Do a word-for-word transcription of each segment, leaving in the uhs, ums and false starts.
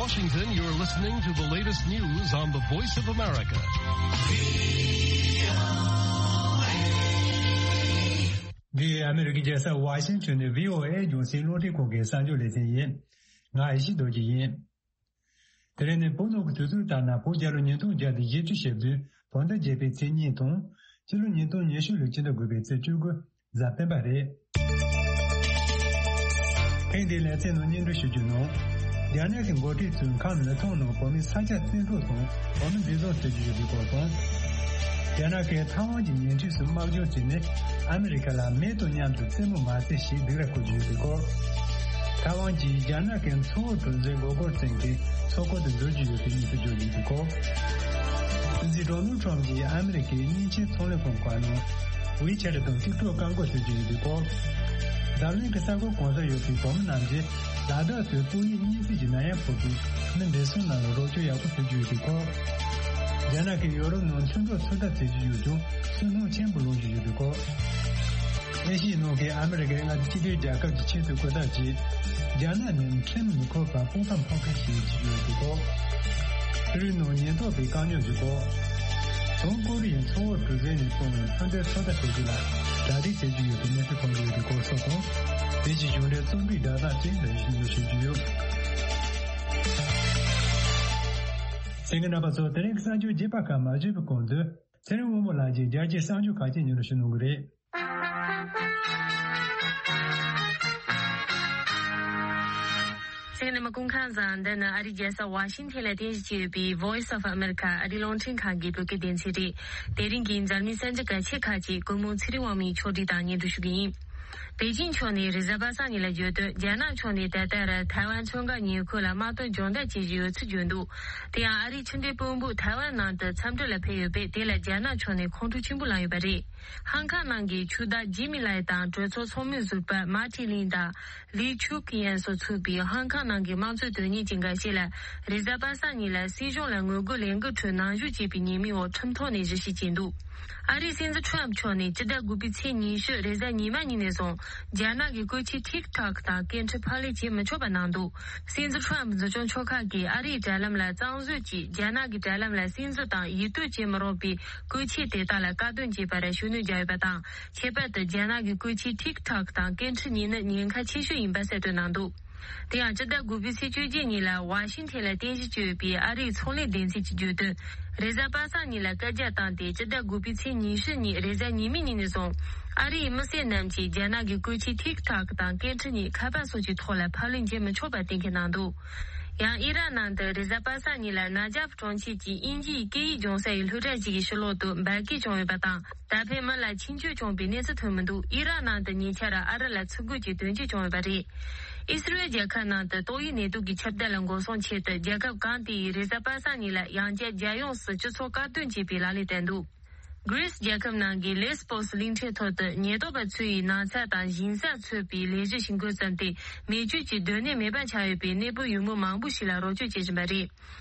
Washington, you're listening to the latest news on the Voice of America. འདི་ཨ་མི་རི་ཀའི་རྒྱལ་ས་ཝ་ཤིང་ཊོན་ནས་བྷི་ཨོ་ཨེ་རྒྱང་སྲིང་རླུང་འཕྲིན་ཁང་གི་གསར་འགྱུར་ལེ་ཚན་ཡིན། ང་ཨེ་ཤེ་རྡོ་རྗེ་ཡིན། དེ་རིང་ནི་བོད་ནང་གི་དུས་ཚོད་ལྟར་ན་བོད་རྒྱལ་ལོ་ཉིས་སྟོང་བརྒྱ་དང་བཞི་བཅུ་ཞེ་བདུན་བོད་ཟླ་བརྒྱད་པའི་ཚེས་གཉིས་དང་། སྤྱི་ལོ་ཉིས་སྟོང་ཉི་ཤུ་ལོའི་ཕྱི་ཟླ་དགུ་པའི་ཚེས་བཅུ་དགུ་གཟའ་སྤེན་པ་རེད། ཐེངས་འདིའི་ལེ་ཚན་ནང་སྙན་སྒྲོན་ཞུ་རྒྱུ་ནང་། རྒྱ་ནག་གི་འགོ་ཁྲིད་ཚོས་ཁམས་ལི་ཐང་ནང་བོད་མི་ས་ཆ་བཙན་འཕྲོག་དང་བོད་མི་འཛིན་བཟུང་བྱེད་ཀྱི་ཡོད་པའི་སྐོར་དང་། རྒྱ་ནག་གིས་ཐའེ་ཝན་གྱི་ཉེ་འཁྲིས་སུ་དམག་སྦྱོང་བྱས་ནས་ཨ་མི་རི་ཀ་ལ་མེ་དང་མཉམ་དུ་རྩེད་མོ་མ་རྩེ་ཞེས་སྡིགས་ར་བསྐུལ་གྱི་ཡོད་པའི་སྐོར། ཐའེ་ཝན་གྱིས་རྒྱ་ནག་གི་མཚོ་བོད་གྲུ་འཛིན་མགོ་སྐོར་ཅན་གྱི་མཚོ་ཁུལ་དུ་འཛུལ་གྱི་ཡོད་པའི་གནས་ཚུལ་བརྗོད་ཡོད་པའི་སྐོར། སྲིད་འཛིན་ཌོ་ནལ་ཁྲམ་གྱིས་ཨ་མི་རི་ཀའི་མཉེན་ཆས་ཚོང་ལས་ཁང་ཁག་ནང་ཝི་ཆེ་ཊི་དང་ཊིག་ཊོག་བཀག་འགོག་བྱེད་ཀྱི་ཡོད་པའི་སྐོར། འཛམ་གླིང་གི་ས་ཁུལ་གང་སར་ཡོད་པའི་བོད་མི་རྣམས་ཀྱིས་ལ་དྭགས་སུ་ཏོག་དབྱིབས་གཉན་སྲིན་གྱི་ནད་ཡམས་ཕོག་པའི་མི་འདྲེ་ཚོ་རྣམས་ལ་རོགས་སྐྱོར་ཡག་པོ་ཞུ་རྒྱུ་ཡོད་པའི་སྐོར། རྒྱ་ནག་གིས་ཡོ་རོབ་ནང་མཚོན་ཐོག་ཚོད་ལྟ་བྱེད་ཀྱི་ཡོད་ཀྱང་སུན་སྣང་ཆེན་པོ་ལངས་ཀྱི་ཡོད་པའི་སྐོར། ཨེ་ཤི་ཡའི་ནང་གི་ཨ་མི་རི་ཀའི་མངའ་སྡེ་སྤྱི་མཐུན་རྒྱལ་ཁབ་ཀྱི་ཆེས་མཐོའི་སྐུ་ཚབ་ཀྱིས་རྒྱ་ནག་ནི་ཁྲིམས་མི་ཁུར་བར་དཔུང་ཁ་འཕང་མཁན་ཞིག་ཡིན་ཞེས་བརྗོད་ཡོད་པའི་སྐོར། ཕྱི་རོལ་ནང་ཉེན་རྟོག་པས་བཀག་ཉར་བྱེད་སྐོར། བྱང་ཀོ་རི་ཡའི་མཚོ་བོད་གྲུ་གཟིངས་ནས་སྤུངས་པའི་མཚོན་ཆའི་ཚོད་ལྟ་བྱེད་རྒྱུ་ལ་གྲ་སྒྲིག་བྱེད་ཀྱི་ཡོད་པའི་གནས་ཚུལ་ཐོན་གྱི་ཡོད་པའི་སྐོར་སོགས་དང་། དེ་བཞིན་གཞུང་འབྲེལ་རྩོམ་སྒྲིག་བརྡ་དག་ཅིག་འདོན་ཞུ་ཞུ་རྒྱུ་ཡོད། གསན་མཁན་རྣམ་པ་ཚོ་དེ་རིང་གི་གསར་འགྱུར་རྒྱས་པ་ཁག་མ་བརྗོད་པའི་གོང་དུ། ཚེ་རིང་དབང་མོ་ལགས་ཀྱིས་རྒྱལ་སྤྱིའི་གསར་འགྱུར་ཁག་ཅིག་སྙན་སྒྲོན་ཞུ་གནང་གི་རེད། གསན་མཁན་རྣམ་པ་སྐུ་ཁམས་བཟང་། འདི་ནི་ཨ་རིའི་རྒྱལ་ས་ཝ་ཤིང་ཐན་ལ་རྟེན་གཞི་བྱས་ཡོད་པའི་Voice of America ཨ་རིའི་རླུང་འཕྲིན་ཁང་གི་བོད་སྐད་སྡེ་ཚན་རེད། དེ་རིང་གི་འཛམ་གླིང་གསར་འགྱུར་གལ་ཆེ་ཁག་ཅིག་སྐུ་ངོ་ཚེ་རིང་དབང་མོས་ཕྱོགས་སྒྲིག་དང་སྙན་སྒྲོན་ཞུ་གི་ཡིན། པེ་ཅིང་ཕྱོགས་ནས་རེས་གཟའ་པ་སངས་ཉིན་ལ་བརྗོད་དོན། རྒྱ་ནག་ཕྱོགས་ནས་ད་ལྟ་ར་ཐའེ་ཝན་མཚོ་འགག་ཉེ་ཁུལ་ལ་དམག་དོན་སྦྱོང་བརྡར་བྱེད་བཞིན་ཡོད་ཚུལ་བརྗོད་འདུག་དེ་ཡང་ཨ་རིའི་ཕྱི་འབྲེལ་དཔོན་པོ་ཐའེ་ཝན་ནང་དུ་འཚམས་འདྲི་ལ་ཕེབས་ཡོད་པས། དེ་ལ་རྒྱ་ནག་ཕྱོགས་ནས་ཁོང་ཁྲོ་ཆེན་པོ་ལངས་ཡོད་པ་རེད། ཧང་ཀང་ནང་གི་ཆོས་བདག་ཇི་མི་ལའི་དང་གྲོས་ཚོགས་ཚོགས་མི་ཟུར་པ་མཱ་ཐི་ལིན་དང་ལི་ཆུག་ཡན་སོགས་ཚུད་པའི་ཧང་ཀང་ནང་གི་དམངས་གཙོ་དོན་གཉེར་གྱི་འགའ་ཤས་ལ་རེས་གཟའ་པ་སངས་ཉིན་ལ་སྲིད་གཞུང་ལ་ངོ་རྒོལ་ལས་འགུལ་ཁྲོད་ནང་ཞུགས་བྱས་པའི་ཉེས་མིང་འོག་ཁྲིམས་ཐོག་ནས་ཞིབ་བཤེར་བྱས་འདུག་ཨ་རིའི་སྲིད་འཛིན་ཁྲོམ་ཕྱོགས་ནས་སྤྱི་ཟླ་དགུ་པའི་ཚེས་ཉི་ཤུ་རེས་གཟའ་ཉི་མ་ཉིན་ནས་བཟུང་རྒྱ་ནག་གི་བཀོལ་ཆས་ཐིག་ཐོག་དང་སྐད་འཕྲིན་ཕབ་ལེན་བྱེད་མི་ཆོག་པ་གནང་འདུག་སྲིད་འཛིན་ཁྲོམ་འཛིན་སྐྱོང་ཕྱོགས་ཁག་གིས་ཨ་རིའི་དྲ་ལམ་ལ་གཙང་བཟོ་གྱིས་རྒྱ་ནག་གི་དྲ་ལམ་ལ་སིམ་འཛུལ་དང་ཡིད་རྟོན་བྱེད་མི་རུང་བའི་བཀོལ་ཆས་དེ་དག་ལ་བཀག་སྡོམ་བྱེད་པར་ཤུགས་སྣོན་བརྒྱབ་ཡོད་པ་དང་། ཁྱད་པར་དུ་རྒྱ་ནག་གི་བཀོལ་ཆས་ཐིག་ཐོག་དང་སྐད་འཕྲིན་གཉིས་ནི་ཉེན་ཁ་ཆེ་ཤོས་ཡིན་པ་གསལ་སྟོན་གནང་འདུག་དེ་ཡང་སྤྱི་ཟླ་དགུ་པའི་ཚེས་བཅོ་བརྒྱད་ཉིན་ལ་ཝ་ཤིང་ཐན་ལ་རྟེན་གཞི་བྱས་ཡོད་པའི་ཨ་རིའི་ཚོང་ལས་སྡེ་ཚན་གྱིས་བརྗོད་དོན། རེས་གཟའ་པ་སངས་ཉིན་ལ་བཀའ་རྒྱ་བཏང་སྟེ། སྤྱི་ཟླ་དགུ་པའི་ཚེས་ཉི་ཤུ་ཉིན་རེས་གཟའ་ཉི་མའི་ཉིན་ནས་བཟུང་ཨ་རིའི་མི་སེར་རྣམས་ཀྱིས་རྒྱ་ནག་གི་བཀོལ་ཆས་ཐིག་ཐོག་དང་སྐད་འཕྲིན་གཉིས་ཁ་པར་སོགས་ཀྱི་ཐོག་ལ་ཕབ་ལེན་བྱེད་མི་ཆོག་པ་གཏན་འཁེལ་གནང་འདུག་ཡང་ཨི་རག་ནང་དུ་རེས་གཟའ་པ་སངས་ཉིན་ལ་ན་ཇབ་གྲོང་ཁྱེར་གྱི་དབྱིན་ཇིའི་སྐད་ཡིག་སྦྱོང་ས་ཡི་སློབ་གྲྭ་ཞིག་གི་ཕྱི་ལོགས་སུ་འབར་གས་བྱུང་ཡོད་པ་དང་། ད་ཕན་མི་ལ་འཆིང་སྐྱོན་བྱུང་བའི་གནས་ཚུལ་ཐོན་མི་འདུག་ཨི་རག་ནང་དུ་ཉེ་ཆར་ཨ་རི་ལ་ཚུར་རྒོལ་གྱི་དོན་རྐྱེན་བྱུང་ཡོད་པ་རེད། ཨི་སི་རེལ་རྒྱལ་ཁབ་ནང་དུ་ཏོག་དབྱིབས་ནད་དུག་གི་ཁྱབ་གདལ་ལ་འགོག་སྲུང་ཆེད་དུ་རྒྱལ་ཁབ་གང་དེ་ཡིས་རེས་གཟའ་པ་སངས་ཉིན་ལ་ཡང་བསྐྱར་རྒྱལ་ཡོངས་སུ་སྤྱི་ཚོགས་བཀག་སྡོམ་བྱེད་པའི་ལག་ལེན་བསྟར་འདུག་གྷི་རིས་རྒྱལ་ཁབ་ནང་གི་ལེས་པོ་སི་གླིང་ཕྲན་ཐོག་ཏུ་ཉེན་རྟོག་པ་ཚོས་ནགས་ཚལ་དང་ཞིང་སར་ཚུད་པའི་ལས་གཞི་ཞིག་འགོ་བརྩམས་ཏེ། མེ་མཆོད་ཀྱི་སྡོད་གནས་མེད་པ་ཆགས་ཡོད་པའི་གནས་སྤོ་ཡུལ་མི་མང་པོ་ཞིག་ལ་རོགས་སྐྱོར་བྱེད་བཞིན་པ་རེད།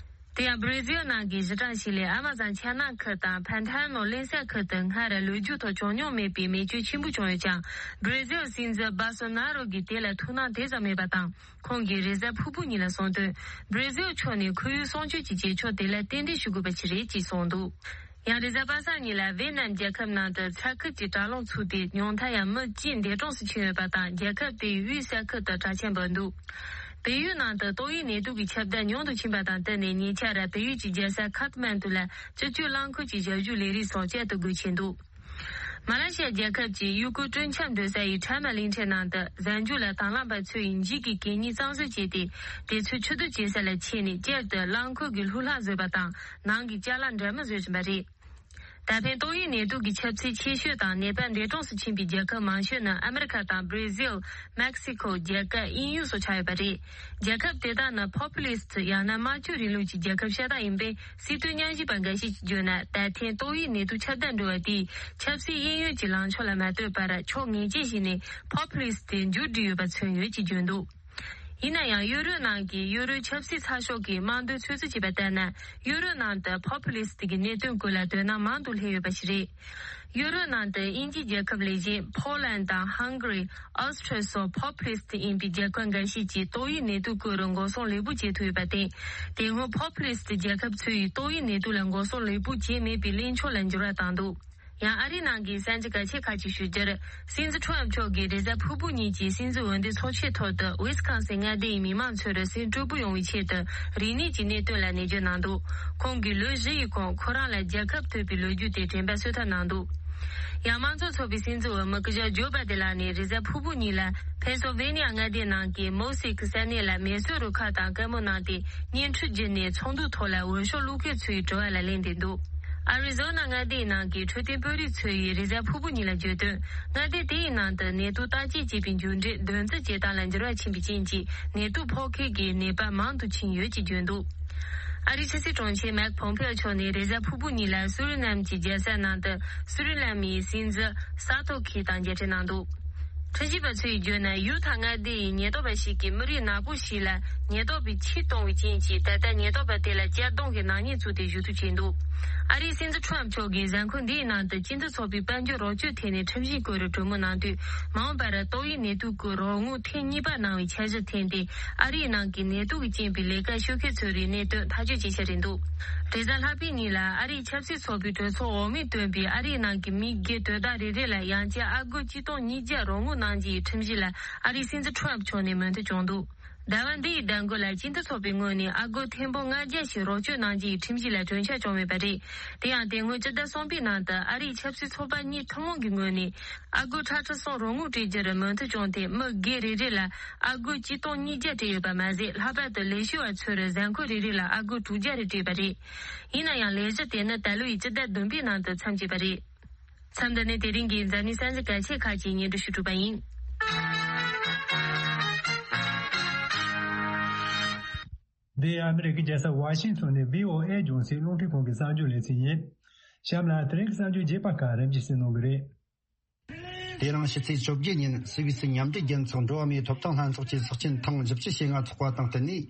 དེ་ཡང་བྷི་ར་ཟིལ་ནང་གི་གཞི་གྲངས་ཤིག་ལས་ཨ་མ་ཛོན་ཆ་ནག་ཁུལ་དང་ཕན་ཐ་ནོ་གླིང་ས་ཁུལ་དུ་སྔར་ལོ་རྒྱུས་ཐོག་བྱུང་མྱོང་མེད་པའི་མེ་མཆོད་ཆེན་པོ་བྱུང་ཡོད་ཀྱང་། བྷི་ར་ཟིལ་སྲིད་འཛིན་སྦ་སོ་ན་རོ་གིས་དེ་ལ་ཐུགས་སྣང་དེ་ཙམ་མེད་པ་དང་། ཁོང་གིས་རེས་གཟའ་ཕུར་བུ་ཉིན་ལ་གསུངས་དོན། བྷི་ར་ཟིལ་ཕྱོགས་ནས་ཁོར་ཡུག་སྲུང་སྐྱོབ་ཀྱི་བྱེད་ཕྱོགས་དེ་ལ་རྟེན་འབྲེལ་ཞུ་དགོས་པ་ཞིག་རེད་ཅེས་གསུངས་འདུག་ཡང་རེས་གཟའ་པ་སངས་ཉིན་ལ་ཝེ་ནམ་རྒྱལ་ཁབ་ནང་དུ་ཚ་ཁུལ་གྱི་དྲག་རླུང་ཚུགས་ཏེ། ཉུང་མཐར་ཡང་མི་བཅས་འདས་གྲོངས་སུ་ཕྱིན་ཡོད་པ་དང་། རྒྱལ་ཁབ་དེའི་དབུས་ས་ཁུལ་དུ་དྲག་ཆར་འབབ་འདུག་བལ་ཡུལ་ནང་དུ་ཏོག་དབྱིབས་ནད་དུག་གི་ཁྱབ་གདལ་ཉུང་དུ་ཕྱིན་པ་དང་བསྟུན་ནས། ཉེ་ཆར་བལ་ཡུལ་གྱི་རྒྱལ་ས་ཁཱཐ་མན་ཌུ་ལ་སྤྱི་སྤྱོད་རླངས་འཁོར་གྱི་ཞབས་ཞུའི་ལས་རིགས་སོགས་བསྐྱར་དུ་སྒོ་ཕྱེ་འདུག་མ་ལེ་ཤི་ཡ་རྒྱལ་ཁབ་ཀྱི་ཡུལ་སྐོར་སྤྲོ་འཆམ་སྡོད་ས་ཡི་ཁྲ་མ་གླིང་ཕྲན་ནང་དུ་གཟའ་མཇུག་ལ་དང་བླངས་པ་ཚོས་འགྱིག་གི་གད་སྙིགས་གཙང་བཟོ་བྱས་ཏེ། དེ་ཚོ་ཕྱིར་བསྡུ་བྱེད་ས་ལ་ཁྱེར་ནས། བསྐྱར་དུ་རླངས་འཁོར་གྱི་ལྷུ་ལྷག་བཟོས་པ་དང་། ནང་གི་ཅ་ལག་འདྲ་མིན་བཟོ་བཞིན་པ་རེད། ད་ཕན་ཏོག་དབྱིབས་ནད་དུག་གི་ཁྱབ་ཚད་ཆེ་ཤོས་དང་ནད་པ་འདས་གྲོངས་སུ་ཕྱིན་པའི་རྒྱལ་ཁབ་མང་ཤོས་ནི་ཨ་མི་རི་ཁ་དང་བྷི་ར་ཟིལ། མེག་སི་ཁོ། རྒྱ་གར། དབྱིན་ཡུལ་སོགས་ཆགས་ཡོད་པ་རེད། རྒྱལ་ཁབ་དེ་དག་ནི་ཕོ་པུ་ལི་སི་ཡང་ན་དམར་ཕྱོགས་རིང་ལུགས་ཀྱི་རྒྱལ་ཁབ་ཤ་སྟག་ཡིན་པས། སྲིད་དོན་ཉམས་ཞིབ་པ་འགའ་ཞིག་གིས་བརྗོད་ན། ད་ཐེངས་ཏོག་དབྱིབས་ནད་དུག་ཁྱབ་གདལ་འགྲོ་བ་དེས་ཆབ་སྲིད་གཡས་གཡོན་གྱི་ལངས་ཕྱོགས་ལ་མ་ལྟོས་པར། ཕྱོགས་ངེས་ཅན་ཞིག་ནས་ཕོ་པུ་ལི་སི་དེ་མཇུག་བསྒྲིལ་ཡོད་པ་མཚོན་ཡོད་ཅེས་བརྗོད་འདུག་ཡིན་ན་ཡང་ཡུ་རོབ་ནང་གི་ཡུ་རོབ་ཆབ་སྲིད་ཚགས་ཤོག་གིས་དམངས་དོན་ཚོད་རྩིས་བྱས་པ་ལྟར་ན། ཡུ་རོབ་ནང་དུ་པོ་པུ་ལི་སི་ཊི་གི་གནད་དོན་ཀུན་ལ་དོ་སྣང་མང་དུ་སླེབས་ཡོད་པ་ཞིག་རེད། ཡུ་རོབ་ནང་དུ་དབྱིན་ཇི་རྒྱལ་ཁབ་ལས་གཞན་ཕོ་ལན་དང་ཧང་གྷ་རི། ཨོ་སི་ཁྲི་སོགས་པོ་པུ་ལི་སི་ཊི་ཡིན་པའི་རྒྱལ་ཁབ་འགའ་ཤས་ཀྱིས་ཏོག་དབྱིབས་ནད་དུག་སྐོར་འགོག་སྲུང་ལེགས་པོ་བྱེད་ཐུབ་ཡོད་པར་བརྟེན། དེ་སྔོན་པོ་པུ་ལི་སི་ཊི་རྒྱལ་ཁབ་ཚོས་ཏོག་དབྱིབས་ནད་དུག་ལ་འགོག་སྲུང་ལེགས་པོ་བྱས་མེད་པའི་གླེང་ཕྱོགས་ལ་འགྱུར་བ་བཏང་འདུག་ཡང་ཨ་རིའི་ནང་གི་གསར་འགྱུར་གལ་ཆེ་ཁག་ཅིག་ཞུ་རྒྱུར། སྲིད་འཛིན་ཁྲོམ་མཆོག་གིས་རེས་གཟའ་ཕུར་བུ་ཉིན་གྱི་སྲིད་འཛིན་འོས་འདེམས་ཚོགས་ཆེན་ཐོག་ཏུ་ཝི་སི་ཁོན་སིན་མངའ་སྡེ་ཡི་མི་མང་ཚོར་སེམས་སྤྲོ་པོ་ཡོང་བའི་ཆེད་དུ་རིག་གནས་ཀྱི་གནད་དོན་ལ་ནན་བརྗོད་གནང་འདུག་ཁོང་གིས་ལོ་བཞི་ཡི་གོང་ཁོ་རང་ལ་རྒྱལ་ཁ་ཐོབ་པའི་ལོ་རྒྱུས་དེ་དྲན་པ་གསོས་ཐབས་གནང་འདུག་ཡང་དམངས་གཙོ་ཚོགས་པའི་སྲིད་འཛིན་འོས་མི་སྐུ་ཞབས་ཇོ་བྷ་དེ་ལགས་ནས་རེས་གཟའ་ཕུར་བུ་ཉིན་ལ་ཕེན་སིལ་ཝེ་ནི་ཡ་མངའ་སྡེ་ནང་གི་མོ་སི་ཀི་ས་གནས་ལ་མེ་གསོད་རུ་ཁག་དང་བཀའ་མོལ་གནང་སྟེ། བརྙན་འཕྲིན་བརྒྱུད་ནས་ཚོགས་འདུའི་ཐོག་ལ་འོས་ཤོག་བླུག་མཁན་ཚོའི་དྲི་བ་ལ་ལན་འདེབས་འདུག་ཨ་རི་ཛོ་ན་མངའ་སྡེའི་ནང་གི་འཕྲོད་བསྟེན་དཔོན་རིགས་ཚོས་ཡི་རེས་གཟའ་ཕུར་བུ་ཉིན་ལ་བརྗོད་དོན། མངའ་སྡེ་དེ་ཡི་ནང་དུ་ནད་དུག་བརྟག་དཔྱད་བྱེད་པའི་མཇུག་འབྲས་འདོན་རྩིས་བྱེད་སྟངས་ལ་འགྱུར་བ་ཕྱིན་པའི་རྐྱེན་གྱིས་ནད་དུག་ཕོག་མཁན་གྱི་ནད་པ་མང་དུ་ཕྱིན་ཡོད་ཅེས་བརྗོད་འདུག་ཨ་རིའི་ཕྱི་སྲིད་དྲུང་ཆེ་མེག་ཕོམ་ཕེའོ་མཆོག་ནས་རེས་གཟའ་ཕུར་བུ་ཉིན་ལ་སུ་རི་ནམ་གྱི་རྒྱལ་ས་ནང་དུ་སུ་རི་ནམ་ཡི་སྲིད་འཛིན་ས་ཐོ་ཁི་དང་མཇལ་འཕྲད་གནང་འདུག་ཁྲིམས་ཞིབ་པ་ཚོས་བརྗོད་ན་ཡུ་ཐ་མངའ་སྡེ་ཡི་ཉེན་རྟོག་པ་ཞིག་གིས་མི་རིགས་ནག་པོ་ཞིག་ལ་ཉེན་རྟོག་པས་ཕྱིས་གཏོང་བའི་རྐྱེན་གྱིས་ད་ལྟ་ཉེན་རྟོག་པ་དེ་ལ་གཅར་རྡུང་གི་ནག་ཉེས་བཙུགས་ཏེ་ཞུ་གཏུག་བྱས་འདུག་ཨ་རིའི་སྲིད་འཛིན་ཁྲོམ་མཆོག་གིས་གཟའ་འཁོར་འདིའི་ནང་དུ་སྤྱི་མཐུན་ཚོགས་པའི་དཔལ་འབྱོར་རོགས་སྐྱོར་ཐད་ནས་ཁྲིམས་གཞི་སྐོར་གྲོས་མོལ་གནང་དུས། མ་འོངས་པར་ཏོག་དབྱིབས་ནད་དུག་གི་རོགས་དངུལ་ཐེངས་གཉིས་པ་གནང་བའི་འཆར་གཞི་འཐེན་ཏེ། ཨ་རིའི་ནང་གི་ནད་དུག་གི་རྐྱེན་པས་ལས་ཀ་ཤོར་མཁན་ཚོའི་རིགས་གནད་དོན་ཐག་གཅོད་བྱེད་འཆར་རེད་འདུག་རེས་གཟའ་ལྷག་པའི་ཉིན་ལ་ཨ་རིའི་ཆབ་སྲིད་ཚོགས་པའི་གྲོས་ཚོགས་འོག་མས་བཏོན་པའི་ཨ་རིའི་ནང་གི་མི་སྒེར་དོན་དག་རེ་རེ་ལ་ཡང་བསྐྱར་ཨ་སྒོར་གཅིག་སྟོང་ཉིས་བརྒྱ་རོགས་དངུལ་གནང་རྒྱུའི་ཁྲིམས་གཞི་ལ་ཨ་རིའི་སྲིད་འཛིན་ཁྲོམ་མཆོག་ནས་མོས་མཐུན་བྱུང་འདུག་ཟླ་བ་འདི་ཡི་ཟླ་མགོ་ལ་སྤྱི་མཐུན་ཚོགས་པའི་ངོས་ནས་ཨ་སྒོར་ཐེར་འབུམ་ལྔ་བརྒྱ་ཞིག་རོགས་སྐྱོར་གནང་རྒྱུའི་ཁྲིམས་གཞི་ལ་གྲོས་འཆར་བྱུང་ཡོད་པ་རེད། དེ་ཡང་དེ་སྔོན་སྤྱི་ཟླ་གསུམ་པའི་ནང་དུ་ཨ་རིའི་ཆབ་སྲིད་ཚོགས་པ་གཉིས་ཐུན་མོང་གི་ངོས་ནས་ཨ་སྒོར་ཁྲི་ཁྲི་གསུམ་རོགས་དངུལ་སྤྲད་རྒྱུར་མོས་མཐུན་བྱུང་སྟེ། མི་སྒེར་རེ་རེ་ལ་ཨ་སྒོར་གཅིག་སྟོང་ཉིས་བརྒྱ་སྤྲད་ཡོད་པ་མ་ཟད། ལྷག་པར་དུ་ལས་བྱེད་པ་ཚོར་གཟའ་འཁོར་རེ་རེ་ལ་ཨ་སྒོར་དྲུག་བརྒྱ་རེ་སྤྲད་པ་རེད། ཡིན་ན་ཡང་ལས་གཞི་དེ་ནི་ད་ལོའི་སྤྱི་ཟླ་བདུན་པའི་ནང་དུ་མཚམས་བཅད་པ་རེད། མཚམས་འདི་ནས་དེ་རིང་གི་འཛམ་གླིང་གསར་འགྱུར་གལ་ཆེ་ཁག་ཅིག་སྙན་སྒྲོན་ཞུ་གྲུབ་པ་ཡིན། འདི་ཨ་མི་རི་ཀའི་རྒྱལ་ས་ཝ་ཤིང་ཊོན་ནས་བྷི་ཨོ་ཨེ་རྒྱང་སྲིང་རླུང་འཕྲིན་ཁང་གི་གསར་འགྱུར་ལེ་ཚན་ཡིན། གཤམ་ལ་དེ་རིང་གི་གསར་འགྱུར་རྒྱས་པ་ཁག་རིམ་གྱིས་གསན་གནང་གི་རེད། དེ་རིང་ཕྱི་ཚེས་བཅོ་བརྒྱད་ཉིན་སུད་སི་མཉམ་འབྲེལ་རྒྱལ་ཚོགས་འགྲོ་བ་མིའི་ཐོབ་ཐང་ལྷན་ཚོགས་ཀྱི་ཚོགས་ཆེན་ཐེངས་བཞི་བཅུ་ཞེ་ལྔ་ཚོགས་པ་དང་བསྟུན་ནས།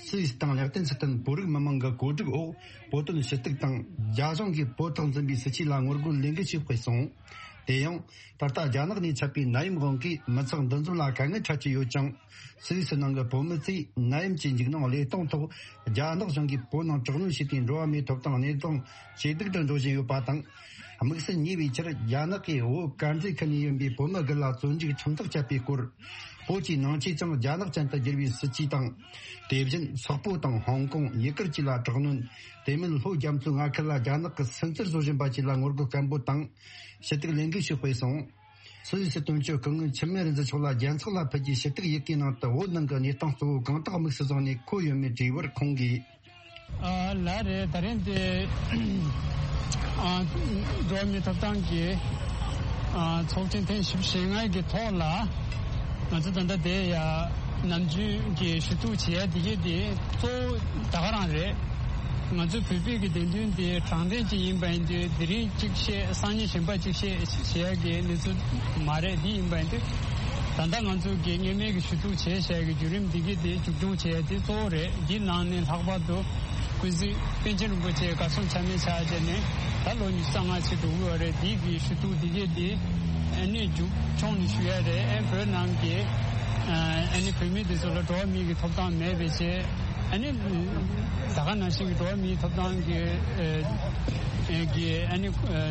སུད་སི་དང་ལེག་ཏེན་སི་ཏན་བོད་རིགས་མི་མང་གི་གོ་སྒྲིག་འོག་བོད་དོན་ཞུ་གཏུག་དང་རྒྱ་གཞུང་གིས་བོད་ཐོག་འཛིན་པའི་སྲིད་བྱུས་ལ་ངོ་རྒོལ་ལས་འགུལ་ཞིག་སྤེལ་སོང་། དེ་ཡང་ད་ལྟ་རྒྱ་ནག་ནས་ཁྱབ་པའི་ནད་ཡམས་དབང་གིས་མི་ཚོགས་འདུ་འཛོམས་ལ་དཀའ་ངལ་འཕྲད་ཀྱི་ཡོད་ཀྱང་། སུད་སི་ནང་གི་བོད་མི་ཚོས་ནད་ཡམས་ཀྱི་འཇིགས་སྣང་བློས་གཏོང་ཐོག་རྒྱ་ནག་གཞུང་གིས་བོད་ནང་དྲག་གནོན་བྱས་པའི་འགྲོ་བ་མིའི་ཐོབ་ཐང་གནས་སྟངས་ཇེ་སྡུག་ཏུ་འགྲོ་བཞིན་ཡོད་པ་དང་། དམིགས་བསལ་ཉེ་བའི་ཆར་རྒྱ་ནག་གིས་བོད་དཀར་མཛེས་ཁུལ་ནས་ཡིན་པའི་བོད་མི་དགུ་ལ་བཙོན་འཇུག་ཁྲིམས་ཐག་བཅད་པའི་སྐོར། བོད་ཀྱི་ནང་ཆོས་ཀྱང་རྒྱ་ནག་ཅན་དུ་བསྒྱུར་བའི་སྲིད་ཇུས་དང་། དེ་བཞིན་སོག་པོ་དང་ཧོང་ཀོང་། ཡུ་གུར་བཅས་ལ་དྲག་གནོན། དེ་མིན་ལྷོ་རྒྱ་མཚོའི་མངའ་ཁུལ་ལ་རྒྱ་ནག་གིས་སུན་གཙེར་བཟོ་བཞིན་པ་བཅས་ལ་ངོ་རྒོལ་སྐད་འབོད་དང་། ཞུ་གཏུག་ལས་འགུལ་ཞིག་སྤེལ་སོང་། སུད་སི་དོན་གཅོད་སྐུ་ངོ་འཆི་མེད་རིག་འཛིན་མཆོག་ལ་རྒྱལ་ཚོགས་ལ་ཕུལ་རྒྱུའི་ཞུ་གཏུག་ཡི་གེའི་ནང་དུ་བོད་ནང་གི་གནས་སྟངས་གཙོ་བོ་གང་དག་དམིགས་སུ་བཟུང་ནས་འཁོད་ཡོད་མེད་དྲིས་པར་ཁོང་གིས། ཨ་ལགས་རེད། ད་རིང་འདི་ཨ་འགྲོ་བ་མིའི་ཐོབ་ཐང་གི་ཨ་ཚོགས་ཆེན་ཐེངས་བཞི་བཅུ་ཞེ་ལྔ་གི་ཐོག་ལ། ང་ཚོ་ད་ལྟ་དེ་ཡ་ནམ་རྒྱུན་གྱི་ཞུ་གཏུག་བྱེད་ཡ་དེ་གས་དེ་གཙོ་བོ་ད་ག་རང་རེད། ང་ཚོ་བོད་པའི་གི་བདེན་དོན་དེ་དྲང་བདེན་ཅིག་ཡིན་པ་ཡིན་དུས་དེ་རིང་གཅིག་བཤད། སང་ཉིན་གཞན་པ་གཅིག་བཤད་བྱེད་ཡ་གི་གནས་ཚུལ་མ་རེད། དེ་ཡིན་པ་ཡིན་དུས་ད་ལྟ་ང་ཚོ་གི་སྔོན་མའི་གི་ཞུ་གཏུག་བྱེད་བྱ་ཡ་གི་བརྒྱུད་རིམ་དེ་གས་དེ་མཇུག་སྐྱོང་བྱེད་ཡ་དེ་གཙོ་བོ་རེད། དེའི་ནང་ནས་ལྷག་པར་དུ་ཀུན་གཟིགས་པཎ་ཆེན་རིན་པོ་ཆེ་གར་སོང་ཆ་མེད་ཆགས་བྱས་ནས་ད་ལོ་ཉི་ཤུ་རྩ་ལྔ་ཕྱིན་འགྲོ་གི་ཡོད་རེད། དེའི་གི་ཞུ་གཏུག་དེ་གས་དེ་ཨ་ནི་མཇུག་སྐྱོང་ནས་ཞུ་ཡ་རེད། ཨ་བོད་ནང་གི་ཨ་ནི་བོད་མི་དེ་ཚོ་ལ་འགྲོ་བ་མིའི་གི་ཐོབ་ཐང་མེད་པའི་ཆེད། ཨ་ནི་ད་ག་ནང་བཞིན་གྱི་འགྲོ་བ་མིའི་ཐོབ་ཐང་གི་ཨ་གི་ཨ་ནི་ཨ་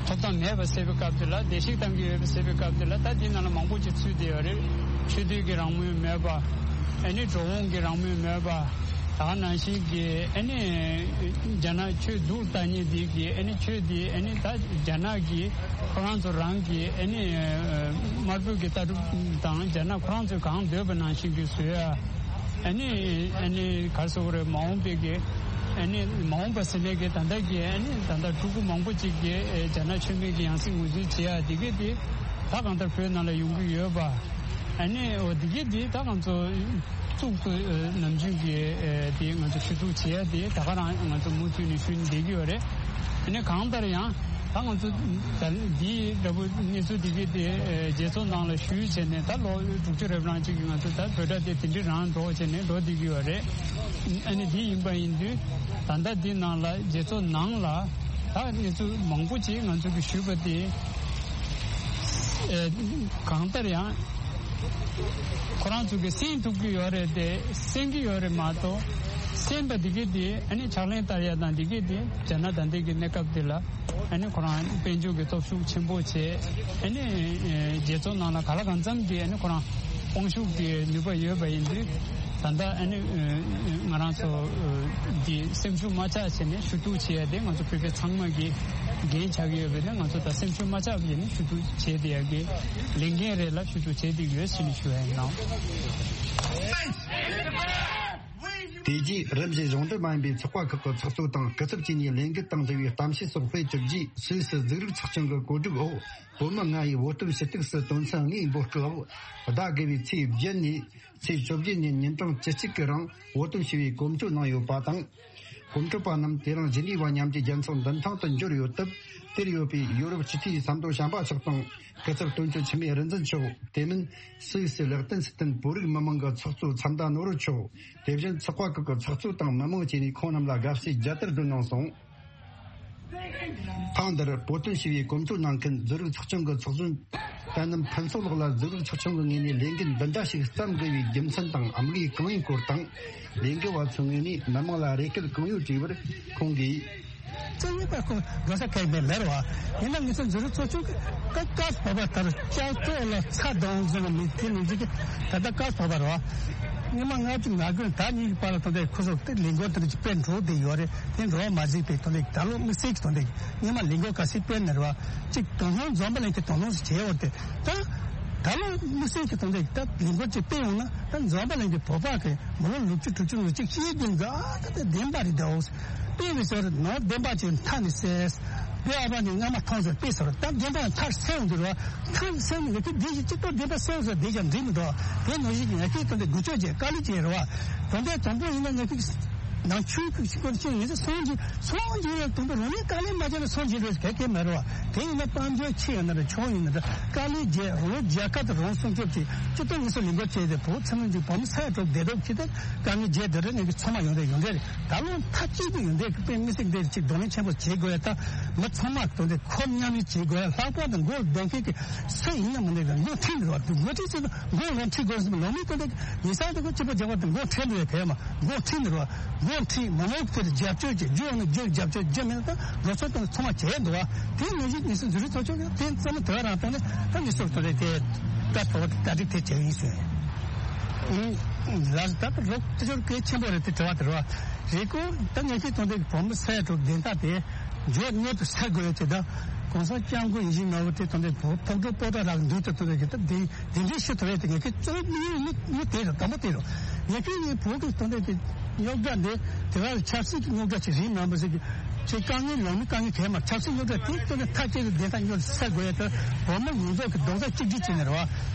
ཐོབ་ཐང་མེད་པ་སེལ་བའི་སྐབས་དེ་ལ། བརྡལ་བཤིག་བཏང་གི་ཡོད་པ་སེལ་བའི་སྐབས་དེ་ལ། ད་དེ་ནང་ལ་མང་པོ་ཅིག་ཚུད་བསྡད་ཡོད་རེད། ཆོས་དད་ཀྱི་རང་མོས་མེད་པ། ཨ་ནི་འགྲོ་འོང་གི་རང་མོས་མེད་པ། ད་ག་ནང་བཞིན་གྱི་ཨ་ནི་རྒྱ་ནག་ཆོས་སྡུག་ལྟ་མཁན་དེ་གི་ཨ་ནི་ཆོས་དེ་ཨ་ནི་ད་རྒྱ་ནག་གི་ཁོ་རང་ཚོ་རང་གི་ཨ་ནི་དམར་པོའི་གི་ལྟ་གྲུབ་དང་རྒྱ་ནག་ཁོ་རང་ཚོས་གང་འདོད་པ་ནང་བཞིན་གྱི་བཟོ་ཡ། ཨ་ནི་ཨ་ནི་ག་རེ་ཟེར་དགོས་རེད། མ་འོངས་པའི་གི་ཨ་ནི་མ་འོངས་པ་ཟེར་ནས་གི་ད་ལྟ་གི་ཨ་ནི་ད་ལྟ་ཕྲུ་གུ་མང་པོ་ཅིག་གི་ཨེ་རྒྱ་ནག་ཆོས་མེད་ཀྱི་ཡང་སྲིད་ངོས་འཛིན་བྱེད་ཡ་དེ་གི་དེ་ད་གང་ལྟར་བོད་ནང་ལ་ཡོང་གི་ཡོད་པ། ཨ་ནི་འོ་དེ་གི་དེ་ད་ང་ཚོ་གཙུག་ཏུ་ཨེ་ནམ་རྒྱུན་གི་ཨེ་དེ་ང་ཚོ་ཞུ་གཏུག་བྱེད་ཡ་དེ་ད་ག་རང་ང་ཚོ་མུ་མཐུད་ནས་ཞུ་ནས་བསྡད་ཀྱི་ཡོད་རེད། ཨ་ནི་གང་ལྟར་ཡང་། ད་ང་ཚོ་ད་འདི་འདྲ་པོ་གནས་ཚུལ་འདི་གའི་དེ་རྒྱལ་ཚོགས་ནང་ལ་ཞུས་བྱས་ནས་ད་ལོ་དྲུག་ཅུ་རེ་གྲངས་ཅིག་གི་ང་ཚོ་ད་བོད་སྒྲ་དེ་དེ་འདྲའི་རང་འགྲོ་བྱས་ནས་འགྲོ་བསྡད་ཀྱི་ཡོད་རེད། ཨ་ནི་འདི་ཡིན་པ་ཡིན་དུས་ད་ལྟ་འདི་ནང་ལ་རྒྱལ་ཚོགས་ནང་ལ་ད་གནས་ཚུལ་མང་པོ་ཅིག་ང་ཚོ་གིས་ཞུས་པ་དེ་ཨེ་གང་ལྟར་ཡང་ཁོ་རང་ཚོ་གིས་གསན་ཐུབ་ཀྱི་ཡོད་རེད་དེ་གསན་གྱི་ཡོད་རེད་མ་གཏོགས་གསན་པ་འདི་གའི་དེ་ཨ་ནི་ཕྱག་ལེན་བསྟར་ཡ་དང་འདི་གའི་དེ་རྒྱ་ནག་ད་ལྟའི་གི་གནས་སྐབས་འདི་ལ། ཨ་ནི་ཁོ་རང་དཔལ་འབྱོར་གྱི་སྟོབས་ཤུགས་ཆེན་པོ་བྱས། ཨ་ནི་རྒྱལ་ཚོགས་ནང་ལ་ག་ལ་གང་འཚམ་གྱི་ཨ་ནི་ཁོ་རང་དཔུང་ཤུགས་ཀྱི་ནུས་པ་ཡོད་པ་ཡིན་དུས་ད་ལྟ་ཨ་ནི་ང་རང་ཚོ་འདི་སེམས་ཤུགས་མ་ཆག་བྱས་ནས་ཞུ་གཏུག་བྱེད་ཡ་དེ་ང་ཚོ་བོད་པ་ཚང་མ་གི་འགན་ཆགས་ཀྱི་ཡོད་པས་ན་ང་ཚོ་ད་སེམས་ཤུགས་མ་ཆག་བྱས་ནས་ཞུ་གཏུག་བྱེད་བསྡད་ཡ་གི་ལས་འགན་རེད་ལ་ཞུ་གཏུག་བྱེད་བསྡད་ཀྱི་ཡོད་ཟེར་ནས་ཞུ་ཡ་ཡིན་ནོ། དེ་རྗེས་རིམ་བཞིན་གཞུང་འབྲེལ་མ་ཡིན་པའི་ཚོགས་པ་ཁག་གི་ཚོགས་གཙོ་དང་སྐུ་ཚབ་བཅས་ནས་ལས་འགུལ་དང་འབྲེལ་བའི་གཏམ་བཤད་སོགས་སྤེལ་གྲུབ་རྗེས་སུད་སི་གཟུགས་རིག་ཚོགས་ཆུང་གི་གོ་སྒྲིག་འོག་བོད་མི་ལྔ་ཡིས་བོད་དོན་ཞུ་གཏུག་སུ་དོན་ཚན་ལྔའི་འབོད་སྐུལ་འོག་ཟླ་དགུ་བའི་ཚེས་བརྒྱད་ནས་ཚེས་བཅོ་བརྒྱད་ཉིན་ཉིན་གྲངས་བཅུ་གཅིག་གི་རིང་བོད་དོན་ཞུ་བའི་གོམ་བགྲོད་གནང་ཡོད་པ་དང་། གོམ་བགྲོད་པ་རྣམས་དེ་རིང་ཞི་ནི་ཝ་མཉམ་འབྲེལ་རྒྱལ་ཚོགས་མདུན་ཐང་དུ་འབྱོར་ཡོད་སྟབས། དེར་ཡོད་པའི་ཡོ་རོབ་སྤྱི་འཐུས་ཟམ་གདོང་བྱམས་པ་མཆོག་དང་སྐུ་ཚབ་དོན་གཅོད་འཆི་མེད་རིག་འཛིན་མཆོག་དེ་མིན་སུད་སི་ལེག་ཏེན་སི་ཏན་བོད་རིགས་མི་མང་གི་ཚོགས་གཙོ་མཚམས་ཟླ་ནོར་བུ་མཆོག་དེ་བཞིན་ཚོགས་པ་ཁག་གི་ཚོགས་གཙོ་དང་མི་མང་བཅས་ནས་ཁོང་རྣམས་ལ་དགའ་བསུའི་རྒྱལ་དར་བསྒྲོན་གནང་སོང་། ཐེངས་འདིར་བོད་དོན་ཞི་བའི་གོམ་བགྲོད་གནང་མཁན་གཟུགས་རིག་ཚོགས་ཆུང་གི་ཚོགས་གཞོན་བསོད་ནམས་ཕུན་ཚོགས་ལགས་ལ་གཟུགས་རིག་ཚོགས་ཆུང་གི་ངོས་ནས་ལས་འགུལ་འདི་འདྲ་ཞིག་བརྩམ་དགོས་པའི་རྒྱུ་མཚན་དང་དམིགས་ཡུལ་གང་ཡིན་སྐོར་དང་། ལས་འགུལ་བ་ཚོའི་ངོས་ནས་མི་མང་ལ་རེ་སྐུལ་གང་ཡོད་དྲིས་པར་ཁོང་གིས། རྩ་བའི་པ་ཁོ་འགྲོ་ས་གལ་མེད་མེད་རེད་བ། ཡིན་ན་ངེད་ཚོ་གཟུགས་རིག་ཚོགས་ཆུང་གི་ཀ་ཀ་བ་བ་ལྟར་ལྕགས་ཐོག་ལ་ཚ་གདོང་བཟོས་པ་མི་དེ་མི་འཇིག་གི་ད་ལྟ་ཀ་བ་བ་རེད་བ། སྔོན་མ་ལྔ་བཅུ་ང་དགུ་ད་གཉིས་ཀྱི་བར་ལ་དོན་དེ་ཁོ་ཚོ་དེ་ལས་འགུལ་དེ་འདྲ་ཅིག་སྤེལ་འགྲོ་བསྡད་ཡོད་རེད། དེ་འགྲོ་བ་མ་གཟིགས་པའི་དོན་དེ་ད་ལོ་དམིགས་བསལ་གྱི་དོན་དེ་སྔོན་མ་ལས་འགུལ་ག་ཚད་སྤེལ་ནས་རེད་བ། གཅིག་དོ་སྣང་འཛོམས་པ་ལེན་གྱི་དོ་སྣང་ཞིག་བྱས་ཡོད་དེ་ད། ད་ལོ་དམིགས་བསལ་གྱི་དོན་དེ་ད་ལས་འགུལ་ཅིག་སྤེལ་ཡོང་ན་ད་འཛོམས་པ་ལེན་གྱི་བོད་པ་གི་མི་ལོ་ལོ་བཅུ་དྲུག་ཅུ་ལོ་གཅིག་ཤེས་ཀྱི་འཛའ་ད་ད་བདེན་པ་རེད་འདུག་དཔེ་མི་སྲིད་ནོར་བདེན་པ་ཅན་མཐའ་ནས་གསལ། དེ་ཨ་ཕ་ནི་སྔ་མ་མཐོང་ཟེར་དཔེ་ཟེར་ད་བདེན་པ་མཐར་གསལ་ཡོང་དུས་རོ། མཐར་གསལ་ནི་ངས་དེ་བདེ་ཞིང་གཅིག་པ་བདེན་པ་གསལ་ཟེར་བདེ་ཞིང་འགྲིག་མི་འདུག་དེ་ནང་བཞིན་ངས་དེ་དོན་དེ་འགུལ་སྐྱོད་བྱས་དཀའ་ལས་བྱས་རོ། དོན་དེ་དང་པོ་ཡིན་ན་ངས་དེ་ནང་ཆོས་ཀྱི་སྐོར་ཅན་ངས་སོང་རྒྱུ་སོང་རྒྱུ་ཡང་དང་པོ་རང་ཉིད་དཀའ་ལས་མ་བྱས་ན་སོང་རྒྱུ་རེད་གལ་གལ་མེད་རོ། དེ་ཡིན་ན་དཔལ་འབྱོར་ཆེ་ཡིན་ན་རེད་ཆུང་ཡིན་ན་རེད་དཀའ་ལས་བརྒྱབ་རང་རྒྱལ་ཁབ་དང་རང་སྲུང་སྐྱོབ་ཀྱི་སྤྱི་ཚོགས་ངེས་སུ་ལས་འགུལ་བྱས་ཏེ་བོད་ཚང་མ་གཅིག་བོད་མི་ས་ཡ་དྲུག་བདེ་སྡུག་ཅི་ལྟར་དཀའ་ངལ་བརྒྱབ་དེ་རེད་ངེད་ཀྱི་ཚང་མ་ཡོང་རེད་ཡོང་རེད། ད་ལོ་མཐའ་གཅིག་ཏུ་ཡོང་དེ་དཔེ་མི་སྲིད་དེ་ཅིག་གདོང་ལེན་ཆེན་པོ་བྱེད་དགོས་ཡ་ད་མི་ཚང་མ་གདོང་དེ་ཁོ་མཉམ་ལས་བྱེད་དགོས་ཡ་ལྷག་པར་དུ་མགོ་གདོང་ཁེལ་གྱི་སུ་ཡིན་ན་མི་འདུག་ག་མགོ་ཁྲིད་མི་རུང་བ་མགོ་ཁྲིད་ཚེ་མགོ་ལོང་ཁྲིད་དགོས་སམ་ལོང་མི་གདོང་དེ་ཡིན་ས་དེ་ཁོ་སྤྱི་པ་རྒྱག་པ་དེ་མགོ་ཁྲིད་འདུག་ཡ་དེ་མ་མགོ་ཁྲིད་མི་རུང་བ་མགོ་ཁྲིད་མ་མོག་དེར་རྒྱབ་སྐྱོར་བྱེད་རྒྱུ་ཡོང་ན་རྒྱུ་རྒྱབ་སྐྱོར་རྒྱུ་མེད་ན་ད་ལོ་ཚོད་དང་ཚང་མ་བྱས་འདུག་ག་དེ་ནང་བཞིན་ངེས་སུ་འཛུལ་རིག་ཚོགས་ཆུང་གི་དེ་ཙམ་དེ་རང་སྟེང་ནས་ད་ངེས་སུ་དེ་རེད་དེ་ད་ཐོག་ད་རིག་དེ་བྱས་ཡིན་ཟེར། ལ་ད་ལོ་དེ་ཚོར་གལ་ཆེན་པོ་རེད་དེ་དྲི་བ་དེ་རེད་བ། རེད་ཀོ་ད་ངས་ཁྱེད་དོན་དེ་བོད་མི་ས་ཡ་དྲུག་བདེན་མཐའ་དེ་མགྱོགས་མྱུར་དུ་སེལ་དགོས་ཡོད་དེ་ད་གོང་ས་སྐྱབས་མགོན་ཡིད་བཞིན་ནོར་བུ་དེ་དོན་དེ་བོད་ཕོག་ཐུག་པོ་ཏ་རག་འདུག་དེ་དོན་དེ་གི་ད་དེ་དེ་འདྲའི་ཤི་ཐུབ་ཡོད་དེ་ངས་ཁྱེད་གཙོ་བོ་མི་ཡོད་མི་མི་དེ་རེད་དམ་པོ་དེ་རེད། ངས་ཁྱེད་ངའི་བོད་ཀྱི་དོན་དེ་དེ་རྙོག་དྲ་འདི་དེ་ག་ལ་ཆབ་སྲིད་ཀྱི་རྙོག་དྲ་ཅིག་རེད་མིན་པ་ཟེར་གི་ཁྱེད་དཀའ་ངལ་ལོང་མི་དཀའ་ངལ་གས་མ་ཆབ་སྲིད་རྙོག་དྲ་དེ་དོན་དེ་མཐའ་གཅིག་ཏུ་བདེན་མཐའ་མྱུར་དུ་སེལ་དགོས་ཡོད་དེ་བོད་མི་ཡོངས་རྫོགས་ཀྱི་རྡོག་རྩ་གཅིག་སྒྲིལ་བྱས་ནས་རེད་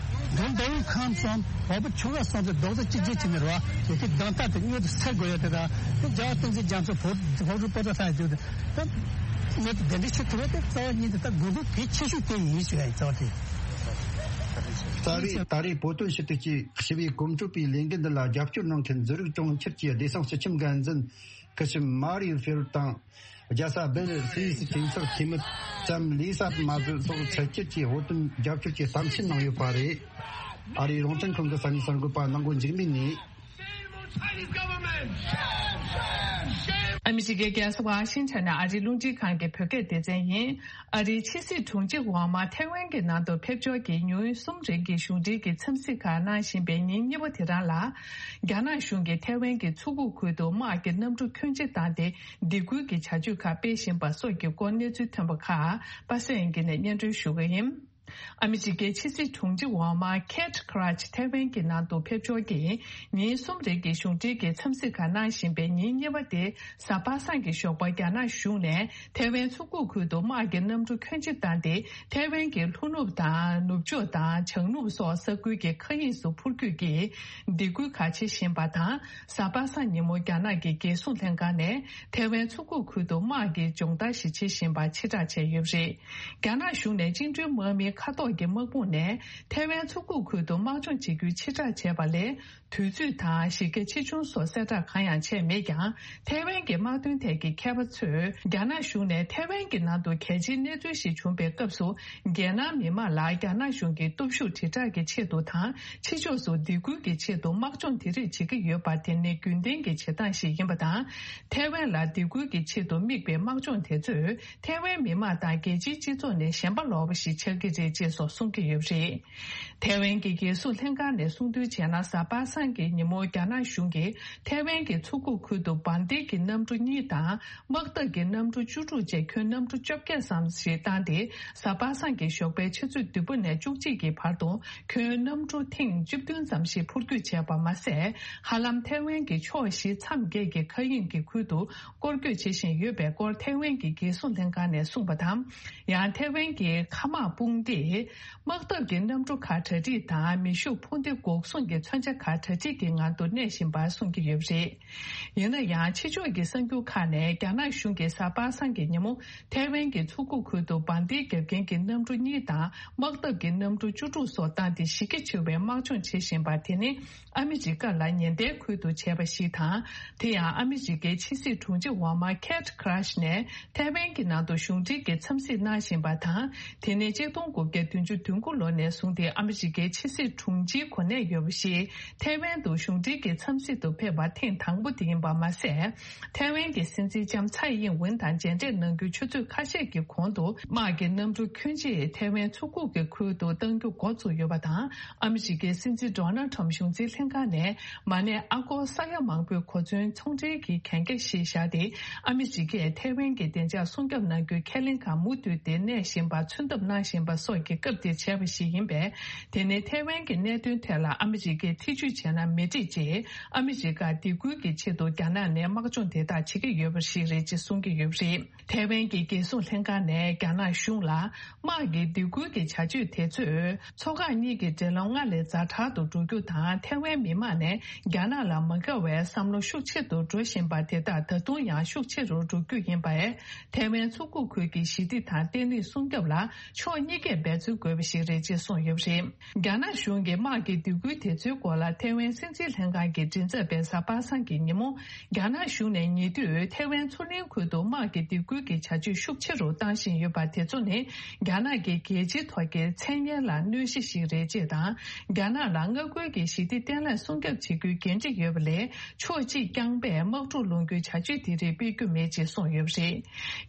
བ། དོན་དེ་ཡང་ཁམས་གསུམ་བོད་པ་ཆོལ་ཁ་གསུམ་དེ་རྡོག་རྩ་གཅིག་སྒྲིལ་བྱས་ནས་རེད་བ། ཡ་གི་གདམ་ཐག་དེ་མྱུར་དུ་སེལ་དགོས་ཡ་དེ་དང་དེ་རྒྱལ་བ་བསྟན་འཛིན་རྒྱ་མཚོ་བོད་བོད་རུ་པོ་ཏ་ཐག་ཡ་དེ་ད་མྱུར་དུ་གདན་འདྲེན་བྱེད་ཐུབ་ཡ་དེ་རྩ་བ་ཉིད་དུ་ད་དགོས་མཁོ་གལ་ཆེ་ཤོས་དེ་ཡིན་ཞུ་ཡ་ཡིན་རྩ་བ་དེ། ད་རེས་ད་རེས་བོད་དོན་ཞུ་གཏུག་ཅེས་ཞི་བའི་གོམ་བགྲོད་པའི་ལས་འགུལ་འདི་ལ་རྒྱབ་སྐྱོར་གནང་མཁན་ཛུ་རིག་གྲོང་ཁྱེར་གྱི་བདེ་སྲུང་སྤྱི་ཁྱབ་འགན་འཛིན་སྐུ་ཞབས་མ་རི་ཧྥེ་རུ་དང་། རྒྱལ་ས་སྦེལ་སུད་སི་གྲོས་ཚོགས་འཐུས་མི་ཙམ་ལི་སཱ་མ་ཟི་སོགས་ཕྱི་རྒྱལ་གྱི་བོད་དོན་རྒྱབ་སྐྱོར་གྱི་གཏམ་བཤད་གནང་ཡོད་པ་རེད། ཨ་རིའི་རོང་བཙན་ཁང་གི་ས་གནས་གསར་འགོད་པ་ནང་མགོ་འཇིགས་མེད་ནས། ཨ་མི་རི་ཀའི་རྒྱལ་ས་ཝ་ཤིང་ཊོན་ནས་ཨ་རིའི་རླུང་འཕྲིན་ཁང་གི་བོད་སྐད་སྡེ་ཚན་ཡིན། ཨ་རིའི་ཕྱི་སྲིད་དྲུང་ཆེ་ཝང་མ་ཐའེ་ཝན་གྱི་ནང་དུ་ཕེབས་འབྱོར་གྱིས་ཉིན་གསུམ་རིང་གི་གཞུང་འབྲེལ་གྱི་འཚམས་གཟིགས་ཁག་གནང་བཞིན་པའི་ཉིན་གཉིས་པ་དེ་རང་ལ། རྒྱ་ནག་གཞུང་གིས་ཐའེ་ཝན་གྱི་མཚོ་ཁུག་ཁུལ་དུ་དམག་གི་གནམ་གྲུ་ཁྱོན་ཆེ་བཏང་སྟེ་སྡིགས་སྐུལ་གྱི་བྱ་སྤྱོད་ཁག་སྤེལ་བཞིན་པ་སོགས་ཀྱི་སྐོར་གནས་ཚུལ་ཐོན་པ་ཁག་པ་སངས་དབྱངས་སྐྱིད་ནས་སྙན་སྒྲོན་ཞུ་གི་ཡིན། ཨ་མི་རི་ཀའི་ཕྱི་སྲིད་དྲུང་ཆེ་འོག་མ་ཁེ་ཊི་ཁི་ར་ཆི་ཐེ་ཝན་གྱི་ནང་དུ་ཕེབས་འབྱོར་གྱིས་ཉིན་གསུམ་རིང་གི་གཞུང་འབྲེལ་གྱི་འཚམས་གཟིགས་ཁག་གནང་བཞིན་པའི་ཉིན་གཉིས་པ་དེ་གཟའ་པ་སངས་ཀྱི་ཞོགས་པ་རྒྱ་ནག་གཞུང་ནས་ཐེ་ཝན་མཚོ་ཁུག་ཁུལ་དུ་དམག་གི་གནམ་གྲུ་ཁྱོན་ཆེ་བཏང་སྟེ་ཐེ་ཝན་གྱི་ལྷོ་ནུབ་དང་ནུབ་ཕྱོགས་དང་བྱང་ནུབ་སོགས་ས་ཁུལ་གྱི་མཁའ་དབྱིངས་སུ་འཕུར་སྐྱོད་ཀྱིས་སྡིགས་སྐུལ་ཁག་བྱེད་བཞིན་པ་དང་། གཟའ་པ་སངས་ཉིན་མོ་རྒྱ་ནག་གི་རྒྱལ་སྲུང་ལྷན་ཁང་ནས་ཐེ་ཝན་མཚོ་ཁུག་ཁུལ་དུ་དམག་གི་སྦྱོང་བརྡར་ཞིག་བྱེད་བཞིན་པ་ཕྱིར་བསྒྲགས་བྱས་ཡོད་པ་རེད། རྒྱ་ནག་གཞུང་ནས་བཅིངས་འགྲོལ་དམག་མིའི་མཁའ་ཐོག་གི་དམག་དཔུང་ནས་ཐེ་ཝན་མཚོ་ཁུག་ཁུལ་དུ་དམག་སྦྱོང་བྱེད་རྒྱུའི་ཕྱིར་བསྒྲགས་བྱས་པ་ལས། དུས་ཚོད་དང་གཞི་རྒྱ་ཆེ་ཆུང་སོགས་གསལ་བསྒྲགས་གང་ཡང་བྱས་མེད་ཀྱང་། ཐེ་ཝན་གྱི་དམག་དོན་ཐད་ཀྱི་མཁས་པ་ཚོས་རྒྱ་ནག་གཞུང་ནས་ཐེ་ཝན་གྱི་ནང་དུ་གལ་ཆེའི་གནས་ཚུལ་ཞིག་བྱུང་པའི་སྐབས་སུ། རྒྱལ་ནང་མི་མང་ལ་རྒྱ་ནག་གཞུང་གི་སྟོབས་ཤུགས་དྲིལ་བསྒྲགས་ཀྱི་ཆེད་དུ་དང་། ཕྱི་ཕྱོགས་སུ་སྡིགས་སྐུལ་གྱི་ཆེད་དུ་དམག་སྦྱོང་དེ་རིགས་བྱེད་ཀྱི་ཡོད་པ་དེ་ནི་རྒྱུན་ལྡན་གྱི་བྱེད་སྟངས་ཤིག་ཡིན་པ་དང་། ཐེ་ཝན་ལ་སྡིགས་སྐུལ་གྱི་ཆེད་དུ་དམིགས་པའི་དམག་སྦྱོང་དེ་ཚོས། ཐེ་ཝན་མི་མང་དང་རྒྱལ་སྤྱིའི་སྤྱི་ཚོགས་ནས་ཞེན་པ་ལོག་པ་ཞིག་ཆགས་ཀྱི་རེད་ཅེས་སོགས་གསུང་གི་ཡོད་པ་རེད། ཐེ་ཝན་གྱི་རྒྱལ་སྲུང་ལྷན་ཁང་ནས་གསུངས་དོན་བྱས་ན། གཟའ་པ་སངས་ཀྱི་ཉིན་མོ་རྒྱ་ནག་གཞུང་གིས་ཐེ་ཝན་གྱི་མཚོ་ཁུག་ཁུལ་དུ་འབར་མདེལ་གྱི་གནམ་གྲུ་གཉིས་དང་། དམག་འཐབ་ཀྱི་གནམ་གྲུ་བཅུ་དྲུག་བཅས་ཁྱོན་གནམ་གྲུ་བཅོ་བརྒྱད་ཙམ་ཞིག་བཏང་སྟེ། གཟའ་པ་སངས་ཀྱི་ཞོགས་པའི་ཆུ་ཚོད་བདུན་པ་ནས་བཅུ་གཅིག་གི་བར་དུ་ཁྱོན་གནམ་གྲུ་ཐེངས་བཅུ་བདུན་ཙམ་ཞིག་འཕུར་སྐྱོད་བྱས་པ་མ་ཟད། ཧ་ལམ་ཐེ་ཝན་གྱི་ཕྱོགས་བཞི་མཚམས་བརྒྱད་ཀྱི་མཁའ་དབྱིངས་ཀྱི་ཁུལ་དུ་སྐོར་སྐྱོད་བྱེད་བཞིན་ཡོད་པའི་སྐོར་ཐེ་ཝན་གྱི་རྒྱལ་སྲུང་ལྷན་ཁང་ནས་གསུངས་པ་དང་། ཡང་ཐེ་ཝན་གྱི་མཁའ་དམག་དཔུང་སྡེས་དམག་འཐབ་ཀྱི་གནམ་གྲུ་ཁག་གྲ་སྒྲིག་དང་། མེ་ཤུགས་འཕུར་མདེལ་འགོག་སྲུང་གི་མཚོན་ཆ་ཁག་གྲ་སྒྲིག་གི་ངང་དུ་གནས་བཞིན་པ་གསུང་གི་ཡོད་པ་རེད། ཡིན་ན་ཡང་། ཕྱི་ཕྱོགས་ཀྱི་གསར་འགྱུར་ཁག་ནས་རྒྱ་ནག་གཞུང་གིས་གཟའ་པ་སངས་ཀྱི་ཉིན་མོ་ཐའེ་ཝན་གྱི་མཚོ་ཁུག་ཁུལ་དུ་འབར་མདེལ་བརྒྱབ་མཁན་གྱི་གནམ་གྲུ་གཉིས་དང་། དམག་འཐབ་ཀྱི་གནམ་གྲུ་བཅུ་དྲུག་སོགས་བཏང་སྟེ་གཞི་རྒྱ་ཆེ་བའི་དམག་སྦྱོང་བྱེད་བཞིན་པ་དེ་ནི། ཨ་མི་རི་ཀ་ལ་ཉེན་བརྡའི་ཁུལ་དུ་བྱས་པ་ཞིག་དང་། དེ་ཡང་ཨ་མི་རི་ཀའི་ཕྱི་སྲིད་དྲུང་ཆེ་འོག་མ་ཁེ་ཊི་ཁི་ར་ཤི་ནས་ཐའེ་ཝན་གྱི་ནང་དུ་གཞུང་འབྲེལ་གྱི་འཚམས་གཟིགས་གནང་བཞིན་པ་དང་། དེ་ནས་ཆིག་སྟོང་དགུ་བརྒྱ་བདུན་ཅུ་དོན་དགུ་ལོ་ནས་བཟུང་སྟེ་ཨ་མི་རི་ཀའི་ཕྱི་སྲིད་དྲུང་ཆེའི་གོ་གནས་ཡོད་པ་ཞིག་ཐའེ་ཝན་དུ་གཞུང་འབྲེལ་གྱི་འཚམས་གཟིགས་དུ་ཕེབས་པ་ཐེངས་དང་པོ་དེ་ཡིན་པ་མ་ཟད། ཐའེ་ཝན་གྱི་སྲིད་འཛིན་ལྕམ་ཚའེ་ཡིན་ཝུན་དང་མཇལ་འཕྲད་གནང་རྒྱུའི་ཆུ་ཚོད་ཁ་ཤས་ཀྱི་གོང་དུ། དམག་གི་གནམ་གྲུ་ཁྱོན་ཆེ་ཐའེ་ཝན་མཚོ་ཁུག་གི་ཁུལ་དུ་གཏང་རྒྱུ་འགོ་བཙུགས་ཡོད་པ་དང་། ཨ་མི་རི་ཀའི་སྲིད་འཛིན་ཌོ་ནལ་ཁྲམ་གཞུང་འཛིན་ལྷན་ཁང་ནས་མ་ནས་ཨ་སྒོར་ས་ཡ་མང་པོའི་གོ་མཚོན་ཚོང་འབྲེལ་གྱི་གན་རྒྱ་ཞིག་བཞག་སྟེ། ཨ་མི་རི་ཀས་ཐའེ་ཝན་གྱི་བདེ་འཇགས་སྲུང་སྐྱོབ་གནང་རྒྱུའི་ཁས་ལེན་ཁག་མུ་མཐུད་དེ་གནས་བཞིན་པ། མཚོན་ཐབས་གནང་བཞིན་པ་སོགས་ཀྱི་སྐབས་དེར་བྱས་པ་ཞིག་ཡིན་པས། དེ་ནི་ཐའེ་ཝན་གྱི་གནད་དོན་ཐད་ལ་ཨ་མི་རི་ཀས་ཐེ་ཇུས་བྱས་ན་མི་འགྲིག་ཅེས། ཨ་མི་རི་ཀར་སྡིགས་སྐུལ་གྱི་ཆེད་དུ་རྒྱ་ནག་ནས་དམག་སྦྱོང་དེ་དག་བྱེད་ཀྱི་ཡོད་པ་ཞིག་རེད་ཅེས་གསུང་གི་ཡོད་པ་རེད། ཐའེ་ཝན་གྱི་རྒྱལ་སྲུང་ལྷན་ཁང་ནས་རྒྱ་ནག་གཞུང་ལ། དམག་གི་སྡིགས་སྐུལ་གྱི་བྱ་སྤྱོད་དེ་ཚོས། མཚོ་འགག་གཉིས་ཀྱི་འབྲེལ་ལམ་སྔར་ལས་ཛ་དྲག་ཏུ་འགྲོ་རྒྱུ་དང་། ཐའེ་ཝན་མི་མང་ནས་རྒྱ་ནག་ལ་མ་དགའ་བའི་བསམ་བློ་ཤུགས་ཆེ་རུ་འགྲོ་བཞིན་པ་དེ་དག་ད་དུང་ཡང་ཤུགས་ཆེ་རུ་འགྲོ་རྒྱུ་ཡིན་པས། ཐའེ་ཝན་མཚོ་ཁུག་ཁུལ་གྱི་ཞི་བདེ་དང་བརྟན་ལྷིང་སྲུང་སྐྱོབ་ལ་ཕྱོགས་གཉིས་ཀས་འབད་བརྩོན་དགོས་པ་ཞིག་རེད་ཅེས་གསུངས་ཡོད་པ་རེད། རྒྱ་ནག་གཞུང་གིས་དམག་གི་སྡིགས་སྐུལ་དེ་ཚོའི་སྐོར་ལ་ཐའེ་ཝན་སྲིད་འཛིན་ལྷན་ཁང་གི་མགྲིན་ཚབ་པས་གཟའ་པ་སངས་ཀྱི་ཉིན་མོ། རྒྱ་ནག་གཞུང་ནས་ཉེ་དུས་ཐའེ་ཝན་མཚོ་གླིང་ཁུལ་དུ་དམག་གི་སྡིགས་སྐུལ་གྱི་བྱ་སྤྱོད་ཤུགས་ཆེ་རུ་བཏང་བཞིན་ཡོད་པ་དེ་ཚོ་ནི། རྒྱ་ནག་གི་རྒྱལ་སྤྱིའི་ཐོག་གི་མཚན་སྙན་ལ་གནོད་གཞི་ཞིག་རེད་ཅེས་དང་། རྒྱ་ནག་ལ་མངའ་ཁུལ་གྱི་ཞི་བདེ་བརྟན་ལྷིང་སྲུང་སྐྱོབ་བྱེད་རྒྱུའི་འགན་འཁྲི་ཡོད་པ་ལས། ཕྱོགས་གཅིག་རྐྱང་པས་དམག་འཁྲུག་སློང་རྒྱུའི་བྱ་སྤྱོད་དེ་རིགས་སྤེལ་རྒྱུ་མེད་ཅེས་གསུངས་ཡོད་པ་རེད།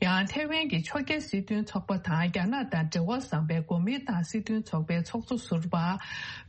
ཡང་ཐའེ་ཝན་གྱི་ཕྱོགས་འགལ་སྲིད་དོན་ཚོགས་པ་དང་། རྒྱ་ནག་དང་འབྲེལ་བ་བཟང་བའི་གོ་མིན་ཏང་སྲིད་དོན་ཚོགས་པའི་ཚོགས་གཙོ་ཟུར་པ།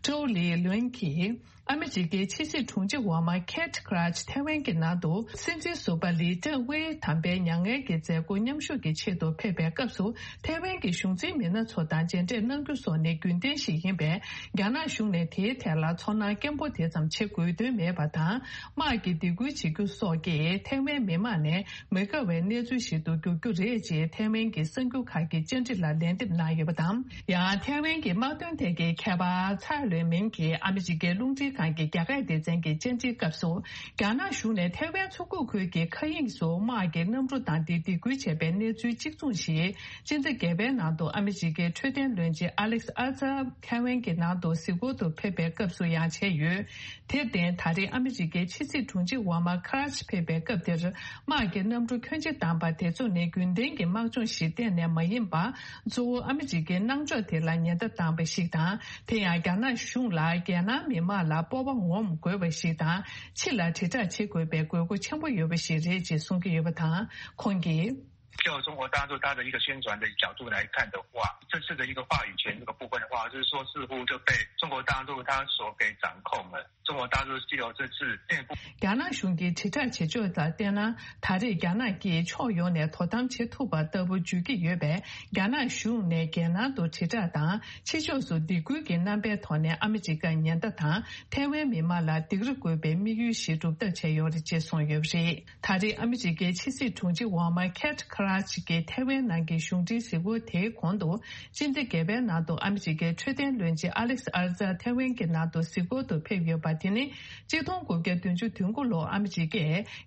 ཀྲོའུ་ལི་ལོན་གྱིས། ཨ་མི་རི་ཀའི་ཕྱི་སྲིད་དྲུང་ཆེ་འོག་མ་ཁེ་ཊི་ཁི་ར་ཆི་ཐའེ་ཝན་གྱི་ནང་དུ་སྲིད་འཛིན་ཟུར་པ་ལི་ཀྲེང་ཝེ་དམ་པའི་མྱ་ངན་གྱི་མཛད་སྒོ་མཉམ་ཞུགས་ཀྱི་ཆེད་དུ་ཕེབས་པའི་སྐབས་སུ། ཐའེ་ཝན་གྱི་གཞུང་འཛིན་མི་སྣ་ཚོ་དང་མཇལ་འཕྲད་གནང་རྒྱུ་སོགས་ནི་རྒྱུན་ལྡན་ཞིག་ཡིན་པས། རྒྱ་ནག་གཞུང་ནས་དེའི་ཐད་ལ་ཚོར་སྣང་སྐྱེན་པོ་དེ་ཙམ་བྱེད་དགོས་དོན་མེད་པ་དང་། དམག་གི་སྡིགས་སྐུལ་བྱེད་རྒྱུ་སོགས་ཀྱིས་ཐའེ་ཝན་མི་མང་ནས་མི་དགའ་བའི་གནས་ཚུལ་ཞིག་ཏུ་འགྱུར་རྒྱུ་རེད་ཅེས་ཐའེ་ཝན་གྱི་གསར་འགྱུར་ཁག་གིས་བཅར་འདྲི་ལ་ལན་འདེབས་གནང་ཡོད་པ་དང་། ཡང་ཐའེ་ཝན་གྱི་དམག་དོན་ཐད་ཀྱི་མཁས་པ་ཚའེ་ལོན་མིན་གྱིས་ཨ་མི་རི་ཀའི་རླུང་འཕྲིན་ཁང་གི་རྒྱ་སྐད་སྡེ་ཚན་གྱི་བཅར་འདྲིའི་སྐབས་སུ། རྒྱ་ནག་གཞུང་ནས་ཐའེ་ཝན་མཚོ་ཁུག་ཁུལ་གྱི་མཁའ་དབྱིངས་སུ་དམག་གི་གནམ་གྲུ་བཏང་སྟེ་སྡིགས་སྐུལ་བྱས་པའི་གནས་ཚུལ་གཅིག་མཚུངས་ཤིག་སྤྱི་ཟླ་བརྒྱད་པའི་ནང་དུ་ཨ་མི་རི་ཀའི་འཕྲོད་བསྟེན་བློན་ཆེན་ཨ་ལེག་ཨ་ཛར་ཐའེ་ཝན་གྱི་ནང་དུ་གཟིགས་སྐོར་དུ་ཕེབས་པའི་སྐབས་སུ་ཡང་བྱས་ཡོད། དེར་བརྟེན། ད་རེས་ཨ་མི་རི་ཀའི་ཕྱི་སྲིད་དྲུང་ཆེ་འོག་མ་ཁ་ར་ཆི་ཕེབས་པའི་སྐབས་དེར། དམག་གི་གནམ་གྲུ་ཁྱོན་ཆེ་བཏང་པ་དེ་ཚོ་ནི་རྒྱུན་ལྡན་གྱི་དམག་སྦྱོང་ཞིག་གཏན་ནས་མ་ཡིན་པར། གཙོ་བོ་ཨ་མི་རི་ཀའི་གནང་ཕྱོགས་དེ་ལ་ཉེན་བརྡ་བཏང་པ་ཞིག་དང་། དེ་ཡང་རྒྱ་ནག་གཞུང་ལ་རྒྱལ་ནང་མི་མང་ལ་སྤོབས་པ་ངོམ་དགོས་པ་ཞིག་དང་། ཕྱི་ལ་དྲིལ་བསྒྲགས་བྱེད་དགོས་པའི་དགོས་མཁོ་ཆེན་པོ་ཡོད་པ་ཞིག་རེད་ཅེས་གསུང་གི་ཡོད་པ་དང་། ཁོང་གིས། 就中国大陆它的一个宣传的角度来看的话，这次的一个话语权这个部分的话，就是说似乎就被中国大陆它所给掌控了。中国大陆是有这次内部རྒྱ་ནག་གཞུང་གིས་དྲིལ་བསྒྲགས་བྱེད་ཕྱོགས་ལ་བལྟས་ན། ད་རེས་རྒྱ་ནག་གིས་ཕྱོགས་ཡོངས་ནས་དོ་དམ་བྱེད་ཐུབ་པ་ལྟ་བུ་བརྗོད་ཀྱི་ཡོད་པས། རྒྱ་ནག་གཞུང་ནས་རྒྱལ་ནང་དུ་དྲིལ་བསྒྲགས་དང་ཕྱི་ཕྱོགས་སུ་སྡིགས་སྐུལ་གྱི་རྣམ་པའི་ཐོག་ནས་ཨ་མི་རི་ཀ་ཉེན་བརྡ་དང་། ཐའེ་ཝན་མི་མང་ལ་སྡིགས་ར་དགོས་པའི་དམིགས་ཡུལ་ཞིག་སྒྲུབ་ཐབས་བྱས་ཡོད་རེད་ཅེས་གསུངས་ཡོད་པ་རེད། ད་རེས་ཨ་མི་རི་ཀའི་ཕྱི་སྲིད་དྲུང་ཆེ་འོག་མ་ཁེ་ཊི་ཁ་ར་ཅི་གིས་ཐའེ་ཝན་ནང་གི་གཞུང་འབྲེལ་གཟིགས་སྐོར་དེའི་གོང་དུ། སྤྱི་ཟླ་བརྒྱད་པའི་ནང་དུ་ཨ་མི་རི་ཀའི་འཕྲོད་བསྟེན་བློན་ཆེན་ཨ་ལེག་སི་ཨར་ཛར་ཐའེ་ཝན་གྱི་ནང་དུ་གཟིགས་སྐོར་དུ་ཕེབས་ཡོད་པ་དེ་ནི། གཅིག་སྟོང་དགུ་བརྒྱ་བདུན་ཅུ་དོན་དགུ་ལོར་ཨ་མི་རི་ཀས་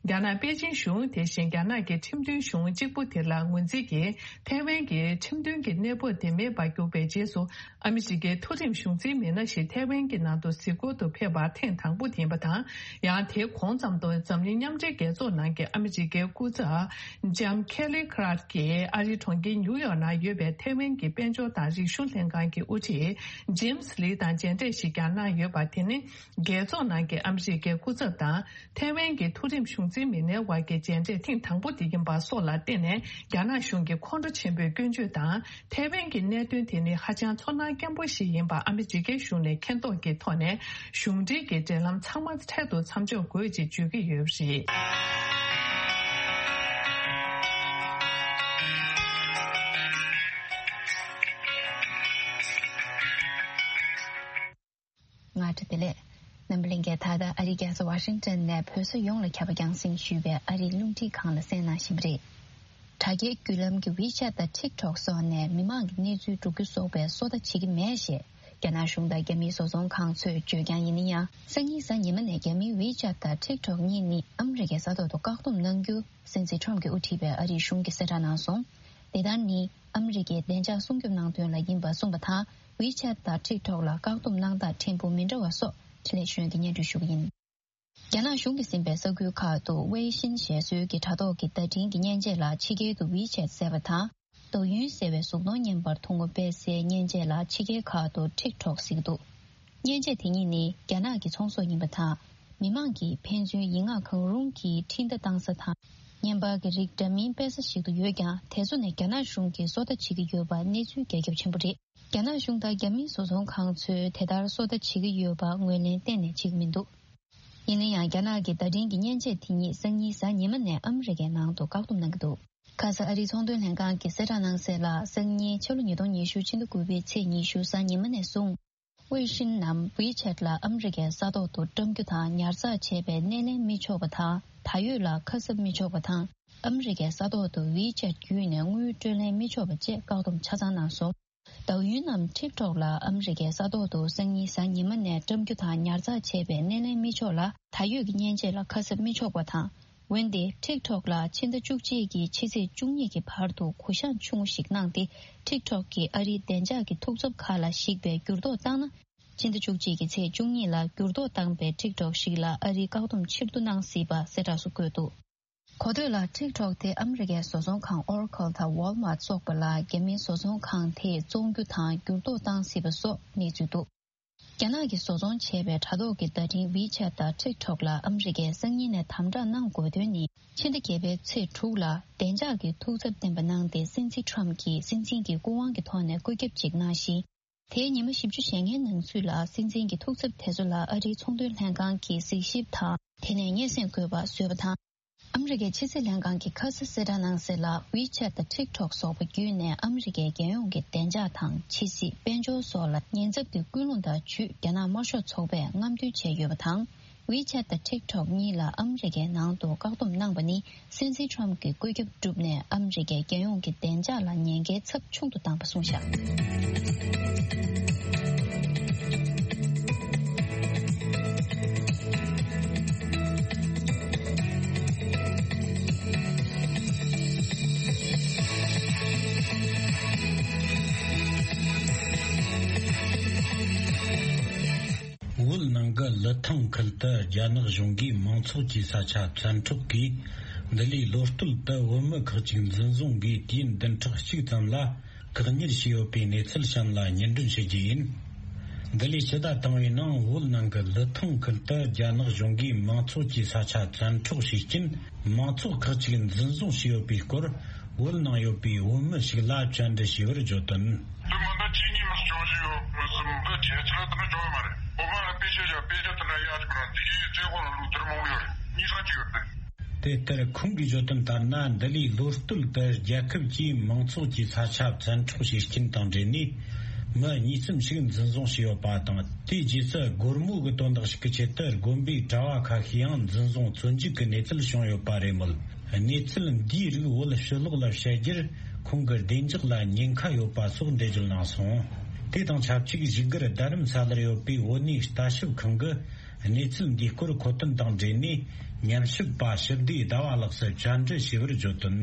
རྒྱ་ནག་པེ་ཅིན་གཞུང་། དེ་བཞིན་རྒྱ་ནག་གི་ཁྲིམས་མཐུན་གཞུང་གཅིག་པུ་དེ་ལ་ངོས་འཛིན་གྱིས། ཐའེ་ཝན་གྱི་ཁྲིམས་མཐུན་གྱི་གནས་བབ་དེ་མེད་པར་གྱུར་པའི་རྗེས་སུ། ཨ་མི་རི་ཀའི་མཐོ་རིམ་གཞུང་འཛིན་མི་སྣ་ཞིག་ཐའེ་ཝན་གྱི་ནང་དུ་གཟིགས་སྐོར་དུ་ཕེབས་པ་ཐེངས་དང་པོ་དེ་ཡིན་པ་དང་། ཡང་དེའི་གོང་ཙམ་དུ་འཛམ་གླིང་མཉམ་འབྲེལ་རྒྱལ་ཚོགས་ནང་གི་ཨ་མི་རི་ཀའི་སྐུ་ཚབ་ལྕམ་ཁེ་ལི་ཁ་ར་ཀིས་ཨ་རིའི་གྲོང་ཁྱེར་ཉིའུ་ཡོག་ནང་ཡོད་པའི་ཐའེ་ཝན་གྱི་དཔལ་འབྱོར་དང་རིག་གཞུང་ལྷན་ཁང་གི་དབུ་ཁྲིད་ཇེམ་སི་ལི་དང་མཇལ་འཕྲད་ཞིག་ཀྱང་གནང་ཡོད་པ། དེ་ནི་རྒྱལ་ཚོགས་ནང་གི་ཨ་མི་རི་ཀའི་སྐུ་ཚབ་དང་། ཐའེ་ཝན་གྱི་མཐོ་རིམ་གཞུང་འཛིན་མི་སྣའི་དབར་གྱི་མཇལ་འཕྲད་ཐེངས་དང་པོ་དེ་ཡིན་པ་སོགས་ལ་བརྟེན་ནས། རྒྱ་ནག་གཞུང་གི་ཁོང་ཁྲོ་ཆེན་པོས་སྐྱོན་བརྗོད་དང་། ཐའེ་ཝན་གྱི་གནད་དོན་དེ་ནི་ཧ་ཅང་ཚོར་སྣང་སྐྱེན་པོ་ཞིག་ཡིན་པ་ཨ་མི་རི་ཀའི་གཞུང་ནས་མཁྱེན་རྟོགས་ཀྱི་ཐོག་ནས། གཞུང་འབྲེལ་གྱི་འབྲེལ་ལམ་ཚང་མ་འཕྲལ་དུ་མཚམས་འཇོག་དགོས་ཅེས་བརྗོད་ཀྱི་ཡོད་པ་རེད། ང་ཏྲ་བདེ་ལེགས། རྣམ་པ་ལྷན་རྒྱས། ད་ལྟ་ཨ་རིའི་རྒྱལ་ས་ཝ་ཤིང་ཊོན་ནས་བོད་ས་ཡོངས་ལ་ཁྱབ་པ་རྒྱང་སྲིང་ཞུས་པའི་ཨ་རིའི་རླུང་འཕྲིན་ཁང་ལ་གསན་གནང་བཞིན་པ་རེད། དྲ་རྒྱའི་བརྒྱུད་ལམ་གྱི་ཝི་ཆེ་ཊི་དང་ཊིག་ཊོག་སོགས་ནས་མི་མང་གི་གནས་ཚུལ་སྒྲུག་རྒྱུ་སོགས་པའི་སོ་ལྟ་བྱེད་ཀྱི་མེད་ཞེས་རྒྱ་ནག་གཞུང་དང་རྒྱ་མིའི་བཟོ་ཚོང་ཁང་ཚོས་བརྗོད་ཀྱང་ཡིན་ན་ཡང་། སང་ཉིན་གཟའ་ཉི་མ་ནས་རྒྱ་མིའི་ཝི་ཆེ་ཊི་དང་ཊིག་ཊོག་གཉིས་ནི་ཨ་མི་རི་ཀའི་ས་ཐོག་ཏུ་བཀག་སྡོམ་གནང་རྒྱུ། སྲིད་འཛིན་ཊམ་གྱིས་དབུ་ཁྲིད་པའི་ཨ་རིའི་གཞུང་གིས་གསལ་བསྒྲགས་གནང་སོང་། དེ་ལྟར་ནི་ཨ་མི་རི་ཀའི་བདེ་འཇགས་སྲུང་སྐྱོབ་གནང་དོན་ལ་ཡིན་པ་གསུངས་པ་དང་། ཝི་ཆེ་ཊི་དང་ཊིག་ཊོག་ལ་བཀག་སྡོམ་གནང་སྟངས་ཕྲན་བུ་མི་འདྲ་བ་སོགས་འཕྲིན་ལས་གཞོན་གྱིས་སྙན་སྒྲོན་ཞུ་གི་ཡིན། རྒྱ་ནག་གཞུང་གིས་ཟིན་པའི་ས་ཁུལ་ཁག་ཏུ་ཝེ་ཤིན་ཞེས་སོའི་གི་དྲ་ཐོག་གི་བརྡ་འཕྲིན་གྱི་མཉེན་ཆས་ལ་ཕྱི་རྒྱལ་དུ་ཝི་ཆེ་ཊི་ཟེར་བ་དང་། ཌོའུ་ཡུན་ཟེར་བའི་གཟུགས་མཐོང་བརྙན་པར་ཐུང་ངུ་སྤེལ་སའི་མཉེན་ཆས་ལ་ཕྱི་རྒྱལ་ཁག་ཏུ་ཊིག་ཊོག་ཟེར་གྱི་འདུག་མཉེན་ཆས་དེ་གཉིས་ནི་རྒྱ་ནག་གི་ཚོང་ཟོག་ཡིན་པ་དང་། མི་མང་གིས་ཕན་ཚུན་ཡིག་ངག་གང་རུང་གིས་འཕྲིན་བརྡ་བཏང་ས་དང་། བརྙན་པར་གྱི་རིགས་འདྲ་མིན་སྤེལ་ས་ཞིག་ཏུ་ཡོད་ཀྱང་། དེ་ཚོ་ནས་རྒྱ་ནག་གཞུང་གིས་སོ་ལྟ་བྱེད་ཀྱི་ཡོད་པ་གནས་ཚུལ་རྒྱ་ཁྱབ་ཆེན་པོ་རེད། རྒྱ་ནག་གཞུང་དང་རྒྱ་མིའི་བཟོ་ཚོང་ཁང་ཚོས་དེ་ལྟར་སོ་ལྟ་བྱེད་ཀྱི་ཡོད་པ་ངོས་ལེན་གཏན་ནས་བྱེད་ཀྱི་མི་འདུག་ཡིན་ན་ཡང་། རྒྱ་ནག་གི་བརྡ་འཕྲིན་གྱི་མཉེན་ཆས་དེ་ཉིད་སང་ཉིན་གཟའ་ཉི་མ་ནས་ཨ་མི་རི་ཀའི་ནང་དུ་བཀག་སྡོམ་གནང་གི་འདུག་ཁ་ས་ཨ་རིའི་ཚོང་དོན་ལྷན་ཁང་གིས་གསལ་བསྒྲགས་གནང་གསལ་ལ། སང་ཉིན་ཕྱི་ལོ་ཉིས་སྟོང་ཉི་ཤུ་ཕྱི་ཟླ་དགུ་པའི་ཚེས་ཉི་ཤུ་གཟའ་ཉི་མ་ནས་བཟུང་། ཝེ་ཤིན་ནམ་ཝི་ཆེ་ཊི་ལ་ཨ་མི་རི་ཀའི་ས་ཐོག་ཏུ་བཀྲམ་རྒྱུ་དང་ཉར་ཚགས་བྱས་པའི་སྣེ་ལེན་མི་ཆོག་པ་དང་། ད་ཡོད་ལ་ཁ་གསབ་མི་ཆོག་པ་དང་། ཨ་མི་རི་ཀའི་ས་ཐོག་ཏུ་ཝི་ཆེ་ཊི་བརྒྱུད་ནས་དངུལ་སྤྲོད་ལེན་མི་ཆོག་པ་བཅས་བཀག་སྡོམ་ཆ་ཚང་གནང་སོང་། ཌོའུ་ཡུན་ནམ་ཊིག་ཊོག་ལ་ཨ་མི་རི་ཀའི་ས་ཐོག་ཏུ་སང་ཉིན་གཟའ་ཉི་མ་ནས་བཀྲམ་རྒྱུ་དང་ཉར་ཚགས་བྱས་པའི་སྣེ་ལེན་མི་ཆོག་ལ། ད་ཡོད་ཀྱི་མཉེན་ཆས་ལ་ཁ་གསབ་མི་ཆོག་པ་དང་། འོན་ཏེ། ཊིག་ཊོག་ལ་ཕྱི་ཟླ་བཅུ་གཅིག་གི་ཕྱི་ཚེས་བཅུ་གཉིས་ཀྱི་བར་དུ་གུ་བཤངས་ཆུང་ངུ་ཞིག་གནང་སྟེ། ཊིག་ཊོག་གིས་ཨ་རིའི་བདེ་འཇགས་ཀྱི་ཐུགས་འཚབ་ཁག་ལ་གཞིགས་པའི་འགྱུར་ལྡོག་བཏང་ན། ཕྱི་ཟླ་བཅུ་གཅིག་གི་ཚེས་བཅུ་གཉིས་ལ་འགྱུར་ལྡོག་བཏང་པའི་ཊིག་ཊོག་ཞིག་ལ་ཨ་རིས་བཀག་སྡོམ་ཕྱིར་བསྡུ་གནང་སྲིད་པ་གསལ་བསྒྲགས་སུ་བཀོད་འདུག་གོ་ཐོས་ལ། ཊིག་ཊོག་དེ་ཨ་མི་རི་ཀའི་བཟོ་ཚོང་ཁང་ཨོ་ར་ཁལ་དང་ཝོལ་མཱར་སོགས་པ་ལ་རྒྱ་མིའི་བཟོ་ཚོང་ཁང་དེས་བཙོང་རྒྱུ་དང་འགྱུར་ལྡོག་བཏང་སྲིད་པ་སོགས་གནས་ཚུལ་འདུག་རྒྱ་ནག་གིས་བཟོ་ཚོང་བྱས་པའི་དྲ་ཐོག་གི་བརྡ་འཕྲིན་ཝི་ཆེ་ཊི་དང་ཊིག་ཊོག་ལ་ཨ་མི་རི་ཀས་སང་ཉིན་ནས་དམ་དྲག་གནང་དགོས་དོན་ནི། ཕྱི་ཟླ་བརྒྱད་པའི་ཚེས་དྲུག་ལ་བདེ་འཇགས་ཀྱི་ཐུགས་འཚབ་བཏོན་པ་གནང་སྟེ། སྲིད་འཛིན་ཊམ་གྱིས་སྲིད་འཛིན་གྱི་སྐུ་དབང་གི་ཐོག་ནས་བཀོད་ཁྱབ་ཅིག་གནང་ཞིང་། དེའི་ཉི་མ་བཞི་བཅུ་ཞེ་ལྔའི་ནང་ཚུད་ལ། སྲིད་འཛིན་གྱི་ཐུགས་འཚབ་དེ་ཚོ་ལ་ཨ་རིའི་ཚོང་དོན་ལྷན་ཁང་གིས་གཟིགས་ཞིབ་དང་། དེ་ནས་སྙན་སེང་དགོས་པ་བཟོས་པ་དང་། ཨ་མི་རི་ཀའི་ཕྱི་སྲིད་ལྷན་ཁང་གིས་ཁ་སང་གསལ་བསྒྲགས་གནང་གསལ་ལ། ཝི་ཆེ་ཊི་དང་ཊིག་ཊོག་སོགས་པ་བརྒྱུད་ནས་ཨ་མི་རི་ཀའི་རྒྱལ་ཡོངས་ཀྱི་བདེ་འཇགས་དང་། ཕྱི་སྲིད། དཔལ་འབྱོར་སོགས་ལ་ཉེན་ཚབས་ཀྱི་ཀུན་སློང་དང་། ཇུས་རྒྱ་ནག་དམར་ཤོག་ཚོགས་པས་རྔམ་སྟོན་བྱས་ཡོད་པ་དང་། ཝི་ཆེ་ཊི་དང་ཊིག་ཊོག་གཉིས་ལ་ཨ་མི་རི་ཀའི་ནང་དུ་བཀག་སྡོམ་གནང་པ་ནི། སྲིད་འཛིན་ཊམ་གྱི་བཀོད་ཁྱབ་བསྒྲུབས་ནས། ཨ་མི་རི་ཀའི་རྒྱལ་ཡོངས་ཀྱི་བདེ་འཇགས་ལ་ཉེན་ཁའི་ཚབས་ཆུང་དུ་བཏང་པ་གསུངས་བཞག་བོད་ནང་གི་ལི་ཐང་ཁུལ་དུ་རྒྱ་ནག་གཞུང་གིས་མང་ཚོགས་ཀྱི་ས་ཆ་བཙན་འཕྲོག་གིས། འདི་ལོའི་ལོ་སྟོད་དུ་བོད་མི་ཁག་ཅིག་འཛིན་བཟུང་གིས། དུས་ཡུན་བདུན་ཕྲག་གཅིག་ཙམ་ལ་བཀག་ཉར་བྱས་ཡོད་པའི་གནས་ཚུལ་གཤམ་ལ་སྙན་སྒྲོན་ཞུ་རྒྱུ་ཡིན། འདི་ལོའི་ཕྱི་ཟླ་དང་པོའི་ནང་བོད་ནང་གི་ལི་ཐང་ཁུལ་དུ་རྒྱ་ནག་གཞུང་གིས་མང་ཚོགས་ཀྱི་ས་ཆ་བཙན་འཕྲོག་བྱས་རྐྱེན། མང་ཚོགས་ཁག་ཅིག་འཛིན་བཟུང་བྱས་ཡོད་པའི་སྐོར། བོད་ནང་ཡོད་པའི་བོད་མི་ཞིག་ལ་བཅར་འདྲི་བྱས་པར་བརྗོད་དོན། དེ་མི་འདི་གཅིག་གཉིས་མི་སྐྱོང་བཞིན་ཡོད་མི་སྲིད་འདི་ཁྱེད་ཚོ་ལ་དེ་འདྲ་བྱུང་ཡོད་མ་རེད། བོད་པ་ལ་དཔེ་ཆ་བཞག་དཔེ་ཆ་དེ་འདྲ་ཡག་ཅིག་ར་དེ་གའི་རྩེ་ཁོ་ལ་ལུག་ཐེར་མང་པོ་ཡོད་རེད། གཉིས་ས་གཅིག་ཡོད་རེད། དེ་ལྟར་ཁོང་གིས་བརྗོད་དོན་ལྟར་ན། འདི་ལོའི་ལོ་སྟོད་དུ་རྒྱལ་ཁབ་ཀྱིས་མང་ཚོགས་ཀྱི་ས་ཆ་བཙན་འཕྲོག་བྱེད་རྐྱེན་དང་འབྲེལ་ནས་མི་གཉིས་གསུམ་ཞིག་འཛིན་བཟུང་བྱས་ཡོད་པ་དང་། དེའི་རྗེས་སུ་སྒོར་མོ་གི་དོན་དག་ཞིག་གི་ཆེད་དུ་དགོན་པའི་གྲྭ་བ་ཁ་ཤས་ཡང་འཛིན་བཟུང་བཙོན་འཇུག་གི་གནས་ཚུལ་བྱུང་ཡོད་པ་རེད་མོད། གནས་ཚུལ་འདིའི་རིགས་བོད་ཕྱི་ལོགས་ལ་བཤད་རྒྱུར་ཁོང་གི་བདེ་འཇགས་ལ་ཉེན་ཁ་ཡོད་པ་སོགས་འགྲེལ་བརྗོད་གནང་སོང་། དེ་དང་ཆབས་ཅིག་བཞུགས་སྒར་རྡ་རམ་ས་ལར་ཡོད་པའི་བོད་གནས་ལྟ་ཞིབ་ཁང་གི་གནས་ཚུལ་འདིའི་སྐོར་མཁོ་དོན་དང་འབྲེལ་ནས་ཉམས་ཞིབ་པ་ཞི་བདེ་ཟླ་བ་ལགས་སུ་བཅར་འདྲི་བྱས་པར་བརྗོད་དོན།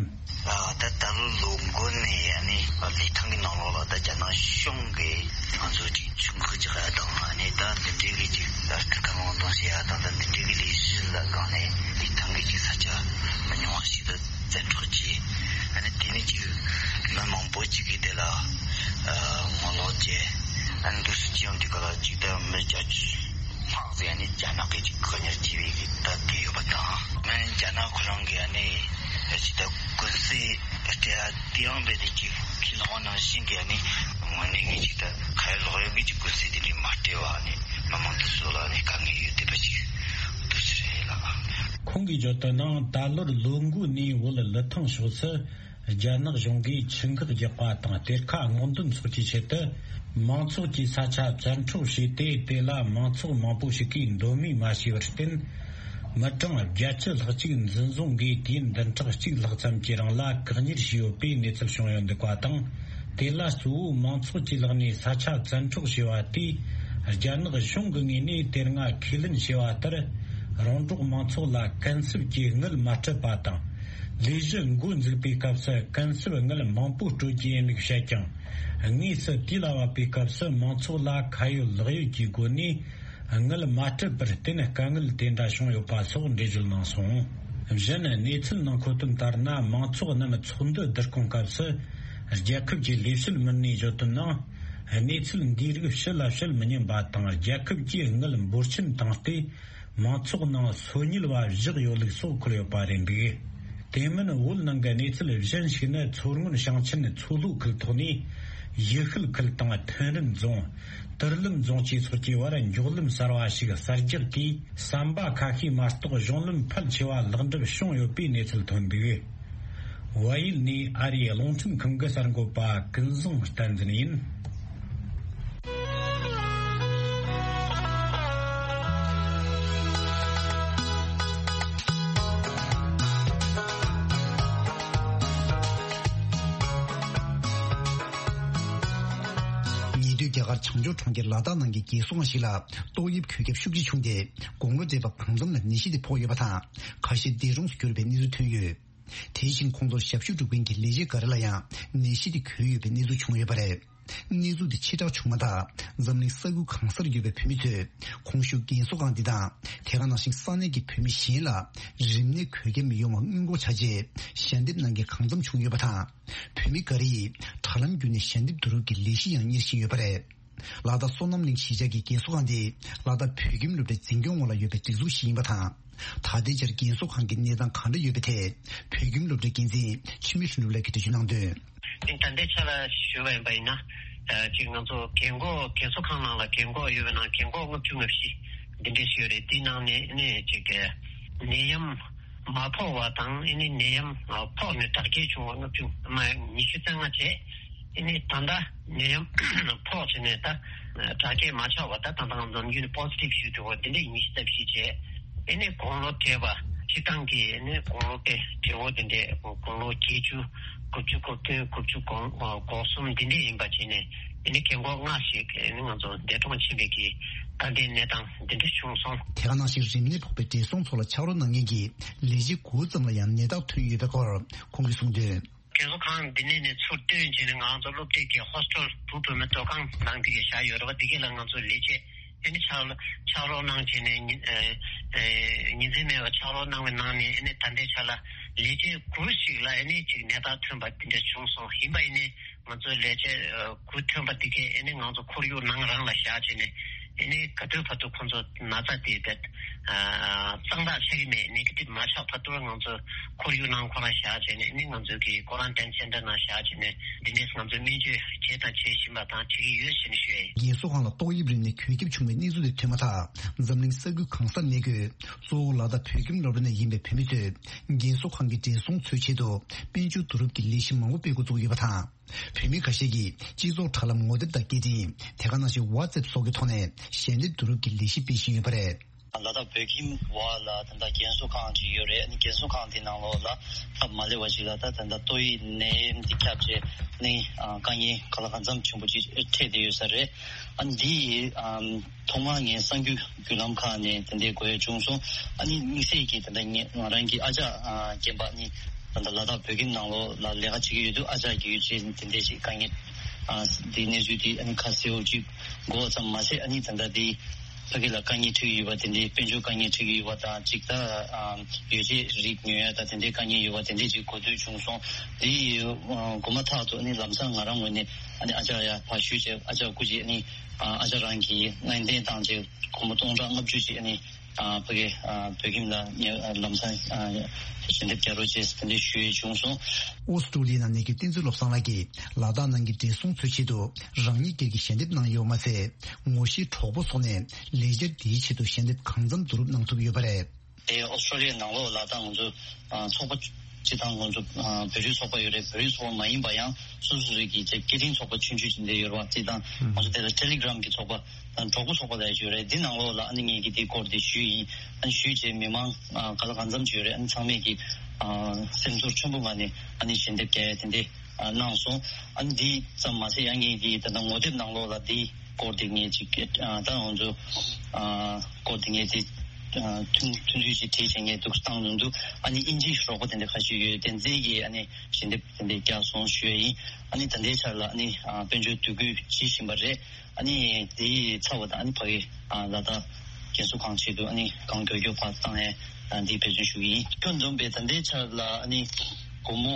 ད་ད་ལོ་ལོ་འགོ་ནས་ཡ་ནི་ལི་ཐང་གི་ནང་ལོགས་ལ་ད་རྒྱ་ནག་གཞུང་གིས་ང་ཚོ་ཅིག་ཆུང་ཁུ་ཅིག་ཡ་དང་ཨ་ནི་ད་འདི་འདྲའི་གི་ཅིག་ལྟ་སྐུལ་གང་མང་གཏོང་བྱེད་ཡ་དང་ད་འདི་འདྲའི་གི་ལས་གཞི་ལ་སྒང་ནས་ལི་ཐང་གི་ཅིག་ས་ཆ་མི་ཉུང་བ་ཞིག་ཏུ་བཙན་འཕྲོག་བྱས། ཨ་ནི་དེ་ནས་ཅིག་མི་མང་པོ་ཅིག་གིས་དེ་ལ་ངོ་ལོག་བྱས། ཨ་ནི་འདུག་སེ་ཅིག་ཡང་དེ་ག་ལ་ཅིག་ད་མི་བརྒྱད་ཅུ་ལྷག་ཟེར་ནས་རྒྱ་ནག་གིས་ཅིག་བཀག་ཉར་བྱས་པའི་གི་ད་དེ་ཡོད་པ་དང་། མི་རྒྱ་ནག་ཁོ་རང་གིས་ཨ་ནི་ཅིག་ད་ཀུན་གསལ་སྤྲད་ཡ་དེ་ཡང་རྦད་དེ་ཅིག་ཁས་ལེན་པ་ནང་བཞིན་གྱི་ཨ་ནི་དངོས་གནས་གི་ཅིག་ད་ག་རེ་ལོག་ཡོད་གི་ཅིག་ཀུན་གསལ་དེ་འདྲའི་མ་སྤྲད་པ་ཨ་ནི་མི་མང་དེ་ཚོ་ལ་ཨ་ནི་དཀའ་ངལ་ཡོད་བསྡད་པ་ཅིག་འདུག་སེ་རེད་ལགས། ཁོང་གིས་བརྗོད་དོན་ནང་ད་ལོར་ལོ་འགོ་ནས་བོད་ལི་ཐང་ཕྱོགས་སུ། རྒྱ་ནག་གཞུང་གིས་ཆུ་འགག་རྒྱག་པ་དང་གཏེར་ཁ་སྔོག་འདོན་སོགས་ཀྱི་ཆེད་དུ་མང་ཚོགས་ཀྱི་ས་ཆ་བཙན་འཕྲོག་བྱས་ཏེ། དེ་ལ་མང་ཚོགས་མང་པོ་ཞིག་གིས་མདོ་མེད་མ་བྱས་པར་བརྟེན། མི་གྲངས་བརྒྱད་ཅུ་ལྷག་ཅིག་འཛིན་བཟུང་གིས་དུས་ཡུན་བདུན་ཕྲག་གཅིག་ལྷག་ཙམ་གྱི་རིང་ལ་བཀག་ཉར་བྱས་ཡོད་པའི་གནས་ཚུལ་བྱུང་ཡོད་འདུག་པ་དང་། དེ་ལ་གཙོ་བོ་མང་ཚོགས་ཀྱི་ལག་ནས་ས་ཆ་བཙན་འཕྲོག་བྱས་པ་དེས་རྒྱ་ནག་གཞུང་གི་ངོས་ནས་དེ་སྔ་ཁས་ལེན་བྱས་པ་ལྟར། རོང་འབྲོག་མང་ཚོགས་ལ་གུན་གསབ་ཀྱི་དངུལ་མ་སྤྲད་པ་དང་། ལས་གཞི་འགོ་འཛུགས་པའི་སྐབས་སུ་གུན་གསབ་དངུལ་མང་པོ་སྤྲོད་ཀྱི་ཡིན་ལུགས་བཤད་ཀྱང་། དངོས་སུ་དུས་ལ་བབ་པའི་སྐབས་སུ་མང་ཚོགས་ལ་ཁ་ཡོད་ལག་ཡོད་ཀྱི་སྒོ་ནས་དངུལ་མ་སྤྲད་པར་བརྟེན་དཀའ་ངལ་དེ་འདྲ་བྱུང་ཡོད་པ་སོགས་འགྲེལ་བརྗོད་གནང་སོང་། གཞན་གནས་ཚུལ་ནང་མཁོ་དོན་ལྟར་ན། མང་ཚོགས་རྣམས་ཚོགས་འདུ་བསྡུ་སྐོང་སྐབས་སུ་རྒྱལ་ཁབ་ཀྱི་ལས་བྱེད་མི་སྣས་བརྗོད་དོན་ནང་། གནས་ཚུལ་འདིའི་རིགས་ཕྱི་ལ་བཤད་མི་ཉན་པ་དང་། རྒྱལ་ཁབ་ཀྱིས་དངུལ་འབོར་ཆེན་བཏང་སྟེ། མང་ཚོགས་ནང་སོ་ཉུལ་བ་བཞག་ཡོད་ལུགས་སོགས་འཁོད་ཡོད་པ་རེད་འདུག་དེ་མིན་བོད་ནང་གི་གནས་ཚུལ་གཞན་ཞིག་ནི། མཚོ་སྔོན་ཞིང་ཆེན་མཚོ་ལྷོ་ཁུལ་ཐོག་ནས་ཡུལ་ཤུལ་ཁུལ་དང་ཐོན་རིམ་རྫོང་། ཏུར་ལིམ་རྫོང་བཅས་སོགས་ཀྱི་བར་མགྱོགས་ལམ་གསར་བ་ཞིག་གསར་རྒྱག་གིས་ཟམ་པ་ཁ་ཤས་མ་གཏོགས་གཞུང་ལམ་ཕལ་ཆེ་བ་ལེགས་འགྲུབ་བྱུང་ཡོད་པའི་གནས་ཚུལ་ཐོན་འདུག་བལ་ཡུལ་ནས་ཨ་རིའི་རླུང་འཕྲིན་ཁང་གི་གསར་འགོད་པ་ཀུན་བཟང་བསྟན་འཛིན་ཡིན། ཉེ་དུས་རྒྱ་གར་བྱང་ཕྱོགས་གྲོང་ཁྱེར་ལ་དྭགས་ནང་གི་རྒས་གསོ་ཁང་ཞིག་ལ་ཏོག་དབྱིབས་འགོས་ཁྱབ་ཤུགས་ཆེ་བྱུང་སྟེ། དགུང་ལོ་བགྲེས་པ་གང་འཚམ་ལ་ནད་གཞི་དེ་ཕོག་ཡོད་པ་དང་། ཁ་ཤས་འདས་གྲོངས་སུ་གྱུར་པའི་གནས་ཚུལ་ཐོན་ཡོད། དེ་བཞིན་ཁོང་ཚོར་ཞབས་ཞུ་སྒྲུབ་མཁན་གྱི་ལས་བྱེད་འགའ་རེ་ལ་ཡང་ནད་གཞི་དེ་འགོས་ཡོད་པའི་གནས་ཚུལ་བྱུང་ཡོད་པ་རེད། གནས་ཚུལ་དེ་ཕྱིར་བསྒྲགས་བྱུང་མ་ཐག་འཛམ་གླིང་ས་ཁུལ་གང་སར་ཡོད་པའི་བོད་མི་ཚོས་གོང་ཞུས་རྒས་གསོ་ཁང་འདི་དང་། དེ་ག་ནང་བཞིན་ས་གནས་ཀྱི་བོད་མི་གཞན་ལ་རིམས་ནད་འགོས་ཁྱབ་མི་ཡོང་བར་སྔོན་འགོག་བྱ་ཆེད་ཞལ་འདེབས་གནང་མཁན་གང་འཚམ་བྱུང་ཡོད་པ་དང་། བོད་མི་འགའ་རེ་ཡིས་དྲ་ལམ་བརྒྱུད་ནས་ཞལ་འདེབས་བསྡུ་རུབ་ཀྱི་ལས་གཞི་ཡང་གཉེར་བཞིན་ཡོད་པ་རེད། ལ་དྭགས་སོ་ནམ་གླིང་གཞིས་ཆགས་ཀྱི་རྒས་གསོ་ཁང་འདི་ལ་དྭགས་བོད་ཁྱིམ་སློབ་གྲྭའི་འཛིན་སྐྱོང་འོག་ལ་ཡོད་པའི་སྒྲིག་འཛུགས་ཤིག་ཡིན་པ་དང་། ད་ལྟའི་ཆར་རྒས་གསོ་ཁང་གི་གནས་སྟངས་གང་འདྲ་ཡོད་པའི་ཐད་བོད་ཁྱིམ་སློབ་གྲྭའི་འགན་འཛིན་འཆི་མེད་ལྷུན་གྲུབ་ལགས་ཀྱིས་འགྲེལ་བརྗོད་གནང་དོན། ཨིན། ད་ལྟའི་ཆ་ལ་ཞུས་པ་ཡིན་པ་ཡིན་ན། ཨ། གཅིག་ང་ཚོ་རྒན་འཁོགས་རྒས་གསོ་ཁང་ནང་ལ་རྒན་འཁོགས་ཡོད་པའི་ནང་རྒན་འཁོགས་ལྔ་བཅུ་ང་བཞི་འདི་འདྲས་ཞིག་ཡོད་རེད། འདི་ནང་ནས་ནས་གཅིག་གི་ནད་ཡམས་མ་ཕོག་པ་དང་། ཨ་ནི་ནད་ཡམས་ཕོག་ནས་དྲག་སྐྱེད་བྱུང་བ་ལྔ་བཅུ་མ་ཉི་ཤུ་རྩ་ལྔ་བྱས། ཨ་ནི་ད་ལྟ་ནད་ཡམས་ཕོག་བྱས་ནས་ད་དྲག་སྐྱེད་མ་ཆགས་པ། ད་ད་ལྟ་ང་ཚོ་ནམ་རྒྱུན་ནས་པོ་སི་ཊིབ་ཞུས་འདུག་གོ། འདི་འདྲས་ཉི་ཤུ་རྩ་བཞི་བྱས། ཨ་ནི་དགུང་ལོ་བགྲེས་པ་སྤྱིར་བཏང་གི་ཨ་ནི་དགུང་ལོ་དེ་བགྲེས་པོ་དེ་འདྲས་དགུང་ལོ་བརྒྱད་ཅུ། དགུ་བཅུ་གོ་བདུན། དགུ་བཅུ་གོ་གོ་གསུམ་འདི་འདྲས་ཡིན་པ་བྱས་ནས། ཨ་ནི་རྒན་འཁོགས་ལྔ་ཞིག་ཨ་ནི་ང་ཚོ་འདས་གྲོངས་ཕྱིན་པའི་གི་ད་ལྟའི་གནས་སྟངས་འདི་འདྲ་བྱུང་སོང་། དེ་ག་ནང་བཞིན་རིམས་ནད་ཕོག་པའི་བགྲེས་སོང་ཚོ་ལ་ཕྱག་རོགས་གནང་མཁན་གྱི་ལས་བྱེད་དགུ་ཙམ་ལ་ཡང་ནད་རྟགས་ཐོན་ཡོད་པའི་སྐོར་ཁོང་གིས་གསུངས་དོན། རྒས་གསོ་ཁང་འདི་ནས་ནས་ཚུར་བཏོན་བྱས་ནས་ང་ཚོ་སློབ་གྲྭའི་གི་ཧོ་སི་ཊེལ་བུ་བུ་མོའི་སྡོད་ཁང་ནང་འདི་ག་བཞག་ཡོད་རེད་པ། འདི་ག་ལ་ང་ཚོ་ལས་བྱེད་ཨ་ནི་ཕྱག་ཕྱག་རོགས་གནང་བྱས་ནས་ཉིན་ཨ་ཨ་ཉིན་མཚན་མེད་པར་ཕྱག་རོགས་གནང་བའི་ནང་ནས། ཨ་ནི་ད་ལྟའི་ཆ་ལ་ལས་བྱེད་དགུ་ཞིག་ལ་ཨ་ནི་ཅིག་ནད་རྟགས་ཐོན་པ་འདི་འདྲ་བྱུང་སོང་། ཡིན་པ་ཡིན་ནའི་ང་ཚོའི་ལས་བྱེད་ཨ་དགུ་ཐོན་པ་འདི་གས་ཨ་ནི་ང་ཚོ་ཁོར་ཡུག་ནང་རང་ལ་བཞག་བྱས་ནས། ཨ་ནི་ ག་དུས་བར་དུ་ཁོང་ཚོ་ན་ཚ་དེ་བས་གཙང་དག་ཆགས་ཀྱི་མེད། ནེ་གེ་ཊིབ་མ་ཆགས་བར་དུ་ང་ཚོ་ཁོར་ཡུག་ནང་ཁོ་རང་བཞག་བྱས་ནས་ནི་ང་ཚོ་གི་ཀོ་རན་ཊིན་སེན་ཊར་ནང་བཞག་བྱས་ནས་འདི་ནས་ང་ཚོ་སྨན་བཅོས་བྱས་དང་བྱེད་བཞིན་པ་དང་བྱེད་ཀྱི་ཡོད་ཟེར་ནས་ཞུ་ཡ་ཡིན། རྒན་གསོ་ཁང་ལ་ཏོག་དབྱིབས་རིམས་ནད་འགོས་ཁྱབ་བྱུང་བའི་གནས་ཚུལ་དེ་ཐོན་མ་ཐག་འཛམ་གླིང་ས་ཁུལ་གང་སར་གནས་འཁོད་གཙོ་བོ་ལ་དྭགས་བོད་ཁྱིམ་སློབ་གྲྭ་ནས་ཡིན་པའི་བོད་མི་ཚོས་རྒན་གསོ་ཁང་གི་བགྲེས་སོང་ཚོའི་ཆེད་དུ་དཔལ་འབྱོར་བསྡུ་རུབ་ཀྱི་ལས་གཞི་མང་པོ་སྤེལ་འགོ་བཙུགས་ཡོད་པ་དང་། བོད་མི་ཁ་ཤས་ཀྱིས་སྤྱི་ཚོགས་དྲ་ལམ་ངོ་དེབ་དང་སྐད་འཕྲིན། དེ་ག་ནང་བཞིན་ཝ་ཙེབ་སོགས་ཀྱི་ཐོག་ནས་ཞལ་འདེབས་བསྡུ་རུབ་ཀྱི་ལས་གཞི་སྤེལ་བཞིན་ཡོད་པ་རེད། ལ་དྭགས་བོད་ཁྱིམ་བ་ལ་ད་ལྟ་རྒན་གསོ་ཁང་ཅིག་ཡོད་རེད། ཨ་ནི་རྒན་གསོ་ཁང་དེ་ནང་ལོགས་ལ་སྟབས་མ་ལེགས་པ་ཞིག་ལ་ད་ད་ལྟ་ཏོག་དབྱིབས་ནད་ཡམས་འདི་ཁྱབ་བྱས་ནི་ཨ་དཀའ་ངལ་ག་ལ་གང་འཚམ་ཆེན་པོ་ཅིག་འཕྲད་བསྡད་ཡོད་ས་རེད། ཨ་ནི་འདི་ཨམ་ཐོག་མར་ངས་གསར་འགྱུར་བརྒྱུད་ལམ་ཁག་ནས་དེ་འདྲའི་གོ་ཡ་བྱུང་སོང་། ཨ་ནི་དམིགས་བསལ་གྱིས་ད་ལྟ་ངས་ང་རང་གི་ཨ་ཅག་ཨ་རྒན་པ་ནི་ད་ལྟ་ལ་དྭགས་བོད་ཁྱིམ་ནང་ལོགས་ལ་ལས་ཀ་བྱེད་ཀྱི་ཡོད་དུས་ཨ་ཅག་གི་ཡོད་ཅེས་དེ་འདྲས་ཞིག་དཀའ་ངལ་ཨ་འདི་གནས་ཚུལ་འདི་ཨ་ནི་ཁ་གསལ་བོ་ཅིག་གོ་བ་ཙམ་མ་ཟད། ཨ་ནི་ད་ལྟ་འདི་ཕ་གི་ལ་དཀའ་ངལ་འཕྲད་ཀྱི་ཡོད་པ་དེ་འདྲའི་དཔལ་འབྱོར་དཀའ་ངལ་འཕྲད་ཀྱི་ཡོད་པ་དང་གཅིག་ད་ཨ་ཡོ་བྱད་རིགས་ཉོ་ཡ་ད་དེ་འདྲའི་དཀའ་ངལ་ཡོད་པ་དེ་འདྲས་ཅིག་གོ་ཐོས་བྱུང་སོང་། འདི་ཨ་གོ་མ་ཐག་ཏུ་ཨ་ནི་ལམ་སང་ང་རང་ངོས་ནས་ཨ་ནི་ཨ་ཅག་ཡ་ཕར་ཞུས་བྱས་ཨ་ཅག་སྐུ་མཁྱེན་ཨ་ནི་ཨ་ཅག་རང་གི་ལྔ་སྟོན་བཏང་བྱས་སྒོར་མོ་སྟོང་ཕྲག་ལྔ་བཅུ་ཅིག་ཨ་ནི་ཨ་ཕ་གི་ཨ་བོད་ཁྱིམ་ལ་ཉེ་ཨ་ལམ་སང་ཨ་ཞལ་འདེབས་རྒྱག་རོགས་བྱས་ཟེར་དེ་འདྲ་ཞུ་ཡས་བྱུང་སོང་། ཨོ་སི་ཀྲུ་ལི་ཡ་ནང་གནས་འཁོད་བསྟན་འཛིན་བློ་བཟང་ལགས་ཀྱིས་ལ་དྭགས་ནང་གི་བགྲེས་སོང་ཚོའི་ཆེད་དུ་རང་ཉིད་སྒེར་གྱི་ཞལ་འདེབས་གནང་ཡོད་པ་མ་ཟད། ངོ་ཤེས་གྲོགས་པོ་སོགས་ནས་ལས་འཆར་འདིའི་ཆེད་དུ་ཞལ་འདེབས་གང་འཚམ་བསྡུ་རུབ་གནང་ཐུབ་ཡོད་པ་རེད། དེ་ཨོ་སི་ཀྲུ་ལི་ཡ་ནང་ལོགས་ལ་ད་ང་ཚོ་ཨ་ཚོགས་པ་སྤྱི་བཏང་ང་ཚོ་ཨ་བོད་རིགས་ཚོགས་པ་ཡོད་རེད། བོད་རིགས་ཚོགས་པ་མ་ཡིན་པ་ཡང་སོ་སོ་རིགས་ཀྱི་སྐད་འཕྲིན་ཚོགས་པ་ཆུང་ཆུང་ཅིག་འདི་ཡོད་རེད་བ། སྤྱི་བཏང་ང་ཚོ་དེ་ལ་ཊེ་ལི་གྷི་རམ་གྱི་ཚོགས་པ་དང་གྲོགས་པོ་ཚོགས་པ་ལ་ཡོད་རེད། འདི་ནང་ལོགས་ལ་ཨ་ནི་ངེད་ཀྱིས་འདི་སྐོར་འདི་ཞུས་ཡིན། ཨ་ནི་ཞུས་རྗེས་མི་མང་ཨ་ག་ལ་གང་འཚམ་ཅིག་ཡོད་རེད། ཨ་ནི་ཚང་མས་ཀྱིས་ཨ་སེམས་ཚོར་ཆེན་པོ་ངང་ནས་ཨ་ནི་ཞལ་འདེབས་རྒྱག་ཡ་དེ་འདྲས་ཨ་གནང་སོང་། ཨ་ནི་འདི་ཙམ་མ་ཟད་ཡང་ངེད་ཀྱིས་ད་ལྟ་ངོ་དེབ་ནང་ལོགས་ལ་འདི་སྐོར་དེ་ངས་ཅིག་ཨ་ད་ང་ཚོ་ཨ་སྐོར་དེ་ངས་ཅིག་ཨ་ཐུང་ཐུང་ཐུང་ཅིག་བྲིས་བྱས་ངས་འདུག་བཏང་ཡོང་དུས་ཨ་ནི་ཨིན་ཇིའི་རོགས་པ་དེ་འདྲ་ཁ་ཤས་ཡོད། དེ་ཚོས་ཀྱིས་ཨ་ནི་ཞལ་འདེབས་དེ་འདྲས་རྒྱག་སོང་ཞུ་ཡ་ཡིན། ཨ་ནི་ད་ལྟའི་ཆར་ལ་ཨ་ནི་ཨ་དཔལ་འབྱོར་བསྡུ་སྐུལ་བྱེད་བཞིན་པ་རེད། ཨ་ནི་དེའི་ཚབ་པ་དང་ཨ་ནི་ཕ་གི་ཨ་ལ་དྭགས་རྒན་གསོ་ཁང་ཆེད་དུ་ཨ་ནི་གང་མགྱོགས་མགྱོགས་ཕར་བཏང་ཡས་ཨ་འདི་འབད་བརྩོན་ཞུ་གི་ཡིན། ཁྱོན་བསྡོམས་པས་ད་ལྟའི་ཆར་ལ་ཨ་ནི་སྒོར་མོ་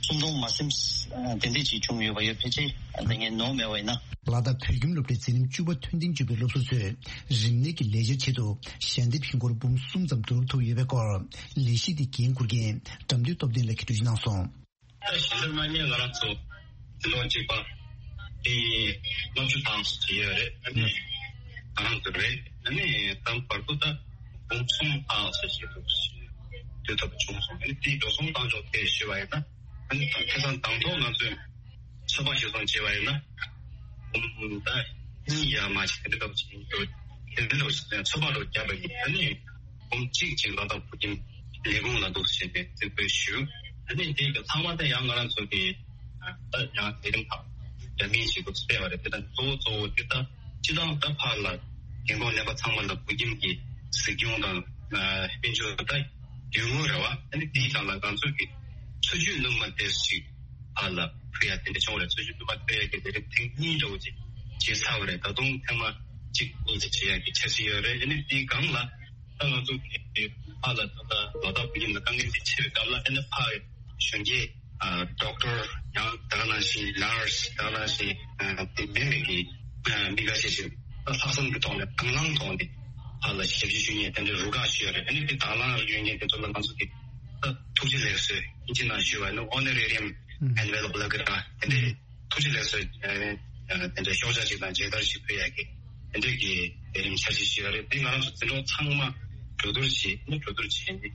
སུམ་སྟོང་མ་ཟིན་ཨ་དེ་འདྲས་ཅིག་བྱུང་ཡོད་པ་ཡོད། ཕལ་ཆེར་ཨ་ད་ངས་ནོར་མེད་པ་ཡིན་ན། ལ་དྭགས་བོད་ཁྱིམ་སློབ་གྲྭའི་འཛིན་རིམ་བཅུ་པ་མཐོན་འདེགས་བརྒྱུད་པའི་སློབ་ཟུར་ཚོས་རིམས་ནད་ཀྱི་ལས་འཆར་ཆེད་དུ་ཞལ་འདེབས་ཧིན་སྒོར་འབུམ་གསུམ་ཙམ་བསྡུ་རུབ་ཐུབ་ཡོད་པའི་སྐོར་ལས་གཞི་དེ་འགན་འཁུར་མཁན་དགྲ་འདུལ་སྟོབས་ལྡན་ལགས་ཀྱིས་འགྲེལ་བརྗོད་གནང་སོང་། ད་ཞལ་འདེབས་གནང་མཁན་ང་རང་ཚོ་འཛིན་གྲོགས་གཅིག་པ་དེ་ལྔ་བཅུ་ཐམ་ཞིག་ཡོད་རེད། ཨ་ནི་ང་རང་ཚོ་རེད། ཨ་ནི་ད་བར་དུ་ད་འབུམ་གསུམ་ཐམ་ཞིག་ཞིག་འདུག་འདུག་ཐབས་བྱུང་སོང་། ཨ་ནི་དེའི་འགྲོ་སོང་བཏང་ཕྱོགས་ཐད་ཞུས་པ་ཡིན་ན། ཨ་ནི་ཁ་སང་དང་ཐོག་ང་ཚོས་ཚོད་དཔག་ཞིབ་བཟང་བྱས་པ་ཡིན་ན། འབུམ་ད་གཉིས་ཡར་མར་ཞིག་དེ་འདྲ་ལྟ་བུ་ཞིག་ཡིན་འགྲོ། དེ་འདྲ་ལྟ་བུ་ཞིག་ཚོད་དཔག་ལོ་བརྒྱབ་པ་ཡིན། ཨ་ནི་འབུམ་གཅིག་ཅིག་ལ་དྭགས་བོད་ཁྱིམ་ལས་ཁུངས་ལ་འདུག་ཟེར་ནས་རྩིས་སྤྲོད་ཞུས། ཨ་ནི་དེ་གི་ཚང་མ་དེ་ཡང་ང་རང་ཚོ་གི་ད་ཡང་ལས་རིམ་ཁག་འདྲ་མིན་ཞིག་འདུག་སྤེལ་བ་རེད། དེ་དང་གཙོ་བོ་གཙོ་བོ་དེ་ད་སྤྱི་བཏང་ད་ཕར་ལ་རྒན་གོག་རྣམ་པ་ཚང་མ་ལ་བོད་ཁྱིམ་གྱི་གཟིགས་སྐྱོང་དང་དཔལ་འབྱོར་ད་རྒྱུ་དངོས་རེད་བ། ཨ་ནི་དེའི་སྒང་ལ་ང་ཚོ་གི་འཚོ་བཅུད་སྣུམ་མ་དེ་ཞིག་ཕར་ལ་ཕུལ་ཡ་དེ་འདྲ་བྱུང་བ་རེད། འཚོ་བཅུད་སྣུམ་མ་ཕུལ་ཡ་གི་ལས་རིམ་ཐེངས་གཉིས་འདྲ་བོ་ཅིག་བྱས་ཚར་བ་རེད། ད་དུང་ཐེངས་མ་གཅིག་དངོས་སུ་བྱེད་ཡ་གི་འཆར་གཞི་ཡོད་རེད། ཨ་ནི་དེའི་སྒང་ལ་ད་ང་ཚོ་གི་ཕར་ལ་ད་ལྟ་ལ་དྭགས་བོད་ཁྱིམ་ལ་དཀའ་ངལ་འདི་ཆེ་བའི་སྐབས་ལ་ཨ་ནི་ཕར་གཞོན་སྐྱེས་ཨ་ཌོག་ཊར་ཡང་ད་ག་ནང་བཞིན་ནར་སི་ད་ག་ནང་བཞིན་ཨ་དེ་མིན་པའི་གི་ཨ་མི་འགའ་ཤས་ཤིག་ད་ལྷག་བསམ་གྱི་ཐོག་ནས་དང་བླངས་ཐོག་ནས་ཕར་ལ་ཞབས་ཕྱི་ཞུ་མཁན་དེ་འདྲའི་རུ་ཁག་ཞིག་ཡོད་རེད། ཨ་ནི་དེ་དང་བླངས་ཡོད་མཁན་དེ་ཚོ་ལ་ང་ཚོ་གི་ད་ཐུགས་རྗེ་ལེགས་གསོལ་ཨིན་ཇི་ནང་ཞུས་པ་ནི་ཨོ་ནོ་རེ་རི་ཡམ་ཨེན་ཝེ་ལོབ་ལབ་ཀྱི་རེད། དེ་འདྲའི་ཐུགས་རྗེ་ལེགས་གསོལ་ཨ་དེ་འདྲའི་ཤོག་བྱང་ཞིག་དང་མཇལ་དར་ཞིག་ཕུལ་ཡག་གི་དེ་འདྲའི་གི་ལས་རིམ་འཆར་གཞི་ཞིག་ཡོད་རེད། དེ་ང་རང་ཚོ་འཛིན་གྲོགས་ཚང་མ་གྲོས་བསྡུར་བྱས་ནས་གྲོས་བསྡུར་བྱས་ནས་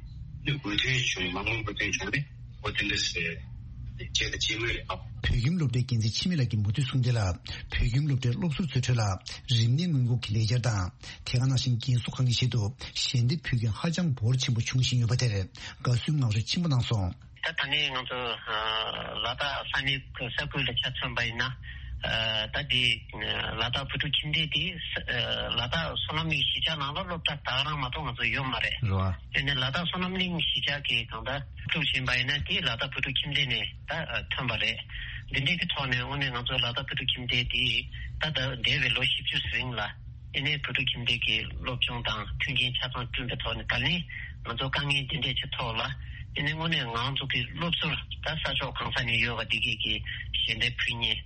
ནི་མོས་མཐུན་བྱུང་མང་མོས་མོས་མཐུན་བྱུང་ནས་འོ་དེ་འདྲ་ཟེར་བྱས་དང་བྱེད་མུས་རེད། ཨ། བོད་ཁྱིམ་སློབ་གྲྭའི་འགན་འཛིན་འཆི་མེད་ལགས་ཀྱིས་མུ་མཐུད་གསུངས་དོན་ལ། བོད་ཁྱིམ་སློབ་གྲྭའི་སློབ་ཟུར་ཚོའི་ཁྲོད་ལ་རིམས་ནད་སྔོན་འགོག་གི་ལས་འཆར་དང་། དེ་ག་ནང་བཞིན་རྒན་གསོ་ཁང་གི་ཆེད་དུ་ཞལ་འདེབས་ཕུལ་མཁན་ཧ་ཅང་འབོར་ཆེན་པོ་འབྱུང་བཞིན་ཡོད་པ་དེར་དགའ་བསུའི་ངང་རོལ་ཆེན་པོ་གནང་སོང་། ད་ད་ནི་ང་ཚོ་ལ་དྭགས་ས་གནས་ས་ཁུལ་ལ་ཆ་མཚོན་པ་ཡིན་ན། ད་འདི་ལ་དྭགས་བོད་ཕྲུག་ཁྱིམ་སྡེ་འདི་ལ་དྭགས་བསོད་ནམས་གླིང་གཞིས་ཆགས་ནང་ལ་སློབ་གྲྭ་ད་ག་རང་མ་གཏོགས་ང་ཚོ་ཡོད་མ་རེད། རེད་བ། དེ་ནས་ལ་དྭགས་བསོད་ནམས་གླིང་གཞིས་ཆགས་ཀྱི་གང་ལྟར་སློབ་ཕྲུག་ཡིན་པ་ཡིན་ན་དེ་ལ་དྭགས་བོད་ཕྲུག་ཁྱིམ་སྡེ་ནས་ད་ཐོན་པ་རེད། འདི་འདྲའི་གི་ཐོག་ནས་དངོས་གནས་ང་ཚོ་ལ་དྭགས་བོད་ཕྲུག་ཁྱིམ་སྡེ་འདི་ད་ད་འདས་པའི་ལོ་བཞི་བཅུ་རིང་ལ་ཨེ་ནས་བོད་ཕྲུག་ཁྱིམ་སྡེ་གི་སློབ་སྦྱོང་དང་མཐུན་རྐྱེན་ཆ་ཚང་བསྐྲུན་པའི་ཐོག་ནས་ད་ལན་ང་ཚོ་དཀའ་ངལ་འདི་འདྲའི་ཆེ་ཐོག་ལ་ཨེ་ནས་དངོས་གནས་ང་ཚོ་གི་སློབ་ཟུར་ད་ས་ཕྱོགས་གང་ས་ནས་ཡོད་པ་འདི་གས་ཀྱི་ཞལ་འདེབས་ཕུལ་མཁན་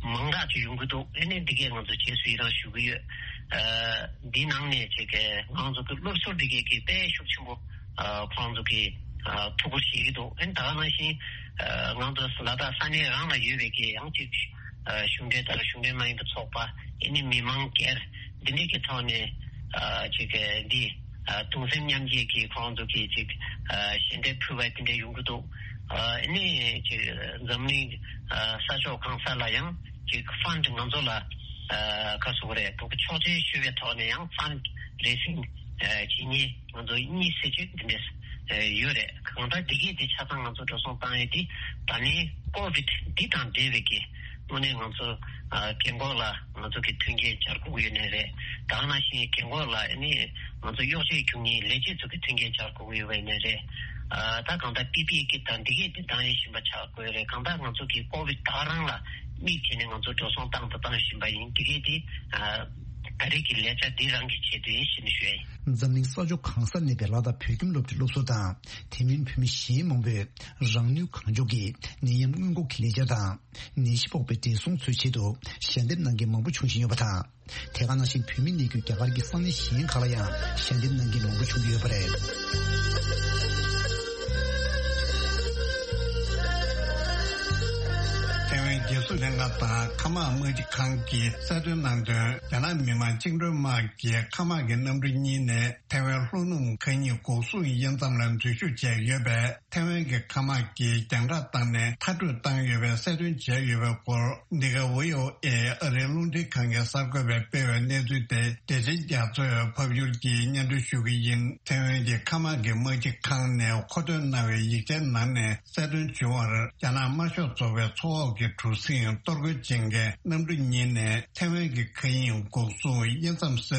མང་དྲགས་ཅིག་ཡོང་གི་འདུག་ཨེ་ནས་འདི་གས་ང་ཚོ་རྗེས་སུ་ཡི་རང་ཞུ་གི་ཡོད། འདི་ནང་ནས་ཅིག་ང་ཚོ་གི་སློབ་ཟུར་འདི་གས་ཀྱི་དཔེ་ཤུགས་ཆེན་པོ་ཁོང་ཚོ་གི་ཐུགས་ཁུར་བཞེས་ཀྱི་འདུག་ཨ་ནི་ད་ག་ནང་བཞིན་ང་ཚོ་ལ་དྭགས་ས་གནས་རང་ལ་ཡོད་པའི་གི་ཡང་ཅིག་གཞུང་འབྲེལ་དང་གཞུང་འབྲེལ་མ་ཡིན་པའི་ཚོགས་པ། ཨ་ནི་མི་མང་སྒེར་འདི་འདྲས་ཀྱི་ཐོག་ནས་ཅིག་འདི་གདུང་སེམས་མཉམ་སྐྱེད་ཀྱི་ཁོང་ཚོ་གི་ཅིག་ཞལ་འདེབས་ཕུལ་བ་དེ་འདྲས་ཡོང་གི་འདུག་ཨ་ནི་ཅིག་འཛམ་གླིང་ས་ཕྱོགས་གང་ས་ལ་ཡང་ཅིག་ཕན་ང་ཚོ་ལ་ག་ཟེར་དགོས་རེད། འདུག་ཆོག་མཆན་ཞུས་པའི་ཐོག་ནས་ཡང་ཕན་རེ་སིང་བྱེད་མཁན་ང་ཚོ་གཉིས་སྲིད་ཇུས་འདི་འདྲས་ཡོད་རེད། གང་ལྟར་འདི་གས་དེ་ཆ་ཚང་ང་ཚོ་འགྲོ་སོང་བཏང་ཡས་དེ་ད་ནི་ཀོ་བིད་འདི་དང་འབྲེལ་བའི་གི་དངོས་གནས་ང་ཚོ་རྒན་འཁོགས་ལ་ང་ཚོ་གི་མཐུན་རྐྱེན་སྦྱར་དགོས་ཀྱི་ཡོད་ནའི་རེད། ད་ག་ནང་བཞིན་རྒན་འཁོགས་ལ་ཨ་ནི་ང་ཚོ་གཡོག་བྱེད་རྒྱུག་མཁན་ལས་བྱེད་ཚོ་གི་མཐུན་རྐྱེན་སྦྱར་དགོས་ཀྱི་ཡོད་པ་ཡིན་ནའི་རེད། ད་གང་ལྟར་པི་པི་ཨི་གི་དང་འདི་གས་དེ་བཏང་ཡས་བཞིན་པ་ཆགས་དགོས་རེད། གང་ལྟར་ང་ཚོ་གི་ཀོ་བིད་ད་ག་རང་ལ་དམིགས་བྱས་ནས་ང་ཚོ་འགྲོ་སོང་བཏང་དང་བཏང་བཞིན་པ་ཡིན། འདི་གས་དེ་ད་རེས་ཀྱི་ལས་བྱ་འདི་རང་གི་ཆེད་དུ་ཡིན་ཞེས་ནས་ཞུ་ཡ་ཡིན། འཛམ་གླིང་ས་ཕྱོགས་གང་སར་གནས་པའི་ལ་དྭགས་བོད་ཁྱིམ་སློབ་གྲྭའི་སློབ་ཟུར་དང་དེ་མིན་བོད་མི་གཞན་མང་པོས་རང་ནུས་གང་ལྕོགས་ཀྱིས་ནད་ཡམས་སྔོན་འགོག་གི་ལས་འཆར་དང་། ནད་གཞི་ཕོག་པའི་བགྲེས་སོང་ཚོའི་ཆེད་དུ་ཞལ་འདེབས་གནང་མཁན་མང་པོ་བྱུང་བཞིན་ཡོད་པ་དང་། དེ་ག་ནང་བཞིན་བོད་མི་གནས་རྒྱུ་རྒྱ་གར་གྱི་ས་གནས་གཞན་ཁག་ལ་ཡང་ཞལ་འདེབས་གནང་མཁན་མང་པོ་བྱུང་གི་ཡོད་པ་རེད། ཐའེ་ཝན་རྒྱལ་སྲུང་ལྷན་ཁང་དང་མཁའ་དམག་དམག་སྤྱི་ཁང་གིས་གསལ་སྟོན་གནང་དོན། རྒྱ་ནག་མི་དམངས་བཅིངས་འགྲོལ་དམག་གི་མཁའ་དམག་གི་གནམ་གྲུ་གཉིས་ནས་ཐའེ་ཝན་ལྷོ་ནུབ་མཁའ་དབྱིངས་འགོག་སྲུང་དབྱེ་མཚམས་ལ་འཛུལ་ཞུགས་བྱས་ཡོད་པས། ཐའེ་ཝན་གྱི་མཁའ་དམག་གིས་རྒྱང་བསྒྲགས་བཏང་ནས་མཐར་སྐྲོད་བཏང་ཡོད་པའི་གསལ་སྟོན་བྱས་ཡོད་པའི་སྐོར། འདི་ག་ཝི་ཨོ་ཨེ་ཨ་རིའི་རླུང་འཕྲིན་ཁང་གི་གསར་འགོད་པས་སྤེལ་བའི་གནས་ཚུལ་དེ་བདེ་ཆེན་རྒྱ་མཚོས་ཕབ་སྒྱུར་གྱིས་སྙན་སྒྲོན་ཞུ་གི་ཡིན། ཐའེ་ཝན་གྱི་མཁའ་དམག་གི་དམག་སྤྱི་ཁང་ནས་མཁོ་འདོན་གནང་བའི་ཡིག་ཆའི་ནང་ནས་གསལ་སྟོན་བྱུང་བར། རྒྱ་ནག་དམར་ཤོག་ཚོགས་པའི་མཚོ་འོག་གི་གྲུ་གཟིངས་གཏོར་རྒོལ་བྱེད་མཁན་གནམ་གྲུ་གཉིས་ནས་ཐའེ་ཝན་གྱི་མཁའ་དབྱིངས་འགོག་སྲུང་དབྱེ་མཚམས་ས་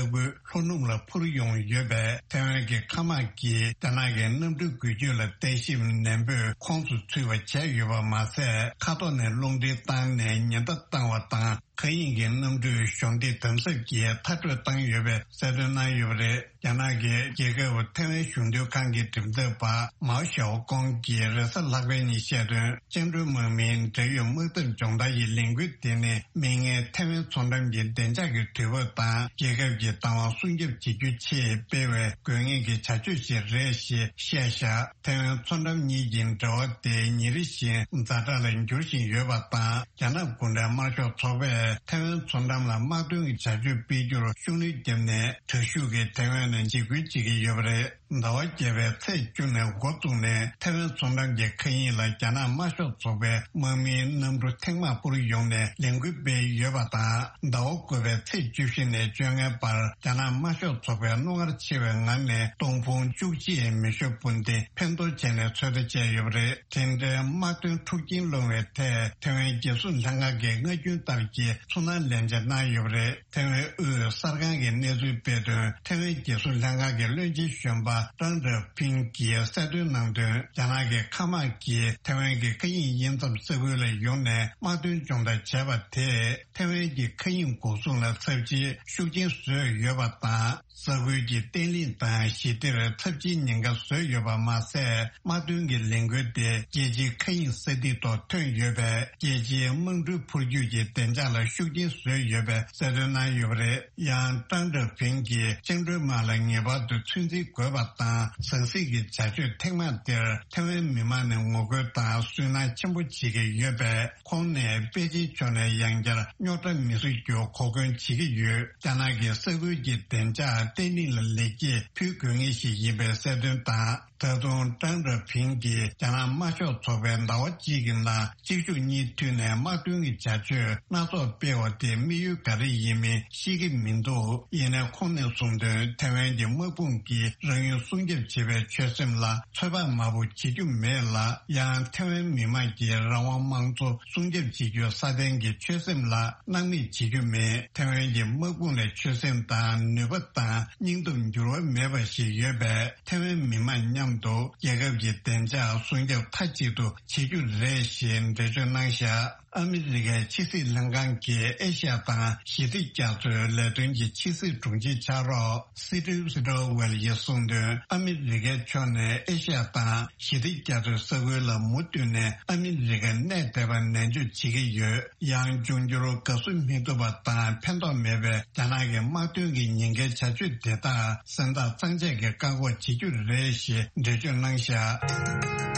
ཁུལ་ལྷོ་ནུབ་ལ་འཕུར་ཡོང་ཡོད་པས། ཐའེ་ཝན་གྱི་མཁའ་དམག་གིས་རྒྱ་ནག་གི་གནམ་གྲུའི་འགུལ་སྐྱོད་ལ་བརྟག་ཞིབ་ནན་པོས་ཁོངས་སུ་ཚུད་པ་བྱས་ཡོད་པ་མ་ཟད། མཁའ་ཐོག་ནས་རླུང་འཕྲིན་བཏང་ནས་ཉེན་བརྡ་བཏང་བ་དང་། མཁའ་དབྱིངས་ཀྱི་གནམ་གྲུས་གཞོགས་འདེགས་དམ་ཟབ་ཀྱིས་མཐར་སྐྲོད་བཏང་ཡོད་པའི་གསལ་སྟོན་གནང་ཡོད་པ་རེད། རྒྱ་ནག་གི་རྒྱལ་ཁབ་ཐའེ་ཝན་གཞུང་དོན་ཁང་གི་མགྲིན་ཚབ་པ་མའོ་ཞའོ་ཀོང་གིས་རེས་གཟའ་ལྷག་པའི་ཉིན་བཤད་དོན། བཅིངས་འགྲོལ་དམག་མིའི་འབྲེལ་ཡོད་དམག་འཐབ་སྦྱོང་བརྡར་ཡི་ལས་འགུལ་དེ་ནི་མིག་སྔའི་ཐའེ་ཝན་མཚོ་འགྲམ་གྱི་བདེ་འཇགས་ཀྱི་དུས་བབ་དང་རྒྱལ་ཁབ་ཀྱི་བདག་དབང་སྲུང་སྐྱོབ་བྱེད་རྒྱུའི་ཆེད་སྤེལ་བའི་དགོས་ངེས་ཀྱི་བྱ་སྤྱོད་ཞིག་རེད་ཞེས་བཤད་བཞག་ཐའེ་ཝན་མཚོ་འགྲམ་གཉིས་ཀྱི་འབྲེལ་བ་དེ་ཉིན་རེ་བཞིན་ཛ་དྲག་ལ་འགྱུར་བཞིན་ཡོད་པ་དང་། རྒྱ་ནག་གུང་ཁྲན་དམར་ཤོག་ཚོགས་པས་ཐའེ་ཝན་མཚོ་འགྲམ་ལ་དམག་དོན་གྱི་བྱ་སྤྱོད་སྤེལ་རྒྱུར་ཤུགས་སྣོན་བརྒྱབ་ནས། དྲག་ཤུགས་ཀྱིས་ཐའེ་ཝན་ལ་འཇིགས་སྐུལ་བྱེད་ཀྱི་ཡོད་པ་རེད། ཟླ་བ་བརྒྱད་པའི་ཚེས་བཅུ་ནས་འགོ་བཙུགས་ནས་ཐའེ་ཝན་མཚོ་འགྲམ་གྱི་མཁའ་དབྱིངས་ལ་རྒྱ་ནག་དམར་ཤོག་ཚོགས་པའི་དམག་མིའི་གནམ་གྲུ་ཐེངས་མང་འཕུར་ཡོང་ནས་ལས་འགུལ་སྤེལ་ཡོད་པ་དང་། ཟླ་བ་དགུ་པའི་ཚེས་བཅུ་བཞི་ནས་བཅོ་ལྔའི་བར་རྒྱ་ནག་དམར་ཤོག་ཚོགས་པའི་རྣོ་ངར་ཆེ་བའི་ངང་ནས་སྟོང་ཕུང་བཅུ་གཅིག་མེ་ཤོག་སྤུན་ལྡན་འཕེན་གཏོར་བྱས་ནས་ཚོད་ལྟ་བྱས་ཡོད་པ་རེད། དེ་འདྲའི་དམག་དོན་འཁྲུག་རྐྱེན་སློང་བའི་ཐད་ཐའེ་ཝན་རྒྱལ་སྲུང་ལྷན་ཁང་གིས་སྔ་རྒྱུན་ལྟར་གྱི་ཚོར་སྣང་ལན་འཇལ་གནང་ཡོད་པ་རེད། ཐའེ་ཝན་དབུས་གསར་ཁང་གིས་གནས་ཚུལ་སྤེལ་དོན། ཐའེ་ཝན་རྒྱལ་སྲུང་ལྷན་ཁང་གི་བློན་ཆེན་གཞོན་པ་ཀྲང་ཀྲེ་ཕིང་གིས་གསལ་སྟོན་གནང་དོན། རྒྱ་ནག་གི་མཁའ་དམག་གིས་ཐའེ་ཝན་གྱི་མཁའ་དབྱིངས་དབྱེ་མཚམས་ས་ཁུལ་ལ་ཡོང་ནས་དམག་དོན་སྦྱོང་བརྡར་བྱས་པ་དེས་ཐའེ་ཝན་གྱི་མཁའ་དབྱིངས་འགོག་སྲུང་ལ་ཚབས་ཆེའི་ཤུགས་རྐྱེན་བཟོས་ཡོད་པ་དང་། ས་ཁུལ་གྱི་བརྟན་ལྷིང་དང་ཞི་བདེར་ཚབས་ཆེའི་ཉེན་ཁ་བཟོས་ཡོད་པ་མ་ཟད། དམག་དོན་གྱི་ལས་འགུལ་དེ་རྒྱལ་སྤྱིའི་མཁའ་དབྱིངས་ས་ཐིག་ཐོག་ཐོན་ཡོད་པས། རྒྱལ་སྤྱིའི་དམག་གྲུ་འཕུར་སྐྱོད་ཀྱི་བདེ་འཇགས་ལ་ཤུགས་རྐྱེན་བཟོས་ཡོད་པའི་གསལ་སྟོན་གནང་ཡོད་པ་རེད། ཡང་ཀྲང་ཀྲེ་ཕིང་གིས་བཅིངས་འགྲོལ་དམག་ལ་ངེས་པར་དུ་ཚོད་འཛིན་དགོས་པ་དང་། ཟང་ཟིང་གི་བྱ་སྤྱོད་ཐེངས་མང་དེར་ཐའེ་ཝན་མི་མང་ནས་ངོ་རྒོལ་དང་སུན་སྣང་ཆེན་པོ་བྱེད་ཀྱི་ཡོད་པས། ཁོང་ནས་པེ་ཅིན་ཕྱོགས་ནས་ཡང་བསྐྱར་རྙོག་དྲ་མི་བཟོ་རྒྱུ་གོ་སྐོན་བྱེད་ཀྱི་ཡོད། རྒྱ་ནག་གི་ས་ཁུལ་གྱི་བདེ་འཇགས་བརྟན་ལྷིང་ལ་ལེགས་སྐྱེས་ཕུལ་དགོས་ངེས་ཤིག་ཡིན་པའི་གསལ་སྟོན་དང་། ད་དུང་ཀྲང་ཀྲེ་ཕིང་གིས་རྒྱ་ནག་དམར་ཤོག་ཚོགས་པའི་ཟླ་བ་གཅིག་གི་ནང་གཅིག་མཇུག་གཉིས་མཐུད་ནས་དམག་དོན་གྱི་བྱ་སྤྱོད་སྣ་ཚོགས་སྤེལ་བ་དེ་དམིགས་ཡུལ་ག་རེ་ཡིན་མིན་ཤེས་ཀྱི་མི་འདུག་ཡིན་ནའི་ཁོང་ནས་གསུངས་དོན། ཐའེ་ཝན་གྱི་དམག་དཔུང་གིས་རང་ཡུལ་སྲུང་སྐྱོབ་བྱེད་པའི་ཆོད་སེམས་ལ་ཚོད་དཔག་མང་པོ་བྱེད་རྒྱུ་མེད་ལ། ཡང་ཐའེ་ཝན་མི་དམངས་ཀྱི་རང་དབང་དམངས་གཙོ་སྲུང་སྐྱོབ་བྱེད་རྒྱུའི་སྲ་བརྟན་གྱི་ཆོད་སེམས་ལ་སྣང་མེད་བྱེད་རྒྱུ་མེད། ཐའེ་ཝན་གྱི་དམག་དཔུང་ལ་ཆོད་སེམས་དང་ནུས་པ་དང་སྙིང་སྟོབས་འགྱུར་བ་མེད་པ་ཞིག་ཡོད་པས། ཐའེ་ཝན་མི་དམངས་མཉམ་དུ་རྒྱལ་ཁབ་ཀྱི་བདེ་འཇགས་སྲུང་སྐྱོབ་མཐའ་གཅིག་ཏུ་བྱེད་རྒྱུ་རེད་ཞེས་འགྲེལ་བརྗོད་གནང་བཞག་ཨ་མི་རི་ཀའི་ཕྱི་སྲིད་ལྷན་ཁང་གི་ཨེ་ཤ་ཡ་དང་ཞི་བདེ་རྒྱ་མཚོའི་ལས་དོན་གྱི་ཕྱི་སྲིད་དྲུང་ཆེ་ཕྱག་རོགས་སི་ཏིབ་སི་ཏོ་ཝེལ་ཡིས་གསུངས་དོན། ཨ་མི་རི་ཀའི་ཕྱོགས་ནས་ཨེ་ཤ་ཡ་དང་ཞི་བདེ་རྒྱ་མཚོའི་ས་ཁུལ་ལ་མུ་མཐུད་ནས་ཨ་མི་རི་ཀ་གནས་བསྡད་པར་ནན་བརྗོད་བྱེད་ཀྱི་ཡོད། ཡང་འབྱུང་འགྱུར་དགའ་བསུ་མི་ཐུབ་པ་དང་ཕན་ཐོགས་མེད་པའི་རྒྱ་ནག་གི་དམག་དོན་གྱི་ཉེན་ཁའི་བྱ་སྤྱོད་དེ་དག་སེམས་ཐག་གཙང་བཅད་ཀྱིས་བཀག་འགོག་བྱེད་རྒྱུ་རེད་ཞེས་འགྲེལ་བརྗོད་གནང་བཞག།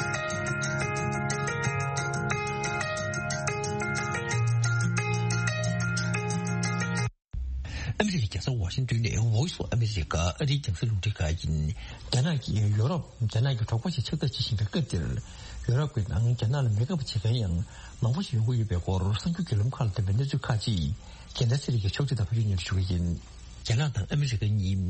ཨ་མི་རི་ཀའི་རྒྱལ་ས་ཝ་ཤིང་ཏོན་ནས་Voice of America ཨ་རིའི་རྒྱང་སྲིང་རླུང་འཕྲིན་ཁང་ཡིན། རྒྱ་ནག་གིས་ཡོ་རོབ་རྒྱ་ནག་གི་གྲོགས་པོ་ཞིག་ཆགས་ཐབས་བྱེད་བཞིན་པའི་སྐབས་འདིར། ཡོ་རོབ་ཀྱི་ནང་རྒྱ་ནག་ལ་མི་དགའ་བ་བྱེད་མཁན་ཡང་མང་པོ་ཞིག་ཡོང་གི་ཡོད་པའི་སྐོར་གསར་འགྱུར་བརྒྱུད་ལམ་ཁག་ལ་བཏོན་པའི་གནས་ཚུལ་ཁག་ཅིག་རྒྱལ་མཚན་ཚེ་རིང་གིས་ཕྱོགས་སྒྲིག་དང་ཕབ་སྒྱུར་སྙན་སྒྲོན་ཞུ་གི་ཡིན། རྒྱ་ནག་དང་ཨ་མི་རི་ཀ་གཉིས་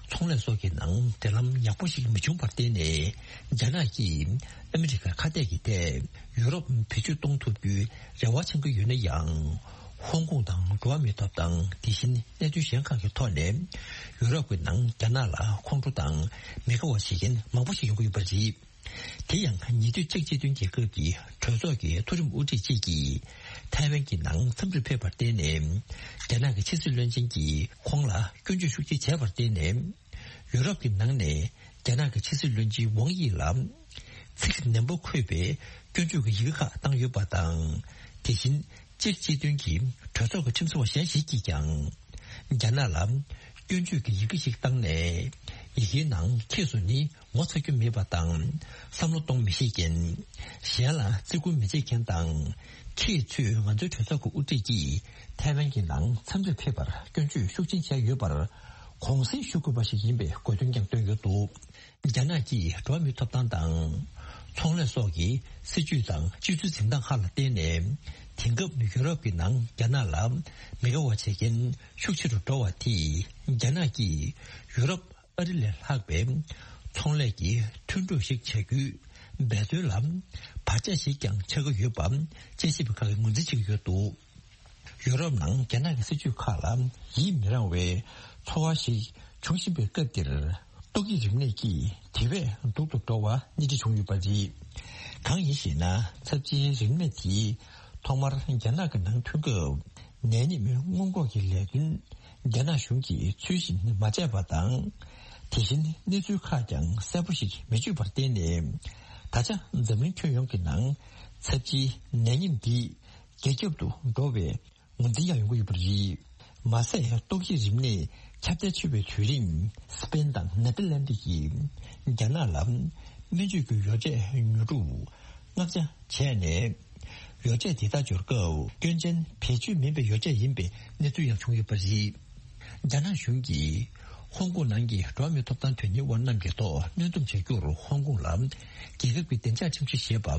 ཚོང་ལས་སོགས་ཀྱི་ནང་འབྲེལ་ལམ་ཡག་པོ་ཞིག་མི་བྱུང་བར་བརྟེན་ནས། རྒྱ་ནག་གིས་ཨ་མི་རི་ཀར་ཁ་གཏད་ཀྱི་ཐད་ཡུ་རོབ་བེད་སྤྱོད་གཏོང་ཐུབ་རྒྱུའི་རེ་བ་བཅང་གི་ཡོད་ན་ཡང་། ཧོང་ཀོང་དང་འགྲོ་བ་མིའི་ཐོབ་ཐང་། དེ་བཞིན་གནད་དོན་གཞན་ཁག་གི་ཐོག་ནས་ཡུ་རོབ་ཀྱི་ནང་རྒྱ་ནག་ལ་ཁོང་ཁྲོ་དང་མི་དགའ་བ་བྱེད་མཁན་མང་པོ་ཞིག་ཡོང་གི་ཡོད་པ་རེད། དེ་ཡང་ཉེ་དུས་ཅེཀ་སྤྱི་མཐུན་རྒྱལ་ཁབ་ཀྱི་གྲོས་ཚོགས་ཀྱི་མཐོ་རིམ་དབུ་ཁྲིད་ཅིག་གིས་ཐའེ་ཝན་གྱི་ནང་འཚམས་འདྲིར་ཕེབས་པར་བརྟེན་ནས། རྒྱ་ནག་གི་ཕྱི་སྲིད་བློན་ཆེན་གྱིས་ཁོང་ལ་སྐྱོན་བརྗོད་ཤུགས་ཆེ་བྱས་པར་བརྟེན་ནས། ཡུ་རོབ་ཀྱི་ནང་ནས་རྒྱ་ནག་གི་ཕྱི་སྲིད་བློན་ཆེན་ཝང་དབྱི་ལ་ཚིག་ནན་པོ་འཁོད་པའི་སྐྱོན་བརྗོད་ཀྱི་ཡི་གེ་ཁག་བཏང་ཡོད་པ་དང་། དེ་བཞིན་ཅེཀ་སྤྱི་མཐུན་གྱི་གྲོས་ཚོགས་ཀྱི་ཁྲིམས་བཟོ་བ་གཞན་ཞིག་གིས་ཀྱང་། རྒྱ་ནག་ལ་སྐྱོན་བརྗོད་ཀྱི་ཡི་གེ་ཞིག་བཏང་ནས། ཡི་གེའི་ནང་ཁྱེད་ཚོ་ནི་ངོ་ཚ་རྒྱུ་མེད་པ་དང་། བསམ་བློ་གཏོང་མི་ཤེས་མཁན། གཞན་ལ་བརྩི་བཀུར་མི་བྱེད་མཁན་དང་། ཁྱེད་ཚོས་ང་ཚོའི་གྲོས་ཚོགས་ཀྱི་དབུ་ཁྲིད་ཀྱིས་ཐའེ་ཝན་གྱི་ནང་འཚམས་འདྲིར་ཕེབས་པར་སྐྱོན་བརྗོད་ཤུགས་ཆེན་བྱས་ཡོད་པར་གུང་གསེང་ཞུ་དགོས་པ་ཞིག་ཡིན་པའི་དགོས་འདུན་ཀྱང་བཏོན་ཡོད་འདུག། རྒྱ་ནག་གིས་འགྲོ་བ་མིའི་ཐོབ་ཐང་དང་། ཚོང་ལས་སོགས་ཀྱི་སྲིད་ཇུས་དང་སྤྱོད་ཚུལ་འཛིན་སྟངས་ཁག་ལ་བརྟེན་ནས། དེང་སྐབས་ཡུ་རོབ་ཀྱི་ནང་རྒྱ་ནག་ལ་མི་དགའ་བ་བྱེད་མཁན་ཤུགས་ཆེ་རུ་འགྲོ་བ་དེས། རྒྱ་ནག་གིས་ཡུ་རོབ་ཨ་རི་ལས་ལྷག་པའི་ཚོང་ལས་ཀྱི་མཐུན་གྲོགས་ཤིག་བྱ་རྒྱུའི་འབད་བརྩོན་ལ་བར་ཆད་ཞིག་ཀྱང་ཆགས་ཀྱི་ཡོད་པ། དཔྱད་ཞིབ་པ་ཁག་གིས་ངོས་འཛིན་བྱེད་ཀྱི་ཡོད་འདུག། ཡུ་རོབ་ནང་རྒྱ་ནག་གི་སྲིད་ཇུས་ཁག་ལ་ཡིད་མི་རངས་པའི་ཚོར་བ་ཞིག་འབྱུང་བཞིན་པའི་སྐབས་འདིར། ཏོག་དབྱིབས་རིམས་ནད་ཀྱིས་དེ་བས་སྡུག་ཏུ་འགྲོ་བ་སྣེ་ཁྲིད་བྱུང་ཡོད་པ་རེད། གང་ཡིན་ཞེ་ན། ཚབས་ཆེའི་རིམས་ནད་དེས་ཐོག་མར་རྒྱ་ནག་གི་ནང་ཐོན་སྐབས། ནད་ཉིན་སྔོན་འགོག་གི་ལས་དོན་རྒྱ་ནག་གཞུང་གིས་ཚུལ་བཞིན་མ་བྱས་པ་དང་། དེ་བཞིན་གནས་ཚུལ་ཁག་ཀྱང་གསལ་པོ་ཞིག་མི་བརྗོད་པར་བརྟེན་ནས། ད་ཆ་འཛམ་གླིང་ཁྱོན་ཡོངས་ཀྱི་ནང་ཚབས་ཆེའི་ནད་ཉིན་འདི་རྒྱ་ཁྱབ་ཏུ་འགྲོ་བའི་ངོས་འཛིན་ཡང་ཡོང་གི་ཡོད་པ་རེད། མ་ཟད་ཏོག་དབྱིབས་རིམས་ནད་ཁྱབ་གདལ་ཆེ་བའི་དུས་རིང་། སི་པེན་དང་ནེ་ཐར་ལན་ཌི་ཡིས་རྒྱ་ནག་ལ་སྨན་བཅོས་ཀྱི་ཡོ་བྱད་ཉོ་སྒྲུབ་མངགས་ཆ་བྱས་ནས། ཡོ་བྱད་དེ་དག་འབྱོར་སྐབས་སྐྱོན་ཅན་བེད་སྤྱོད་མིན་པའི་ཡོ་བྱད་ཡིན་པའི་གནས་ཚུལ་ཡང་བྱུང་ཡོད་པ་རེད། རྒྱ་ནག་གཞུང་གིས་ཧོང་ཀོང་ནང་གི་འགྲོ་བ་མིའི་ཐོབ་ཐང་དོན་གཉེར་བ་རྣམས་ཀྱི་ཐོག་གནོན་སྡོམ་བྱ་རྒྱུར་ཧོང་ཀོང་ལ་རྒྱལ་ཁབ་ཀྱི་བདེ་འཇགས་ཁྲིམས་གཞི་ཞེས་པ་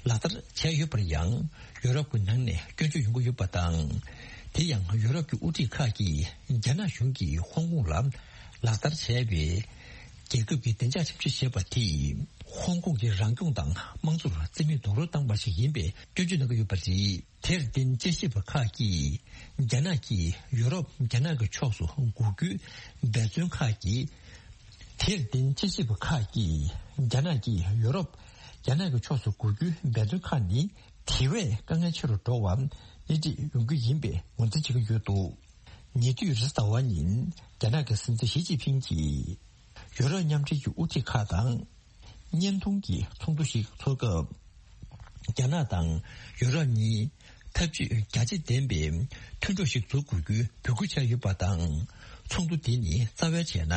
ལག་བསྟར་བྱས་ཡོད་པར་ཡང་། ཡུ་རོབ་ཀྱི་ནང་ནས་སྐྱོན་བརྗོད་ཡོང་གི་ཡོད་པ་དང་། དེ་ཡང་ཡུ་རོབ་ཀྱི་དབུ་ཁྲིད་ཁག་གིས་རྒྱ་ནག་གཞུང་གིས་ཧོང་ཀོང་ལ་ལག་བསྟར་བྱས་པའི་རྒྱལ་ཁབ་ཀྱི་བདེ་འཇགས་ཁྲིམས་གཞི་ཞེས་པ་དེས་ཧོང་ཀོང་གི་རང་སྐྱོང་དང་དམངས་གཙོར་རྩིས་མེད་རྡོག་རོལ་བཏང་བ་ཞིག་ཡིན་པའི་སྐྱོན་བརྗོད་གནང་གི་ཡོད་པ་རེད། དེར་བརྟེན་དཔྱད་ཞིབ་པ་ཁག་གིས་རྒྱ་ནག་གིས་ཡུ་རོབ་རྒྱ་ནག་གི་ཕྱོགས་སུ་འགུག་རྒྱུའི་འབད་བརྩོན་ཁག་གིས། དེར་བརྟེན་དཔྱད་ཞིབ་པ་ཁག་གིས་རྒྱ་ནག་གིས་ཡུ་རོབ་རྒྱ་ནག་གི་ཕྱོགས་སུ་འགུག་རྒྱུའི་འབད་བརྩོན་ཁག་ནི་དེ་བས་དཀའ་ངལ་ཆེ་རུ་འགྲོ་བ་སྣེ་ཁྲིད་ཡོང་རྒྱུ་ཡིན་པའི་ངོས་འཛིན་བྱེད་ཀྱི་ཡོད་འདུག། ཉེ་དུས་རེས་གཟའ་ཟླ་བ་ཉིན་རྒྱ་ནག་གི་སྲིད་འཛིན་ཞི་ཅིན་ཕིང་གིས་ཡུ་རོབ་མཉམ་འབྲེལ་གྱི་དབུ་ཁྲིད་ཁག་དང་། བརྙན་ཐུང་གི་ཚོགས་འདུ་ཞིག་འཚོགས་སྐབས། རྒྱ་ནག་དང་ཡུ་རོབ་གཉིས་འཐབ་ཇུས་རྒྱ་ཆེ་ལྡན་པའི་མཐུན་གྲོགས་ཤིག་འཛུགས་དགོས་རྒྱུའི་འབོད་སྐུལ་བྱས་ཡོད་པ་དང་། ཚོགས་འདུ་དེ་ནི་རྩ་བའི་བྱས་ན།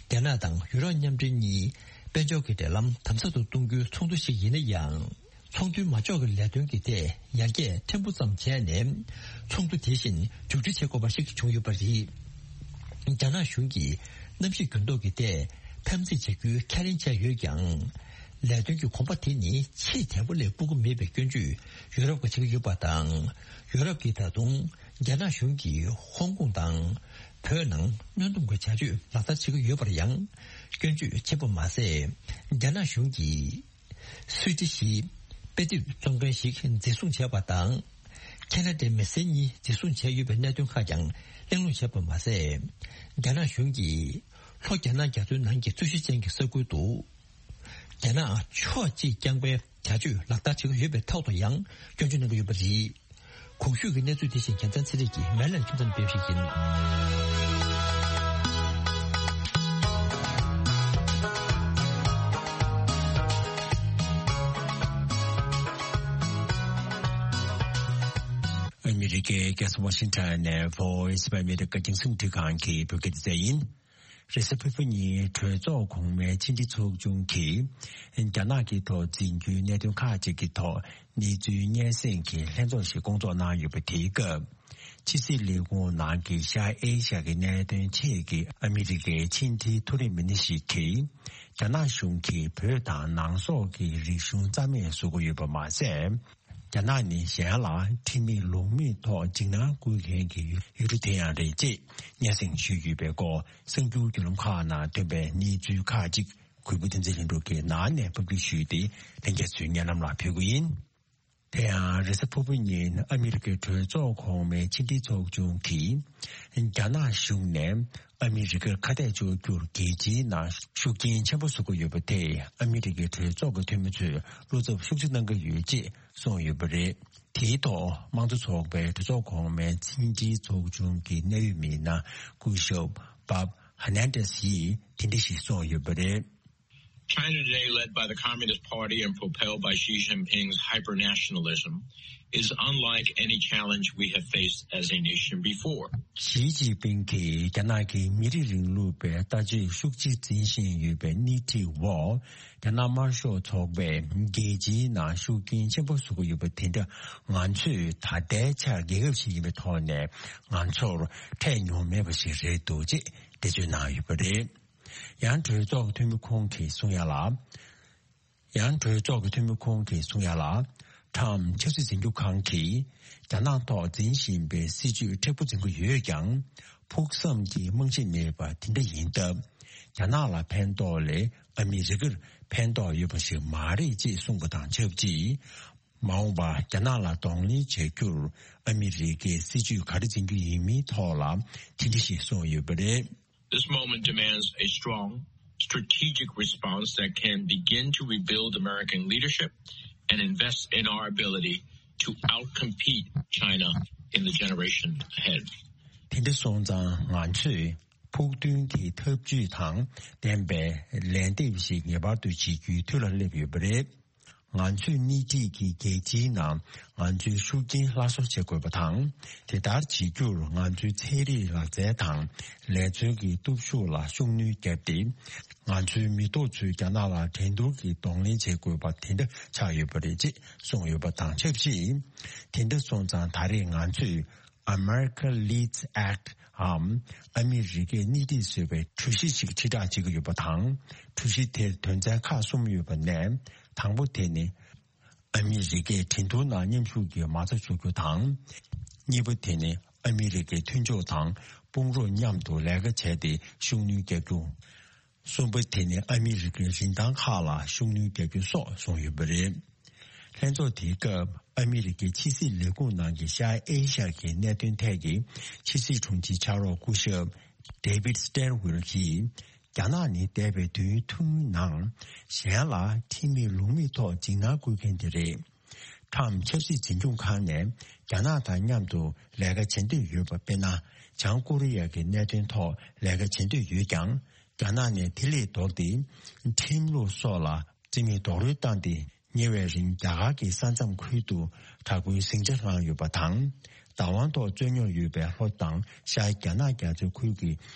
རྒྱ་ནག་དང་ཡུ་རོབ་མཉམ་འབྲེལ་གཉིས་དཔལ་འབྱོར་གྱི་འབྲེལ་ལམ་དམ་ཟབ་ཏུ་གཏོང་རྒྱུའི་ཚོགས་འདུ་ཞིག་ཡིན་ན་ཡང་། ཚོགས་འདུའི་མ་འཇོག་གི་ལས་དོན་གྱི་ཐད་ཡར་རྒྱས་ཕྲན་བུ་ཙམ་བྱས་ནས། ཚོགས་འདུ་དེ་བཞིན་མཇུག་སྒྲིལ་བྱེད་དགོས་པ་ཞིག་བྱུང་ཡོད་པ་རེད། རྒྱ་ནག་གཞུང་གིས་གནམ་གཤིས་འགྱུར་ལྡོག་གི་ཐད་འཐབ་འཛིང་བྱ་རྒྱུའི་ཁས་ལེན་བྱས་ཡོད་ཀྱང་། ལས་དོན་གྱི་གོམ་པ་དེ་ནི་ཆེས་དལ་པོ་ལས་སྤོ་གི་མེད་པའི་སྐྱོན་བརྗོད་ཡུ་རོབ་ཀྱིས་བྱེད་ཀྱི་ཡོད་པ་དང་། ཡུ་རོབ་ཀྱིས་ད་དུང་རྒྱ་ནག་གཞུང་གིས་ཧོང་ཀོང་དང་བོད་ནང་གནོན་སྡོམ་གྱི་བྱ་སྤྱོད་ལག་བསྟར་བྱེད་ཀྱི་ཡོད་པར་ཡང་སྐྱོན་བརྗོད་བྱས་པ་མ་ཟད། རྒྱ་ནག་གཞུང་གིས་སུད་སི་ཞིག་དཔེ་དེབ་རྩོམ་མཁན་ཞིག་འཛིན་བཟུང་བྱས་པ་དང་། ཁེ་ན་ཌའི་མི་སེར་གཉིས་འཛིན་བཟུང་བྱས་ཡོད་པའི་གནད་དོན་ཁག་ཀྱང་གླེང་སློང་བྱས་པ་མ་ཟད། རྒྱ་ནག་གཞུང་གིས་ལྷོ་རྒྱ་ནག་རྒྱ་མཚོའི་ནང་གི་རྩོད་གཞི་ཅན་གྱི་ས་ཁུལ་དུ། རྒྱ་ནག་ཕྱོགས་གཅིག་རྐྱང་པའི་བྱ་སྤྱོད་ལག་བསྟར་བྱེད་ཀྱི་ཡོད་པའི་ཐོག་ཏུ་ཡང་སྐྱོན་བརྗོད་གནང་གི་ཡོད་པ་རེད། གོང་ཞུས་ཀྱི་གནས་ཚུལ་དེ་བཞིན་རྒྱལ་མཚན་ཚེ་རིང་གིས་མེ་ལན་ཁྱིམ་ཚང་སྤེལ་ཞིག་ཡིན། ཨ་མི་རི་ཀའི་རྒྱལ་ས་ཝ་ཤིང་ཊོན་ནས་Voice of America་རྒྱང་སྲིང་འཕྲིན་ཁང་གི་བོད་སྐད་སྡེ་ཚན་ཡིན། རེས་གཟའ་ཕུར་བུ་ཉིན་གྲོས་ཚོགས་གོང་མའི་ཕྱི་འབྲེལ་ཚོགས་ཆུང་གིས་རྒྱ་ནག་གི་ཐོག་འཛིན་རྒྱུའི་གནད་དོན་ཁག་ཅིག་གི་ཐོག་གནས་ཚུལ་སྙན་སེང་གི་ལྷན་ཚོགས་ཤིག་བསྐོང་ཚོགས་གནང་ཡོད་པ་དེའི་སྐབས། ཕྱི་སྲིད་ལས་ཁུངས་ནང་གི་ཤར་ཨེ་ཤ་ཡ་གི་གནད་དོན་ཆེད་ཀྱི་ཨ་མི་རི་ཀའི་ཕྱི་འབྲེལ་མཐོ་རིམ་མི་སྣ་ཞིག་གིས། རྒྱ་ནག་གཞུང་གིས་བོད་དང་ནང་སོག་གི་རིག་གཞུང་རྩ་མེད་བཟོ་གི་ཡོད་པ་མ་ཟད། རྒྱ་ནག་ནི་གཞན་ལ་ཁྲིམས་མེད་ལུགས་མེད་ཐོག་འཇིགས་སྣང་སྐུལ་མཁན་གྱི་ཡུལ་གྲུ་དེ་ཡང་རེད་ཅེས་སྙན་སེང་ཞུས་ཡོད་པའི་སྐོར་གསར་འགྱུར་བརྒྱུད་ལམ་ཁག་ནང་ཐོན་པའི་གནས་ཚུལ་ཁག་ཅིག་གུས་པ་བསྟན་འཛིན་ལྷུན་གྲུབ་ཀྱིས་ནང་ནས་ཕབ་སྒྱུར་ཞུས་ཏེ་ལྷན་རྒྱས་ཚོའི་སྙན་ལམ་ལ་ཕུལ་གྱི་ཡིན། དེ་ཡང་རེས་གཟའ་ཕུར་བུ་ཉིན་ཨ་མི་རི་ཀའི་གྲོས་ཚོགས་གོང་མའི་ཕྱི་འབྲེལ་ཚོགས་ཆུང་གིས་རྒྱ་ནག་གཞུང་ནས། ཨ་མི་རི་ཀར་ཁ་གཏད་གཅོག་རྒྱུར་རྒྱལ་སྤྱིའི་ནང་ཤུགས་རྐྱེན་ཆེན་པོ་བཟོ་གི་ཡོད་པ་དེས་ཨ་མི་རི་ཀའི་གྲོས་ཚོགས་ཀྱི་འཐུས་མི་ཚོས་བློ་འཚབ་ཤུགས་ཆེ་གནང་གི་ཡོད་ཅེས་གསུངས་ཡོད་པ་རེད། དེའི་ཐོག་དམངས་གཙོ་ཚོགས་པའི་གྲོས་ཚོགས་གོང་མའི་ཕྱི་འབྲེལ་ཚོགས་ཆུང་གི་གནད་ཡོད་མི་སྣ་སྐུ་ཞབས་Bob Hernandez་ཡིས་དེ་འདྲ་ཞིག་གསུངས་ཡོད་པ་རེད། China today, led by the Communist Party and propelled by Xi Jinping's hypernationalism, is unlike any challenge we have faced as a nation before. ཞི་ཅིན་ཕིང་གིས་རྒྱ་ནག་གི་མི་རིགས་རིང་ལུགས་པའི་ལྟ་སྤྱོད་ཤུགས་ཆེ་འཛིན་བཞིན་ཡོད་པའི་སྣེ་ཁྲིད་འོག་རྒྱ་ནག་དམར་ཤོག་ཚོགས་པས་རྒྱལ་སྤྱིའི་ནང་ཤུགས་རྐྱེན་ཆེན་པོ་བཟོ་གི་ཡོད་པ་དེ་འདྲ་ང་ཚོས་ད་ལྟའི་ཆར་རྒྱལ་ཁབ་ཞིག་ཡིན་པའི་ཐོག་ནས་ང་ཚོར་འཕྲད་མྱོང་མེད་པ་ཞིག་རེད་འདུག་ཅེས་འགྲེལ་བརྗོད་གནང་ཡོད་པ་རེད། ཡང་གྲོས་ཚོགས་འཐུས་མི་ཁོང་གིས་གསུང་ཡ་ལ། ཡང་གྲོས་ཚོགས་ཀྱི་འཐུས་མི་ཁོང་གིས་གསུང་ཡ་ལ། ཁྲམ་ཆབ་སྲིད་འཛིན་སྐྱོང་ཁང་གིས་རྒྱ་ནག་ཐོག་འཛིན་བཞིན་པའི་སྲིད་ཇུས་མཁྲེགས་པོ་འཛིན་གྱི་ཡོད་ཀྱང་། ཕུགས་བསམ་གྱི་རྨང་གཞི་མེད་པ་དེ་འདྲ་ཡིན་སྟབས། རྒྱ་ནག་ལ་ཕན་ཐོགས་ལས་ཨ་མི་རི་ཀར་ཕན་ཐོགས་ཡོད་པ་ཞིག་མ་རེད་ཅེས་གསུངས་པ་དང་ཆབས་ཅིག་མ་འོངས་པར་རྒྱ་ནག་ལ་གདོང་ལེན་བྱ་རྒྱུར་ཨ་མི་རི་ཀའི་སྲིད་ཇུས་ག་རེ་འཛིན་རྒྱུ་ཡིན་མིན་ཐོག་ལ་དེ་འདྲ་ཞིག་གསུངས་ཡོད་པ་རེད། This moment demands a strong, strategic response that can begin to rebuild American leadership and invest in our ability to outcompete China in the generation ahead. དེ་འདྲ་སོང་ཙང་ང་ཚོས་ཕུགས་འདུན་གྱི་ཐབས་ཇུས་དང་ལྡན་པའི་ལན་འདེབས་ཤིག་ངེས་པར་དུ་བྱེད་རྒྱུའི་དུས་ལ་སླེབས་ཡོད་པ་རེད། ང་ཚོས་སྣེ་ཁྲིད་ཀྱིས་རྒྱལ་སྤྱིའི་ནང་ང་ཚོའི་ཤུགས་རྐྱེན་སླར་གསོ་བྱེད་དགོས་པ་དང་། དེ་ལྟར་བྱེད་རྒྱུར་ང་ཚོའི་ཚན་རིག་ལག་རྩལ་དང་ལས་རྩལ་གྱི་སྟོབས་ཤུགས་ལ་ཤུགས་སྣོན་བརྒྱབ་སྟེ། ང་ཚོའི་མི་ཐོག་ཚོས་རྒྱ་ནག་ལ་འགྲན་བསྡུར་གྱི་གདོང་ལེན་བྱེད་དགོས་པ་དེ་འདྲ་ཆགས་ཡོད་པ་རེད་ཅེས་གསུངས་ཡོད་པ་དང་ཆབས་ཅིག་དེ་འདྲ་སོང་ཙང་ད་རེས་ང་ཚོས། America Leads Act འམ་ཨ་མི་རི་ཀས་སྣེ་ཁྲིད་བཟོས་པའི་གྲོས་གཞི་ཞིག་ཁྲིད་བསྒྲགས་བྱེད་ཀྱི་ཡོད་པ་དང་། གྲོས་གཞི་དེར་དོན་ཚན་ཁག་གསུམ་ཡོད་པ་ནས། དང་པོ་དེ་ནི། ཨ་མི་རི་ཀས་འགྲན་བསྡུར་ནང་མཉམ་ཞུགས་ཀྱི་མ་རྩ་འཇོག་རྒྱུ་དང་། གཉིས་པ་དེ་ནི་ཨ་མི་རི་ཀའི་མཐུན་ཕྱོགས་དང་དཔུང་རོགས་མཉམ་དུ་ལས་ཀ་བྱས་ཏེ་ཤུགས་སྣོན་རྒྱག་རྒྱུ། གསུམ་པ་དེ་ནི་ཨ་མི་རི་ཀའི་རིན་ཐང་ཁག་ལ་ཤུགས་སྣོན་རྒྱག་རྒྱུ་སོགས་གསུངས་ཡོད་པ་རེད། ལྷན་ཚོགས་དེའི་སྐབས་ཨ་མི་རི་ཀའི་ཕྱི་སྲིད་ལས་ཁུངས་ནང་གི་ཤར་ཨེ་ཤ་ཡ་གི་གནད་དོན་ཐད་ཀྱི་ཕྱི་སྲིད་དྲུང་ཆེའི་ཕྱག་རོགས་སྐུ་ཞབས་David Stilwell གྱིས། རྒྱ་ནག་ནི་འདས་པའི་དུས་ཡུན་ཐུང་ངུའི་ནང་གཞན་ལ་ཁྲིམས་མེད་ལུགས་མེད་ཐོག་འཇིགས་སྣང་སྐུལ་མཁན་དེ་རེད། ཁྲམ་ཆབ་སྲིད་འཛིན་སྐྱོང་ཁང་ནས་རྒྱ་ནག་དང་མཉམ་དུ་ལས་ཀ་བྱེད་འདོད་ཡོད་པ། དཔེར་ན། བྱང་ཀོ་རི་ཡ་གི་གནད་དོན་ཐོག་ལས་ཀ་བྱེད་འདོད་ཡོད་ཀྱང་། རྒྱ་ནག་ནས་དེ་ལས་ལྡོག་སྟེ། ཁྲིམས་ལུགས་སོགས་ལ་རྩིས་མེད་རྡོག་རོལ་བཏང་སྟེ། ཉེ་བའི་རིང་རྒྱ་གར་གྱི་ས་མཚམས་ཁུལ་དུ་དྲག་པོའི་ཟིང་ཆ་བསླངས་ཡོད་པ་དང་། བདག་དབང་ཐོག་རྩོད་རྙོག་ཡོད་པའི་ལྷོ་དང་ཤར་རྒྱ་ནག་རྒྱ་མཚོའི་ཁུལ་གྱི་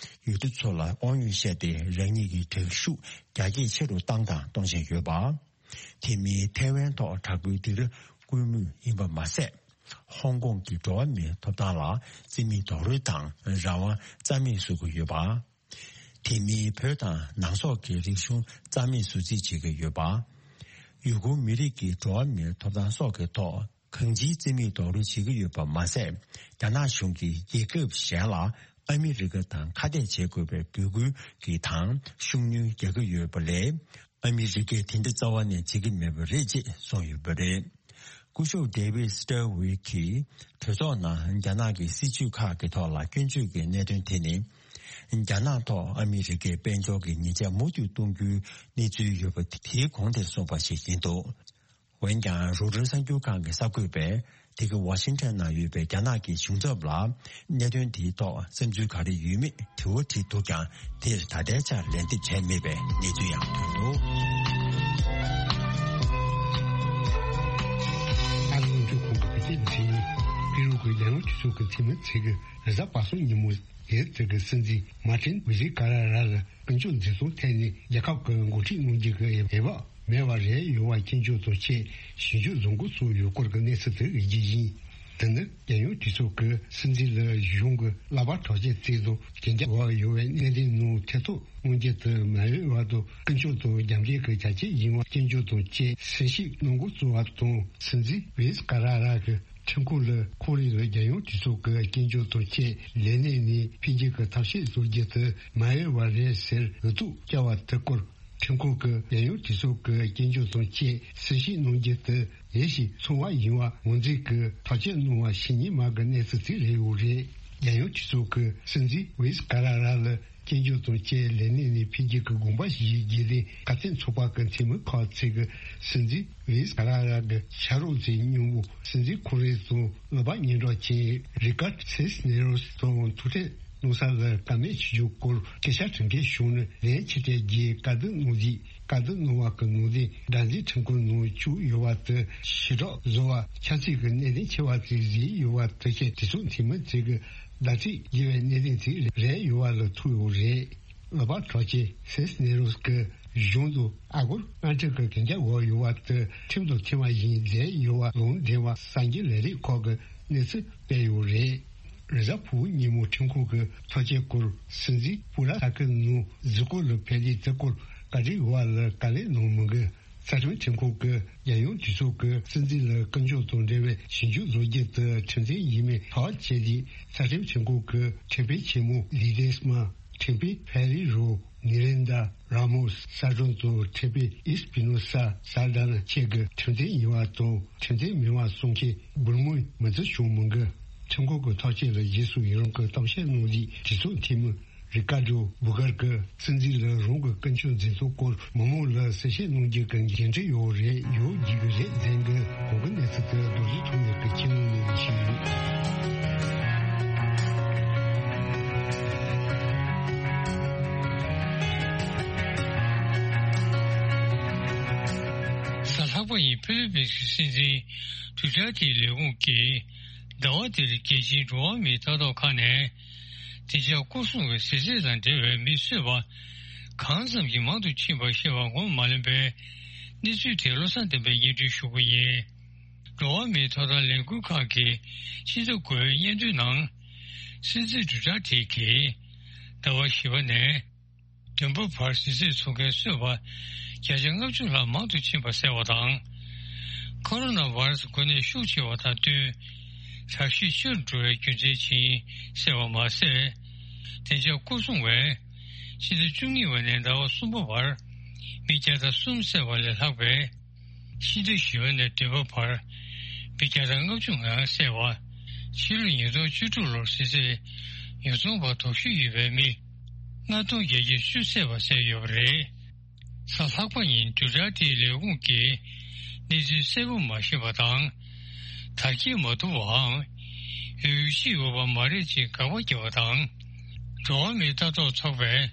ཡུལ་གྲུ་ཚོ་ལ་དབང་ཡོད་བཤད་དེ། རང་ཉིད་ཀྱི་དྲག་ཤུགས་རྒྱ་སྐྱེད་ཆེ་རུ་བཏང་དང་གཏོང་བཞིན་ཡོད་པ། དེ་མིན་ཐའེ་ཝན་ཐོག་དྲག་པོའི་སྡིགས་ར་སྐུལ་མུས་ཡིན་པ་མ་ཟད། ཧོང་ཀོང་གི་འགྲོ་བ་མིའི་ཐོབ་ཐང་ལ་རྩིས་མེད་རྡོག་རོལ་དང་རང་དབང་རྩ་མེད་བཟོ་གི་ཡོད་པ། དེ་མིན་བོད་དང་ནང་སོག་གི་རིག་གཞུང་རྩ་མེད་བཟོ་རྩིས་བྱེད་ཀྱི་ཡོད་པ། ཡུ་གུར་མི་རིགས་ཀྱི་འགྲོ་བ་མིའི་ཐོབ་ཐང་སོགས་ཀྱི་ཐོག་གང་ཅིའི་རྩིས་མེད་རྡོག་རོལ་བྱེད་ཀྱི་ཡོད་པ་མ་ཟད། རྒྱ་ནག་གཞུང་གིས་རྒྱལ་ཁབ་གཞན་ལ་ཨ་མི་རི་ཀ་དང་ཁ་གཏད་བྱེད་དགོས་པའི་འབོད་སྐུལ་གྱི་དང་ཤུགས་སྣོན་རྒྱག་གི་ཡོད་པ་ལས། ཨ་མི་རི་ཀས་དེ་འདྲ་རྩ་བ་ནས་བྱེད་ཀྱི་མེད་པ་རེད་ཅེས་གསུངས་ཡོད་པ་རེད། སྐུ་ཞབས་David Stilwell གྱིས་གྲོས་ཚོགས་ནང་རྒྱ་ནག་གི་སྲིད་བྱུས་ཁག་གི་ཐོག་ལ་སྐྱོན་བརྗོད་ཀྱི་གནད་དོན་དེ་ནི། རྒྱ་ནག་ཐོག་ཨ་མི་རི་ཀའི་དཔལ་འབྱོར་གྱི་ཉེས་ཆད་མུ་མཐུད་གཏོང་རྒྱུའི་གནས་ཚུལ་ཡོད་པ་དེའི་གོང་དེར་གསུངས་པ་ཞིག་ཡིན་འདུག་འོན་ཀྱང་རོའི་ཊར་གསར་འགྱུར་ཁང་གི་གསར་འགོད་པས་ དེ་ག་ཝ་ཤིང་ཊོན་ནང་ཡོད་པའི་རྒྱ་ནག་གི་གཞུང་ཚབ་ལ་གནད་དོན་དེའི་ཐོག་བསམ་ཚུལ་ག་རེ་ཡོད་མེད་དྲི་བ་དྲིས་འདུག་ཀྱང་། དེར་ད་ལྟའི་ཆར་ལན་འདེབས་བྱས་མེད་པའི་གནས་ཚུལ་ཡང་ཐོན་འདུག། ཨ་རིའི་དངོས་འབྲེལ་ཁོངས་ཀྱི་བོད་སྐད་འཛིན་ཡིག་པི་རུ་གི་རྒྱལ་ཡོངས་གྲོས་ཚོགས་ཀྱི་འཐུས་མི་ཚོས་ཀྱི་རེས་གཟའ་པ་སངས་ཉིན་མོ། དེར་དེ་གི་སྲིད་འཛིན་མཱ་ཏིན་ཝི་ཟི་ཀ་ར་ར་ལ་སྐུ་ཕྱོགས་འཛིན་སྐྱོང་ཐད་ནས་རྒྱལ་ཁབ་ཀྱི་འགོ་ཁྲིད་གནང་རྒྱུ་གི་འོས་བབ་མེད་པ་རེད། ཡོང་བ་སྐྱོན་བརྗོད་དང་བཅས་ཞིབ་འཇུག་བཟོ་འགོ་བཙུགས་ཡོད་སྐོར་གྱི་གནས་ཚུལ་དེ་ཡིན་གྱི་ཡིན། དེ་ནི་རྒྱལ་ཡོངས་གྲོས་ཚོགས་ཀྱི་སྲིད་འཛིན་ལ་གཞུང་གི་ལག་པ་དྲག་ཆས་བཙལ་དང་གན་རྒྱ་འོག་ཡོད་པའི་གནད་དོན་ནང་ཐེ་གཏོགས་གནང་རྒྱུ་དེ་མ་འོས་པ་དང་ཀུན་སྤྱོད་དང་རྒྱབ་འགལ་གྱི་བྱ་སྤྱོད་ཡིན་པ་སྐྱོན་བརྗོད་དང་བཅས་གསལ་བཤད་གནང་འགོ་བཙུགས་པ་དང་། སྲིད་འཛིན་ཝི་ཟི་ཀ་ར་ར་གི་ཁྲིམས་ཁང་ལ་ཁོང་རང་ལ་རྒྱལ་ཡོངས་གྲོས་ཚོགས་ཀྱི་སྐྱོན་བརྗོད་དང་བཅས་ལས་གནས་ནས་ཕུད་རྒྱུ་གི་ཐབས་ཤེས་བཟོ་རྒྱུ་དེ་མ་འོས་པ་རེད་ཟེར་འུ་ཐུག་བསྐྱལ་བ་དེ་སྐོར། ཁྲིམས་ཁང་གིས་རྒྱལ་ཡོངས་གྲོས་ཚོགས་ཀྱི་སྐྱོན་བརྗོད་དང་བཅས་གསལ་བཤད་གནང་རྒྱུ་དེ་ཡིད་ཆེས་ཚང་བ་ཡིན་པ་ངོས་འཛིན་གྱིས་ཐག་གཅོད་གནང་བ་ཕྱི་ཉིན་མ་གི་གནས་ཚུལ་ཅིག་རེད་ཡོད་རེད། རྒྱལ་ཡོངས་གྲོས་ཚོགས་ཀྱིས་སྲིད་འཛིན་ཝི་ཟི་ཀ་ར་ར་ལ། སྐྱོན་བརྗོད་དང་བཅས་ལས་གནས་ནས་ཕུད་རྒྱུ་གི་དགོངས་པ་ཞིག་རྒྱུན་ལྡན་ཁ་གཏད་ཚོགས་པ་གི་འཐུས་མི་ཁག་ཅིག་གིས་སྲིད་འཛིན་ཝི་ཟི་ཀ་ར་ར་གི་ཕྱག་རོགས་ཚོའི་སྙིང་པོ་སྲིད་འཛིན་ཁོ་རང་ཚོའི་ལག་པ་སྙན་གྲགས་ཅན་རི་ཀར་སིས་ནེ་རོས་ཚོ་ཐུག་འཕྲད་གནང་ས་ལ་དགའ་མོས་བྱེད་རྒྱུ་སྐོར་སྐད་ཆ་དྲི་མཁན་བྱུང་ནས་ལན་ཕྱིར་སྤྲད་རྒྱུའི་བཀའ་བསྡུར་གནང་རྗེས། བཀའ་བསྡུར་གནང་བ་གི་ནང་དོན་སྒྲ་འཛིན་ཁྲིམས་ཁང་ནང་བཅུག་ཡོད་པ་དེ་ཞི་དྲག་བཟོ་བ་ཆབ་སྲིད་ཀྱི་གནད་དོན་ཆེ་བ་ཅིག་བཟོས་ཡོད་པ་དེ་བཞིན་གྲོས་ཚོགས་འཐུས་མི་ཚོས་ཀྱི་བརྡ་སྤྲོད་བགྱི་བའི་གནད་དོན་ཅིག་རེད་ཡོད་པ་ལ་ཐུག་ཡོད་རེད། ལག་པ་དྲག་ཆས་སིས་ནེ་རོས་ཀྱི་གཞུང་དུ་ཨ་སྒོར་ལྔ་ཁྲི་གི་གན་རྒྱ་འོག་ཡོད་པ་དེ་ཁྲིམས་དང་མཐུན་པ་ཡིན་མཛད་ཡོད་པ་ལུང་འདྲེན་པ་གསར་འགྱུར་ལས་རིགས་ཁག་གི་གནས་ཚུལ་སྤེལ་ཡོད་རེད། རེས་གཟའ་ཕུར་བུ་ཉིན་མོ་ཁྲིམས་ཁང་གི་ཐག་གཅོད་སྐོར་སྲིད་འཛིན་སྤུ་ར་ས་ཁུལ་ནང་གཟིགས་སྐོར་ལ་ཕེབས་ཏེ་དེ་སྐོར་བཀའ་འདྲི་ཡོད་པ་ལ་བཀའ་ལན་གནང་མི་འགི། རྩ་ཁྲིམས་ཁྲིམས་ཁང་གིས་རྒྱལ་ཡོངས་གྲོས་ཚོགས་ཀྱི་སྲིད་འཛིན་ལ་སྐུ་ཕྱོགས་དང་འབྲེལ་བའི་ཞིབ་འཇུག་བཟོ་རྒྱུ་དེ་ཁྲིམས་མཐུན་ཡིན་མིན་ཐག་བཅད་རྗེས། རྩ་ཁྲིམས་ཁྲིམས་ཁང་གི་ཁྲིམས་དཔོན་ཆེན་མོ་ལི་དེ་སྨ། ཁྲིམས་དཔོན་ཕེ་རི་རོ། ནི་རེན་དྲ་ར་མོ་སི། གསར་སྐྲུན་གཙོ་བོ་ཁྲིམས་དཔོན་ཨིས་པི་ནོ་ས་ས་ལ་ཌ་ན་བཅས་ཀྱིས་ཁྲིམས་མཐུན་ཡིན་པ་དང་ཁྲིམས་མཐུན་མིན་པ་གསུང་མཁན་འབུར་མོའི་མི་ཚེ་བྱུང་མི་འགི། ཁྲིམས་ཁང་གི་ཐག་གཅོད་ལ་རྗེས་སུ་ཡི་རང་གི་གཏམ་བཤད་གནང་རྗེས་གྲོས་ཚོགས་འཐུས་མི་རི་ཀ་ཌོ་བུ་གར་གྱིས་སྲིད་འཛིན་ལ་རང་གི་ཀུན་སྤྱོད་འཛིན་སྟངས་སྐོར་མི་མང་ལ་གསལ་བཤད་གནང་རྒྱུ་གི་འགན་འཁྲི་ཡོད་རེད། ཡོད་རྒྱུ་གི་རེད་ཟེར་གི། གོང་གི་གནས་ཚུལ་དེ་རྡོ་རྗེ་ཐོན་ལས་ཀྱི་ཁྱིམ་ནང་ནས་ཞིག་ཡིན། གཟའ་ལྷག་པ་ཉིན་ཕི་ལི་པིན་སི་སྲིད་འཛིན་ཌུ་ཊར་ཏེའི་ལས་ཁུངས་ཀྱིས་ཟླ་བ་འདིར་རྒྱལ་སྤྱིའི་འགྲོ་བ་མིའི་ལྟ་རྟོག་ཁང་ནས། བདེ་འཇགས་སྐོར་སྲུང་བའི་ཟས་རྫས་དང་འབྲེལ་བའི་མི་གསོད་པ་གང་ཙམ་གྱིས་མང་དུ་ཕྱིན་པ་ཤེས་པ་ངོ་མ་ལོན་པའི་གནས་ཚུལ་དེ་བློ་བཟང་བསྟན་པས་སྙན་སྒྲོན་ཞུ་གི་ཡིན། འགྲོ་བ་མིའི་ཐོབ་ཐང་ལས་འགུལ་ཁང་གིས་ཕྱི་ཟླ་དགུ་པའི་སྙན་ཐོའི་ནང་། སྲིད་འཛིན་ཌུ་ཊར་ཏེ་གིས་ཟླ་བ་བཞི་པ་ནས་བདུན་པ་བར་ཟས་རྫས་འཚོ་མཁན་གསོད་པ་བརྒྱ་ཆ་ལྔ་བཅུ་ལྷག་མང་དུ་ཕྱིན་པ་གསལ་བ་དང་། ཁོ་རོ་ན་བྷ་ར་སི་འགོས་ནད་ཤུགས་ཆེ་བ་དང་བསྟུན། དྲག་ཤུགས་ཆེ་རུ་འགྲོ་བའི་རྒྱུ་མཚན་ཅིག་གསལ་བ་མ་ཟད། བདེ་འཇགས་སྐོར་སྲུང་བས་ཕྱི་ཟླ་བཅུ་གཉིས་པ་ནས་ཟླ་བ་གསུམ་པ་བར་མི་བརྒྱ་དང་གསུམ་བསད་པ་ལས་ལྷག་པའི། ཕྱི་ཟླ་བཞི་པ་ནས་བདུན་པ་བར་མི་བརྒྱ་དང་ལྔ་བཅུ་ང་བསད་པ། ཕྱི་ལོ་ཉིས་སྟོང་བཅུ་དྲུག་ལོར་ཟས་རྫས་ཉོ་ཚོང་པ་དོགས་གཞི་ཡོད་པའི་མི་ལྔ་སྟོང་བརྒྱད་བརྒྱ་བཅུ་བསད་པ་གསལ་ཡོད་པ་རེད། གཟའ་ལྷག་པ་ཉིན་ཌུ་ཊར་ཏེའི་ལས་ཁུངས་ཀྱིས་གནས་ཚུལ་གསལ་པོ་མ་ཤེས་པ་དང་། དར་རྒྱས་མ་ཐུབ་པའམ་ཡོད་ཅིག་ཡོད་པ་མ་རེད་ཅེས་དགག་པ་བརྒྱབ་པ་དང་། འགྲོ་བ་མིའི་ལྟ་རྟོག་ཚོགས་པས་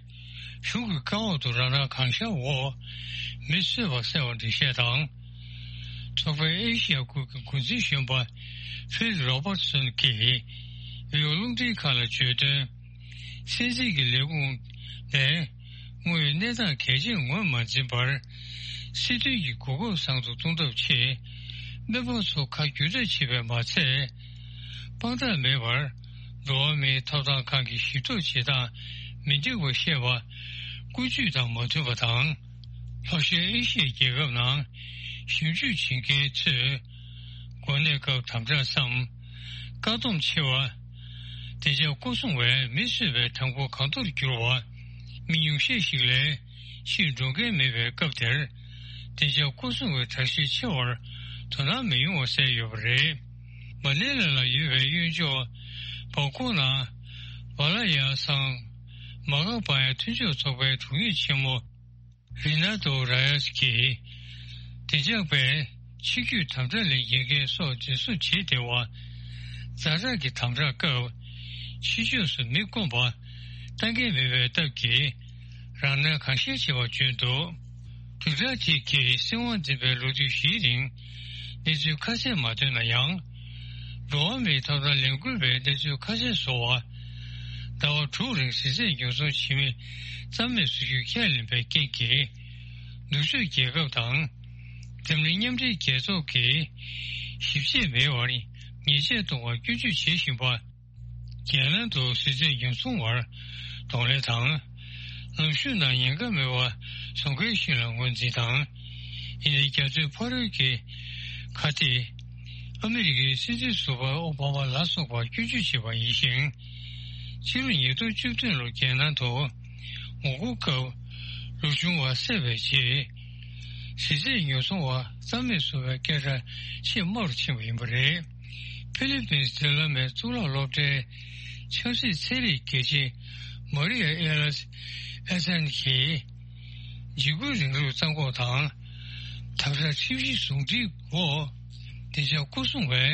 གཞུང་གི་བཀའ་འོག་ཏུ་རང་སྣང་གང་ཤར་འོག་མི་གསོད་པ་གསལ་བ་འགྲེལ་བཤད་དང་། ཚོགས་པའི་ཨེ་ཤི་ཡ་ཁུལ་གྱི་འགོ་འཛིན་གཞོན་པ་ཕིལ་རོ་བར་སོན་གྱིས་བོད་རླུང་འཕྲིན་ཁང་ལ་བརྗོད་དོན། སྲིད་འཛིན་གྱི་ལས་ཁུངས་ནས་དངོས་ཡོད་གནས་སྟངས་གལ་ཆེན་ངོས་མ་འཛིན་པར། སྲིད་དོན་གྱི་གོ་སྐབས་བཟང་དུ་གཏོང་ཐབས་ཆེད་སྨན་པ་ཚོ་ཁ་བསྒྱུར་བསྒྲགས་བྱས་པས་མ་ཚད། དཔང་རྟགས་མེད་པར་འགྲོ་བ་མིའི་ཐོབ་ཐང་ཁང་གི་ཞིབ་འཇུག་བྱེད་སྟངས་མི་འགྲིག་པ་བཤད་པ་ཀུན་སྤྱོད་དང་མ་མཐུན་པ་དང་། ལྷོ་ཤར་ཨེ་ཤི་ཡའི་རྒྱལ་ཁབ་ནང་ཞིབ་འཇུག་བྱེད་མཁན་ཚོས་འགོས་ནད་སྐབས་དམ་དྲག་སམ། བཀག་སྡོམ་ཆེ་བ། བདེ་འཇགས་སྐོར་སྲུང་བས་མི་གསོད་པའི་གྲངས་འབོར་གང་མཐོར་གྱུར་བ། མི་ཉུང་ཤས་ཤིག་ལས་ཕྱིར་འགྲོ་མཁན་མེད་པའི་སྐབས་དེར། བདེ་འཇགས་སྐོར་སྲུང་བའི་དྲག་ཤུགས་ཆེ་བར་དོ་སྣང་མི་ཡོང་བ་གསལ་ཡོད་པ་རེད། མ་ནེ་ལ་ལ་ཡོད་པའི་གཡོན་ཕྱོགས་བང་ཀོག་ནང་། ཝ་ལ་ཡ་སང་། མ་འགག་འབར་ཡག་མཐུན་ཕྱོགས་ཚོགས་པའི་དྲུང་ཡིག་ཆེན་མོ། རི་ན་ཏོ་ར་ཡ་སི་ཀིས། བདེ་འཇགས་པས་ ཕྱི་སྐྱོད་དམ་དྲག་ལས་འགལ་མཁན་སོགས་འཛིན་བཟུང་བྱས་བསྡད་པ། ཛ་དྲག་གི་དམ་དྲག་སྐབས་ཕྱི་ཕྱོགས་སུ་མི་བསྐོང་པ་གཏང་མཁན་མེད་པའི་སྟབས་ཀྱིས། རང་སྣང་གང་ཤར་བྱེད་པ་བརྗོད་འདུག། སྒྲུབ་གྲྭ་དེ་གིས་སྲིད་དབང་འཛིན་པའི་ལོ་དུས་བཞིའི་རིང་གནས་ཚུལ་ཁ་གསལ་མ་བཏོན་ན་ཡང་། འགྲོ་བ་མིའི་ཐོབ་ཐང་ལས་འགུལ་བས་གནས་ཚུལ་ཁ་གསལ་བཟོ་བར། ཟླ་བ་དྲུག་རིང་ཟས་བཅད་ཉེན་སྲུང་བྱེད་མི་རྩ་མེད་བཟོ་རྒྱུ་ཁས་ལེན་པའི་རྐྱེན་གྱིས། ནུབ་ཕྱོགས་རྒྱལ་ཁབ་དང་། འཛམ་གླིང་མཉམ་འབྲེལ་རྒྱལ་ཚོགས་ཀྱིས་ཞིབ་དཔྱད་མེད་པར་ཉེས་ཆད་གཏོང་བར་སྐྱོན་བརྗོད་བྱེད་བཞིན་པ། རྒྱལ་ནང་དུ་ཟས་བཅད་ཉེན་སྲུང་བར་གདོང་ལེན་དང་། ལམ་ཞུགས་ནང་ཉེན་ཁ་མེད་པར་བཟོ་མཁན་ཞིག་ལ་ངོས་འཛིན་དང་། ཡིན་ནའི་རྒྱ་མཚོའི་ཕ་རོལ་གྱི་ཁ་གཏད། ཨ་མི་རི་ཀའི་སྲིད་འཛིན་ཟུར་པ་ཨོ་བྷ་མ་ལ་སོགས་པར་སྐྱོན་བརྗོད་བྱས་པ་ཡིན་ཞིང་། ཕྱི་ལོ་ཉིས་སྟོང་བཅུ་བདུན་ལོར་རྒྱལ་ནང་དུ་ངོ་རྒོལ་སྐབས་ལོ་ཆུང་བ་བསད་པའི་རྗེས། ཟས་བཅད་ཉེན་སྲུང་བ་རྩ་མེད་བཟོ་བའི་སྐད་གྲགས་ཆེས་དམའ་རུ་ཕྱིན་པ་ཡིན་པ་རེད། ཕི་ལི་པིན་སི་འབྲེལ་ལམ་མའི་གཙུག་ལག་སློབ་གྲྭའི་ཆབ་སྲིད་ཚན་རིག་དགེ་ཆེ་མ་རི་ཡ་ཨེ་ལ་ཨེ་སན་གྱིས། འཇིགས་སྐུལ་རིང་ལུགས་རྩ་འགོག་དང་། དམ་དྲག་ཁྲིམས་གཞི་ཟུང་འབྲེལ་འོག་བདེ་འཇགས་སྐོར་སྲུང་བའི་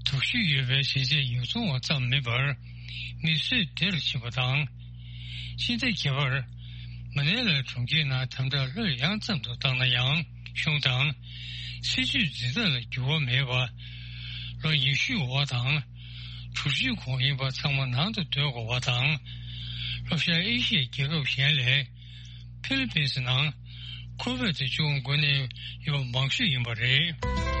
དོགས་གཞི་ཡོད་པའི་ཟས་བཅད་ཉེན་སྲུང་བ་ཙམ་མིན་པར། མི་གསོད་བདེ་རུ་ཕྱིན་པ་དང་། ཕྱི་ཟླ་བརྒྱད་པར་མ་ནེ་ལ་གྲོང་ཁྱེར་ནང་དམ་དྲག་ལྷོད་ཡངས་ཙམ་དུ་བཏང་ན་ཡང་། གཞུང་དང་སྲིད་ཇུས་འཛིན་སྟངས་ལ་འགྱུར་བ་མེད་པ། ལོ་ཉི་ཤུའི་འོག་དང་། དྲུག་ཅུའི་གོང་ཡིན་པ་ཚང་མ་ནང་དུ་སྡོད་དགོས་པ་དང་། ལྷོ་ཤར་ཨེ་ཤི་ཡའི་རྒྱལ་ཁབ་གཞན་ལས་ཕི་ལི་པིན་སི་ནང་ཁོ་བོད་དུ་བཅུག་འགོ་ནས་ཡོད་མང་ཤོས་ཡིན་པ་རེད།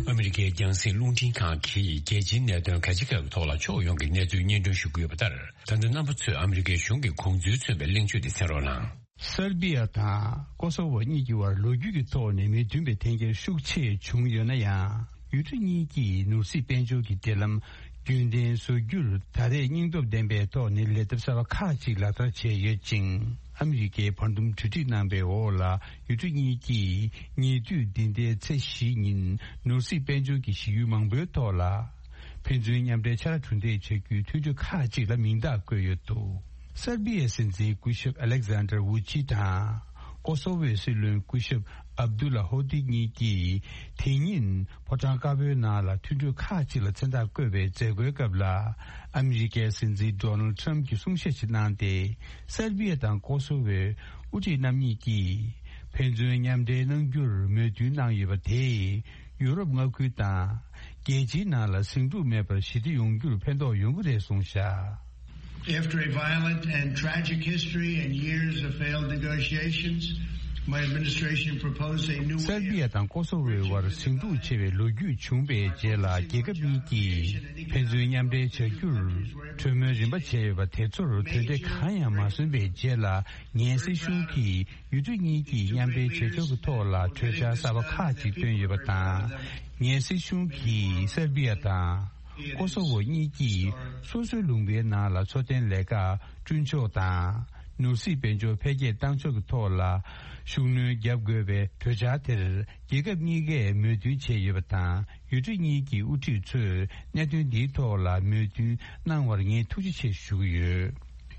ཨ་མི་རི་ཀའི་རྒྱང་སྲིང་རླུང་འཕྲིན་ཁང་གིས་རྒྱལ་སྤྱིའི་གནད་དོན་ག་ཅི་ག་གི་ཐོག་ལ་ཕྱོགས་ཡོངས་ཀྱི་གནས་ཚུལ་སྙན་སྒྲོན་ཞུ་གི་ཡོད་པ་ལྟར། ད་ལྟ་རྣམ་པ་ཚོས་ཨ་མི་རི་ཀའི་གཞུང་གི་དགོངས་ཚུལ་མཚོན་པའི་གླེང་བརྗོད་དེ་གསན་རོགས་གནང་། སར་བི་ཡ་དང་ཀོ་སོ་ཝོ་གཉིས་ཀྱི་བར་ལོ་རྒྱུས་ཀྱི་ཐོག་ནས་མི་མཐུན་པའི་འཐེན་འཁྱེར་ཤུགས་ཆེ་བྱུང་ཡོད་ན་ཡང་། ཡུལ་གྲུ་གཉིས་ཀྱིས་ནོར་སྲིད་དཔལ་འབྱོར་གྱི་འབྲེལ་ལམ་རྒྱུན་ལྡན་བཟོ་རྒྱུར་ད་རེས་སྙིང་སྟོབས་ལྡན་པའི་ཐོག་ནས་ལས་ཐབས་གསར་པ་ཁག་ཅིག་ལག་བསྟར་བྱས་ཡོད་ཅིང་། ཨ་མི་རི་ཀའི་བར་འདུམ་གྲོས་འགྲིག་གནང་པའི་འོག་ལ། ཡུལ་གྲུ་གཉིས་ཀྱིས་ཉེ་དུས་འདི་ཟླའི་ཚེས་བཞི་ཉིན་ནོར་སྲིད་དཔལ་འབྱོར་གྱི་གཞི་ཡུལ་མང་པོའི་ཐོག་ལ། ཕན་ཚུན་མཉམ་འབྲེལ་ཕྱག་ལས་གྲུ་འདེགས་བྱ་རྒྱུའི་མཐུན་གྲོས་ཁག་ཅིག་ལ་མིང་རྟགས་བཀོད་ཡོད་འདུག། སར་བི་ཡའི་སྲིད་འཛིན་སྐུ་ཞབས་ཨ་ལེག་ཛན་ཏར་ཝུ་ཅི་དང་། ཀོ་སོ་ཝོའི་སྲིད་བློན་སྐུ་ཞབས་ཨབ་དུ་ལ་ཧོ་ཏི་གཉིས་ཀྱིས་དེ་ཉིན་ཕོ་བྲང་དཀར་པོའི་ནང་ལ་མཐུན་གྲོས་ཁག་ཅིག་ལ་མཚན་རྟགས་བཀོད་པའི་མཛད་སྒོའི་སྐབས་ལ། ཨ་མི་རི་ཀའི་སྲིད་འཛིན་ཌོ་ནལ་ཊམ་གྱིས་གསུང་བཤད་ཅིག་གནང་སྟེ། སར་བི་ཡ་དང་ཀོ་སོ་ཝོའི་དབུ་ཁྲིད་རྣམ་གཉིས་ཀྱིས་ཕན་ཚུན་མཉམ་འབྲེལ་གནང་རྒྱུར་མོས་མཐུན་གནང་ཡོད་པ་དེས། ཡུ་རོབ་མངའ་ཁུལ་དང་རྒྱལ་སྤྱིའི་ནང་ལ་ཟིང་འཁྲུག་མེད་པར་ཞི་བདེ་ཡོང་རྒྱུར་ཕན་ཐོགས་ཡོང་གི་རེད་གསུངས་བཞག། After a violent and tragic history and years of failed negotiations, my administration proposed a new way སར་བི་ཡ་དང་ཀོ་སོ་ཝོའི་དབར་ཟིང་འཁྲུག་ཆེ་བའི་ལོ་རྒྱུས་བྱུང་བའི་རྗེས་ལ། རྒྱལ་ཁབ་གཉིས་ཀྱིས་ཕན་ཚུན་མཉམ་འབྲེལ་བྱ་རྒྱུར་གྲོས་མོལ་རིམ་པ་བྱས་ཡོད་པ་དེ་ཚོར་དོན་འབྲས་གང་ཡང་མ་སོན་པའི་རྗེས་ལ། ངའི་སྲིད་གཞུང་གིས་ཡུལ་གྲུ་གཉིས་ཀྱིས་མཉམ་འབྲེལ་བྱེད་ཕྱོགས་ཀྱི་ཐོག་ལ་གྲོས་འཆར་གསར་པ་ཁག་ཅིག་བཏོན་ཡོད་པ་དང་། ངའི་སྲིད་གཞུང་གིས་སར་བི་ཡ་དང་ཀོ་སོ་ཝོ་གཉིས་ཀྱིས་སོ་སོའི་ལུང་པའི་ནང་ལ་འཚོ་རྟེན་ལས་ཀ་བསྐྲུན་ཕྱོགས་དང་། ནོར་སྲིད་དཔལ་འབྱོར་འཕེལ་རྒྱས་གཏང་ཕྱོགས་ཀྱི་ཐོག་ལ་ཤུགས་སྣོན་རྒྱབ་དགོས་པའི་གྲོས་འཆར་དེར། རྒྱལ་ཁབ་གཉིས་ཀས་མོས་མཐུན་བྱས་ཡོད་པ་དང་། ཡུལ་གྲུ་གཉིས་ཀྱི་དབུ་ཁྲིད་ཚོས་གནད་དོན་འདིའི་ཐོག་ལ་མོས་མཐུན་གནང་བར་ངས་ཐུགས་རྗེ་ཆེ་ཞུ་གི་ཡོད།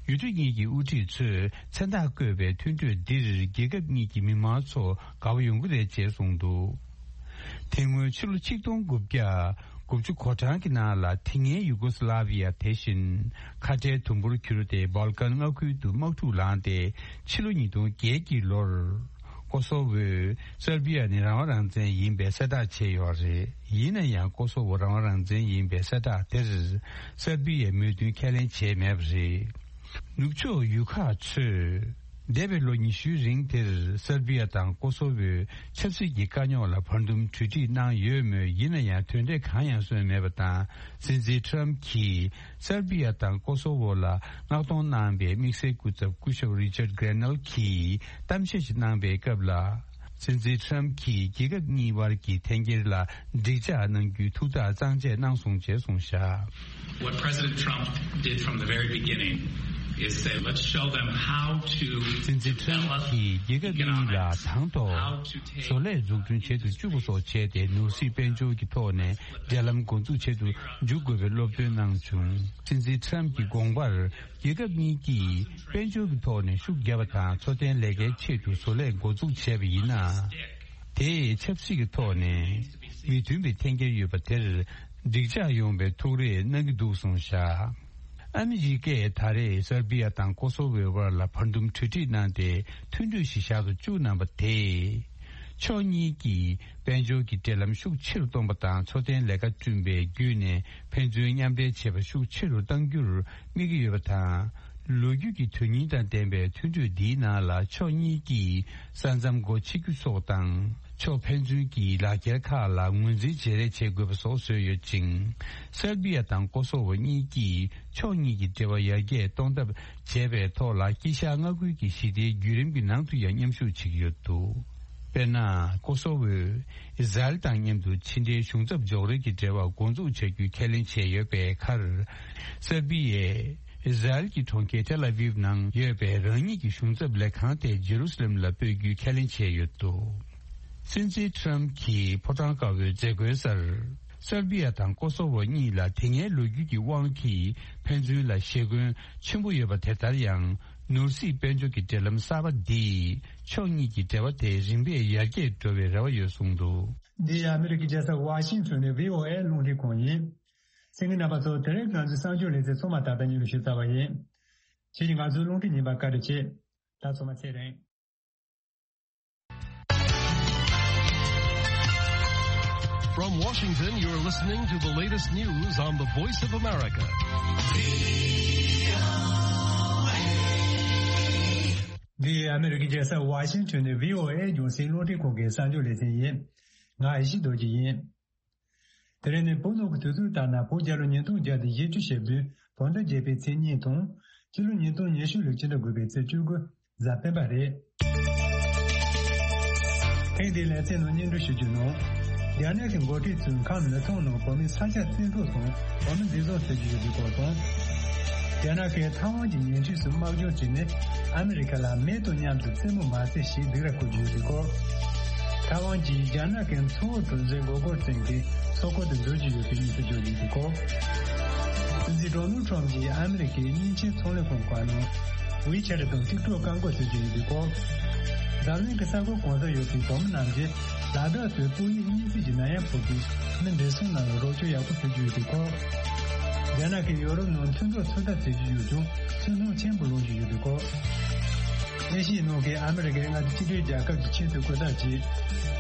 ཡུལ་གྲུ་གཉིས་ཀྱི་དབུ་ཁྲིད་ཚོས་མཚན་རྟགས་བཀོད་པའི་མཐུན་གྲོས་འདིར་རྒྱལ་ཁབ་གཉིས་ཀྱི་མི་མང་ཚོ་དགའ་བོ་ཡོང་གི་རེད་ཅེས་གསུངས་འདུག། དེ་སྔོན་ཕྱི་ལོ་ཆིག་སྟོང་དགུ་བརྒྱ་དགུ་བཅུ་གོ་གྲངས་ཀྱི་ནང་ལ། དེ་སྔའི་ཡུ་གོ་སི་ལ་བི་ཡ་དེ་བཞིན་ཁ་བྲལ་དུམ་བུར་གྱུར་ཏེ། སྦལ་ཀན་མངའ་ཁུལ་དུ་དམག་འཁྲུག་ལངས་ཏེ། ཕྱི་ལོ་ཉིས་སྟོང་བརྒྱད་ཀྱི་ལོར། ཀོ་སོ་ཝོས་སར་བི་ཡ་ནི་རང་དབང་རང་བཙན་ཡིན་པའི་གསལ་བསྒྲགས་བྱས་ཡོད་རེད། ཡིན་ན་ཡང་། ཀོ་སོ་ཝོ་རང་དབང་རང་བཙན་ཡིན་པའི་གསལ་བསྒྲགས་དེར་སར་བི་ཡས་མོས་མཐུན་ཁས་ལེན་བྱས་མེད་པ་རེད། ནུབ་ཕྱོགས་ཡུལ་ཁག་ཚོས་འདས་པའི་ལོ་ཉི་ཤུའི་རིང་དེར་སར་བི་ཡ་དང་ཀོ་སོ་ཝོས་ཆབ་སྲིད་ཀྱི་དཀའ་རྙོག་ལ་བར་འདུམ་གྲོས་འགྲིག་གནང་ཡོད་མོད། ཡིན་ན་ཡང་། དོན་འབྲས་གང་ཡང་སོན་མེད་པ་དང་། སྲིད་འཛིན་ཊམ་གྱིས་སར་བི་ཡ་དང་ཀོ་སོ་ཝོ་ལ་མངགས་གཏོང་གནང་པའི་དམིགས་བསལ་སྐུ་ཚབ་སྐུ་ཞབས་རི་ཅར་གྷེ་རེ་ནལ་གྱིས་གཏམ་བཤད་ཞིག་གནང་པའི་སྐབས་ལ། སྲིད་འཛིན་ཊམ་གྱིས་རྒྱལ་ཁབ་གཉིས་དབར་གྱི་འཐེན་འཁྱེར་ལ་འགྲིག་འཇགས་གནང་རྒྱུའི་ཐུགས་ཐག་གཙང་བཅད་གནང་སོང་ཅེས་གསུངས་བཞག། What President Trump did from the very beginning Is say, let's show them how to སྲིད་འཛིན་ཁྲམ་གྱིས་རྒྱལ་ཁབ་གཉིས་ལ་དང་ཐོག་བཟོ་ལས་འཛུགས་སྐྲུན་བྱེད་དུ་བཅུག་པ་སོགས་བྱས་ཏེ། ནོར་སྲིད་དཔལ་འབྱོར་གྱི་ཐོག་ནས་འབྲེལ་ལམ་འགོ་འཛུགས་བྱེད་དུ་འཇུག་དགོས་པའི་སློབ་སྟོན་གནང་བྱུང་། སྲིད་འཛིན་ཁྲམ་གྱི་དགོངས་པར། རྒྱལ་ཁབ་གཉིས་ཀྱིས་དཔལ་འབྱོར་གྱི་ཐོག་ནས་ཤུགས་བརྒྱབ་པ་དང་། འཚོ་རྟེན་ལས་ཀའི་ཆེད་དུ་བཟོ་ལས་འགོ་འཛུགས་བྱས་པ་ཡིན་ན། དེས་ཆབ་སྲིད་ཀྱི་ཐོག་ནས་མི་མཐུན་པའི་འཐེན་འཁྱེར་ཡོད་པ་དེར་འགྲིག་འཇགས་ཡོང་བའི་ཐུགས་རེ་གནང་གི་འདུག་གསུངས་བཞག། ཨ་མི་རི་ཀས་ད་རེས་སར་བི་ཡ་དང་ཀོ་སོ་ཝོའི་དབར་ལ་བར་འདུམ་གྲོས་འགྲིག་གནང་སྟེ། མཐུན་གྲོས་ཤིག་བཞག་ཏུ་བཅུག་གནང་པ་དེས། ཕྱོགས་གཉིས་ཀྱིས་དཔལ་འབྱོར་གྱི་འབྲེལ་ལམ་ཤུགས་ཆེ་རུ་གཏོང་པ་དང་། འཚོ་རྟེན་ལས་ཀ་བསྐྲུན་པའི་བརྒྱུད་ནས་ཕན་ཚུན་མཉམ་འབྲེལ་བྱེད་པ་ཤུགས་ཆེ་རུ་གཏང་རྒྱུར་དམིགས་ཀྱི་ཡོད་པ་དང་། ལོ་རྒྱུས་ཀྱི་དོན་སྙིང་དང་ལྡན་པའི་མཐུན་གྲོས་འདིའི་ནང་ལ། ཕྱོགས་གཉིས་ཀྱིས་ས་མཚམས་སྒོ་ཕྱེ་རྒྱུ་སོགས་དང་། ཕྱོགས་ཕན་ཚུན་གྱི་ལག་འཁྱེར་ཁག་ལ་ངོས་འཛིན་བརྗེ་རེས་བྱེད་དགོས་པ་སོགས་བཟོས་ཡོད་ཅིང་། སར་བི་ཡ་དང་ཀོ་སོ་ཝོ་གཉིས་ཀྱིས་ཕྱོགས་གཉིས་ཀྱི་འབྲེལ་བ་ཡར་རྒྱས་གཏོང་ཐབས་བྱས་པའི་ཐོག་ལ། དཀྱིལ་ཤར་མངའ་ཁུལ་གྱི་ཞི་བདེའི་བརྒྱུད་རིམ་གྱི་ནང་དུ་ཡང་མཉམ་ཞུགས་བྱེད་ཀྱི་ཡོད་འདུག། དཔེར་ན། ཀོ་སོ་ཝོས་ཨི་ཟ་རེལ་དང་མཉམ་དུ་ཕྱི་འབྲེལ་གཞུང་ཚབ་འཇོག་རེས་ཀྱི་འབྲེལ་བ་འགོ་འཛུགས་བྱ་རྒྱུའི་ཁས་ལེན་བྱས་ཡོད་པའི་ཁར། སར་བི་ཡས་ཨི་ཟ་རེལ་གྱི་གྲོང་ཁྱེར་ཏེལ་ཨ་ཝིབ་ནང་ཡོད་པའི་རང་ཉིད་ཀྱི་གཞུང་ཚབ་ལས་ཁང་དེ་ཇེ་རུ་སི་ལེམ་ལ་སྤོས་རྒྱུའི་ཁས་ལེན་བྱས་ཡོད་འདུག། སྲིད་འཛིན་ཁྲམ་གྱིས་ཕོ་བྲང་དཀར་པོའི་མཛད་སྒོའི་སར། སར་བི་ཡ་དང་ཀོ་སོ་ཝོ་གཉིས་ལ་དེ་སྔའི་ལོ་རྒྱུས་ཀྱི་དབང་གིས་ཕན་ཚུན་ལ་ཞེ་འཁོན་ཆེན་པོ་ཡོད་པ་དེ་ལྟར་ཡང་། ནོར་སྲིད་དཔལ་འབྱོར་གྱི་འབྲེལ་ལམ་གསར་པ་འདིས་ཕྱོགས་གཉིས་ཀྱི་འབྲེལ་བ་དེ་རིམ་པས་ཡར་རྒྱས་འགྲོ་བའི་རེ་བ་ཡོད་གསུངས་འདུག། འདི་ཨ་མི་རི་ཀའི་རྒྱལ་ས་ཝ་ཤིང་ཊོན་ནས་བྷི་ཨོ་ཨེ་རླུང་འཕྲིན་ཁང་ཡིན། གསན་མཁན་རྣམ་པ་ཚོ། དེ་རིང་ང་ཚོའི་གསར་འགྱུར་ལེ་ཚན་ཚང་མ་ད་ལྟ་ཉན་རེ་ཞུ་ཚར་བ་ཡིན། ཁྱེད་ཀྱིས་ང་ཚོའི་རླུང་འཕྲིན་ཉན་པར་བཀའ་དྲིན་ཆེ། ད་ཚང་མ་ཚེ་རིང་། From Washington, you're listening to the latest news on the Voice of America. འདི་ཨ་མི་རི་ཀའི་རྒྱལ་ས་ཝ་ཤིང་ཊོན་ནས་བྷི་ཨོ་ཨེ་རྒྱང་སྲིང་རླུང་འཕྲིན་ཁང་གི་གསར་འགྱུར་ལེ་ཚན་ཡིན། ང་ཨེ་ཤེ་རྡོ་རྗེ་ཡིན། དེ་རིང་ནི་བོད་ནང་གི་དུས་ཚོད་ལྟར་ན། བོད་རྒྱལ་ལོ་ཉིས་སྟོང་བརྒྱ་དང་བཞི་བཅུ་ཞེ་བདུན་བོད་ཟླ་བརྒྱད་པའི་ཚེས་གཉིས་དང་། སྤྱི་ལོ་ཉིས་སྟོང་ཉི་ཤུ་ལོའི་ཕྱི་ཟླ་དགུ་པའི་ཚེས་བཅུ་དགུ་གཟའ་སྤེན་པ་རེད། ཐེངས་འདིའི་ལེ་ཚན་ནང་སྙན་སྒྲོན་ཞུ་རྒྱུ་ནང་། རྒྱ་ནག་གི་འགོ་ཁྲིད་ཚོས་ཁམས་མི་ཚང་ནང་བོད་མིའི་ས་ཆ་བཙན་འཕྲོག་དང་བོད་མི་འཛིན་བཟུང་བྱེད་ཀྱི་ཡོད་པའི་སྐོར་དང་། རྒྱ་ནག་གིས་ཐའེ་ཝན་གྱི་ཉེ་འཁྲིས་སུ་དམག་སྦྱོང་བྱས་ནས། ཨ་མི་རི་ཀ་ལ་མེ་དང་མཉམ་དུ་རྩེད་མོ་མ་རྩེ་ཞེས་སྡིགས་ར་བསྐུལ་གྱི་ཡོད་པའི་སྐོར། ཐའེ་ཝན་གྱིས་རྒྱ་ནག་གི་མཚོ་བོད་གྲུ་འཛིན་མགོ་སྐོར་སྟེང་གི་མཚོ་སྐོར་དུ་འཛུལ་གྱི་ཡོད་པའི་གནས་ཚུལ་བརྗོད་ཀྱི་ཡོད་པའི་སྐོར། སྲིད་འཛིན་ཌོ་ནལ་ཁྲམ་གྱིས་ཨ་མི་རི་ཀའི་མཉེན་ཆས་ཚོང་ལས་ཁང་ཁག་ནང་ཝི་ཆེ་ཊི་དང་ཊིག་ཊོག་བཀག་འགོག་བྱེད་ཀྱི་ཡོད་པའི་སྐོར། འཛམ་གླིང་གི་ས་ཁུལ་གང་སར་ཡོད་པའི་བོད་མི་རྣམས་ཀྱིས་ལ་དྭགས་སུ་སྤོ་ཡིག་གཉིས་བརྩེགས་ཀྱི་ནད་ཡམས་ཕོག་པའི་མི་བགྲེས་སོང་རྣམས་ལ་རོགས་སྐྱོར་ཡག་པོ་ཞུ་རྒྱུ་ཡོད་པའི་སྐོར། རྒྱ་ནག་གིས་ཡོ་རོབ་ནང་མཐུན་གྲོགས་ཚོད་ལྟ་བྱེད་ཀྱི་ཡོད་ཀྱང་ཚུར་སྣང་ཆེན་པོ་ལོག་བཞིན་ཡོད་པའི་སྐོར། ཨེ་ཤི་ཡའི་ནང་གི་ཨ་མི་རི་ཀའི་མངའ་སྡེ་གཅིག་སྒྲིལ་རྒྱལ་ཁབ་ཀྱི་ཆེས་མཐོའི་སྐུ་ཚབ་ཀྱིས་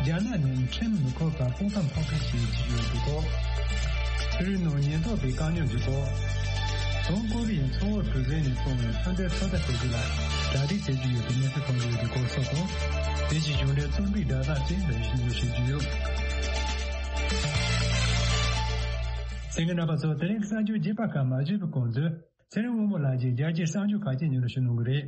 རྒྱ་ནག་ནས་ཁྲིམས་མི་ཁོར་བར་དཔུང་ཁག་འཕོག་ཁུལ་ཞིག་བྱེད་ཀྱི་ཡོད་པའི་སྐོར། ཕྱི་རོལ་ནང་ཉེན་རྟོག་པས་བཀག་ཉར་གྱི་སྐོར། བྱང་ཀོ་རི་ཡའི་མཚོ་བོད་གྲུ་གཟིངས་ནས་སོང་བའི་མཚོན་ཆའི་ཚོད་ལྟ་བྱེད་རྒྱུ་ལ་གྲ་སྒྲིག་བྱེད་ཀྱི་ཡོད་པའི་གནས་ཚུལ་ཐོན་གྱི་ཡོད་པའི་སྐོར་སོགས་དང་། དེ་བཞིན་གཞུང་འབྲེལ་རྩོམ་སྒྲིག་བརྡ་དག་ཅིག་འདོན་ཞིག་ཉོ་ཞུ་རྒྱུ་ཡོད། གསན་མཁན་རྣམ་པ་ཚོ། དེ་རིང་གི་གསར་འགྱུར་རྒྱས་པ་ཁག་མ་བརྗོད་པའི་གོང་དུ། ཚེ་རིང་དབང་མོ་ལགས་ཀྱིས་རྒྱལ་སྤྱིའི་གསར་འགྱུར་ཁག་ཅིག་སྙན་སྒྲོན་ཞུ་གནང་གི་རེད།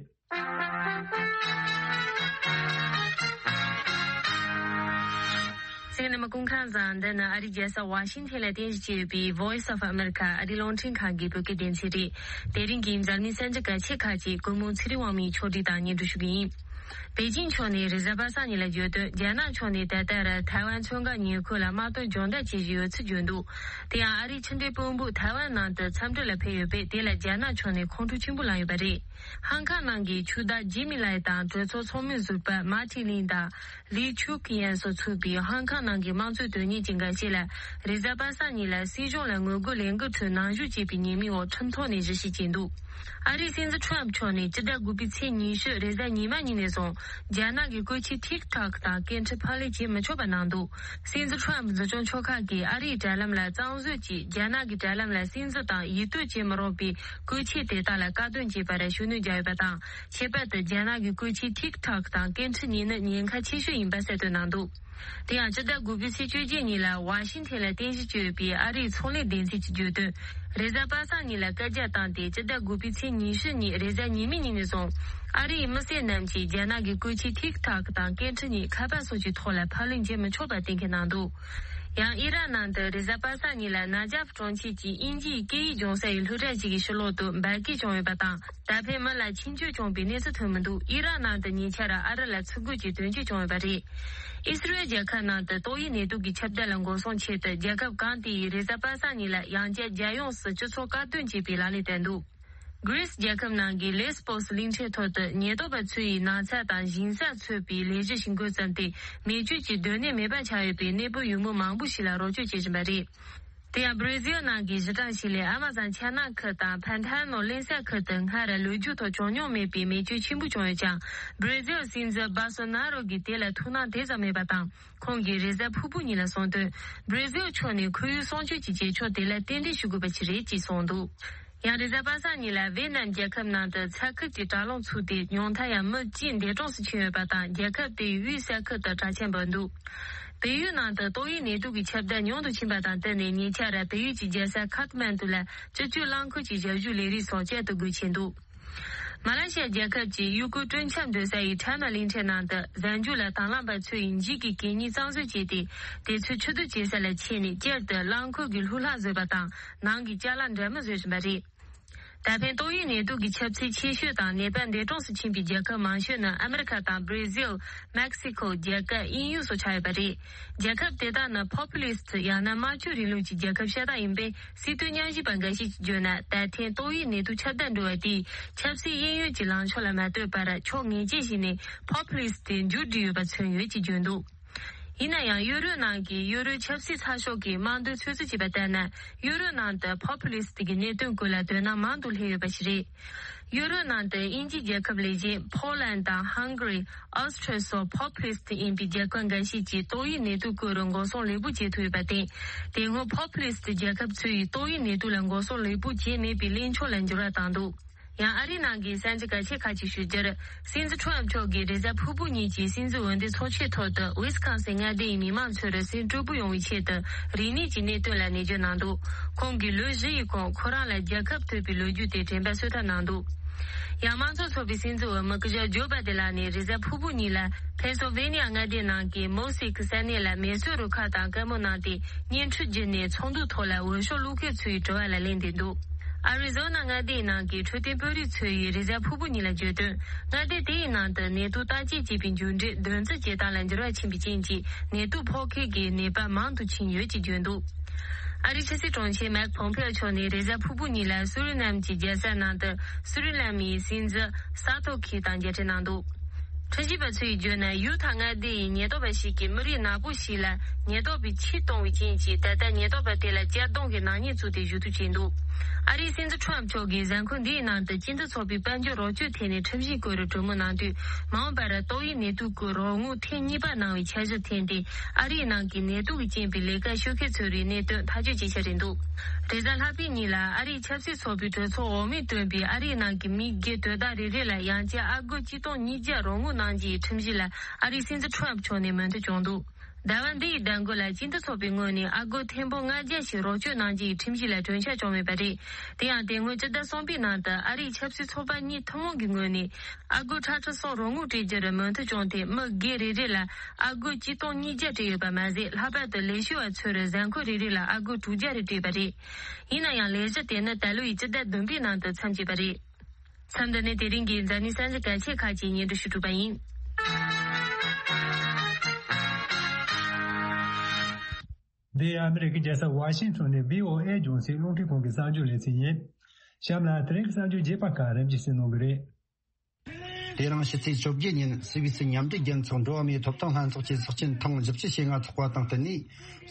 གསན་མཁན་རྣམ་པ་སྐུ་ཁམས་བཟང་། འདི་ནི་ཨ་རིའི་རྒྱལ་ས་ཝ་ཤིང་ཐན་ལ་རྟེན་གཞི་བྱས་ཡོད་པའི་Voice of America ཨ་རིའི་རླུང་འཕྲིན་ཁང་གི་བོད་སྐད་སྡེ་ཚན་རེད། དེ་རིང་གི་འཛམ་གླིང་གསར་འགྱུར་གལ་ཆེ་ཁག་ཅིག་སྐུ་ངོ་ཚེ་རིང་དབང་མོས་ཕྱོགས་སྒྲིག་དང་སྙན་སྒྲོན་ཞུ་གི་ཡིན། པེ་ཅིང་ཕྱོགས་ནས་རེས་གཟའ་པ་སངས་ཉིན་ལ་བརྗོད་དོན། རྒྱ་ནག་ཕྱོགས་ནས་ད་ལྟར་ཐའེ་ཝན་མཚོ་འགག་ཉེ་འཁོར་ལ་དམག་དོན་སྦྱོང་བརྡར་བྱེད་བཞིན་ཡོད་ཚུལ་བརྗོད་འདུག། དེ་ཡང་ཨ་རིའི་ཕྱི་འབྲེལ་དཔོན་པོ་ཐའེ་ཝན་ནང་དུ་འཚམས་འདྲི་ལ་ཕེབས་ཡོད་པས། དེ་ལ་རྒྱ་ནག་ཕྱོགས་ནས་ཁོང་ཁྲོ་ཆེན་པོ་ལངས་ཡོད་པ་རེད། ཧང་ཀང་ནང་གི་ཆོས་བདག་ཇི་མི་ལའི་དང་གྲོས་ཚོགས་ཚོགས་མི་ཟུར་པ་མཱ་ཏི་ལིན་དང་ལི་ཆུག་ཡན་སོགས་ཚུད་པའི་ཧང་ཀང་ནང་གི་དམངས་གཙོའི་དོན་གཉེར་གྱི་འགའ་ཤས་ལ་རེས་གཟའ་པ་སངས་ཉིན་ལ་སྲིད་གཞུང་ལ་ངོ་རྒོལ་ལས་འགུལ་ཁྲོད་ནང་ཞུགས་བྱས་པའི་ཉེས་མིང་འོག་ཁྲིམས་ཐོག་ནས་ཞི་བྱེད་བྱས་འདུག། ཨ་རིའི་སྲིད་འཛིན་ཁྲམ་ཕྱོགས་ནས་སྤྱི་ཟླ་དགུ་པའི་ཚེས་ཉི་ཤུ་རེས་གཟའ་ཉི་མ་ཉིན་ནས་བཟུང་རྒྱ་ནག་གི་བཀོལ་ཆས་ཐིག་ཐོག་དང་སྐད་འཕྲིན་ཕབ་ལེན་བྱེད་མི་ཆོག་པ་གནང་འདུག། སྲིད་འཛིན་ཁྲམ་འཛིན་སྐྱོང་ཕྱོགས་ཁག་གིས་ཨ་རིའི་དྲ་ལམ་ལ་གཙང་བཟོ་གྱིས་རྒྱ་ནག་གི་དྲ་ལམ་ལ་སིམ་འཛུལ་དང་ཡིད་གཏོད་བྱེད་མི་རུང་བའི་བཀོལ་ཆས་དེ་དག་ལ་བཀག་སྡོམ་བྱས་པར་ཤུགས་སྣོན་བརྒྱབ་ཡོད་པ་དང་། ཁྱད་པར་དུ་རྒྱ་ནག་གི་བཀོལ་ཆས་ཐིག་ཐོག་དང་སྐད་འཕྲིན་གཉིས་ནི་ཉེན་ཁ་ཆེ་ཤོས་ཡིན་པ་གསལ་སྟོན་གནང་འདུག། དེ་ཡང་སྤྱི་ཟླ་དགུ་པའི་ཚེས་བཅོ་བརྒྱད་ཉིན་ལ་ཝ་ཤིང་ཐན་ལ་རྟེན་གཞི་བྱས་ཡོད་པའི་ཨ་རིའི་ཚོང་ལས་སྡེ་ཚན་གྱིས་བརྗོད་དོན། རེས་གཟའ་པ་སངས་ཉིན་ལ་བཀའ་རྒྱ་བཏང་སྟེ། སྤྱི་ཟླ་དགུ་པའི་ཚེས་ཉི་ཤུ་ཉིན་རེས་གཟའ་ཉི་མའི་ཉིན་ནས་བཟུང་ཨ་རིའི་མི་སེར་རྣམས་ཀྱིས་རྒྱ་ནག་གི་བཀོལ་ཆས་ཐིག་ཐོག་དང་སྐད་འཕྲིན་གཉིས་ཁ་པར་སོགས་ཀྱི་ཐོག་ལ་ཕབ་ལེན་བྱེད་མི་ཆོག་པ་གཏན་འཁེལ་གནང་འདུག། ཡང་ཨི་རག་ནང་དུ་རེས་གཟའ་པ་སངས་ཉིན་ལ་ན་ཇབ་གྲོང་ཁྱེར་གྱི་དབྱིན་ཇིའི་སྐད་ཡིག་སྦྱོང་སའི་སློབ་གྲྭ་ཞིག་གི་ཕྱི་ལོགས་དུ་འབར་གས་བྱུང་ཡོད་པ་དང་། ད་ཕན་མི་ལ་འཆིང་སྐྱོན་བྱུང་བའི་གནས་ཚུལ་ཐོན་མི་འདུག་ཨི་རག་ནང་དུ་ཉེ་ཆར་ཨ་རི་ལ་ཚུར་རྒོལ་གྱི་དོན་རྐྱེན་བྱུང་ཡོད་པ་རེད། ཨི་སི་རེལ་རྒྱལ་ཁབ་ནང་དུ་ཏོག་དབྱིབས་ནད་དུག་གི་ཁྱབ་གདལ་ལ་འགོག་སྲུང་ཆེད་དུ། རྒྱལ་ཁབ་གང་དེ་ཡིས་རེས་གཟའ་པ་སངས་ཉིན་ལ་ཡང་བསྐྱར་རྒྱལ་ཡོངས་སུ་སྤྱི་ཚོགས་བཀག་སྡོམ་བྱེད་པའི་ལག་ལེན་བསྟར་འདུག་གྷི་རིས་རྒྱལ་ཁབ་ནང་གི་ལེས་པོ་སི་གླིང་ཕྲན་ཐོག་ཏུ་ཉེན་རྟོག་པ་ཚོ་ཡིས་ནགས་ཚལ་དང་ཞིང་ས་འཚོལ་བའི་ལས་གཞི་ཞིག་འགོ་བརྩམས་ཏེ། མེ་མཆོད་ཀྱི་སྡོད་གནས་མེད་པ་ཆགས་ཡོད་པའི་གནས་སྤོ་ཡུལ་མི་མང་པོ་ཞིག་ལ་རོགས་སྐྱོར་བྱེད་བཞིན་པ་རེད། དེ་ཡང་བྷི་ར་ཟིལ་ནང་གི་གཞི་གྲངས་ཤིག་ལས་ཨ་མ་ཛོན་ཆ་ནག་ཁུལ་དང་ཕན་ཐ་ནོ་གླིང་ས་ཁུལ་དུ་སྔར་ལོ་རྒྱུས་ཐོག་བྱུང་མྱོང་མེད་པའི་མེ་མཆོད་ཆེན་པོ་བྱུང་ཡོད་ཀྱང་། བྷི་ར་ཟིལ་སྲིད་འཛིན་བྷོལ་སོ་ན་རོ་གིས་དེ་ལ་ཐུགས་སྣང་དེ་ཙམ་མེད་པ་དང་། ཁོང་གིས་རེས་གཟའ་ཕུར་བུ་ཉིན་ལ་གསུངས་དོན། བྷི་ར་ཟིལ་ཕྱོགས་ནས་ཁོར་ཡུག་སྲུང་སྐྱོབ་ཀྱི་བྱེད་ཕྱོགས་དེ་ལ་རྟེན་འབྲེལ་ཞུ་དགོས་པ་ཞིག་རེད་ཅེས་གསུངས་འདུག་ཡང་རེས་གཟའ་པ་སངས་ཉིན་ལ་ཝེ་ནམ་རྒྱལ་ཁབ་ནང་དུ་ཚ་ཁུལ་གྱི་དྲག་རླུང་ཚུགས་ཏེ། ཉུང་མཐར་ཡང་མི་གཅིག་འདས་གྲོངས་སུ་ཕྱིན་ཡོད་པ་དང་། རྒྱལ་ཁབ་དེའི་དབུས་ས་ཁུལ་དུ་དྲག་ཆར་འབབ་འདུག་བལ་ཡུལ་ནང་དུ་ཏོག་དབྱིབས་ནད་དུག་གི་ཁྱབ་གདལ་ཉུང་དུ་ཕྱིན་པ་དང་བསྟུན་ནས། ཉེ་ཆར་བལ་ཡུལ་གྱི་རྒྱལ་ས་ཁཱཐ་མན་ཌུ་ལ་སྤྱི་སྤྱོད་རླངས་འཁོར་གྱི་ཞབས་ཞུའི་ལས་རིགས་སོགས་བསྐྱར་དུ་སྒོ་ཕྱེ་འདུག་མ་ལེ་ཤི་ཡ་རྒྱལ་ཁབ་ཀྱི་ཡུལ་སྐོར་སྤྲོ་འཆམ་སྡོད་ས་ཡི་ཁྲ་མ་གླིང་ཕྲན་ནང་དུ་གཟའ་མཇུག་ལ་དང་བླངས་པ་ཚོ་ཡིས་འགྱིག་གི་གད་སྙིགས་གཙང་བཟོ་བྱས་ཏེ། དེ་ཚོ་ཕྱིར་བསྡུ་བྱེད་ས་ལ་ཁྱེར་ནས་བསྐྱར་དུ་རླངས་འཁོར་གྱི་ལྷུ་ལྷག་བཟོས་པ་དང་། ནང་གི་ཅ་ལག་འདྲ་མིན་བཟོ་བཞིན་པ་རེད། ད་ཕན་ཏོག་དབྱིབས་ནད་དུག་གི་ཁྱབ་ཚད་ཆེ་ཤོས་དང་ནད་པ་འདས་གྲོངས་སུ་ཕྱིན་པའི་རྒྱལ་ཁབ་མང་ཤོས་ནི་ཨ་མི་རི་ཁ་དང་བྷི་ར་ཟིལ། མེག་སི་ཁོ། རྒྱ་གར། དབྱིན་ཡུལ་སོགས་ཆགས་ཡོད་པ་རེད། རྒྱལ་ཁབ་དེ་དག་ནི་ཕོ་པུ་ལིསྟ་ཡང་ན་དམར་ཕྱོགས་རིང་ལུགས་ཀྱི་རྒྱལ་ཁབ་ཤ་སྟག་ཡིན་པས། སྲིད་དོན་ཉམས་ཞིབ་པ་འགའ་ཞིག་གིས་བརྗོད་ན། ད་ཐེངས་ཏོག་དབྱིབས་ནད་དུག་ཁྱབ་གདལ་འགྲོ་བ་དེས་ཆབ་སྲིད་གཡས་གཡོན་གྱི་ལངས་ཕྱོགས་ལ་མ་ལྟོས་པར། ཕྱོགས་ངེས་ཅན་ཞིག་ནས་ཕོ་པུ་ལིསྟ་དེ་མཇུག་བསྒྲིལ་ཡོད་པ་མཚོན་ཡོད་ཅེས་བརྗོད་འདུག་ཡིན་ན་ཡང་ཡུ་རོབ་ནང་གི་ཡུ་རོབ་ཆབ་སྲིད་ཚགས་ཤོག་གིས་དམངས་འདོད་ཚོད་རྩིས་བྱས་པ་ལྟར་ན། ཡུ་རོབ་ནང་དུ་ཕོ་པུ་ལིསྟ་གི་གནད་དོན་སྐོར་ལ་དོ་སྣང་མང་དུ་སླེབས་ཡོད་པ་ཞིག་རེད། ཡུ་རོབ་ནང་དུ་དབྱིན་ཇིའི་རྒྱལ་ཁབ་ལས་གཞན། ཕོ་ལན་དང་ཧང་གྷ་རི། ཨོ་སི་ཁྲི་སོགས་ཕོ་པུ་ལིསྟ་ཡིན་པའི་རྒྱལ་ཁབ་འགའ་ཤས་ཀྱིས་ཏོག་དབྱིབས་ནད་དུག་སྐོར་འགོག་སྲུང་ལེགས་པོ་བྱེད་ཐུབ་ཡོད་པར་བརྟེན། དེ་སྔོན་ཕོ་པུ་ལིསྟ་རྒྱལ་ཁབ་ཚོ་ཡིས་ཏོག་དབྱིབས་ནད་དུག་ལ་འགོག་སྲུང་ལེགས་པོ་བྱས་མེད་པའི་གླེང་ཕྱོགས་ལ་འགྱུར་བ་བཏང་འདུག་ཡང་ཨ་རིའི་ནང་གི་གསར་འགྱུར་གལ་ཆེ་ཁག་ཅིག་ཞུ་རྒྱུར། སྲིད་འཛིན་ཁྲོམ་མཆོག་གིས་རེས་གཟའ་ཕུར་བུ་ཉིན་གྱི་སྲིད་འཛིན་འོས་འདེམས་ཚོགས་ཆེན་ཐོག་ཏུ་ཝི་སི་ཀོན་སིན་མངའ་སྡེ་ཡི་མི་མང་ཚོར་སེམས་སྤྲོ་པོ་ཡོང་བའི་ཆེད་དུ་རིག་གནས་ཀྱི་གནད་དོན་ལ་ནན་བརྗོད་གནང་འདུག་ཁོང་གིས་ལོ་བཞི་ཡི་གོང་ཁོ་རང་ལ་རྒྱལ་ཁབ་ཐོབ་པའི་ལོ་རྒྱུས་དེ་དྲན་པ་གསོ་ཐབས་གནང་འདུག་ཡང་དམངས་གཙོ་ཚོགས་པའི་སྲིད་འཛིན་འོས་མི་སྐུ་ཞབས་ཇོ་བྷ་དེ་ལགས་ནས་རེས་གཟའ་ཕུར་བུ་ཉིན་ལ་ཕེན་སིལ་ཝེ་ནི་ཡ་མངའ་སྡེ་ནང་གི་མོ་སི་ཀི་ས་གནས་ལ་མེ་གསོད་རུ་ཁག་དང་བཀའ་མོལ་གནང་སྟེ། བརྙན་འཕྲིན་བརྒྱུད་ནས་ཚོགས་འདུའི་ཐོག་ལ་འོས་ཤོག་བླུག་མཁན་ཚོའི་དྲི་བ་ལ་ལན་འདེབས་འདུག་ཨ་རི་ཛོ་ན་མངའ་སྡེའི་ནང་གི་འཕྲོད་བསྟེན་དཔོན་རིགས་ཚོ་ཡིས་རེས་གཟའ་ཕུར་བུ་ཉིན་ལ་བརྗོད་དོན། མངའ་སྡེ་དེའི་ནང་དུ་ནད་དུག་བརྟག་དཔྱད་བྱེད་པའི་མཇུག་འབྲས་འདོན་རྩིས་བྱེད་སྟངས་ལ་འགྱུར་བ་ཕྱིན་པའི་རྐྱེན་གྱིས། ནད་དུག་ཕོག་མཁན་གྱི་ནད་པ་མང་དུ་ཕྱིན་ཡོད་ཅེས་བརྗོད་འདུག་ཨ་རིའི་ཕྱི་སྲིད་དྲུང་ཆེ་མེག་ཕོམ་ཕེ་ཨོ་མཆོག་ནས་རེས་གཟའ་ཕུར་བུ་ཉིན་ལ་སུ་རི་ནམ་གྱི་རྒྱལ་ས་ནང་དུ་སུ་རི་ནམ་ཡི་སྲིད་འཛིན་སཱ་ཐོ་ཁི་དང་མཇལ་འཕྲད་གནང་འདུག་ཁྲིམས་ཞིབ་པ་ཚོས་བརྗོད་ན། ཡུ་ཐ་མངའ་སྡེ་ཡི་ཉེན་རྟོག་པ་ཞིག་གིས་མི་རིགས་ནག་པོ་ཞིག་ལ་ཉེན་རྟོག་པས་ཆུ་གཏོང་བའི་རྐྱེན་གྱིས། ད་ལྟ་ཉེན་རྟོག་པ་དེ་ལ་གཅར་རྡུང་གི་ནག་ཉེས་བཙུགས་ཏེ་ཞུ་གཏུག་བྱས་འདུག་ཨ་རིའི་སྲིད་འཛིན་ཁྲོམ་མཆོག་གིས་གཟའ་འཁོར་འདིའི་ནང་དུ་སྤྱི་མཐུན་ཚོགས་པའི་དཔལ་འབྱོར་རོགས་སྐྱོར་ཐད་ནས་ཁྲིམས་ཞིབ་སྐོར་གྲོས་མོལ་གནང་དུས། མ་འོངས་པར་ཏོག་དབྱིབས་ནད་དུག་གི་རོགས་དངུལ་ཐེངས་གཉིས་པ་གནང་བའི་འཆར་གཞི་འཐེན་ཏེ། ཨ་རིའི་ནང་གི་ནད་དུག་གི་རྐྱེན་པས་ལས་ཀ་ཤོར་མཁན་ཚོར་གནད་དོན་ཐག་གཅོད་བྱེད་འཆར་རེད་འདུག་རེས་གཟའ་ལྷག་པའི་ཉིན་ལ་ཨ་རིའི་ཆབ་སྲིད་ཚོགས་པའི་གྲོས་ཚོགས་འོག་མས་བཏོན་པའི་ཨ་རིའི་ནང་གི་མི་སྒེར་དོ་བདག་རེ་རེ་ལ་ཡང་བསྐྱར་ཨ་སྒོར་གཅིག་སྟོང་ཉིས་བརྒྱ་རོགས་དངུལ་གནང་རྒྱུའི་ཁྲིམས་གཞི་ལ་ཨ་རིའི་སྲིད་འཛིན་ཁྲོམ་མཆོག་ནས་མོས་མཐུན་བྱུང་འདུག་ཟླ་བ་འདིའི་ཟླ་འགོ་ལ་སྤྱི་མཐུན་ཚོགས་པའི་ངོས་ནས་ཨ་སྒོར་ཐེར་འབུམ་ལྔ་བརྒྱ་ཞིག་རོགས་སྐྱོར་གནང་རྒྱུའི་ཁྲིམས་གཞི་ལ་གྲོས་འཆར་བྱུང་མེད་པ་རེད། དེ་ཡང་དེ་སྔོན་སྤྱི་ཟླ་གསུམ་པའི་ནང་དུ་ཨ་རིའི་ཆབ་སྲིད་ཚོགས་པ་གཉིས་ཐུན་མོང་གི་ངོས་ནས་ཨ་སྒོར་ཁྲི་ཁྲི་གསུམ་རོགས་དངུལ་སྤྲད་རྒྱུར་མོས་མཐུན་བྱུང་སྟེ། མི་སྒེར་རེ་རེ་ལ་ཨ་སྒོར་གཅིག་སྟོང་ཉིས་བརྒྱ་སྤྲད་ཡོད་པ་མ་ཟད། ལྷག་པར་དུ་ལས་བྱེད་པ་ཚོར་གཟའ་འཁོར་རེ་རེ་ལ་ཨ་སྒོར་དྲུག་བརྒྱ་རེ་སྤྲད་པ་རེད། ཡིན་ན་ཡང་ལས་གཞི་དེ་ནི་ད་ལོའི་སྤྱི་ཟླ་བདུན་པའི་ནང་དུ་མཚམས་བཅད་པ་རེད། མཚམས་འདི་ནས་དེ་རིང་གི་འཛམ་གླིང་གསར་འགྱུར་གལ་ཆེ་ཁག་ཅིག་སྙན་སྒྲོན་ཞུ་གྲུབ་པ་ཡིན། འདི་ཨ་མི་རི་ཀའི་རྒྱལ་ས་ཝ་ཤིང་ཊོན་ནས་བྷི་ཨོ་ཨེ་རྒྱང་སྲིང་རླུང་འཕྲིན་ཁང་གི་གསར་འགྱུར་ལེ་ཚན་ཡིན། གཤམ་ལ་དེ་རིང་གི་གསར་འགྱུར་རྒྱས་པ་ཁག་རིམ་གྱིས་གསན་གནང་གི་རེད། དེ་རིང་ཕྱི་ཚེས་བཅོ་བརྒྱད་ཉིན་སུད་སི་མཉམ་འབྲེལ་རྒྱལ་ཚོགས་འགྲོ་བ་མིའི་ཐོབ་ཐང་ལྷན་ཚོགས་ཀྱི་ཚོགས་ཆེན་ཐེངས་བཞི་བཅུ་ཞེ་ལྔ་ཚོགས་པ་དང་བསྟུན་ནས།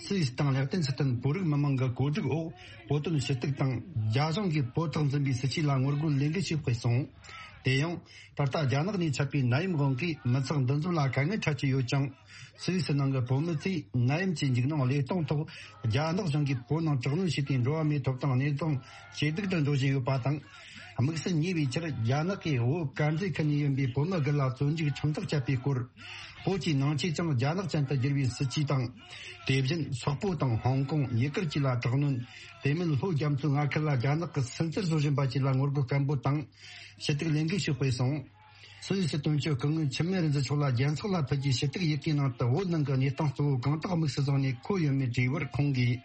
སུད་སི་དང་ལེགས་ཏེན་སི་ཐན་བོད་རིགས་མི་མང་གི་གོ་སྒྲིག་འོག་བོད་དོན་ཞུ་གཏུག་དང་། རྒྱ་གཞུང་གིས་བོད་ཐོག་འཛིན་པའི་སྲིད་ཇུས་ལ་ངོ་རྒོལ་ལས་འགུལ་ཞིག་སྤེལ་སོང་། དེ་ཡང་། ད་ལྟ་རྒྱ་ནག་ནས་ཆད་པའི་ནད་ཡམས་དབང་གིས་མི་ཚང་འདུ་འཛོམས་ལ་དཀའ་ངལ་འཕྲད་ཀྱི་ཡོད་ཅིང་། སུད་སི་ནང་གི་བོད་མི་ཚོས་ནད་ཡམས་ཀྱི་འཇིགས་སྣང་བློས་གཏོང་ཐོག་རྒྱ་ནག་གཞུང་གིས་བོད་ནང་དྲག་གནོན་བྱས་ཏེ། འགྲོ་བ་མིའི་ཐོབ་ཐང་གནས་སྟངས་ཇེ་སྡུག་ཏུ་འགྲོ་བཞིན་ཡོད་པ་དང་། དམིགས་བསལ་ཉེ་བའི་ཆར་རྒྱ་ནག་གིས་བོད་དཀར་མཛེས་ཁུལ་ནས་ཡིན་པའི་བོད་མི་དགུ་ལ་བཙོན་འཇུག་ཁྲིམས་ཐག་བཅད་པའི་སྐོར། བོད་ཀྱི་ནང་ཆོས་ཀྱང་རྒྱ་ནག་ཅན་དུ་བསྒྱུར་བའི་སྲིད་ཇུས་དང་། དེ་བཞིན་སོག་པོ་དང་ཧོང་ཀོང་། ཡུ་གུར་བཅས་ལ་དྲག་གནོན། དེ་མིན་ལྷོ་རྒྱ་མཚོའི་མངའ་ཁུལ་ལ་རྒྱ་ནག་གིས་སུན་གཙེར་བཟོ་བཞིན་པ་བཅས་ལ་ངོ་རྒོལ་སྐད་འབོད་དང་། ཞུ་གཏུག་ལས་འགུལ་ཞིག་སྤེལ་སོང་། སུད་སི་དོན་གཅོད་སྐུ་ངོ་འཆི་མེད་རིག་འཛིན་མཆོག་ལ་རྒྱལ་ཚོགས་ལ་ཕུལ་རྒྱུའི་ཞུ་གཏུག་ཡི་གེའི་ནང་དུ་བོད་ནང་གི་གནས་སྟངས་གཙོ་བོ་གང་དག་དམིགས་སུ་བཟུང་ནས་འཁོད་ཡོད་མེད་དྲིས་པར་ཁོང་གིས།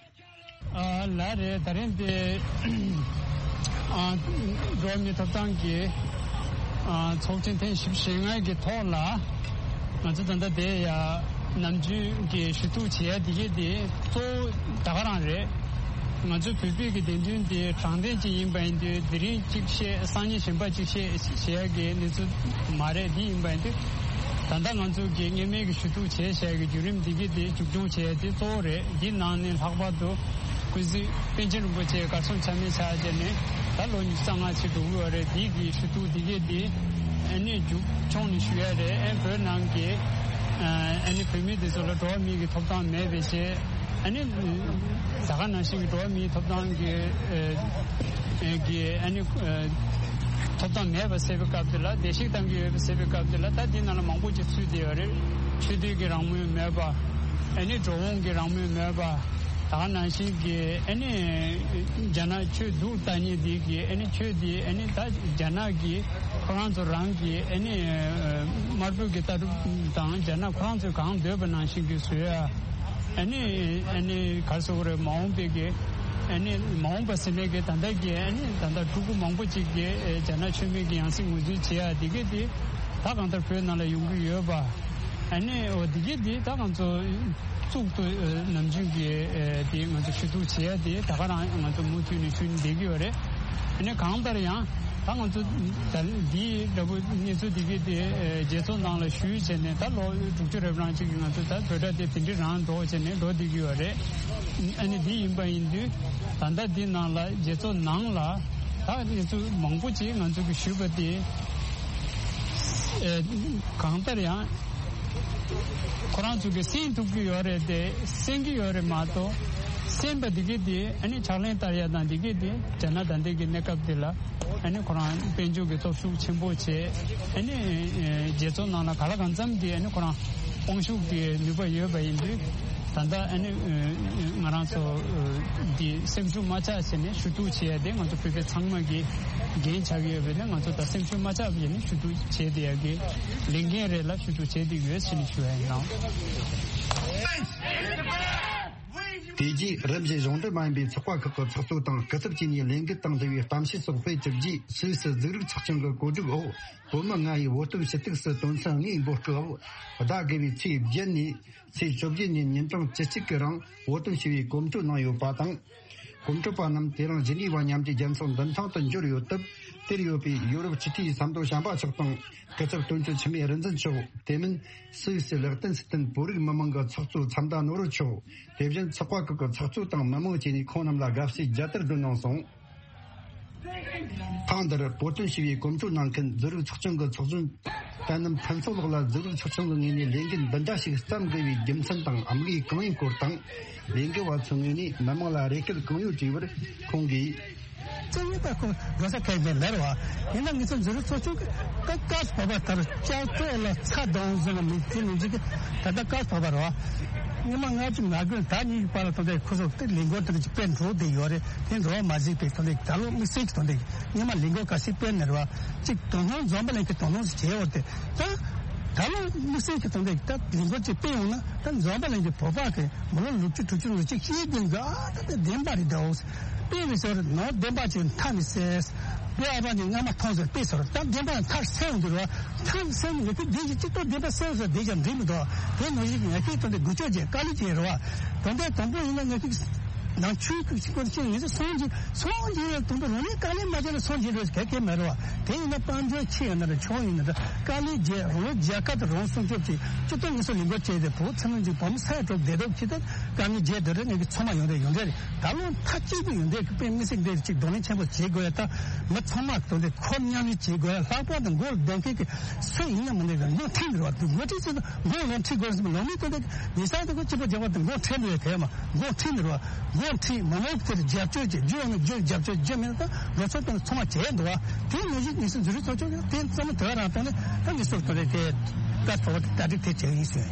ཨ་ལགས་རེད། ད་རིང་འདི་ཨ་འགྲོ་བ་མིའི་ཐོབ་ཐང་གི་ཨ་ཚོགས་ཆེན་ཐེངས་བཞི་བཅུ་ཞེ་ལྔ་གི་ཐོག་ལ་ང་ཚོ་ད་ལྟ་དེ་ཡ་ནམ་རྒྱུན་གྱི་ཞུ་གཏུག་བྱེད་ཡ་དེ་གས་དེ་གཙོ་བོ་ད་ག་རང་རེད། ང་ཚོའི་བོད་པའི་གི་བདེན་དོན་དེ་དྲང་བདེན་ཅིག་ཡིན་པ་ཡིན་དུས་དེ་རིང་གཅིག་བཤད་སང་ཉིན་གཞན་པ་གཅིག་བཤད་ཞེས་ཡ་གི་གནས་ཚུལ་མ་རེད། འདི་ཡིན་པ་ཡིན་དུས་ད་ལྟ་ང་ཚོ་གི་སྔོན་མའི་གི་ཞུ་གཏུག་བྱས་བྱས་ཀྱི་བརྒྱུད་རིམ་འདི་གི་དེ་མཇུག་སྐྱོང་བྱས་དེ་གཙོ་བོ་རེད། འདི་ནང་ནས་ལྷག་པར་དུ་ཀུན་གཟིགས་པཎ་ཆེན་རིན་པོ་ཆེ་གར་སོང་ཆ་མེད་ཆགས་བྱས་ནས་ད་ལོ་ཉི་ཤུ་རྩ་ལྔ་ཕྱིན་འགྲོ་གི་ཡོད་རེད། འདི་གི་ཞུ་གཏུག་འདི་གི་དེ་ཨ་ནི་མཇུག་སྐྱོང་ནས་ཞུ་ཡ་རེད། ཨ་བོད་ནང་གི་ཨ་ནི་བོད་མི་དེ་ཚོ་ལ་འགྲོ་བ་མིའི་གི་ཐོབ་ཐང་མེད་པའི་ཆེད། ཨ་ནི་ད་ག་ནང་བཞིན་གྱི་འགྲོ་བ་མིའི་ཐོབ་ཐང་གི་ཨ་གི་ཨ་ནི་ཨ་ཐོབ་ཐང་མེད་པ་བཟོས་པའི་སྐབས་དེ་ལ་བརྡལ་བཤིག་བཏང་གི་ཡོད་པ་བཟོས་པའི་སྐབས་དེ་ལ་ད་འདི་ནང་ལ་མང་པོ་ཅིག་ཚུད་བསྡད་ཡོད་རེད། ཆོས་དད་ཀྱི་རང་མོས་མེད་པ། ཨ་ནི་འགྲོ་འོང་གི་རང་མོས་མེད་པ། ད་ག་ནང་བཞིན་གྱི་ཨ་ནི་རྒྱ་ནག་ཆོས་སྡུག་ལྟ་མཁན་འདི་གི་ཨ་ནི་ཆོས་འདི་ཨ་ནི་ད་རྒྱ་ནག་གི་ཁོ་རང་ཚོ་རང་གི་ཨ་ནི་དམར་པོའི་གི་ལྟ་གྲུབ་དང་རྒྱ་ནག་ཁོ་རང་ཚོས་གང་འདོད་པ་ནང་བཞིན་གྱི་བཟོ་ཡ། ཨ་ནི་ཨ་ནི་ག་རེ་ཟེར་དགོས་རེད། མ་འོངས་པའི་གི་ཨ་ནི་མ་འོངས་པ་ཟེར་ནས་གི་ད་ལྟ་གི་ཨ་ནི་ད་ལྟ་ཕྲུ་གུ་མང་པོ་ཅིག་གི་ཨེ་རྒྱ་ནག་ཆོས་མེད་ཀྱི་ཡང་སྲིད་ངོས་འཛིན་བྱེད་ཡ་དེ་གི་དེ་ད་གང་ལྟར་བོད་ནང་ལ་ཡོང་གི་ཡོད་པ། ཨ་ནི་འོ་དེ་གི་དེ་ད་ང་ཚོ་གཙུག་ཏུ་ཨེ་ནམ་རྒྱུན་གྱི་ཨེ་དེ་ང་ཚོ་ཞུ་གཏུག་བྱེད་ཡ་དེ་ད་ག་རང་ང་ཚོ་མུ་མཐུད་ནས་ཞུ་ནས་བསྡད་ཀྱི་ཡོད་རེད། ཨ་ནི་གང་ལྟར་ཡང་ད་ང་ཚོ་ད་འདི་འདྲ་པོ་གནས་ཚུལ་འདི་གི་དེ་རྒྱལ་ཚོགས་ནང་ལ་ཞུས་བྱས་ནས་ད་ལོ་དྲུག་ཅུ་རེ་བ་རང་ཅིག་གི་ང་ཚོ་ད་བོད་སྒྲ་དེ་དེ་འདྲའི་རང་འགྲོ་བྱས་ནས་འགྲོ་བསྡད་ཀྱི་ཡོད་རེད། ཨ་ནི་འདི་ཡིན་པ་ཡིན་དུས་ད་ལྟ་འདི་ནང་ལ་རྒྱལ་ཚོགས་ནང་ལ་ད་གནས་ཚུལ་མང་པོ་ཅིག་ང་ཚོ་གི་ཞུས་པ་དེ་གང་ལྟར་ཡང་། ཁོ་རང་ཚོ་གིས་གསན་ཐུབ་ཀྱི་ཡོད་རེད་དེ། གསན་གྱི་ཡོད་རེད་མ་གཏོགས། གསན་པ་འདི་གས་དེ་ཨ་ནི་ཕྱག་ལེན་བསྟར་ཡ་དང་འདི་གས་དེ་རྒྱ་ནག་ད་ལྟའི་གི་གནས་སྐབས་འདི་ལ་ཨ་ནི་ཁོ་རང་དཔལ་འབྱོར་གྱི་སྟོབས་ཤུགས་ཆེན་པོ་བྱས། ཨ་ནི་རྒྱལ་ཚོགས་ནང་ལ་ག་ལ་གང་འཚམ་གྱི་ཨ་ནི་ཁོ་རང་དབང་ཤུགས་ཀྱི་ནུས་པ་ཡོད་པ་ཡིན་དུས་ད་ལྟ་ཨ་ནི་ང་རང་ཚོ་འདི་སེམས་ཤུགས་མ་ཆག་བྱས་ནས་ཞུ་གཏུག་བྱས་ཏེ་ང་ཚོ་བོད་པ་ཚང་མ་གི་འགན་ཆགས་ཡོད་པས་ན། ང་ཚོ་ད་སེམས་ཤུགས་མ་ཆག་བྱས་ནས་ཞུ་གཏུག་བྱས་ཏེ་ཡ་གི་ལས་འགན་རེད་ལ་ཞུ་གཏུག་བྱས་ཏེ་ཡོད་ཟེར་ནས་ཞུ་ཡ་ཡིན་ནོ། དེ་རྗེས་རིམ་བཞིན་གཞུང་འབྲེལ་མ་ཡིན་པའི་ཚོགས་པ་ཁག་གི་ཚོགས་གཙོ་དང་སྐུ་ཚབ་བཅས་ནས་ལས་འགུལ་དང་འབྲེལ་བའི་གཏམ་བཤད་སོགས་སྤེལ་གྲུབ་རྗེས། སུད་སི་གཟུགས་རིག་ཚོགས་ཆུང་གི་གོ་སྒྲིག་འོག་བོད་མི་ལྔ་ཡིས་བོད་དོན་ཞུ་གཏུག་སུད་དོན་ཚན་ལྔའི་འབོད་སྐུལ་འོག་ཟླ་དགུ་བའི་ཚེས་བརྒྱད་ནས་ཚེས་བཅོ་བརྒྱད་ཉིན་ཉིན་གྲངས་བཅུ་གཅིག་གི་རིང་བོད་དོན་ཞུ་བའི་གོམ་བགྲོད་གནང་ཡོད་པ་དང་། གོམ་བགྲོད་པ་རྣམས་དེ་རིང་ཇི་ནི་ཝ་མཉམ་འབྲེལ་རྒྱལ་ཚོགས་མདུན་ཐང་དུ་འབྱོར་ཡོད་སྟབས། དེར་ཡོད་པའི་ཡོ་རོབ་སྤྱི་འཐུས་ཟམ་གདོང་བྱམས་པ་མཆོག་དང་། སྐུ་ཚབ་དོན་གཅོད་འཆི་མེད་རིག་འཛིན་མཆོག་དེ་མིན་སུད་སི་ལེག་ཏེན་སི་ཏེན་བོད་རིགས་མི་མང་གི་ཚོགས་གཙོ་མཚམས་ཟླ་ནོར་བུ་མཆོག་དེ་བཞིན་ཚོགས་པ་ཁག་གི་ཚོགས་གཙོ་དང་མི་མང་བཅས་ནས་ཁོང་རྣམས་ལ་དགའ་བསུའི་རྒྱལ་དར་བསྒྲོན་གནང་སོང་། ཐེངས་འདིར་བོད་དོན་ཞུ་བའི་གོམ་བགྲོད་གནང་མཁན་གཟུགས་རིག་ཚོགས་ཆུང་གི་ཚོགས་གཞོན་དཔལ་ནམ་ཕུན་ཚོགས་ལགས་ལ་གཟུགས་རིག་ཚོགས་ཆུང་གི་ངོས་ནས་ལས་འགུལ་འདི་འདྲ་ཞིག་བརྩམ་དགོས་པའི་རྒྱུ་མཚན་དང་དམིགས་ཡུལ་གང་ཡིན་སྐོར་དང་། ལས་འགུལ་བ་ཚོའི་ངོས་ནས་མི་མང་ལ་རེ་སྐུལ་གང་ཡོད་དྲིས་པར་ཁོང་གིས། རྩོད་ཡོད་པ་ཁོ་འགྲོ་ས་གལ་ཆེན་མེད་རེད་བ། ཡིན་ན་ངེད་ཚོ་གཟུགས་རིག་ཚོགས་ཆུང་གི་ཀ་ཀར་བབ་པ་ལྟར་ལྕགས་ཐོག་ལ་ཚ་གདོང་བཟོས་ན་མི་དེ་མི་འཇིག་གི། ད་ལྟ་ཀར་བབ་པ་རེད་བ། ཉི་མ་ལྔ་བཅུ་ང་དགུ་ཟླ་གཉིས་ཀྱི་བར་ལ་ཐོན་ཏེ་ཁོ་ཚོ་དེ་ལས་འགུལ་དེ་འདྲ་ཅིག་སྤེལ་འགྲོ་བསྡད་ཡོད་རེད། དེ་འགྲོ་བ་མ་གཟིགས་པའི་ཐོན་ཏེ་ད་ལོ་དམིགས་བསལ་གྱི་ཐོན་ཏེ་ཉི་མ་ལས་འགུལ་ག་ཚོད་སྤེལ་ནས་རེད་བ། གཅིག་དོ་སྣང་འཛོམས་པ་ལྷན་རྒྱས་དོ་སྣང་ཞིག་བྱས་ཡོད་དེ། ད་ད་ལོ་དམིགས་བསལ་གྱི་ཐོན་ཏེ་ད་ལས་འགུལ་ཅིག་སྤེལ་ཡོང་ན་ད་འཛོམས་པ་ལྷན་རྒྱས་བོད་པ་གི་མི་ལོ་ལོ་བཅུ་དྲུག་ཅུ་ལོ་གཅིག་ཤེས་ཀྱི་འདུག་ཨ་ད་ད་བདེན་པ་རེད་འདུག་དཔེ་མི་སྲིད་ནོར་བདེན་པ་ཅིག་མཐའ་ནས་གསལ། དཔེ་ཨ་ཕ་ནི་སྔ་མ་མཐོང་ཟེར་དཔེ་ཟེར་ད་བདེན་པ་མཐའ་གསལ་ཡོང་དུས་རེད་བ། མཐའ་གསལ་ནི་ངེད་ཀྱི་བདེན་ཞིག་གཅིག་ཏུ་བདེན་པ་གསལ་ཟེར་བདེན་ཀྱང་འགྲིག་མི་འདུག་དེ་ནང་བཞིན་ངེད་ཀྱི་དོན་དེ་འགུལ་སྐྱོད་བྱས་དཀའ་ལས་བྱས་རེད་བ། དོན་དེ་དང་པོ་ཡིན་ན་ངེད་ཀྱི་ནང་ཆོས་ཀྱི་སྐོར་ཆེད་ངེད་ཚོ་སངས་རྒྱས་སངས་རྒྱས་དང་པོ་རང་ཉིད་དཀའ་ལས་མ་བྱས་ན་སངས་རྒྱས་རེད་གལ་གལ་མེད་རེད་བ། དེ་ཡིན་ན་དཔལ་འབྱོར་ཆེ་ཡིན་ན་རེད་ཆུང་ཡིན་ན་རེད་དཀའ་ལས་བྱས་རང་ལུགས་རྒྱལ་ཁབ་དང་རང་སྲུང་སྐྱོབ་ཀྱི་སྤྱི་ཚོགས་ངེད་ཚོ་ལས་འགུལ་བྱས་ཏེ་བོད་ཚང་མ་གཅིག་བོད་མི་ས་ཡ་དྲུག་བདེ་སྡུག་ཆེད་དུ་དཀའ་ངལ་བརྗེད་འདོད་རེད། ངེད་ཀྱི་ཚང་མ་ཡོང་རེད་ཡོང་རེད། ད་ལོ་མཐའ་གཅིག་ཏུ་ཡོང་འདོད་ཀྱི་དཔེ་མི་སྲིད་འདིར་ཅིག་གདོང་ལེན་ཆེན་པོ་བྱེད་དགོས་ཡ། ད་མི་ཚང་མ་དོན་དེ་ཁོ་མཉམ་ལས་བྱེད་དགོས་ཡ། ལྷག་པར་དུ་མགོ་ལ་སྡོད་མཁན་གྱི་སུ་ཡིན་ན་མི་འདུག་གི་མགོ་ཁྲིད་འདུག་བ། འདུག་མགོ་ཁྲིད་ཚེ་མགོ་ལོང་ཁྲིད་དགོས་ཟེར་ལོང་མི་དོན་དེ་མི་ས་དེ་ཁོ་སྐྱིད་པོ་རྒྱག་པ་དེ་མགོ་ཁྲིད་འདུག་ཡ། དེ་མ་མགོ་ཁྲིད་འདུག་བ། མགོ་ཁྲིད་མི་མང་དེར་རྒྱབ་སྐྱོར་བྱེད་རྒྱུ་ཡོང་ན་རྒྱུ་རྒྱབ་སྐྱོར་རྒྱུ་མེད་ན་ད་ལོ་ཚོད་དང་ཚང་མ་བྱས་འདུག་བ། དེ་ནང་བཞིན་ངེད་ཚོ་འཛུལ་རིགས་ཚོགས་ཆུང་དེ་ཚང་མ་དེ་ག་རང་བཏང་ནས་ད་ངེད་ཚོ་དོན་དེ་དེ་ཀ་ཐོག་ཏ་ཏིག་དེ་བྱས་ཡིན་ཟེར།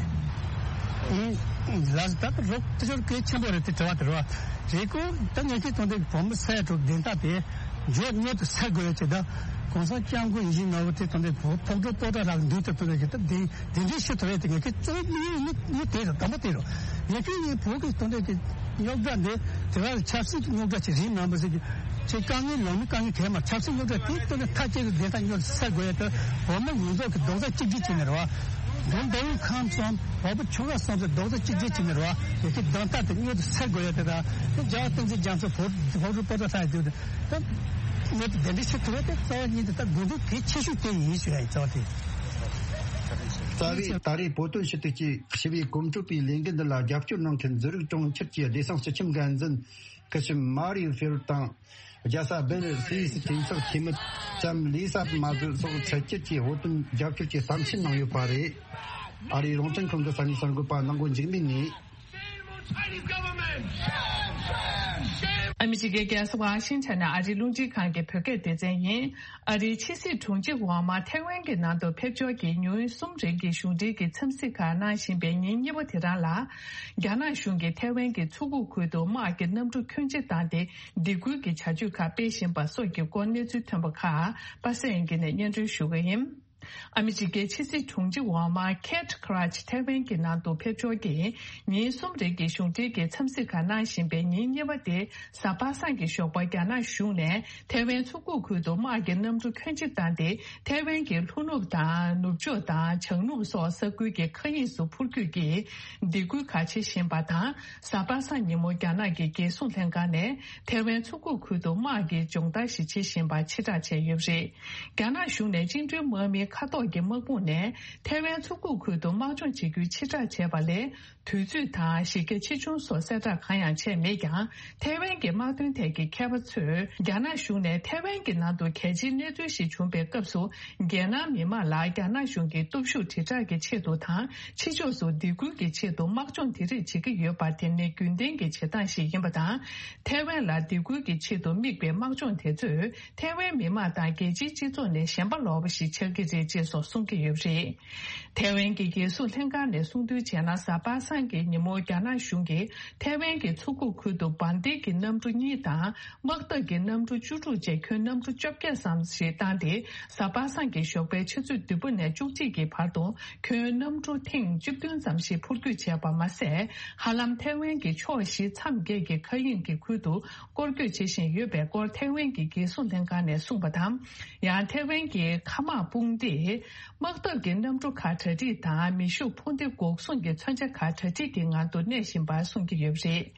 ལགས་སོ། ད་རོགས་དེ་ཚོར་གལ་ཆེན་པོ་རེད་དེ་དྲི་བ་དེ་རེད་བ། རེད་ཀོ། ད་ངེད་ཀྱི་དོན་དེ་བོད་མི་ས་ཡ་དྲུག་བདེན་མཐའ་དེ་ མགྱོགས་མྱུར་དུ་སེལ་དགོས་ཡ་ཅིག་དང་། གོང་ས་སྐྱབས་མགོན་ཡིད་བཞིན་ནོར་བུ་དེ་དང་དེ་བོད་ཕོགས་འགྲོ་ལྟོ་ད་རག་འདུག་དེ་དང་དེ་གི་ད་དེ་དེ་འདྲའི་ཤི་ཐུབ་ཡ་དེ་ངས་ཁྱེད་གཙོ་བོ་དམིགས་ཡུལ་ནི་དེ་རེད། དང་པོ་དེ་རེད། ངས་ཁྱེད་ངས་བོད་ཀྱི་དང་དེ་གི་རྙོག་དྲ་འདི་དེ་བར་ཆབ་སྲིད་ཀྱི་རྙོག་དྲ་ཅིག་རེད་མིན་པ་ཟེར་གི་ཅིག་དཀའ་ངལ་ལོ་མི་དཀའ་ངལ་གས་མ་ཆབ་སྲིད་རྙོག་དྲ་དེ་དང་དེ་མཐའ་སྐྱེལ་གི་བདེན་མཐའ་མྱུར་དུ་སེལ་དགོས་ཡ་དེ་བོད་མི་ཡོངས་རྫོགས་ཀྱི་རྡོག་རྩ་གཅིག་སྒྲིལ་བྱས་ནས་རེད་བ། འགྲོ་འདོད་ཡོད་ཁམས་གསུམ་བོད་པ་ཆོལ་ཁ་གསུམ་གྱི་རྡོག་རྩ་གཅིག་སྒྲིལ་བྱས་ནས་རེད་བ། ཡ་གི་གདམ་ཐབས་དེ་མྱུར་དུ་སེལ་དགོས་ཡ་དེ་དང་དེ་རྒྱལ་བ་བསྟན་འཛིན་རྒྱ་མཚོ་བོད་བོད་རིགས་པོ་ཏ་ལྷ་ཡི་དུས་དེ། ད་ངས་དེ་འདྲ་བྱེད་ཐུབ་པ་དེ་རྩ་བ་ཉིད་དུ་ད་དགོས་འདུན་གལ་ཆེ་ཤོས་དེ་ཡིན་ཞུ་ཡ་ཡིན་རྩ་བ་དེ། རྩ་བའི་ད་རེས་བོད་དོན་ཞུ་གཏུག་ཅེས་ཞི་བའི་གོམ་བགྲོད་པའི་ལས་འགུལ་འདི་ལ་རྒྱབ་སྐྱོར་གནང་མཁན་འཛིན་རིགས་གྲོང་ཁྱེར་གྱི་བདེ་སྲུང་སྤྱི་ཁྱབ་འགན་འཛིན་སྐུ་ཞབས་མ་རིའུ་ཧྥེ་རུ་དང་། རྒྱལ་ས་སྦེལ་སི་ཡིས་གྲོས་ཚོགས་འཐུས་མི་ལྕམ་ལི་སཱ་མ་ཟུ་སོགས་ཕྱི་རྒྱལ་གྱི་བོད་དོན་རྒྱབ་སྐྱོར་གྱི་གསལ་བཤད་གནང་ཡོད་པ་རེད། ཨ་རིའི་རླུང་འཕྲིན་ཁང་གི་གསར་འགོད་པ་ནང་སྒོ་འཇིགས་མེད་ནས། ཨ་མི་རི་ཀའི་རྒྱལ་ས་ཝ་ཤིང་ཊོན་ནས་ཨ་རིའི་རླུང་འཕྲིན་ཁང་གི་བོད་སྐད་སྡེ་ཚན་ཡིན། ཨ་རིའི་ཕྱི་སྲིད་དྲུང་ཆེ་འོག་མ་ཐའེ་ཝན་གྱི་ནང་དུ་ཕེབས་འབྱོར་གྱིས་ཉིན་གསུམ་རིང་གི་གཞུང་འབྲེལ་གྱི་འཚམས་གཟིགས་ཁག་གནང་བཞིན་པའི་ཉིན་གཉིས་པ་དེ་རང་ལ། རྒྱ་ནག་གཞུང་གིས་ཐའེ་ཝན་གྱི་མཚོ་ཁུག་ཁུལ་དུ་དམག་གི་གནམ་གྲུ་ཁྱོན་ཆེ་བཏང་སྟེ་སྡིགས་སྐུལ་གྱི་བྱ་སྤྱོད་ཁག་སྤེལ་བཞིན་པ་སོགས་ཀྱི་སྐོར་གནས་ཚུལ་ཐོན་པ་ཁག་པ་སངས་དབྱངས་སྐྱིད་ནས་སྙན་སྒྲོན་ཞུ་གི་ཡིན། ཨ་མི་རི་ཀའི་ཕྱི་སྲིད་དྲུང་ཆེ་འོག་མ་ཁེ་ཊི་ཁི་ར་ཆི་ཐའེ་ཝན་གྱི་ནང་དུ་ཕེབས་འབྱོར་གྱིས་ཉིན་གསུམ་རིང་གི་གཞུང་འབྲེལ་གྱི་འཚམས་གཟིགས་ཁག་གནང་བཞིན་པའི་ཉིན་གཉིས་པ་སྟེ། གཟའ་པ་སངས་ཀྱི་ཞོགས་པར་རྒྱ་ནག་གཞུང་ནས་ཐའེ་ཝན་མཚོ་ཁུག་ཁུལ་དུ་དམག་གི་གནམ་གྲུ་ཁྱོན་ཆེ་བཏང་སྟེ། ཐའེ་ཝན་གྱི་ལྷོ་ནུབ་དང་ནུབ་ཕྱོགས་དང་བྱང་ནུབ་སོགས་ས་ཁུལ་གྱི་མཁའ་དབྱིངས་སུ་འཕུར་སྐྱོད་ཀྱིས་སྡིགས་སྐུལ་ཁག་བྱེད་བཞིན་པ་དང་། གཟའ་པ་སངས་ཉིན་མོ་རྒྱ་ནག་གི་རྒྱལ་སྲུང་ལྷན་ཁང་ནས་ཐའེ་ཝན་མཚོ་ཁུག་ཁུལ་དུ་དམག་གི་སྦྱོང་བརྡར་ཞིག་བྱེད་བཞིན་པ་ཕྱིར་བསྒྲགས་བྱས་ཡོད་པ་རེད། རྒྱ་ནག་གཞུང་ནས་བཅིངས་འགྲོལ་དམག་མིའི་མཁའ་ཐོག་གི་དམག་དཔུང་ནས་ཐའེ་ཝན་མཚོ་ཁུག་ཁུལ་དུ་དམག་སྦྱོང་བྱེད་རྒྱུའི་ཕྱིར་བསྒྲགས་བྱས་པ་ལས། དུས་ཚོད་དང་གཞི་རྒྱ་ཆེ་ཆུང་སོགས་གསལ་བསྒྲགས་གང་ཡང་བྱས་མེད་ཀྱང་། ཐའེ་ཝན་གྱི་དམག་དོན་ཐད་ཀྱི་མཁས་པ་ཚོས་རྒྱ་ནག་གཞུང་ནས་ཐའེ་ཝན་གྱི་ནང་དུ་གལ་ཆེའི་གནས་ཚུལ་ཞིག་བྱུང་པའི་སྐབས་སུ། རྒྱལ་ནང་མི་མང་ལ་རྒྱ་ནག་གཞུང་གི་སྟོབས་ཤུགས་དྲིལ་བསྒྲགས་ཀྱི་ཆེད་དུ་དང་། ཕྱི་ཕྱོགས་སུ་སྡིགས་སྐུལ་གྱི་ཆེད་དུ་དམག་སྦྱོང་དེ་རིགས་བྱེད་ཀྱི་ཡོད་པ་དེ་ནི་རྒྱུན་ལྡན་གྱི་བྱེད་སྟངས་ཤིག་ཡིན་པ་དང་། ཐའེ་ཝན་ལ་སྡིགས་སྐུལ་གྱི་ཆེད་དུ་དམིགས་པའི་དམག་སྦྱོང་དེ་ཚོས། ཐའེ་ཝན་མི་མང་དང་རྒྱལ་སྤྱིའི་སྤྱི་ཚོགས་ནས་ཞེན་པ་ལོག་པ་ཞིག་ཆགས་ཀྱི་རེད་ཅེས་སོགས་གསུང་གི་ཡོད་པ་རེད། ཐའེ་ཝན་གྱི་རྒྱལ་སྲུང་ལྷན་ཁང་ནས་གསུངས་དོན་བྱས་ན། གཟའ་པ་སངས་ཀྱི་ཉིན་མོ་རྒྱ་ནག་གཞུང་གིས་ཐའེ་ཝན་གྱི་མཚོ་ཁུག་ཁུལ་དུ་འབར་མདེལ་གྱི་གནམ་གྲུ་གཉིས་དང་། དམག་འཐབ་ཀྱི་གནམ་གྲུ་བཅུ་དྲུག་བཅས་ཁྱོན་གནམ་གྲུ་བཅོ་བརྒྱད་ཙམ་ཞིག་བཏང་སྟེ། གཟའ་པ་སངས་ཀྱི་ཞོགས་པའི་ཆུ་ཚོད་བདུན་པ་ནས་བཅུ་གཅིག་གི་བར་དུ་ཁྱོན་གནམ་གྲུ་ཐེངས་བཅུ་བདུན་ཙམ་ཞིག་འཕུར་སྐྱོད་བྱས་པ་མ་ཟད། ཧ་ལམ་ཐའེ་ཝན་གྱི་ཕྱོགས་བཞི་མཚམས་བརྒྱད་ཀྱི་མཁའ་དབྱིངས་ཀྱི་ཁུལ་དུ་སྐོར་སྐྱོད་བྱེད་བཞིན་ཡོད་པའི་སྐོར་ཐའེ་ཝན་གྱི་རྒྱལ་སྲུང་ལྷན་ཁང་ནས་གསུངས་པ་དང་། ཡང་ཐའེ་ཝན་གྱི་མཁའ་དམག་དཔུང་སྡེས། དམག་འཐབ་ཀྱི་གནམ་གྲུ་ཁག་གྲ་སྒྲིག་དང་། མེ་ཤུགས་འཕུར་མདེལ་འགོག་སྲུང་གི་མཚོན་ཆ་ཁག་གྲ་སྒྲིག་གི་ངང་དུ་གནས་བཞིན་པ་གསུང་གི་ཡོད་པ་རེད།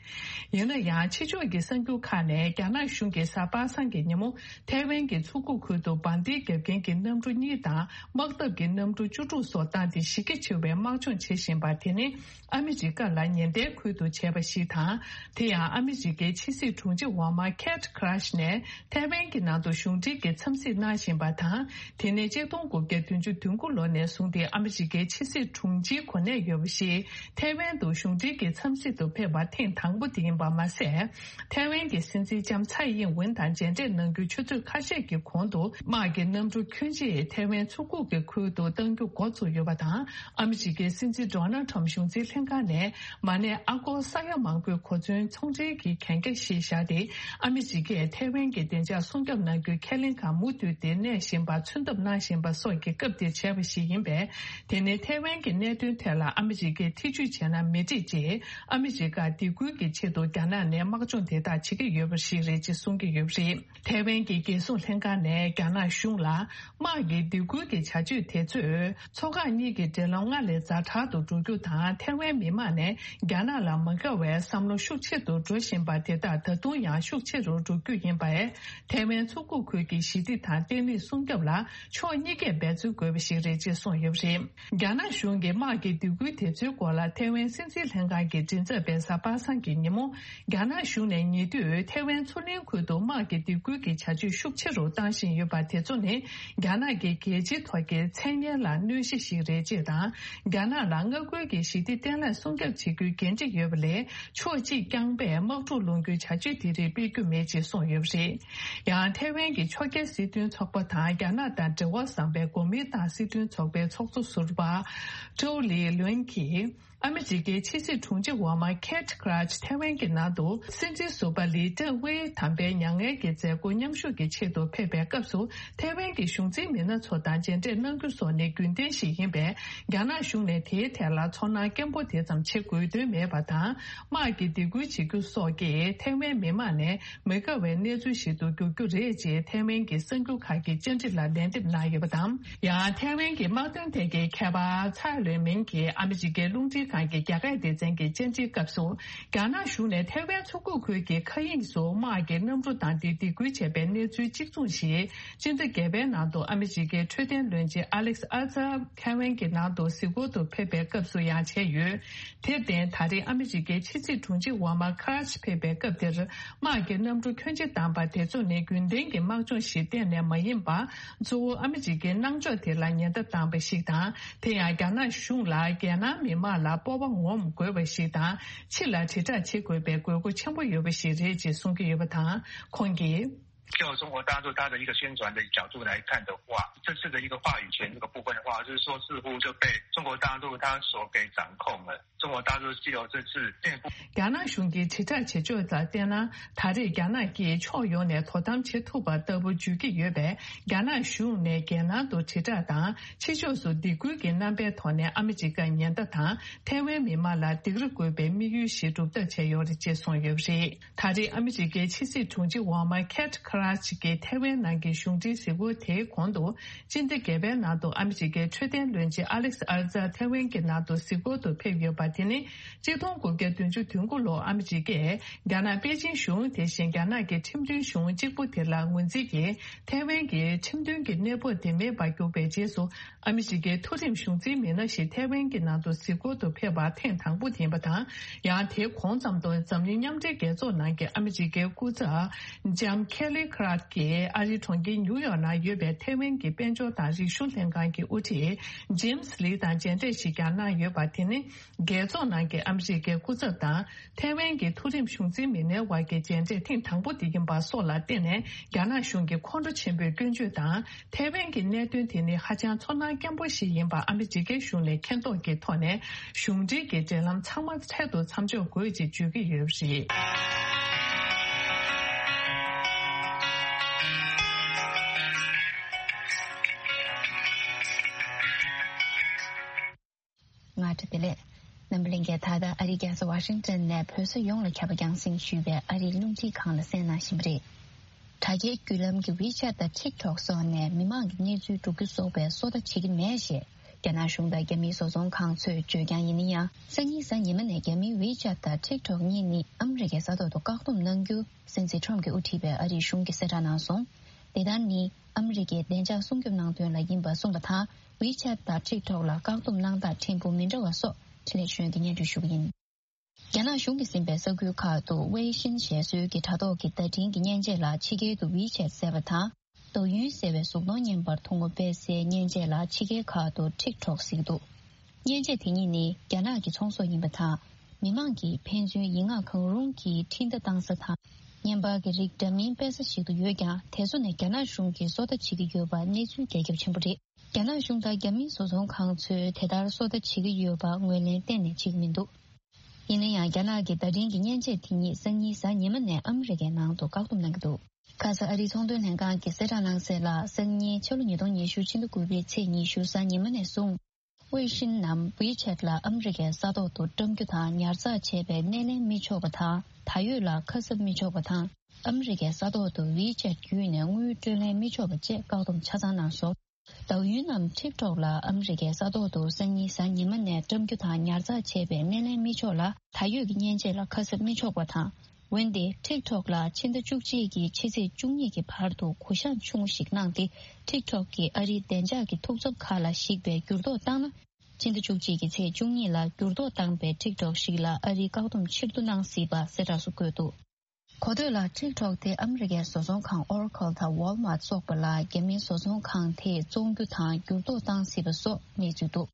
ཡིན་ན་ཡང་། ཕྱི་ཕྱོགས་ཀྱི་གསར་འགྱུར་ཁག་ནས་རྒྱ་ནག་གཞུང་གིས་གཟའ་པ་སངས་ཀྱི་ཉིན་མོ་ཐའེ་ཝན་གྱི་མཚོ་ཁུག་ཁུལ་དུ་འབར་མདེལ་བརྒྱབ་མཁན་གྱི་གནམ་གྲུ་གཉིས་དང་། དམག་འཐབ་ཀྱི་གནམ་གྲུ་བཅུ་དྲུག་སོགས་བཏང་སྟེ་གཞི་རྒྱ་ཆེ་བའི་དམག་སྦྱོང་བྱེད་བཞིན་པ་དེ་ནི། ཨ་མི་རི་ཀ་ལ་ཉེན་བརྡའི་ཁུལ་དུ་བྱས་པ་ཞིག་དང་། དེ་ཡང་ཨ་མི་རི་ཀའི་ཕྱི་སྲིད་དྲུང་ཆེ་འོག་མ་ཁེ་ཊི་ཁི་ར་ཤི་ནས་ཐའེ་ཝན་གྱི་ནང་དུ་གཞུང་འབྲེལ་གྱི་འཚམས་གཟིགས་གནང་བཞིན་པ་དང་། དེ་ནི་ཆིག་སྟོང་དགུ་བརྒྱ་བདུན་ཅུ་དོན་དགུ་ལོ་ནས་བཟུང་སྟེ་ཨ་མི་རི་ཀའི་ཕྱི་སྲིད་དྲུང་ཆེའི་གོ་གནས་ཡོད་པ་ཞིག་ཐའེ་ཝན་དུ་གཞུང་འབྲེལ་གྱི་འཚམས་གཟིགས་སུ་ཕེབས་པ་ཐེངས་དང་པོ་དེ་ཡིན་པ་མ་ཟད། ཐའེ་ཝན་གྱི་སྲིད་འཛིན་ལྕམ་ཚའེ་ཡིན་ཝུན་དང་མཇལ་འཕྲད་གནང་རྒྱུའི་ཆུ་ཚོད་ཁ་ཤས་ཀྱི་གོང་དུ། དམག་གི་གནམ་གྲུ་ཁྱོན་ཆེ་ཐའེ་ཝན་མཚོ་ཁུག་གི་ཁུལ་དུ་གཏང་རྒྱུ་འགོ་བཙུགས་ཡོད་པ་དང་། ཨ་མི་རི་ཀའི་སྲིད་འཛིན་ཌོ་ནལ་ཊམ་གཞུང་འཛིན་ལྷན་ཁང་ནས་མ་གནས་ཨ་སྒོར་ས་ཡ་མང་པོའི་གོ་མཚོན་ཚོང་འབྲེལ་གྱི་གན་རྒྱ་ཞིག་བཞག་སྟེ། ཨ་མི་རི་ཀས་ཐའེ་ཝན་གྱི་བདེ་འཇགས་སྲུང་སྐྱོབ་གནང་རྒྱུའི་ཁས་ལེན་ཁག་མུ་མཐུད་དེ་གནས་བཞིན་པར་མཚོན་ཐབས་གནང་བཞིན་པ་སོགས་ཀྱི་སྐབས་དེར་བྱས་པ་ཞིག་ཡིན་པས། དེ་ནི་ཐའེ་ཝན་གྱི་གནད་དོན་ཐད་ལ་ཨ་མི་རི་ཀས་ཐེ་ཇུས་བྱས་ན་མི་འགྲིག་ཅེས། ཨ་མི་རི་ཀར་སྡིགས་སྐུལ་གྱི་ཆེད་དུ་རྒྱ་ནག་ནས་དམག་སྦྱོང་དེ་དག་བྱེད་ཀྱི་ཡོད་པ་ཞིག་རེད་ཅེས་གསུང་གི་ཡོད་པ་རེད། ཐའེ་ཝན་གྱི་རྒྱལ་སྲུང་ལྷན་ཁང་ནས་རྒྱ་ནག་གཞུང་ལ། དམག་གི་སྡིགས་སྐུལ་གྱི་བྱ་སྤྱོད་དེ་ཚོས། མཚོ་འགག་གཉིས་ཀྱི་འབྲེལ་ལམ་སྔར་ལས་ཛ་དྲག་ཏུ་འགྲོ་རྒྱུ་དང་། ཐའེ་ཝན་མི་མང་ནས་རྒྱ་ནག་ལ་མ་དགའ་བའི་བསམ་བློ་ཤུགས་ཆེ་རུ་འགྲོ་བཞིན་པ་དེ་དག་ད་དུང་ཡང་ཤུགས་ཆེ་རུ་འགྲོ་རྒྱུ་ཡིན་པས། ཐའེ་ཝན་མཚོ་ཁུག་ཁུལ་གྱི་ཞི་བདེ་དང་བརྟན་ལྷིང་སྲུང་སྐྱོབ་ལ་ཕྱོགས་གཉིས་ཀས་འབད་བརྩོན་དགོས་པ་ཞིག་རེད་ཅེས་གསུངས་ཡོད་པ་རེད། རྒྱ་ནག་གཞུང་གིས་དམག་གི་སྡིགས་སྐུལ་དེ་ཚོའི་སྐོར་ལ་ཐའེ་ཝན་སྲིད་འཛིན་ལྷན་ཁང་གི་མགྲིན་ཚབ་པས་གཟའ་པ་སངས་ཀྱི་ཉིན་མོ། རྒྱ་ནག་གཞུང་ནས་ཉེ་དུས་ཐའེ་ཝན་མཚོ་གླིང་ཁུལ་དུ་དམག་གི་སྡིགས་སྐུལ་གྱི་བྱ་སྤྱོད་ཤུགས་ཆེ་རུ་བཏང་བཞིན་ཡོད་པ་དེ་ཚོ་ནི། རྒྱ་ནག་གི་རྒྱལ་སྤྱིའི་ཐོག་གི་མཚན་སྙན་ལ་གནོད་གཞི་ཞིག་རེད་ཅེས་དང་། རྒྱ་ནག་ལ་མངའ་ཁུལ་གྱི་ཞི་བདེ་བརྟན་ལྷིང་སྲུང་སྐྱོབ་བྱེད་རྒྱུའི་འགན་འཁྲི་ཡོད་པ་ལས། ཕྱོགས་གཅིག་རྐྱང་པས་དམག་འཁྲུག་སློང་རྒྱུའི་བྱ་སྤྱོད་དེ་རིགས་སྤེལ་རྒྱུ་མེད་ཅེས་གསུངས་ཡོད་པ་རེད། ཡང་ཐའེ་ཝན་གྱི་ཕྱོགས་འགལ་སྲིད་དོན་ཚོགས་པ་དང་རྒྱ་ནག་དང་འབྲེལ་བ་བཟང་པའི། གོ་མིན་ཏང་སྲིད་དོན་ཚོགས་པའི་ཚོགས་གཙོ་ཟུར་པ་ཀྲོའུ་ལི་ལུན་གྱིས། ཨ་མི་རི་ཀའི་ཕྱི་སྲིད་དྲུང་ཆེ་འོག་མ་ཁེ་ཊི་ཁི་རཱཆ་ཐེ་ཝན་གྱི་ནང་དུ་སྲིད་འཛིན་ཟུར་པ་ལི་ཀྲེང་ཝེ་དམ་པའི་མྱ་ངན་གྱི་མཛད་སྒོ་མཉམ་ཞུགས་ཀྱི་ཆེད་དུ་ཕེབས་པའི་སྐབས་སུ། ཐེ་ཝན་གྱི་གཞུང་འཛིན་མི་སྣ་ཚོ་དང་མཇལ་འཕྲད་གནང་རྒྱུ་སོགས་ནི་རྒྱུན་ལྡན་ཞིག་ཡིན་པས། རྒྱ་ནག་གཞུང་ནས་དེའི་ཐད་ལ་ཚོར་སྣང་སྐྱེན་པོ་དེ་ཙམ་བྱེད་དགོས་དོན་མེད་པ་དང་། དམག་གི་སྡིགས་སྐུལ་བྱེད་རྒྱུ་སོགས་ཀྱིས་ཐེ་ཝན་མི་དམངས་ནས་མི་དགའ་བའི་གནས་ཚུལ་ཞིག་ཏུ་འགྱུར་རྒྱུ་རེད་ཅེས་ཐེ་ཝན་གྱི་གསར་འགྱུར་ཁག་གིས་བཅར་འདྲི་ལ་ལན་འདེབས་གནང་ཡོད་པ་དང་། ཡང་ཐེ་ཝན་གྱི་དམག་དོན་ཐད་ཀྱི་མཁས་པ་ཚའེ་ལུན་མིན་གྱིས་ཨ་མི་རི་ཀའི་རླུང་འཕྲིན་ཁང་གི་རྒྱ་སྐད་སྡེ་ཚན་གྱི་བཅར་འདྲིའི་སྐབས་སུ། རྒྱ་ནག་གཞུང་ནས་ཐེ་ཝན་མཚོ་ཁུག་ཁུལ་གྱི་མཁའ་དབྱིངས་སུ་དམག་གི་གནམ་གྲུ་བཏང་སྟེ་སྡིགས་སྐུལ་བྱས་པའི་གནས་ཚུལ་གཅིག་མཚུངས་ཤིག་སྤྱི་ཟླ་བརྒྱད་པའི་ནང་དུ་ཨ་མི་རི་ཀའི་འཕྲོད་བསྟེན་བློན་ཆེན་ཨ་ལེག་ཨར་ཛར་ཐེ་ཝན་གྱི་ནང་དུ་གཟིགས་སྐོར་དུ་ཕེབས་པའི་སྐབས་སུ་ཡང་བྱས་ཡོད། དེར་བརྟེན། ད་རེས་ཨ་མི་རི་ཀའི་ཕྱི་སྲིད་དྲུང་ཆེ་འོག་མ་ཁ་ར་ཆི་ཕེབས་པའི་སྐབས་དེར། དམག་གི་གནམ་གྲུ་ཁྱོན་ཆེ་བཏང་པ་དེ་ཚོ་ནི་རྒྱུན་ལྡན་གྱི་དམག་སྦྱོང་ཞིག་གཏན་ནས་མ་ཡིན་པར། གཙོ་བོ་ཨ་མི་རི་ཀའི་གནང་ཕྱོགས་དེ་ལ་ཉེན་བརྡ་བཏང་པ་ཞིག་དང་། དེ་ཡང་རྒྱ་ནག་གཞུང་ལ་རྒྱལ་ནང་མི་དམངས་ལ་སྤོབས་པ་ངོམ་དགོས་པ་ཞིག་དང་། ཕྱི་ལ་དྲིལ་བསྒྲགས་བྱེད་དགོས་པའི་དགོས་མཁོ་ཆེན་པོ་ཡོད་པ་ཞིག་རེད་ཅེས་གསུང་གི་ཡོད་པ་དང་། ཁོང་གིས། 就中国大陆它的一个宣传的角度来看的话，这次的一个话语权这个部分的话，就是说似乎就被中国大陆它所给掌控了。中国大陆只有这次内部 རྒྱ་ནག་གཞུང་གིས་དྲིལ་བསྒྲགས་བྱེད་ཕྱོགས་ལ་བལྟས་ན། ད་རེས་རྒྱ་ནག་གིས་ཕྱོགས་ཡོངས་ནས་དོ་དམ་བྱེད་ཐུབ་པ་ལྟ་བུ་བརྗོད་ཀྱི་ཡོད་པས། རྒྱ་ནག་གཞུང་ནས་རྒྱལ་ནང་དུ་དྲིལ་བསྒྲགས་དང་། ཕྱི་ཕྱོགས་སུ་སྡིགས་སྐུལ་གྱི་རྣམ་པའི་ཐོག་ནས་ཨ་མི་རི་ཀར་ཉེན་བརྡ་དང་། ཐའེ་ཝན་མི་དམངས་ལ་སྡིགས་ར་དགོས་པའི་དམིགས་ཡུལ་ཞིག་གྲུབ་ཐབས་བྱས་ཡོད་རེད་ཅེས་གསུངས་ཡོད་པ་རེད། ད་རེས་ཨ་མི་རི་ཀའི་ཕྱི་སྲིད་དྲུང་ཆེ་འོག་མ་ཁེ་ཊི་ཁི་ར་ཆི་གིས་ཐའེ་ཝན་ནང་གི་གཞུང་འབྲེལ་གཟིགས་སྐོར་དེའི་གོང་དུ། སྤྱི་ཟླ་བརྒྱད་པའི་ནང་དུ་ཨ་མི་རི་ཀའི་འཕྲོད་བསྟེན་བློན་ཆེན་ཨ་ལེག་ཨར་ཛར་ཐའེ་ཝན་གྱི་ནང་དུ་གཟིགས་སྐོར་དུ་ཕེབས་ཡོད་པ་དེ་ནི། གཅིག་སྟོང་དགུ་བརྒྱ་བདུན་ཅུ་དོན་དགུ་ལོར་ཨ་མི་རི་ཀས་རྒྱ་ནག་པེ་ཅིན་གཞུང་དེ་བཞིན་རྒྱ་ནག་གི་ཁྲིམས་མཐུན་གཞུང་གཅིག་པུ་དེ་ལ་ངོས་འཛིན་གྱིས། ཐའེ་ཝན་གྱི་ཁྲིམས་མཐུན་གྱི་གནས་བབ་དེ་མེད་པར་གྱུར་པའི་རྗེས་སུ། ཨ་མི་རི་ཀའི་མཐོ་རིམ་གཞུང་འཛིན་མི་སྣ་ཞིག་ཐའེ་ཝན་གྱི་ནང་དུ་གཟིགས་སྐོར་དུ་ཕེབས་པ་ཐེངས་དང་པོ་དེ་ཡིན་པ་དང་། ཡང་དེའི་གོང་ཙམ་དུ་འཛམ་གླིང་མཉམ་འབྲེལ་རྒྱལ་ཚོགས་ནང་གི་ཨ་མི་རི་ཀའི་སྐུ་ཚབ་ལྕམ་ཁེ་ལི་ཁ་ར་ཐི་གིས་ཨ་རིའི་གྲོང་ཁྱེར་ཉིའུ་ཡོག་ནང་ཡོད་པའི་ཐའེ་ཝན་གྱི་དཔལ་འབྱོར་དང་རིག་གཞུང་ལྷན་ཁང་གི་དབུ་ཁྲིད་ཇེམ་སི་ལི་དང་མཇལ་འཕྲད་ཞིག་ཀྱང་གནང་ཡོད་པ་དེ་ནི། རྒྱལ་ཚོགས་ནང་གི་ཨ་མི་རི་ཀའི་སྐུ་ཚབ་དང་། ཐའེ་ཝན་གྱི་མཐོ་རིམ་གཞུང་འཛིན་མི་སྣའི་དབར་གྱི་མཇལ་འཕྲད་ཐེངས་དང་པོ་དེ་ཡིན་པ་སོགས་ལ་བརྟེན་ནས། རྒྱ་ནག་གཞུང་གིས་ཁོང་ཁྲོ་ཆེན་པོས་སྐྱོན་བརྗོད་དང་། ཐའེ་ཝན་གྱི་གནད་དོན་དེ་ནི་ཧ་ཅང་ཚོར་སྣང་སྐྱེན་པོ་ཞིག་ཡིན་པ་ཨ་མི་རི་ཀའི་གཞུང་ནས་མཁྱེན་རྟོགས་ཀྱི་ཐོག་ནས། གཞུང་འབྲེལ་གྱི་འབྲེལ་ལམ་ཚང་མ་འཕྲལ་དུ་མཚམས་འཇོག་དགོས་ཅེས་བརྗོད་ཀྱི་ཡོད་པ་རེད། ང་ཏྲ་བདེ་ལེགས། རྣམ་པ་ལྷན་རྒྱས། ད་ལྟ་ཨ་རིའི་རྒྱལ་ས་ཝ་ཤིང་ཏོན་ནས་བོད་ས་ཡོངས་ལ་ཁྱབ་པ་རྒྱང་སྲིང་ཞུས་པའི་ཨ་རིའི་རླུང་འཕྲིན་ཁང་ལ་གསན་གནང་བཞིན་པ་རེད། དྲ་རྒྱའི་བརྒྱུད་ལམ་གྱི་ཝི་ཆེ་ཊི་དང་ཊིག་ཊོག་སོགས་ནས་མི་མང་གི་གནས་ཚུལ་སྒྲུག་རྒྱུ་སོགས་པའི་སོ་ལྟ་བྱེད་ཀྱི་མེད་ཞེས། རྒྱ་ནག་གཞུང་དང་རྒྱ་མིའི་བཟོ་ཚོང་ཁང་ཚོས་བརྗོད་རྐྱང་ཡིན་ན་ཡང་། སང་ཉིན་གཟའ་ཉི་མ་ནས་རྒྱ་མིའི་ཝི་ཆེ་ཊི་དང་ཊིག་ཊོག་གཉིས་ནི་ཨ་མི་རི་ཀའི་ས་ཐོག་ཏུ་བཀག་སྡོམ་གནང་རྒྱུ། སྲིད་འཛིན་ཁྲོམ་གྱིས་དབུ་ཁྲིད་པའི་ཨ་རིའི་གཞུང་གིས་གསལ་བསྒྲགས་གནང་སོང་། དེ་ལྟར་ནི། ཨ་མི་རི་ཀའི་བདེ་འཇགས་སྲུང་སྐྱོབ་གནང་དོན་ལ་ཡིན་པ་གསུངས་པ་དང་། ཝི་ཆེ་ཊི་དང་ཊིག་ཊོག་ལ་བཀག་སྡོམ་གནང་སྟངས་ཕྲན་བུ་མི་འདྲ་བ་སོགས་འཕྲིན་ལས་གཞུང་གིས་སྙན་སྒྲོན་ཞུ་གི་ཡིན། རྒྱ་ནག་གཞུང་གིས་ཟིན་པའི་ས་ཁུལ་ཁག་ཏུ་ཝེ་ཤིན་ཞེས་སོའི་གི་དྲ་ཐོག་གི་བརྡ་འཕྲིན་གྱི་མཉེན་ཆས་ལ་ཕྱི་རྒྱལ་དུ་ཝི་ཆེ་ཊི་ཟེར་བ་དང་། ཏོའུ་ཡུན་ཟེར་བའི་གཟུགས་མཐོང་བརྙན་པར་ཐུང་ངུ་སྤེལ་སའི་མཉེན་ཆས་ལ་ཕྱི་རྒྱལ་ཁག་ཏུ་ཊིག་ཊོག་ཟེར་གྱི་འདུག་མཉེན་ཆས་དེ་གཉིས་ནི་རྒྱ་ནག་གི་ཚོང་ཟོག་ཡིན་པ་དང་། མི་མང་གིས་ཕན་ཚུན་ཡིག་ངག་གང་རུང་གིས་འཕྲིན་བརྡ་བཏང་ས་དང་། བརྙན་པར་གྱི་རིགས་འདྲ་མིན་སྤེལ་ས་ཞིག་ཏུ་ཡོད་ཀྱང་། དེ་ཚོ་ནས་རྒྱ་ནག་གཞུང་གིས་སོ་ལྟ་བྱེད་ཀྱི་ཡོད་པ་གནས་ཚུལ་རྒྱ་ཁྱབ་ཆེན་པོ་རེད། རྒྱ་ནག་གཞུང་དང་རྒྱ་མིའི་བཟོ་ཚོང་ཁང་ཚོས་དེ་ལྟར་སོ་ལྟ་བྱེད་ཀྱི་ཡོད་པ་ངོས་ལེན་གཏན་ནས་བྱེད་ཀྱི་མི་འདུག་ཡིན་ན་ཡང་། རྒྱ་ནག་གི་བརྡ་འཕྲིན་གྱི་མཉེན་ཆས་དེ་ཉིད་སང་ཉིན་གཟའ་ཉི་མ་ནས་ཨ་མི་རི་ཀའི་ནང་དུ་བཀག་སྡོམ་གནང་གི་འདུག་ཁ་ས་ཨ་རིའི་ཚོང་དོན་ལྷན་ཁང་གིས་གསལ་བསྒྲགས་གནང་གསལ་ལ། སང་ཉིན་ཕྱི་ལོ་ཉིས་སྟོང་ཉི་ཤུ་ཕྱི་ཟླ་དགུ་པའི་ཚེས་ཉི་ཤུ་གཟའ་ཉི་མ་ནས་བཟུང་། ཝེ་ཤིན་ནམ་ཝི་ཆེ་ཊི་ལ་ཨ་མི་རི་ཀའི་ས་ཐོག་ཏུ་བཀྲམ་རྒྱུ་དང་ཉར་ཚགས་བྱས་པའི་སྣེ་ལེན་མི་ཆོག་པ་དང་། ད་ཡོད་ལ་ཁ་གསབ་མི་ཆོག་པ་དང་། ཨ་མི་རི་ཀའི་ས་ཐོག་ཏུ་ཝི་ཆེ་ཊི་བརྒྱུད་ནས་དངུལ་སྤྲོད་ལེན་མི་ཆོག་པ་བཅས་བཀག་སྡོམ་ཆ་ཚང་གནང་སོང་། ཏའོ་ཡུན་ནམ་ཊིག་ཊོག་ལ་ཨ་མི་རི་ཀའི་ས་ཐོག་ཏུ་སང་ཉིན་གཟའ་ཉི་མ་ནས་བཀྲམ་རྒྱུ་དང་ཉར་ཚགས་བྱས་པའི་སྣེ་ལེན་མི་ཆོག་ལ། ད་ཡོད་ཀྱི་མཉེན་ཆས་ལ་ཁ་གསབ་མི་ཆོག་པ་དང་། འོན་ཏེ། ཊིག་ཊོག་ལ་ཕྱི་ཟླ་བཅུ་གཅིག་གི་ཕྱི་ཚེས་བཅུ་གཉིས་ཀྱི་བར་དུ་གུ་བཤངས་ཆུང་ངུ་ཞིག་གནང་སྟེ། ཊིག་ཊོག་གིས་ཨ་རིའི་བདེ་འཇགས་ཀྱི་ཐུགས་འཚབ་ཁག་ལ་གཞིགས་པའི་འགྱུར་ལྡོག་བཏང་ན། ཕྱི་ཟླ་བཅུ་གཅིག་གི་ཚེས་བཅུ་གཉིས་ལ་འགྱུར་ལྡོག་བཏང་པའི་ཊིག་ཊོག་ཞིག་ལ་ཨ་རིའི་བཀག་སྡོམ་ཕྱིར་བསྡུ་གནང་སྲིད་པ་གསལ་བསྒྲགས་སུ་བཀོད་འདུག་གོ་ཐོས་ལ། ཊིག་ཊོག་དེ་ཨ་མི་རི་ཀའི་བཟོ་ཚོང་ཁང་ཨོ་ར་ཁལ་དང་ཝོལ་མཱར་ཊི་སོགས་པ་ལ་རྒྱ་མིའི་བཟོ་ཚོང་ཁང་དེས་བཙོང་རྒྱུ་དང་འགྱུར་ལྡོག་བཏང་སྲིད་པ་སོགས་གནས་ཚུལ་འདུག་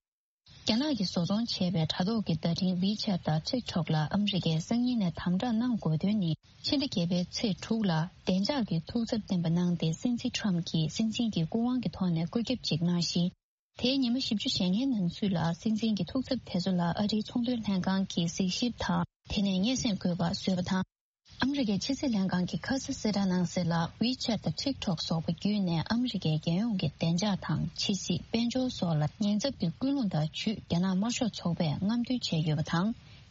རྒྱ་ནག་གིས་བཟོ་ཚོང་བྱས་པའི་དྲ་ཐོག་གི་བརྡ་འཕྲིན་WeChat་དང་TikTok་ལ་ཨ་མི་རི་ཀས་སང་ཉིན་ནས་དམ་དྲག་གནང་དགོས་དོན་ནི། ཕྱི་ཟླ་བརྒྱད་པའི་ཚེས་དྲུག་ལ་བདེ་འཇགས་ཀྱི་ཐུགས་འཚབ་བཏོན་པ་གནང་སྟེ། སྲིད་འཛིན་ཁྲོམ་གྱིས་སྲིད་འཛིན་གྱི་སྐུ་དབང་གི་ཐོག་ནས་བཀོད་ཁྱབ་ཅིག་གནང་ཞིང་། དེའི་ཉི་མ་བཞི་བཅུ་ཞེ་ལྔའི་ནང་ཚུད་ལ་སྲིད་འཛིན་གྱི་ཐུགས་འཚབ་དེ་ཚོ་ལ་ཨ་རིའི་ཚོང་དོན་ལྷན་ཁང་གིས་གཟིགས་ཞིབ་དང་། དེ་ནས་སྙན་སེང་དགོས་པ་བཟོས་པ་དང་། ཨ་མི་རི་ཀའི་ཕྱི་སྲིད་ལྷན་ཁང་གིས་ཁ་ས་གསལ་བསྒྲགས་གནང་གསལ་ལ། WeChat་དང་TikTok་སོགས་པ་བརྒྱུད་ནས་ཨ་མི་རི་ཀའི་རྒྱལ་ཡོངས་ཀྱི་བདེ་འཇགས་དང་། ཕྱི་སྲིད། དཔལ་འབྱོར་སོགས་ལ་ཉེན་ཚབས་ཀྱི་ཀུན་སློང་དང་ཇུས་རྒྱ་ནག་དམར་ཤོག་ཚོགས་པས་རྔམ་སྟོན་བྱས་ཡོད་པ་དང་།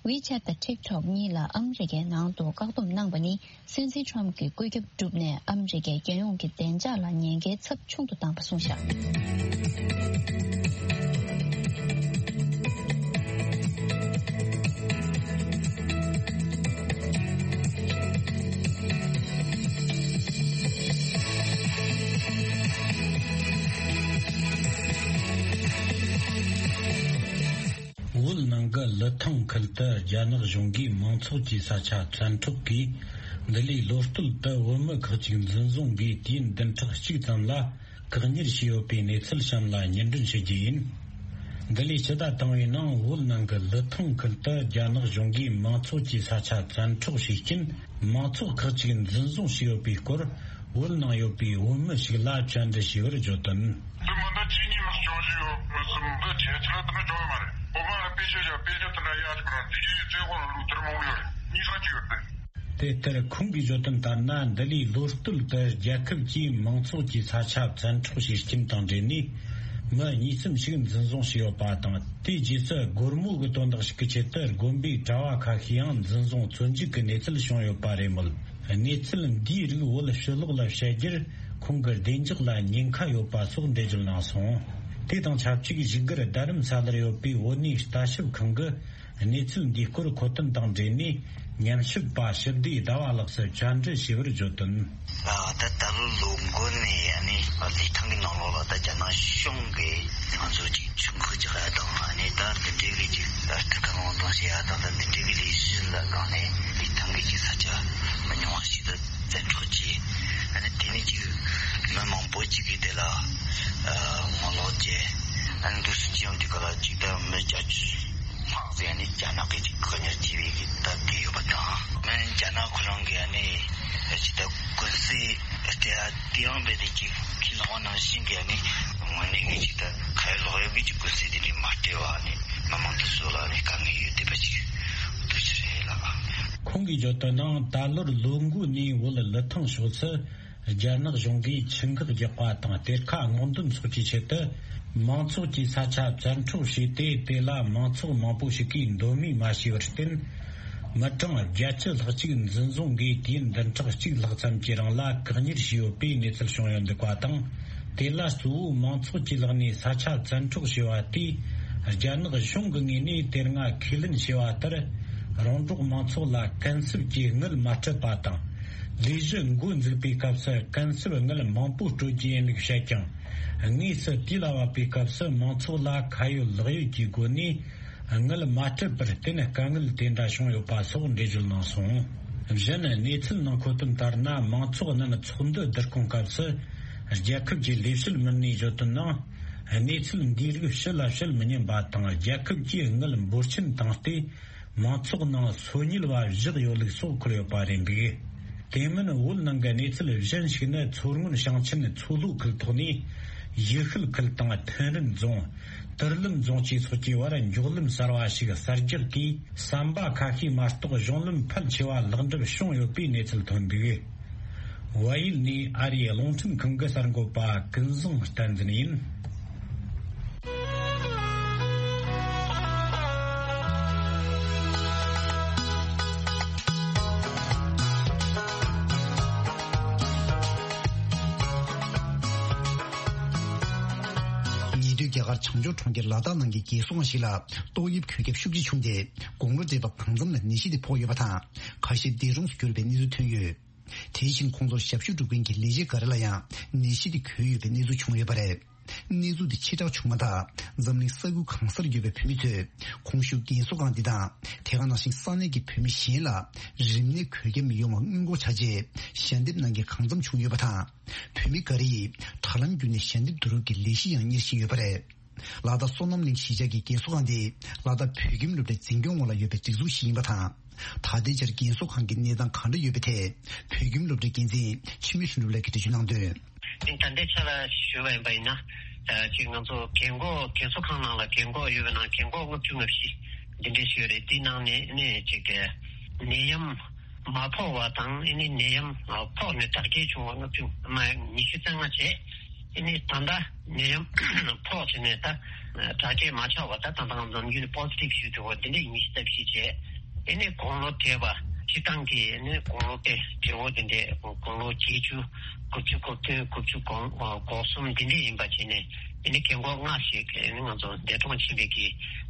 WeChat་དང་TikTok་གཉིས་ལ་ཨ་མི་རི་ཀའི་ནང་དུ་བཀག་སྡོམ་གནང་པ་ནི། སྲིད་འཛིན་ཁྲོམ་གྱི་བཀོད་ཁྱབ་བསྒྲུབས་ནས་ཨ་མི་རི་ཀའི་རྒྱལ་ཡོངས་ཀྱི་བདེ་འཇགས་ལ་ཉེན་ཁའི་ཚབས་ཆུང་དུ་བཏང་པ་གསུངས་བཞག། བོད་ནང་གི་ལི་ཐང་ཁུལ་དུ་རྒྱ་ནག་གཞུང་གིས་མང་ཚོགས་ཀྱི་ས་ཆ་བཙན་འཕྲོག་གིས། འདི་ལོའི་ལོ་སྟོད་དུ་བོད་མི་ཁག་ཅིག་འཛིན་བཟུང་གིས་དུས་ཡུན་བདུན་ཕྲག་གཅིག་ཙམ་ལ་བཀག་ཉར་བྱས་ཡོད་པའི་གནས་ཚུལ་གཤམ་ལ་སྙན་སྒྲོན་ཞུ་རྒྱུ་ཡིན། འདི་ལོའི་སྤྱི་ཟླ་དང་པོའི་ནང་བོད་ནང་གི་ལི་ཐང་ཁུལ་དུ་རྒྱ་ནག་གཞུང་གིས་མང་ཚོགས་ཀྱི་ས་ཆ་བཙན་འཕྲོག་བྱས་རྐྱེན། མང་ཚོགས་ཁག་ཅིག་འཛིན་བཟུང་བྱས་ཡོད་པའི་སྐོར། བོད་ནང་ཡོད་པའི་བོད་མི་ཞིག་ལ་བཅར་འདྲི་ཞུས་པར་བརྗོད་དོན། འདི་མི་འདི་ཅི་ཉིད་མི་སྐྱོང་བཞིན་ཡོད་མི་སུམ་འདི་ཁྱེད་ཚོ་ལ་དེ་འདྲ་འཇོག་ཡོད་མ་རེད། བོད་མི་ལ་དཔེ་ཆ་བཞག་དཔེ་ཆ་དེ་འདྲ་ཡག་ཅིག་རང་དེ་ཡིས་ཚེ་དབང་ལུགས་དེར་མང་པོ་ཡོད་རེད། གཉིས་ས་ཅིག་ཡོད་རེད། དེ་ལྟར་ཁོང་གིས་བརྗོད་དོན་ལྟར་ན། འདི་ལོའི་ལོ་སྟོད་དུ་རྒྱལ་ཁབ་ཀྱིས་མང་ཚོགས་ཀྱི་ས་ཆ་བཙན་འཕྲོག་བྱེད་རྐྱེན་དང་འབྲེལ་ནས་མི་གཉིས་གསུམ་ཞིག་འཛིན་བཟུང་བྱས་ཡོད་པ་དང་། དེའི་རྗེས་སུ་སྒོར་མོ་གི་དོན་དག་ཞིག་གི་ཆེད་དུ་དགོན་པའི་གྲྭ་བ་ཁ་ཤས་ཡང་འཛིན་བཟུང་བཙོན་འཇུག་གི་གནས་ཚུལ་བྱུང་ཡོད་པ་རེད་མོད། གནས་ཚུལ་འདིའི་རིགས་བོད་ཕྱི་ལོགས་ལ་བཤད་རྒྱུར་ཁོང་གི་བདེ་འཇགས་ལ་ཉེན་ཁ་ཡོད་པ་སོགས་འགྲེལ་བརྗོད་གནང་སོང་། དེ་དང་ཆབས་ཅིག་བཞུགས་སྒར་རྡ་རམ་ས་ལར་ཡོད་པའི་བོད་གནས་ལྟ་ཞིབ་ཁང་གི་གནས་ཚུལ་འདིའི་སྐོར་མཁོ་བསྟུན་དང་འབྲེལ་ནས་ཉམས་ཞིབ་པ་ཞི་བདེ་ཟླ་བ་ལགས་སུ་བཅར་འདྲི་ཞུས་པར་བརྗོད་དོན། ད་ད་ལོ་ལོ་འགོ་ནས་ཨ་ནི་ལི་ཐང་གི་ནང་ལོགས་ལ་ད་རྒྱ་ནག་གཞུང་གིས་ང་ཚོ་ཅིག་ཆུང་ཁུག་ཅིག་ཡ་དང་ཨ་ནི་ད་འདི་འདྲའི་གི་ཅིག་ལྟ་སྐུལ་གང་དང་བྱེད་ཡ་དང་ད་འདི་འདྲའི་གི་ལས་གཞི་ལ་སྒང་ནས་ལི་ཐང་གི་ཅིག་ས་ཆ་མི་ཉུང་བ་ཞིག་ཏུ་བཙན་འཕྲོག་བྱས། ཨ་ནི་དེ་ནས་ཅིག་མི་མང་པོ་ཅིག་གིས་དེ་ལ་ངོ་ལོག་བྱས། ཨ་ནི་འདུག་སེ་ཅིག་ཡང་དེ་ག་ལ་ཅིག་ད་མི་བརྒྱད་ཅུ་ལྷག་ཙམ་ཨ་ནི་རྒྱ་ནག་གིས་ཅིག་བཀག་ཉར་བྱས་པའི་གི་ད་དེ་ཡོད་པ་དང་། ཨ་ནི་རྒྱ་ནག་ཁོ་རང་གིས་ཨ་ནི་ཅིག་ད་ཀུན་གསལ་སྤྲད་ཡ་དེ་ཡང་རྦད་དེ་ཅིག་ཁས་བླངས་པ་ནང་བཞིན་གྱི་ཨ་ནི་དངོས་གནས་གི་ཅིག་ད་ཁ་ཡ་ལོག་ཡ་གི་ཅིག་ཀུན་གསལ་དེ་འདྲའི་མ་སྤྲད་པ་ཨ་ནི་མི་མང་དེ་ཚོ་ལ་ཨ་ནི་དཀའ་ངལ་ཡོད་བསྡད་པ་ཅིག་འདུག་ཅི་རེད་ལགས། ཁོང་གིས་བརྗོད་དོན་ནང་ད་ལོར་ལོ་འགོ་ནས་བོད་ལི་ཐང་ཕྱོགས་སུ་རྒྱ་ནག་གཞུང་གིས་ཆུ་འགག་རྒྱག་པ་དང་གཏེར་ཁ་སྔོག་འདོན་སོགས་ཀྱི་ཆེད་དུ་མང་ཚོགས་ཀྱི་ས་ཆ་བཙན་འཕྲོག་བྱས་ཏེ། དེ་ལ་མང་ཚོགས་མང་པོ་ཞིག་གིས་མདོ་མི་མ་བྱས་པར་བརྟེན། མི་གྲངས་བརྒྱད་ཅུ་ལྷག་ཅིག་འཛིན་བཟུང་གིས་དུས་ཡུན་བདུན་ཕྲག་གཅིག་ལྷག་ཙམ་གྱི་རིང་ལ་བཀག་ཉར་བྱས་ཡོད་པའི་གནས་ཚུལ་བྱུང་ཡོད་འདུག་པ་དང་། དེ་ལ་གཙོ་བོ་མང་ཚོགས་ཀྱི་ལག་ནས་ས་ཆ་བཙན་འཕྲོག་བྱས་པ་དེས་རྒྱ་ནག་གཞུང་གི་ངོས་ནས་དེ་སྔ་ཁས་ལེན་བྱས་པ་ལྟར་རོང་འབྲོག་མང་ཚོགས་ལ་གུན་གསབ་ཀྱི་དངུལ་མ་སྤྲད་པ་དང་། ལས་གཞི་འགོ་འཛུགས་པའི་སྐབས་སུ་གུན་གསབ་དངུལ་མང་པོ་སྤྲོད་རྒྱུ་ཡིན་ལུགས་བཤད་ཀྱང་། དངོས་སུ་དུས་ལ་བབ་པའི་སྐབས་སུ་མང་ཚོགས་ལ་ཁ་ཡོད་ལག་ཡོད་ཀྱི་སྒོ་ནས་དངུལ་མ་སྤྲད་པར་བརྟེན་དཀའ་ངལ་དེ་འདྲ་བྱུང་ཡོད་པ་སོགས་འགྲེལ་བརྗོད་གནང་སོང་། གཞན་གནས་ཚུལ་ནང་མཁོ་དོན་ལྟར་ན། མང་ཚོགས་རྣམས་ཚོགས་འདུ་བསྡུ་སྐོང་སྐབས་སུ་རྒྱལ་ཁབ་ཀྱི་ལས་བྱེད་མི་སྣས་བརྗོད་དོན་ནང་། གནས་ཚུལ་འདིའི་རིགས་ཕྱི་ལ་བཤད་མི་ཉན་པ་དང་། རྒྱལ་ཁབ་ཀྱིས་དངུལ་འབོར་ཆེན་བཏང་སྟེ་མང་ཚོགས་ནང་སོ་ཉུལ་བ་བཞག་ཡོད་ལུགས་སོགས་འཁོད་ཡོད་པ་རེད་འདུག། དེ་མིན་བོད་ནང་གི་གནས་ཚུལ་གཞན་ཞིག་ནི། མཚོ་སྔོན་ཞིང་ཆེན་མཚོ་ལྷོ་ཁུལ་ཐོག་ནས་ཡུལ་ཤུལ་ཁུལ་དང་ཐེན་རིན་རྫོང་། ཏུར་ལིན་རྫོང་བཅས་སོགས་ཀྱི་བར་མགྱོགས་ལམ་གསར་བ་ཞིག་གསར་རྒྱག་གིས་ཟམ་པ་ཁ་ཤས་མ་གཏོགས་གཞུང་ལམ་ཕལ་ཆེ་བ་ལེགས་འགྲུབ་བྱུང་ཡོད་པའི་གནས་ཚུལ་ཐོན་འདུག། བལ་ཡུལ་ནས་ཨ་རིའི་རླུང་འཕྲིན་ཁང་གི་གསར་འགོད་པ་ཀུན་བཟང་བསྟན་འཛིན་ཡིན། ཉེ་དུས་རྒྱ་གར་བྱང་ཕྱོགས་གྲོང་ཁྱེར་ལ་དྭགས་ནང་གི་རྒས་གསོ་ཁང་ཞིག་ལ་ཏོག་དབྱིབས་གོད་ཁྱབ་ཤུགས་ཆེ་བྱུང་སྟེ། དགུང་ལོ་བགྲེས་པ་གང་འཚམ་ལ་ནད་གཞི་དེ་ཕོག་ཡོད་པ་དང་། ཁ་ཤས་འདས་གྲོངས་སུ་གྱུར་པའི་གནས་ཚུལ་ཐོན་ཡོད། དེ་བཞིན་ཁོང་ཚོར་ཞབས་ཞུ་སྒྲུབ་མཁན་གྱི་ལས་བྱེད་འགའ་རེ་ལ་ཡང་ནད་གཞི་དེ་འགོས་ཡོད་པའི་གནས་ཚུལ་བྱུང་ཡོད་པ་རེད། གནས་ཚུལ་དེ་ཕྱིར་བསྒྲགས་བྱུང་མ་ཐག་འཛམ་གླིང་ས་ཁུལ་གང་སར་ཡོད་པའི་བོད་མི་ཚོས་གོང་ཞུས་རྒས་གསོ་ཁང་འདི་དང་། དེ་ག་ནང་བཞིན་ས་གནས་ཀྱི་བོད་མི་གཞན་ལ་རིམས་ནད་འགོས་ཁྱབ་མི་ཡོང་བ་སྔོན་འགོག་བྱ་ཆེད་ཞལ་འདེབས་གནང་མཁན་གང་འཚམ་བྱུང་ཡོད་པ་དང་། བོད་མི་འགའ་རེ་ཡིས་དྲ་ལམ་བརྒྱུད་ནས་ཞལ་འདེབས་བསྡུ་རུབ་ཀྱི་ལས་གཞི་ཡང་གཉེར་བཞིན་ཡོད་པ་རེད། ལ་དྭགས་བསོད་ནམས་གླིང་གཞིས་ཆགས་ཀྱི་རྒན་གསོ་ཁང་དེ་ལ་དྭགས་བོད་ཁྱིམ་སློབ་གྲྭའི་འཛིན་སྐྱོང་འོག་ལ་ཡོད་པའི་སྒྲིག་འཛུགས་ཤིག་ཡིན་པ་དང་། ད་ལྟའི་ཆར་རྒན་གསོ་ཁང་གི་གནས་སྟངས་ག་འདྲ་ཡོད་པའི་ཐད། བོད་ཁྱིམ་སློབ་གྲྭའི་འགན་འཛིན་འཆི་མེད་ལྷུན་གྲུབ་ལགས་ཀྱིས་འགྲེལ་བརྗོད་གནང་དོན། ད་ལྟའི་ཆ་ལ་ཞུས་པ་ཡིན་པ་ཡིན་ན། ཅིག་ང་ཚོ་རྒན་གོག་རྒན་གསོ་ཁང་ནང་ལ་རྒན་གོག་ཡོད་པའི་ནང་རྒན་གོག་ལྔ་བཅུ་ང་བཞི་འདི་འདྲས་ཞིག་ཡོད་རེད། འདི་ནང་ནས་ནས་ཅིག་ནད་ཡམས་མ་ཕོག་པ་དང་ཨེ་ནི་ནད་ཡམས་ཕོག་ནས་དྲག་སྐྱེད་བྱུང་བ་ལྔ་བཅུ་ང་ཉི་ཤུ་རྩ་ལྔ་བྱས། ཨེ་ནི་ད་ལྟ་ནད་ཡམས་ཕོག་བྱས་ནས་ད་དྲག་སྐྱེད་མ་ཆགས་པ་ད་ད་ལྟ་ང་ཚོ་ནམ་རྒྱུན་ནས་པོ་སི་ཊིབ་ཞིག་འགྲོ་བ་འདི་འདྲས་ཉི་ཤུ་རྩ་བཞི་བྱས། ཨེ་ནི་དགུང་ལོ་བགྲེས་པ་སྤྱིར་བཏང་གི་ཨེ་ནི་དགུང་ལོ་དེ་བགྲེས་པོ་དེ་འདྲས་དགུང་ལོ་བརྒྱད་ཅུ་དགུ་བཅུ་གོ་བདུན་དགུ་བཅུ་གོ་གོ་གསུམ་དེ་འདྲས་ཡིན་པ་བྱས་ནས་ཨེ་ནི་རྒན་གོག་ལྔ་ཞིག་ཨེ་ནི་ང་ཚོ་འདས་གྲོངས་ཕྱིན་པའི་གི་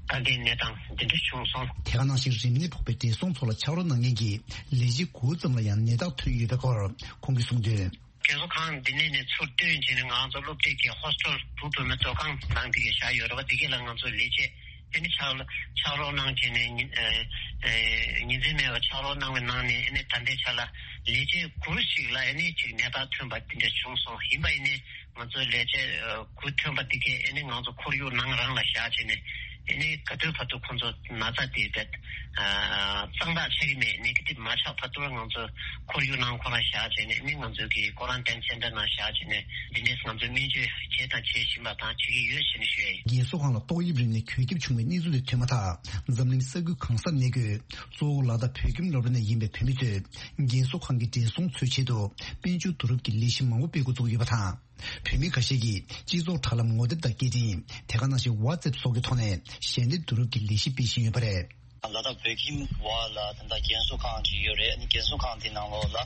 ད་ལྟའི་གནས་སྟངས་དེ་འདྲ་བྱུང་སོང་། དེ་ག་ནང་བཞིན་རིམས་ནད་ཕོག་པའི་བགྲེས་སོང་ཚོ་ལ་ཕྱག་རོགས་གནང་མཁན་གྱི་ལས་བྱེད་དགུ་ཙམ་ལ་ཡང་ནད་རྟགས་ཐོན་ཡོད་པའི་སྐོར་ཁོང་གིས་གསུངས་དོན། རྒན་གསོ་ཁང་འདི་ནས་ནས་ཚུར་བཏོན་བྱས་ནས་ང་ཚོ་སློབ་གྲྭའི་གི་ཧོ་སི་ཊེལ་བུ་བུ་མོའི་སྡོད་ཁང་ནང་དེ་གའི་བཞག་ཡོད་རེད་བ། དེ་གའི་ལ་ང་ཚོ་ལས་བྱེད་ཨེ་ནི་ཕྱག་ཕྱག་རོགས་གནང་བྱས་ནས་ཉིན་ཨེ་ཨེ་ཉིན་མཚན་མེད་པར་ཕྱག་རོགས་གནང་བའི་ནང་ནས་ཨེ་ནི་ད་ལྟའི་ཆ་ལ་ལས་བྱེད་དགུ་ཞིག་ལ་ཨེ་ནི་ཅིག་ནད་རྟགས་ཐོན་པ་དེ་འདྲ་བྱུང་སོང་། ཡིན་པ་ཡིན་ནའི་ང་ཚོ་ལས་བྱེད་ཨ་དགུ་ཐོན་པ་དེ་གའི་ཨེ་ནི་ང་ཚོ་ཁོར་ཡུག་ནང་རང་ལ་བཞག་བྱས་ནས་ཨེ་ནི་ག་དུས་བར་དུ་ཁོ་ཚོ་ན་ཚ་དེ་བེད་ཨ་གཙང་དག་ཆགས་ཀྱི་མེད། ནེ་གེ་ཊིབ་མ་ཆགས་བར་དུ་ང་ཚོ་ཁོར་ཡུག་ནང་ཁོ་རང་བཞག་བྱས་ནས་ནི་ང་ཚོ་གི་ཀོ་རན་ཊིན་སེན་ཊར་ནང་བཞག་བྱས་ནས་འདི་འདྲས་ང་ཚོ་སྨན་བཅོས་བྱས་དང་བྱེད་བཞིན་པ་དང་བྱེད་ཀྱི་ཡོད་ཅེས་ནས་ཞུས་ཡིན། རྒན་གསོ་ཁང་ལ་ཏོག་དབྱིབས་རིམས་ནད་འགོས་ཁྱབ་བྱུང་བའི་གནས་ཚུལ་དེ་ཐོན་མ་ཐག་འཛམ་གླིང་ས་ཁུལ་གང་སར་གནས་འཁོད་གཙོ་བོ་ལ་དྭགས་བོད་ཁྱིམ་སློབ་གྲྭ་ནས་ཡིན་པའི་བོད་མི་ཚོས་རྒན་གསོ་ཁང་གི་བགྲེས་སོང་ཚོའི་ཆེད་དུ་དཔལ་འབྱོར་བསྡུ་རུབ་ཀྱི་ལས་གཞི་མང་པོ་སྤེལ་འགོ་བཙུགས་ཡོད་པ་དང་། བོད་མི་ཁ་ཤས་ཀྱིས་སྤྱི་ཚོགས་དྲ་ལམ་ངོ་དེབ་དང་སྐད་འཕྲིན་དེ་ག་ནང་བཞིན་ཝ་ཙེབ་སོགས་ཀྱི་ཐོག་ནས་ཞལ་འདེབས་བསྡུ་རུབ་ཀྱི་ལས་གཞི་སྤེལ་བཞིན་ཡོད་པ་རེད། ལ་དྭགས་བོད་ཁྱིམ་བ་ལ་ད་ལྟ་རྒན་གསོ་ཁང་ཅིག་ཡོད་རེད། ཨ་ནི་རྒན་གསོ་ཁང་དེ་ནང་ལོགས་ལ་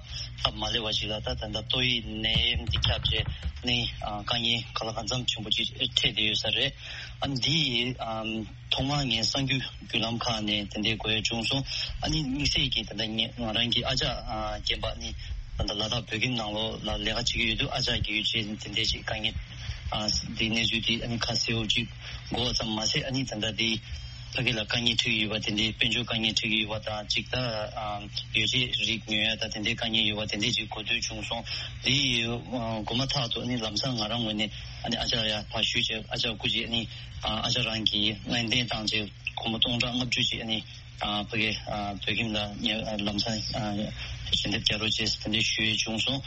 སྟབས་མ་ལེགས་པ་ཅིག་ལ་ད་ད་ལྟ་ཏོག་དབྱིབས་ནད་ཡམས་འདི་ཁྱབ་བྱས་ནི་ཨ་དཀའ་ངལ་ག་ལ་གང་འཚམ་ཆེན་པོ་ཅིག་འཕྲད་བསྡད་ཡོད་ས་རེད། ཨ་ནི་འདི་ཨམ་ཐོག་མར་ངས་གསར་འགྱུར་བརྒྱུད་ལམ་ཁག་ནས་དེ་འདྲའི་གོ་ཡ་བྱུང་སོང་། ཨ་ནི་དམིགས་བསལ་གྱིས་ད་ལྟ་ངས་ང་རང་གི་ཨ་ཅག་ཨ་རྒན་པ་ནི་ད་ལྟ་ལ་དྭགས་བོད་ཁྱིམ་ནང་ལོགས་ལ་ལས་ཀ་བྱེད་ཀྱི་ཡོད་དུས་ཨ་ཅག་གི་ཡོད་ཅེས་དེ་འདྲའི་ཅིག་དཀའ་ངལ་ཨ་འདི་གནས་ཚུལ་འདི་ཨ་ནི་ཁ་གསལ་པོ་ཅིག་གོ་བ་ཙམ་མ་ཟད། ཨ་ནི་ད་ལྟ་འདི་ཕ་གི་ལ་དཀའ་ངལ་འཕྲད་ཀྱི་ཡོད་པ་དེ་འདྲའི་དཔལ་འབྱོར་དཀའ་ངལ་འཕྲད་ཀྱི་ཡོད་པ་དང་གཅིག་ད་ཨ་ཡོ་བྱད་རིགས་ཉོ་ཡ་ད་དེ་འདྲའི་དཀའ་ངལ་ཡོད་པ་དེ་འདྲའི་ཅིག་གོ་ཐོས་བྱུང་སོང་། འདི་ཨ་གོ་མ་ཐག་ཏུ་ཨ་ནི་ལམ་སང་ང་རང་ངོས་ནས་ཨ་ནི་ཨ་ཅག་ཡ་ཕར་ཞུས་བྱས་ཨ་ཅག་སྐུ་མཁྱེན་ཨ་ནི་ཨ་ཅག་རང་གིས་སྨན་བསྟེན་བཏང་བྱས་སྒོར་མོ་སྟོང་ཕྲག་ལྔ་བཅུ་ཅིག་ཨ་ནི་ཨ་ཕ་གི་ཨ་བོད་ཁྱིམ་ལ་ངས་ཨ་ལམ་སང་ཨ་ཞལ་འདེབས་རྒྱག་རོགས་བྱས་དེ་འདྲ་ཞུས་བྱུང་སོང་།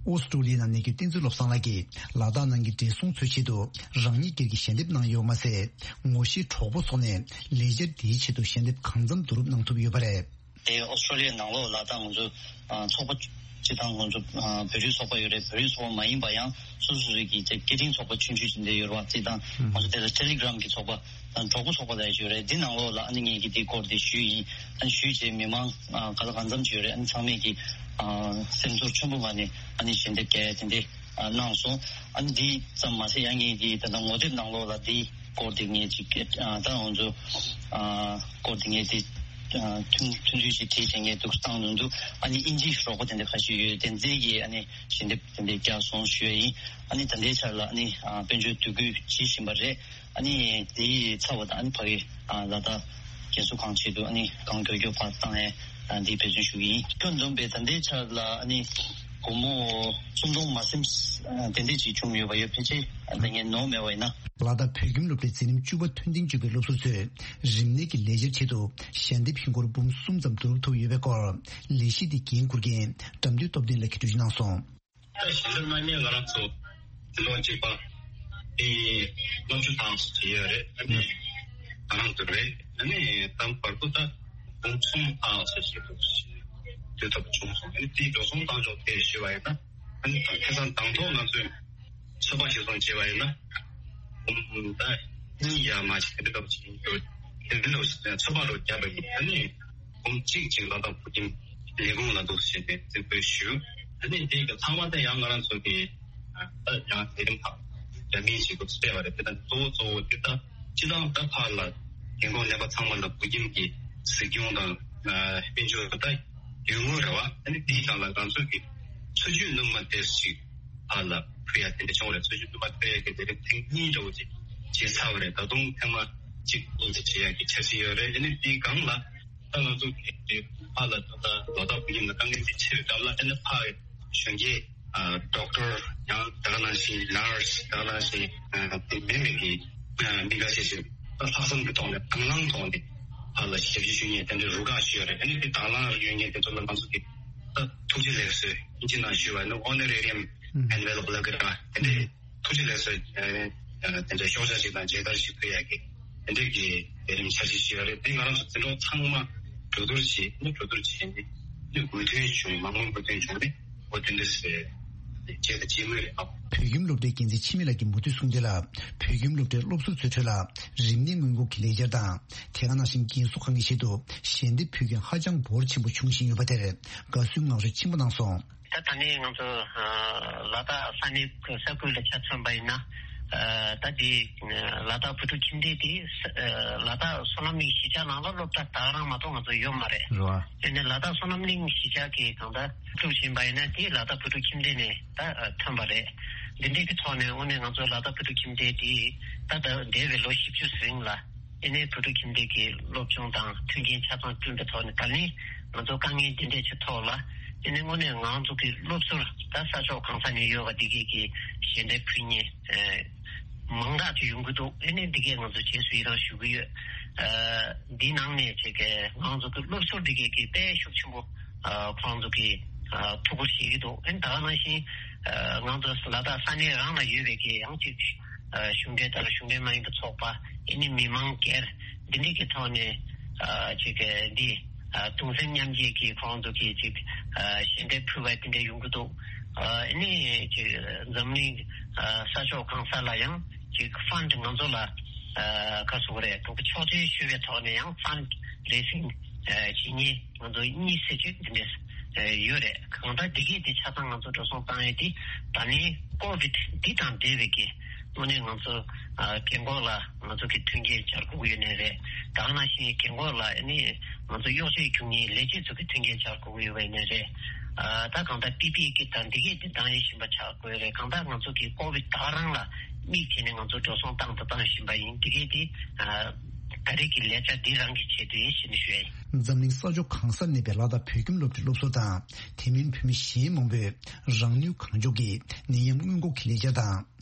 ཨོ་སི་ཀྲུ་ལི་ཡ་ནང་གནས་འཁོད་བསྟན་འཛིན་བློ་བཟང་ལགས་ཀྱིས་ལ་དྭགས་ནང་གི་བགྲེས་སོང་ཚོའི་ཆེད་དུ་རང་ཉིད་སྒེར་གྱི་ཞལ་འདེབས་གནང་ཡོད་མ་ཟད། ངོ་ཤེས་གྲོགས་པོ་སོགས་ནས་ལས་འཆར་འདིའི་ཆེད་དུ་ཞལ་འདེབས་གང་འཚམ་བསྡུ་རུབ་གནང་ཐུབ་ཡོད་པ་རེད། དེ་ཨོ་སི་ཀྲུ་ལི་ཡའི་ནང་ལོགས་ལ་ད་ང་ཚོ་ཨ་ཚོགས་པ་སྤྱི་བཏང་ང་ཚོ་ཨ་བོད་རིགས་ཚོགས་པ་ཡོད་རེད། བོད་རིགས་ཚོགས་པ་མ་ཡིན་པ་ཡང་སོ་སོ་སོ་གི་སྐད་འཕྲིན་ཚོགས་པ་ཆུང་ཆུང་ཅིག་འདི་ཡོད་རེད་བ། སྤྱི་བཏང་ང་ཚོ་དེ་ལ་ཊེ་ལི་གྷི་རམ་གྱི་ཚོགས་པ་དང་གྲོགས་པོ་ཚོགས་པ་ལབ་ཡ་ཅིག་ཡོད་རེད། འདི་ནང་ལོགས་ལ་ཨ་ནི་ངེད་ཀྱིས་འདིའི་སྐོར་དེ་ཞུས་ཡིན། ཨ་ནི་ཞུས་རྗེས་མི་མང་ཨ་ག་ལ་གང་འཚམ་ཅིག་ཡོད་རེད། ཨ་ནི་ཚང་མས་ཀྱིས་ཨ་སེམས་ཚོར་ཆེན་པོ་ངང་ནས་ཨ་ནི་ཞལ་འདེབས་རྒྱག་ཡ་དེ་འདྲས་ཨ་གནང་སོང་། ཨ་ནི་འདི་ཙམ་མ་ཟད་ཡང་ངེད་ཀྱིས་ད་ལྟ་ངོ་དེབ་ནང་ལོགས་ལ་འདི་སྐོར་དེ་ངས་ཅིག་ཨ་ད་ང་ཚོ་ཨ་སྐོར་དེ་ངས་དེ་ཨ་ཐུང་ཐུང་ཐུང་ཅིག་བྲིས་བྱས་ངས་འདུག་བཏང་འདུག་འདུག་ཨ་ནི་དབྱིན་ཇིའི་རོགས་པ་དེ་འདྲ་ཁ་ཤས་ཡོད། དེ་ཚོས་ཀྱིས་ཨ་ནི་ཞལ་འདེབས་དེ་འདྲ་བརྒྱབ་སོང་ཞུ་ཡ་ཡིན། ཨ་ནི་ད་ལྟའི་ཆར་ལ་ཨ་ནི་ཨ་དཔལ་འབྱོར་བསྡུ་རྒྱུ་བྱེད་བཞིན་པ་རེད། ཨ་ནི་དེའི་ཚབ་པ་དང་ཨ་ནི་ཕ་གི་ཨ་ལ་དྭགས་རྒན་གསོ་ཁང་ཆེད་དུ་ཨ་ནི་གང་མགྱོགས་མགྱོགས་ཕར་བཏང་ཡ་ཨ་འདི་འབད་བརྩོན་ཞུ་གི་ཡིན། ཁྱོན་བསྡོམས་པས་ད་ལྟའི་ཆར་ལ་ཨ་ནི་སྒོར་མོ་སུམ་སྟོང་མ་ཟིན་ཨ་དེ་འདྲས་ཅིག་བྱུང་ཡོད་པ་ཡོད། ཕལ་ཆེར་ཨ་ད་ངས་ནོར་མེད་པ་ཡིན་ན། ལ་དྭགས་བོད་ཁྱིམ་སློབ་གྲྭའི་འཛིན་རིམ་བཅུ་པ་ཐོན་ཐེངས་བཅུ་པའི་སློབ་ཟུར་ཚོས་རིམས་ནད་ཀྱི་ལས་འཆར་ཆེད་དུ་ཞལ་འདེབས་ཧིན་སྒོར་འབུམ་གསུམ་ཙམ་བསྡུ་རུབ་ཐུབ་ཡོད་པའི་སྐོར་ལས་གཞི་དེ་འགན་འཁུར་མཁན་དགྲ་འདུལ་སྟོབས་ལྡན་ལགས་ཀྱིས་འགྲེལ་བརྗོད་གནང་སོང་། ད་ཞལ་འདེབས་གནང་མཁན་ང་རང་ཚོ་འདི་ལོ་གཅིག་པ་དེ་ལྔ་བཅུ་ཐམ་ཞིག་ཡོད་རེད། ཨ་ནི་ང་རང་ཚོ་རེད། ཨ་ནི་ད་བར་དུ་ད་འབུམ་གསུམ་ཐམ་ཞིག་ཞིག་ཏུ་ཞིག་སྡུད་ཐུབ་བྱུང་སོང་། ཨ་ནི་དེའི་འགྲོ་སོང་བཏང་ཕྱོགས་དེ་ཞུས་པ་ཡིན་ན། ཨ་ནི་ད་ཁ་སང་དང་ཐོག་ང་ཚོས་ཚོད་དཔག་ཞིག་སོང་བྱས་པ་ཡིན་ན། འབུམ་ད་གཉིས་ཡར་མར་ཞིག་དེ་འདྲ་ཞིག་ཡོད། དེ་འདྲ་ཞིག་ཚོད་དཔག་ལོ་བརྒྱབ་པ་ཡིན། ཨ་ནི་འབུམ་གཅིག་ཅིག་ལ་དྭགས་བོད་ཁྱིམ་ལས་ཁུངས་ལ་འདུག་ཟེར་ནས་རྩིས་སྤྲོད་ཞུས། ཨ་ནི་དེ་གི་ཚང་མ་ད་ཡང་ང་རང་ཚོ་གི་ད་ཡང་ལས་རིམ་ཁག་རྒྱ་མིའི་ཞིག་ཏུ་སྤྲད་པ་རེད། དེ་ད་གཙོ་བོ་གཙོ་བོ་དེ་ད་སྤྱི་བཏང་ད་ཕར་ལ་རྒན་གོག་ནད་པ་ཚང་མ་ལ་བོད་ཁྱིམ་གྱི་གཟིགས་སྐྱོང་དང་དཔལ་འབྱོར་ད་ཡོད་ངོས་རེད་བ། ཨ་ནི་དེའི་སྒང་ལ་ང་ཚོ་གི་འཚོ་བཅུད་སྣོན་མ་དེ་ཞིག་ཕར་ལ་ཕུལ་ཡ་དེ་འདྲ་བྱུང་རེད། འཚོ་བཅུད་སྣོན་མ་ཕུལ་ཡ་གི་ལས་རིམ་ཐེངས་གཉིས་འདྲ་བོ་ཅིག་བྱས་ཚར་བ་རེད། ད་དུང་ཐེངས་མ་གཅིག་གཉིས་ཅིག་བྱེད་ཡ་གི་འཆར་གཞི་ཡོད་རེད། ཨ་ནི་དེའི་སྒང་ལ་ད་ང་ཚོ་གི་ཕར་ལ་ད་ལྟ་ལ་དྭགས་བོད་ཁྱིམ་ལ་དཀའ་ངལ་དེ་ཆེ་བའི་སྐབས་ལ་ཨ་ནི་ཕར་གཞོན་སྐྱེས་ཌོག་ཊར་ཡང་ད་ག་ནང་བཞིན་ནར་སི་ད་ག་ནང་བཞིན་དེ་མིན་པའི་གི་ མི་འགའ་ཤས་ཤིག་ད་ལྷག་བསམ་གྱི་ཐོག་ནས་དང་བླངས་ཐོག་ནས་ཕར་ལ་ཞབས་ཕྱི་ཞུ་མཁན་དེ་འདྲའི་རུ་ཁག་ཞིག་ཡོད་རེད། ཨ་ནི་དེ་དང་བླངས་ཡོད་མཁན་དེ་ཚོ་ལ་ང་ཚོ་གིས་ད་ཐུགས་རྗེ་ལེགས་གསོལ་ཨིན་ཇི་ནང་ཞུས་པ་ནི་Honorarium Envelope ལབ་ཀྱི་རེད་པ། དེ་འདྲའི་ཐུགས་རྗེ་ལེགས་གསོལ་དེ་འདྲའི་ཤོག་བྱང་ཞིག་དང་མཇལ་དར་ཞིག་ཕུལ་ཡག་གི་དེ་འདྲའི་གི་ལས་རིམ་འཆར་གཞི་ཞིག་ཡོད་རེད། དེ་ང་རང་ཚོ་འཛིན་གྲོགས་ཚང་མ་གྲོས་བསྡུར་བྱས་ནས་གྲོས་བསྡུར་བྱས་ནས་ནི་མོས་མཐུན་བྱུང་མང་མོས་མོས་མཐུན་བྱུང་ནས་འོ་དེ་འདྲ་ཟེར་བྱས་ད་བྱེད་མུས་རེད། ཨ། བོད་ཁྱིམ་སློབ་གྲྭའི་འགན་འཛིན་འཆི་མེད་ལགས་ཀྱིས་མུ་མཐུད་གསུངས་དོན་ལ། བོད་ཁྱིམ་སློབ་གྲྭའི་སློབ་ཟུར་ཚོའི་ཁྲོད་ལ་རིམས་ནད་སྔོན་འགོག་གི་ལས་འཆར་དང་དེ་ག་ནང་བཞིན་རྒན་གསོ་ཁང་གི་ཆེད་དུ་ཞལ་འདེབས་ཕུལ་མཁན་ཧ་ཅང་འབོར་ཆེན་པོ་བྱུང་བཞིན་ཡོད་པ་དེར་དགའ་བསུའི་ངང་ཚུལ་ཆེན་པོ་གནང་སོང་། ད་ད་ནི་ང་ཚོ་ལ་དྭགས་ས་གནས་ས་ཁུལ་ལ་ཆ་མཚོན་པ་ཡིན་ན། ད་དེ་ལ་དྭགས་བོད་ཕྲུག་ཁྱིམ་སྡེ་དེ་ལ་དྭགས་བསོད་ནམས་གླིང་གཞིས་ཆགས་ནང་ལ་སློབ་གྲྭ་ད་ག་རང་མ་གཏོགས་ང་ཚོ་ཡོད་མ་རེད། རེད་བ། དེ་ནས་ལ་དྭགས་བསོད་ནམས་གླིང་གཞིས་ཆགས་ཀྱི་གང་ལྟར་སློབ་ཕྲུག་ཡིན་པ་ཡིན་ན་དེ་ལ་དྭགས་བོད་ཕྲུག་ཁྱིམ་སྡེ་ནས་ད་ཐོན་པ་རེད། འདི་འདྲའི་གི་ཐོག་ནས་དངོས་གནས་ང་ཚོ་ལ་དྭགས་བོད་ཕྲུག་ཁྱིམ་སྡེ་དེ་ད་ད་འདས་པའི་ལོ་བཞི་བཅུ་རིང་ལ། ཨེ་ནས་བོད་ཕྲུག་ཁྱིམ་སྡེ་གི་སློབ་སྦྱོང་དང་མཐུན་རྐྱེན་ཆ་ཚང་བསྐྲུན་པའི་ཐོག་ནས་ད་ནི་ང་ཚོ་དཀའ་ངལ་འདི་འདྲས་ཀྱི་ཐོག་ལ་ཨེ་ནས་དངོས་གནས་ང་ཚོ་གི་སློབ་ཟུར་ད་ས་ཕྱོགས་གང་ས་ནས་ཡོད་པ་འདི་གས་ཀྱི་ཞལ་འདེབས་ཕུལ་མཁན་མང་དག་ཅིག་ཡོང་གི་འདུག་ཨེ་ནས་འདི་གས་ང་ཚོ་རྗེས་སུ་ཡི་རང་ཞུ་གི་ཡོད། འདི་ནང་ནས་བྱས་ཀྱི་ང་ཚོ་གི་སློབ་ཟུར་འདི་གས་ཀྱི་དཔེ་ཤུགས་ཆེན་པོ་ཁོང་ཚོ་གི་ཐུགས་ཁུར་བཞེས་ཀྱི་འདུག་ཨེ་ནས་ད་ག་ནང་བཞིན་ང་ཚོ་ལ་དྭགས་ས་གནས་རང་ལ་ཡོད་པའི་གི་ཡང་ཅིག་གཞུང་འབྲེལ་དང་གཞུང་འབྲེལ་མ་ཡིན་པའི་ཚོགས་པ་ཨེ་ནི་མི་མང་སྒེར་འདི་འདྲ་གི་ཐོག་ནས་ཅིག་འདི་གདུང་སེམས་མཉམ་སྐྱེད་ཀྱི་ཁོང་ཚོ་གི་ཅིག་ཞལ་འདེབས་ཕུལ་བ་དེ་འདྲ་ཡོང་གི་འདུག་ཨེ་ནི་ཅིག་འཛམ་གླིང་ས་ཕྱོགས་གང་ས་ལ་ཡང་ཅིག་ཕན་ཌི་ང་ཚོ་ལ་ག་ཟེར་དགོས་རེད། ཕྱོགས་སྒྲིག་ཞུ་བའི་ཐོག་ནས་ཡང་ཕན་ཌི་རེ་སིང་བྱེད་མཁན་ང་ཚོ་གཉིས་ཟེར་གྱི་འདི་འདྲ་ཡོད་རེད། གང་ལྟར་འདི་གས་འདི་ཆ་ཚང་ང་ཚོ་འགྲོ་སོང་བཏང་ཡས་འདི་ད་ནི་ཀོ་བིད་འདི་དང་འབྲེལ་བའི་གི་དངོས་གནས་ང་ཚོ་རྒན་གོག་ལ་ང་ཚོ་གི་མཐུན་རྐྱེན་སྦྱར་དགོས་ཀྱི་ཡོད་ནའི་རེད། ད་ག་ནང་བཞིན་རྒན་གོག་ལ་ནི་ང་ཚོ་གཡོག་བྱེད་རྒྱུ་གཉིས་ལས་བྱེད་ཚོ་གི་མཐུན་རྐྱེན་སྦྱར་དགོས་ཀྱི་ཡོད་པ་ཡིན་ནའི་རེད། ད་གང་ལྟར་པི་པི་ཨི་གི་དང་འདི་གས་འདི་འདང་ཡས་བཞིན་པ་ཆགས་དགོས་རེད། གང་ལྟར་ང་ཚོ་གི་ཀོ་བིད་ད་ག་རང་ལ་དམིགས་བྱས་ནས་ང་ཚོ་འགྲོ་སོང་བཏང་དང་བཏང་བཞིན་པ་ཡིན། འདི་གས་འདི་ད་རེས་ཀྱི་ལས་འཆར་འདི་རང་གི་ཆེད་དུ་ཡིན་ཞེས་ནས་ཞུ་ཡ་ཡིན། འཛམ་གླིང་ས་ཕྱོགས་གང་སར་གནས་པའི་ལ་དྭགས་བོད་ཁྱིམ་སློབ་གྲྭའི་སློབ་ཟུར་དང་དེ་མིན་བོད་མི་གཞན་མང་པོས་རང་ནུས་གང་ལྕོགས་ཀྱིས་ནད་ཡམས་སྔོན་འགོག་གི་ལས་འཆར་དང་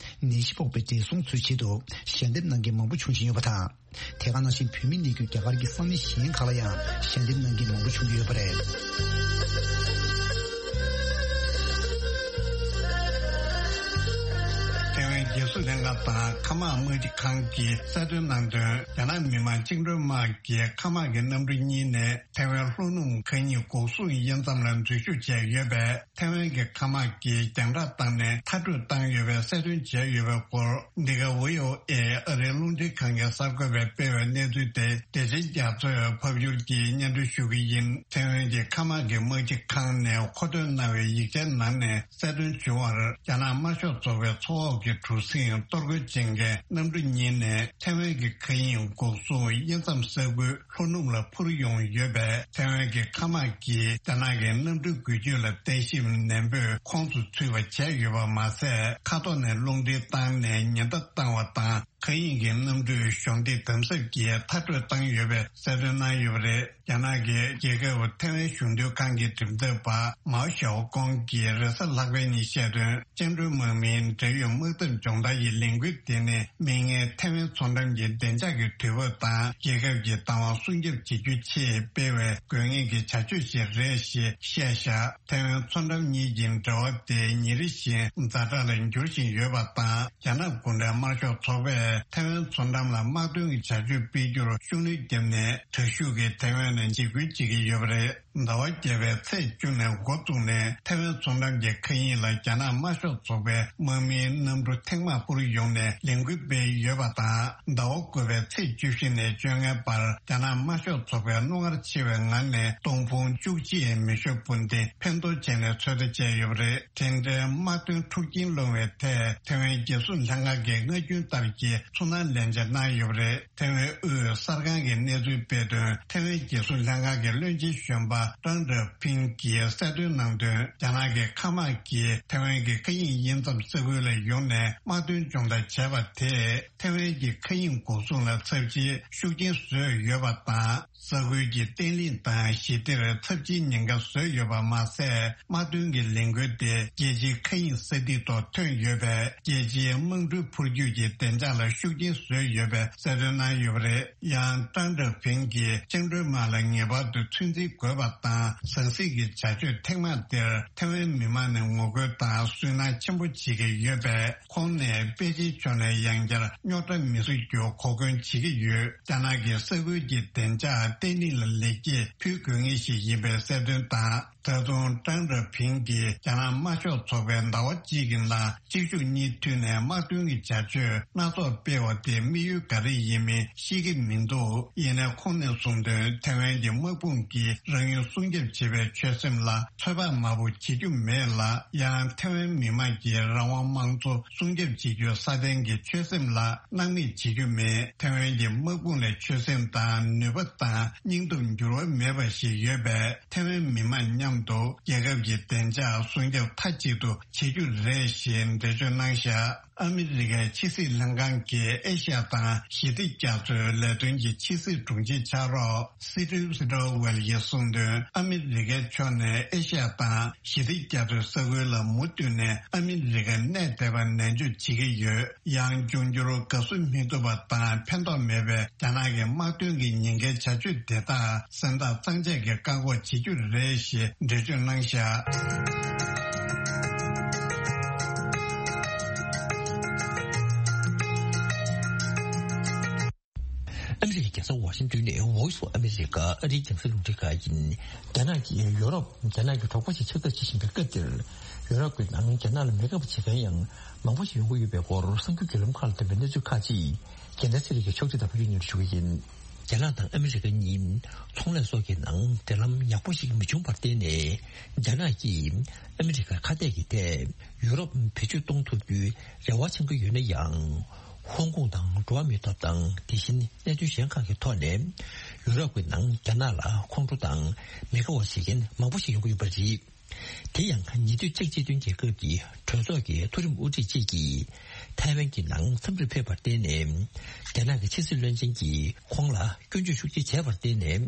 ནད་གཞི་ཕོག་པའི་བགྲེས་སོང་ཚོའི་ཆེད་དུ་ཞལ་འདེབས་གནང་མཁན་མང་པོ་བྱུང་བཞིན་ཡོད་པ་དང་། དེ་ག་ནང་བཞིན་བོད་མི་གནས་རྒྱུ་རྒྱ་གར་གྱི་ས་གནས་གཞན་ཁག་ལ་ཡང་ཞལ་འདེབས་གནང་མཁན་མང་པོ་བྱུང་གི་ཡོད་པ་རེད། ཐའེ་ཝན་རྒྱལ་སྲུང་ལྷན་ཁང་དང་མཁའ་དམག་དམག་སྤྱི་ཁང་གིས་གསལ་སྟོན་གནང་དོན། རྒྱ་ནག་མི་དམངས་བཅིངས་འགྲོལ་དམག་གི་མཁའ་དམག་གི་གནམ་གྲུ་གཉིས་ནས་ཐའེ་ཝན་ལྷོ་ནུབ་མཁའ་དབྱིངས་འགོག་སྲུང་དབྱེ་མཚམས་ལ་འཛུལ་ཞུགས་བྱས་ཡོད་པས། ཐའེ་ཝན་གྱི་མཁའ་དམག་གིས་རྒྱང་བསྒྲགས་བཏང་ནས་མཐར་སྐྲོད་བཏང་ཡོད་པའི་གསལ་སྟོན་བྱས་ཡོད་པའི་སྐོར། འདི་ག་བྷི་ཨོ་ཨེ་ཨ་རིའི་རླུང་འཕྲིན་ཁང་གི་གསར་འགོད་པས་སྤེལ་བའི་གནས་ཚུལ་དེ་བདེ་ཆེན་རྒྱ་མཚོས་ཕབ་སྒྱུར་གྱིས་སྙན་སྒྲོན་ཞུ་གི་ཡིན། ཐའེ་ཝན་གྱི་མཁའ་དམག་གི་དམག་སྤྱི་ཁང་ནས་མཁོ་འདོན་གནང་བའི་ཡིག་ཆའི་ནང་ནས་གསལ་སྟོན་བྱུང་བར། རྒྱ་ནག་དམར་ཤོག་ཚོགས་པའི་མཚོ་འོག་གི་གྲུ་གཟིངས་གཏོར་རྒོལ་བྱེད་མཁན་གནམ་གྲུ་གཉིས་ནས་ཐའེ་ཝན་གྱི་མཁའ་དབྱིངས་འགོག་སྲུང་དབྱེ་མཚམས་ས་ཁུལ་ལྷོ་ནུབ་ལ་འཕུར་ཡོང་ཡོད་པས། ཐའེ་ཝན་གྱི་མཁའ་དམག་གིས་རྒྱ་ནག་གི་གནམ་གྲུའི་འགུལ་སྐྱོད་ལ་བརྟན་ཞིབ་ནན་པོས་ཁོངས་སུ་ཚུད་པ་བྱས་ཡོད་པ་མ་ཟད། མཁའ་ཐོག་ནས་རླུང་འཕྲིན་བཏང་ནས་ཉེན་བརྡ་བཏང་བ་དང་། མཁའ་དབྱིངས་ཀྱི་གནམ་གྲུས་གཞོགས་འདེགས་དམ་ཟབ་ཀྱིས་མཐར་སྐྲོད་བཏང་ཡོད་པའི་གསལ་སྟོན་གནང་ཡོད་པ་རེད། རྒྱ་ནག་གི་རྒྱལ་ཁབ་ཐའེ་ཝན་གཞོན་དུས་ཁང་གི་གྲུབ་མཐའ་པ་མའོ་ཞའོ་ཀོང་གིས་རེས་གཟའ་ལྷག་པའི་ཉིན་བཤད་དོན། བཅིངས་འགྲོལ་དམག་མིའི་འབྲེལ་ཡོད་དམག་འཐབ་སྦྱོང་བརྡར་གྱི་ལས་འགུལ་དེ་ནི་མིག་སྔའི་ཐའེ་ཝན་མཚོ་འགྲམ་གྱི་བདེ་འཇགས་ཀྱི་དུས་བབ་དང་རྒྱལ་ཁབ་ཀྱི་བདག་དབང་སྲུང་སྐྱོབ་བྱེད་རྒྱུའི་ཆེད་སྤེལ་བའི་དགོས་ངེས་ཀྱི་བྱ་སྤྱོད་ཞིག་རེད་ཞེས་བཤད་བཞག་ཐའེ་ཝན་མཚོ་འགྲམ་གཉིས་ཀྱི་འབྲེལ་བ་དེ་ཉིན་རེ་བཞིན་ཛ་དྲག་ལ་འགྱུར་བཞིན་ཡོད་པ་དང་། རྒྱ་ནག་གུང་ཁྲན་དམར་ཤོག་ཚོགས་པས་ཐའེ་ཝན་མཚོ་འགྲམ་ལ་དམག་དོན་གྱི་བྱ་སྤྱོད་སྤེལ་རྒྱུར་ཤུགས་སྣོན་བརྒྱབ་ནས། དྲག་ཤུགས་ཀྱིས་ཐའེ་ཝན་ལ་འཇིགས་སྐུལ་བྱེད་ཀྱི་ཡོད་པ་རེད། ཟླ་བ་བརྒྱད་པའི་ཚེས་བཅུ་ནས་འགོ་བཙུགས་ནས་ཐའེ་ཝན་མཚོ་འགྲམ་གྱི་མཁའ་དབྱིངས་ལ་རྒྱ་ནག་དམར་ཤོག་ཚོགས་པའི་དམག་མིའི་གནམ་གྲུ་ཐེངས་མང་འཕུར་ཡོང་ནས་ལས་འགུལ་སྤེལ་ཡོད་པ་དང་། ཟླ་བ་དགུ་པའི་ཚེས་བཅུ་བཞི་ནས་བཅོ་ལྔའི་བར་རྒྱ་ནག་དམར་ཤོག་ཚོགས་པའི་རྣོ་ངར་ཆེ་བའི་ངང་ནས་སྟོང་ཕུང་བཅུ་གཅིག་མེ་ཤོག་སྤུན་ལྡན་འཕེན་གཏོར་བྱས་ནས་ཚོད་ལྟ་བྱས་ཡོད་པ་རེད། དེ་འདྲའི་དམག་དོན་འཁྲུག་རྐྱེན་སློང་བའི་ཐད་ཐའེ་ཝན་རྒྱལ་སྲུང་ལྷན་ཁང་གིས་སྔ་རྒྱུན་ལྟར་གྱི་ཚོར་སྣང་ལན་འཇལ་གནང་ཡོད་པ་རེད། ཐའེ་ཝན་དབུས་གསར་ཁང་གིས་གནས་ཚུལ་སྤེལ་དོན། ཐའེ་ཝན་རྒྱལ་སྲུང་ལྷན་ཁང་གི་བློན་ཆེན་གཞོན་པ་ཀྲང་ཀྲི་ཕིང་གིས་གསལ་སྟོན་གནང་དོན། རྒྱ་ནག་གི་མཁའ་དམག་གིས་ཐའེ་ཝན་གྱི་མཁའ་དབྱིངས་དབྱེ་མཚམས་ས་ཁུལ་ལ་ཡོང་ནས་དམག་དོན་སྦྱོང་བརྡར་བྱས་པ་དེས་ཐའེ་ཝན་གྱི་མཁའ་དབྱིངས་འགོག་སྲུང་ལ་ཚབས་ཆེའི་ཤུགས་རྐྱེན་བཟོས་ཡོད་པ་དང་། ས་ཁུལ་གྱི་བརྟན་ལྷིང་དང་ཞི་བདེར་ཚབས་ཆེའི་ཉེན་ཁ་བཟོས་ཡོད་པ་མ་ཟད། དམག་དོན་གྱི་ལས་འགུལ་དེ་རྒྱལ་སྤྱིའི་མཁའ་དབྱིངས་ས་ཐིག་ཐོག་ཐོན་ཡོད་པས། རྒྱལ་སྤྱིའི་དམག་འགྲུལ་འཕུར་སྐྱོད་ཀྱི་བདེ་འཇགས་ལ་ ཤུགས་རྐྱེན་བཟོས་ཡོད་པའི་གསལ་སྟོན་གནང་ཡོད་པ་རེད། ཡང་ཀྲང་ཀྲེང་ཕིང་གིས་བཅིངས་འགྲོལ་དམག་ལ་ངེས་པར་དུ་ཚོད་འཛིན་དགོས་པ་དང་ཟང་ཟིང་གི་བྱ་སྤྱོད་ཐེངས་མ་དེར་ཐའེ་ཝན་མི་མང་ནས་ངོ་རྒོལ་དང་སུན་སྣང་ཆེན་པོ་བྱེད་ཀྱི་ཡོད་པས། ཁོང་ནས་པེ་ཅིན་ཕྱོགས་ནས་ཡང་བསྐྱར་རྙོག་དྲ་མི་བཟོ་རྒྱུ་གོ་སྐོན་བྱེད་ཀྱི་ཡོད། རྒྱ་ནག་གིས་ས་ཁུལ་གྱི་བདེ་འཇགས་བརྟན་ལྷིང་ལ་ལེགས་སྐྱེས་ཕུལ་དགོས་ངེས་ཤིག་ཡིན་པའི་གསལ་སྟོན་དང་། ད་དུང་ཀྲང་ཀྲེང་ཕིང་གིས་རྒྱ་ནག་དམར་ཤོག་ཚོགས་པའི་ཟླ་བ་གཅིག་གི་ནང་གཅིག་མཇུག་གཉིས་མཐུད་ནས་དམག་དོན་གྱི་བྱ་སྤྱོད་སྣ་ཚོགས་སྤེལ་བ་དེ་དམིགས་ཡུལ་ག་རེ་ཡིན་མིན་ཤེས་ཀྱི་མི་འདུག་ཡིན་ནའི་ཁོང་ནས་གསུངས་དོན། ཐའེ་ཝན་གྱི་དམག་དཔུང་གིས་རང་ཡུལ་སྲུང་སྐྱོབ་བྱེད་པའི་ཆོད་སེམས་ལ་ཚོད་དཔག་མང་པོ་བྱེད་རྒྱུ་མེད་ལ། ཡང་ཐའེ་ཝན་མི་དམངས་ཀྱི་རང་དབང་དམངས་གཙོ་སྲུང་སྐྱོབ་བྱེད་རྒྱུའི་སྲ་བརྟན་གྱི་ཆོད་སེམས་ལ་སྣང་མེད་བྱེད་རྒྱུ་མེད། ཐའེ་ཝན་གྱི་དམག་དཔུང་ལ་ཆོད་སེམས་དང་ནུས་པ་དང་སྙིང་སྟོབས་འགྱུར་བ་མེད་པ་ཞིག་ཡོད་པས། ཐའེ་ཝན་མི་དམངས་མཉམ་དུ་རྒྱལ་ཁབ་ཀྱི་བདེ་འཇགས་སྲུང་སྐྱོབ་མཐའ་གཅིག་ཏུ་བྱེད་རྒྱུ་རེད་ཞེས་འགྲེལ་བརྗོད་གནང་བཞག་ཨ་མི་རི་ཀའི་ཕྱི་སྲིད་ལྷན་ཁང་གི་ཨེ་ཤ་ཡ་དང་ཞི་བདེ་རྒྱ་མཚོའི་ལས་དོན་གྱི་ཕྱི་སྲིད་དྲུང་ཆེ་ཕྱག་རོགས་སི་ཏིབ་སི་ཏོ་ཝེལ་གྱིས་གསུངས་དོན། ཨ་མི་རི་ཀའི་ཕྱོགས་ནས་ཨེ་ཤ་ཡ་དང་ཞི་བདེ་རྒྱ་མཚོའི་ས་ཁུལ་ལ་མུ་མཐུད་ནས་ཨ་མི་རི་ཀ་གནས་བསྡད་པར་ནན་བརྗོད་བྱེད་ཀྱི་ཡོད། ཡང་འབྱུང་འགྱུར་དགའ་བསུ་མི་ཐུབ་པ་དང་ཕན་ཐོགས་མེད་པའི་རྒྱ་ནག་གི་དམག་དོན་གྱི་ཉེན་ཁའི་བྱ་སྤྱོད་དེ་དག་སེམས་ཐག་གཙང་བཅད་ཀྱིས་བཀག་འགོག་བྱེད་རྒྱུ་རེད་ཞེས་འགྲེལ་བརྗོད་གནང་བཞག་ཨ་མི་རི་ཀའི་རྒྱལ་ས་ཝ་ཤིང་ཏོན་ནས་Voice of America ཨ་རིའི་རྒྱང་སྲིང་རླུང་འཕྲིན་ཁང་ཡིན། རྒྱ་ནག་གིས་ཡུ་རོབ་རྒྱ་ནག་གི་གྲོགས་པོ་ཞིག་ཆགས་ཐབས་བྱེད་བཞིན་པའི་སྐབས་འདིར། ཡུ་རོབ་ཀྱི་ནང་རྒྱ་ནག་ལ་མི་དགའ་བ་བྱེད་མཁན་ཡང་མང་པོ་ཞིག་ཡོང་གི་ཡོད་པའི་སྐོར་གསར་འགྱུར་བརྒྱུད་ལམ་ཁག་ལ་བཏོན་པའི་གནས་ཚུལ་ཁག་ཅིག་རྒྱལ་མཚན་ཚེ་རིང་གིས་ཕྱོགས་སྒྲིག་དང་ཕབ་སྒྱུར་སྙན་སྒྲོན་ཞུ་གི་ཡིན། རྒྱ་ནག་དང་ཨ་མི་རི་ཀ་གཉིས་ཚོང་ལས་སོགས་ཀྱི་ནང་འབྲེལ་ལམ་ཡག་པོ་ཞིག་མི་བྱུང་བར་བརྟེན་ནས། རྒྱ་ནག་གིས་ཨ་མི་རི་ཀར་ཁ་གཏད་ཀྱི་ཐད་ཡུ་རོབ་བེད་སྤྱོད་གཏོང་ཐུབ་རྒྱུའི་རེ་བ་བཅང་གི་ཡོད་ན་ཡང་། ཧོང་ཀོང་དང་འགྲོ་བ་མིའི་ཐོབ་ཐང་། དེ་བཞིན་གནད་དོན་གཞན་ཁག་གི་ཐོག་ནས་ཡུ་རོབ་ཀྱི་ནང་རྒྱ་ནག་ལ་ཁོང་ཁྲོ་དང་མི་དགའ་བ་བྱེད་མཁན་མང་པོ་ཞིག་ཡོང་གི་ཡོད་པ་རེད། དེ་ཡང་ཉེ་དུས་ཅེཀ་སྤྱི་མཐུན་རྒྱལ་ཁབ་ཀྱི་གྲོས་ཚོགས་ཀྱི་མཐོ་རིམ་དབུ་ཁྲིད་ཅིག་གིས་ཐའེ་ཝན་གྱི་ནང་འཚམས་འདྲིར་ཕེབས་པར་བརྟེན་ནས། རྒྱ་ནག་གི་ཕྱི་སྲིད་བློན་ཆེན་གྱིས་ཁོང་ལ་སྐྱོན་བརྗོད་ཤུགས་ཆེ་བྱས་པར་བརྟེན་ནས།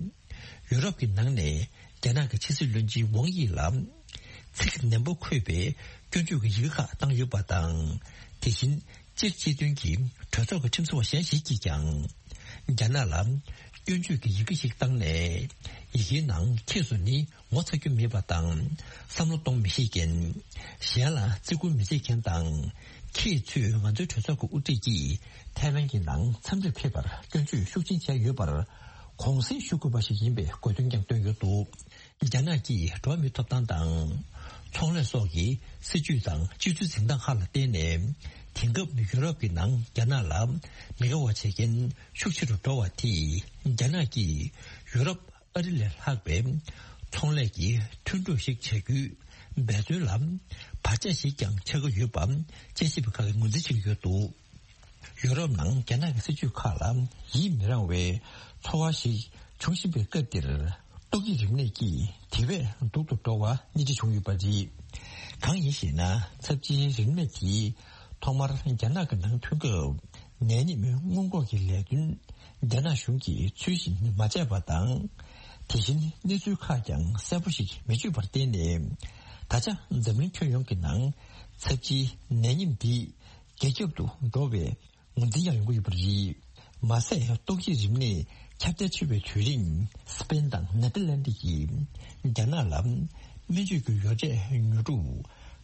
ཡུ་རོབ་ཀྱི་ནང་ནས་རྒྱ་ནག་གི་ཕྱི་སྲིད་བློན་ཆེན་ཝང་དབྱི་ལ་ཚིག་ནན་པོ་འཁོད་པའི་སྐྱོན་བརྗོད་ཀྱི་ཡི་གེ་ཁག་བཏང་ཡོད་པ་དང་། དེ་བཞིན་ཅེཀ་སྤྱི་མཐུན་གྱི་གྲོས་ཚོགས་ཀྱི་ཁྲིམས་བཟོ་བ་གཞན་ཞིག་གིས་ཀྱང་རྒྱ་ནག་ལ་སྐྱོན་བརྗོད་ཀྱི་ཡི་གེ་ཞིག་བཏང་ནས། ཡི་གེའི་ནང་ཁྱེད་ཚོ་ནི་ངོ་ཚ་རྒྱུ་མེད་པ་དང་བསམ་བློ་གཏོང་མི་ཤེས་མཁན། གཞན་ལ་བརྩི་བཀུར་མི་བྱེད་མཁན་དང་། ཁྱེད་ཚོས་ང་ཚོའི་གྲོས་ཚོགས་ཀྱི་དབུ་ཁྲིད་ཀྱིས་ཐའེ་ཝན་གྱི་ནང་འཚམས་འདྲིར་ཕེབས་པར་སྐྱོན་བརྗོད་ཤུགས་ཆེན་བྱས་ཡོད་པར་དགོངས་སེལ་ཞུ་དགོས་པ་ཞིག་ཡིན་པའི་དགོས་འདུན་ཀྱང་བཏོན་ཡོད་འདུག་རྒྱ་ནག་གིས་འགྲོ་བ་མིའི་ཐོབ་ཐང་དང་། ཚོང་ལས་སོགས་ཀྱི་སྲིད་ཇུས་དང་སྤྱོད་ཚུལ་འཛིན་སྟངས་ཁག་ལ་བརྟེན་ནས། དེང་སྐབས་ཡུ་རོབ་ཀྱི་ནང་རྒྱ་ནག་ལ་མི་དགའ་བ་བྱེད་མཁན་ཤུགས་ཆེ་རུ་འགྲོ་བ་དེས། རྒྱ་ནག་གིས་ཡུ་རོབ་ཨ་རི་ལས་ལྷག་པའི་ཚོང་ལས་ཀྱི་མཐུན་གྲོས་ཤིག་བྱ་རྒྱུའི་འབད་བརྩོན་ལ་བར་ཆད་ཞིག་ཀྱང་ཆགས་ཀྱི་ཡོད་པ་དཔྱད་ཞིབ་པ་ཁག་གིས་ངོས་འཛིན་བྱེད་ཀྱི་ཡོད་འདུག་ཡུ་རོབ་ནང་རྒྱ་ནག་གི་སྲིད་ཇུས་ཁག་ལ་ཡིད་མི་རངས་པའི་ཚོར་བ་ཞིག་འབྱུང་བཞིན་པའི་སྐབས་འདིར། ཏོག་དབྱིབས་རིམས་ནད་ཀྱིས་དེ་བས་སྡུག་ཏུ་འགྲོ་བ་སྣེ་ཁྲིད་བྱུང་ཡོད་པ་རེད། གང་ཡིན་ཞེ་ན། ཚབས་ཆེའི་རིམས་ནད་དེ་ཐོག་མར་རྒྱ་ནག་གི་ནང་ཐོན་སྐབས། ནད་ཉིན་སྔོན་འགོག་གི་ལས་དོན་རྒྱ་ནག་གཞུང་གིས་ཚུལ་བཞིན་མ་བྱས་པ་དང་། དེ་བཞིན་གནས་ཚུལ་ཁག་ཀྱང་གསལ་པོ་ཞིག་མི་བརྗོད་པར་བརྟེན་ནས། ད་ཆ་འཛམ་གླིང་ཁྱོན་ཡོངས་ཀྱི་ནང་ཚབས་ཆེའི་ནད་ཉིན་འདི་རྒྱ་ཁྱབ་ཏུ་འགྲོ་བའི་ངོས་འཛིན་ཡང་ཡོང་གི་ཡོད་པ་རེད། མ་ཟད། ཏོག་དབྱིབས་རིམས་ནད་ཁྱབ་གདལ་ཆེ་བའི་དུས་རིང་སི་པེན་དང་ནེ་ཐར་ལན་ཌི་ཡིས་རྒྱ་ནག་ལ་སྨན་བཅོས་ཀྱི་ཡོ་བྱད་ཉོ་སྒྲུབ་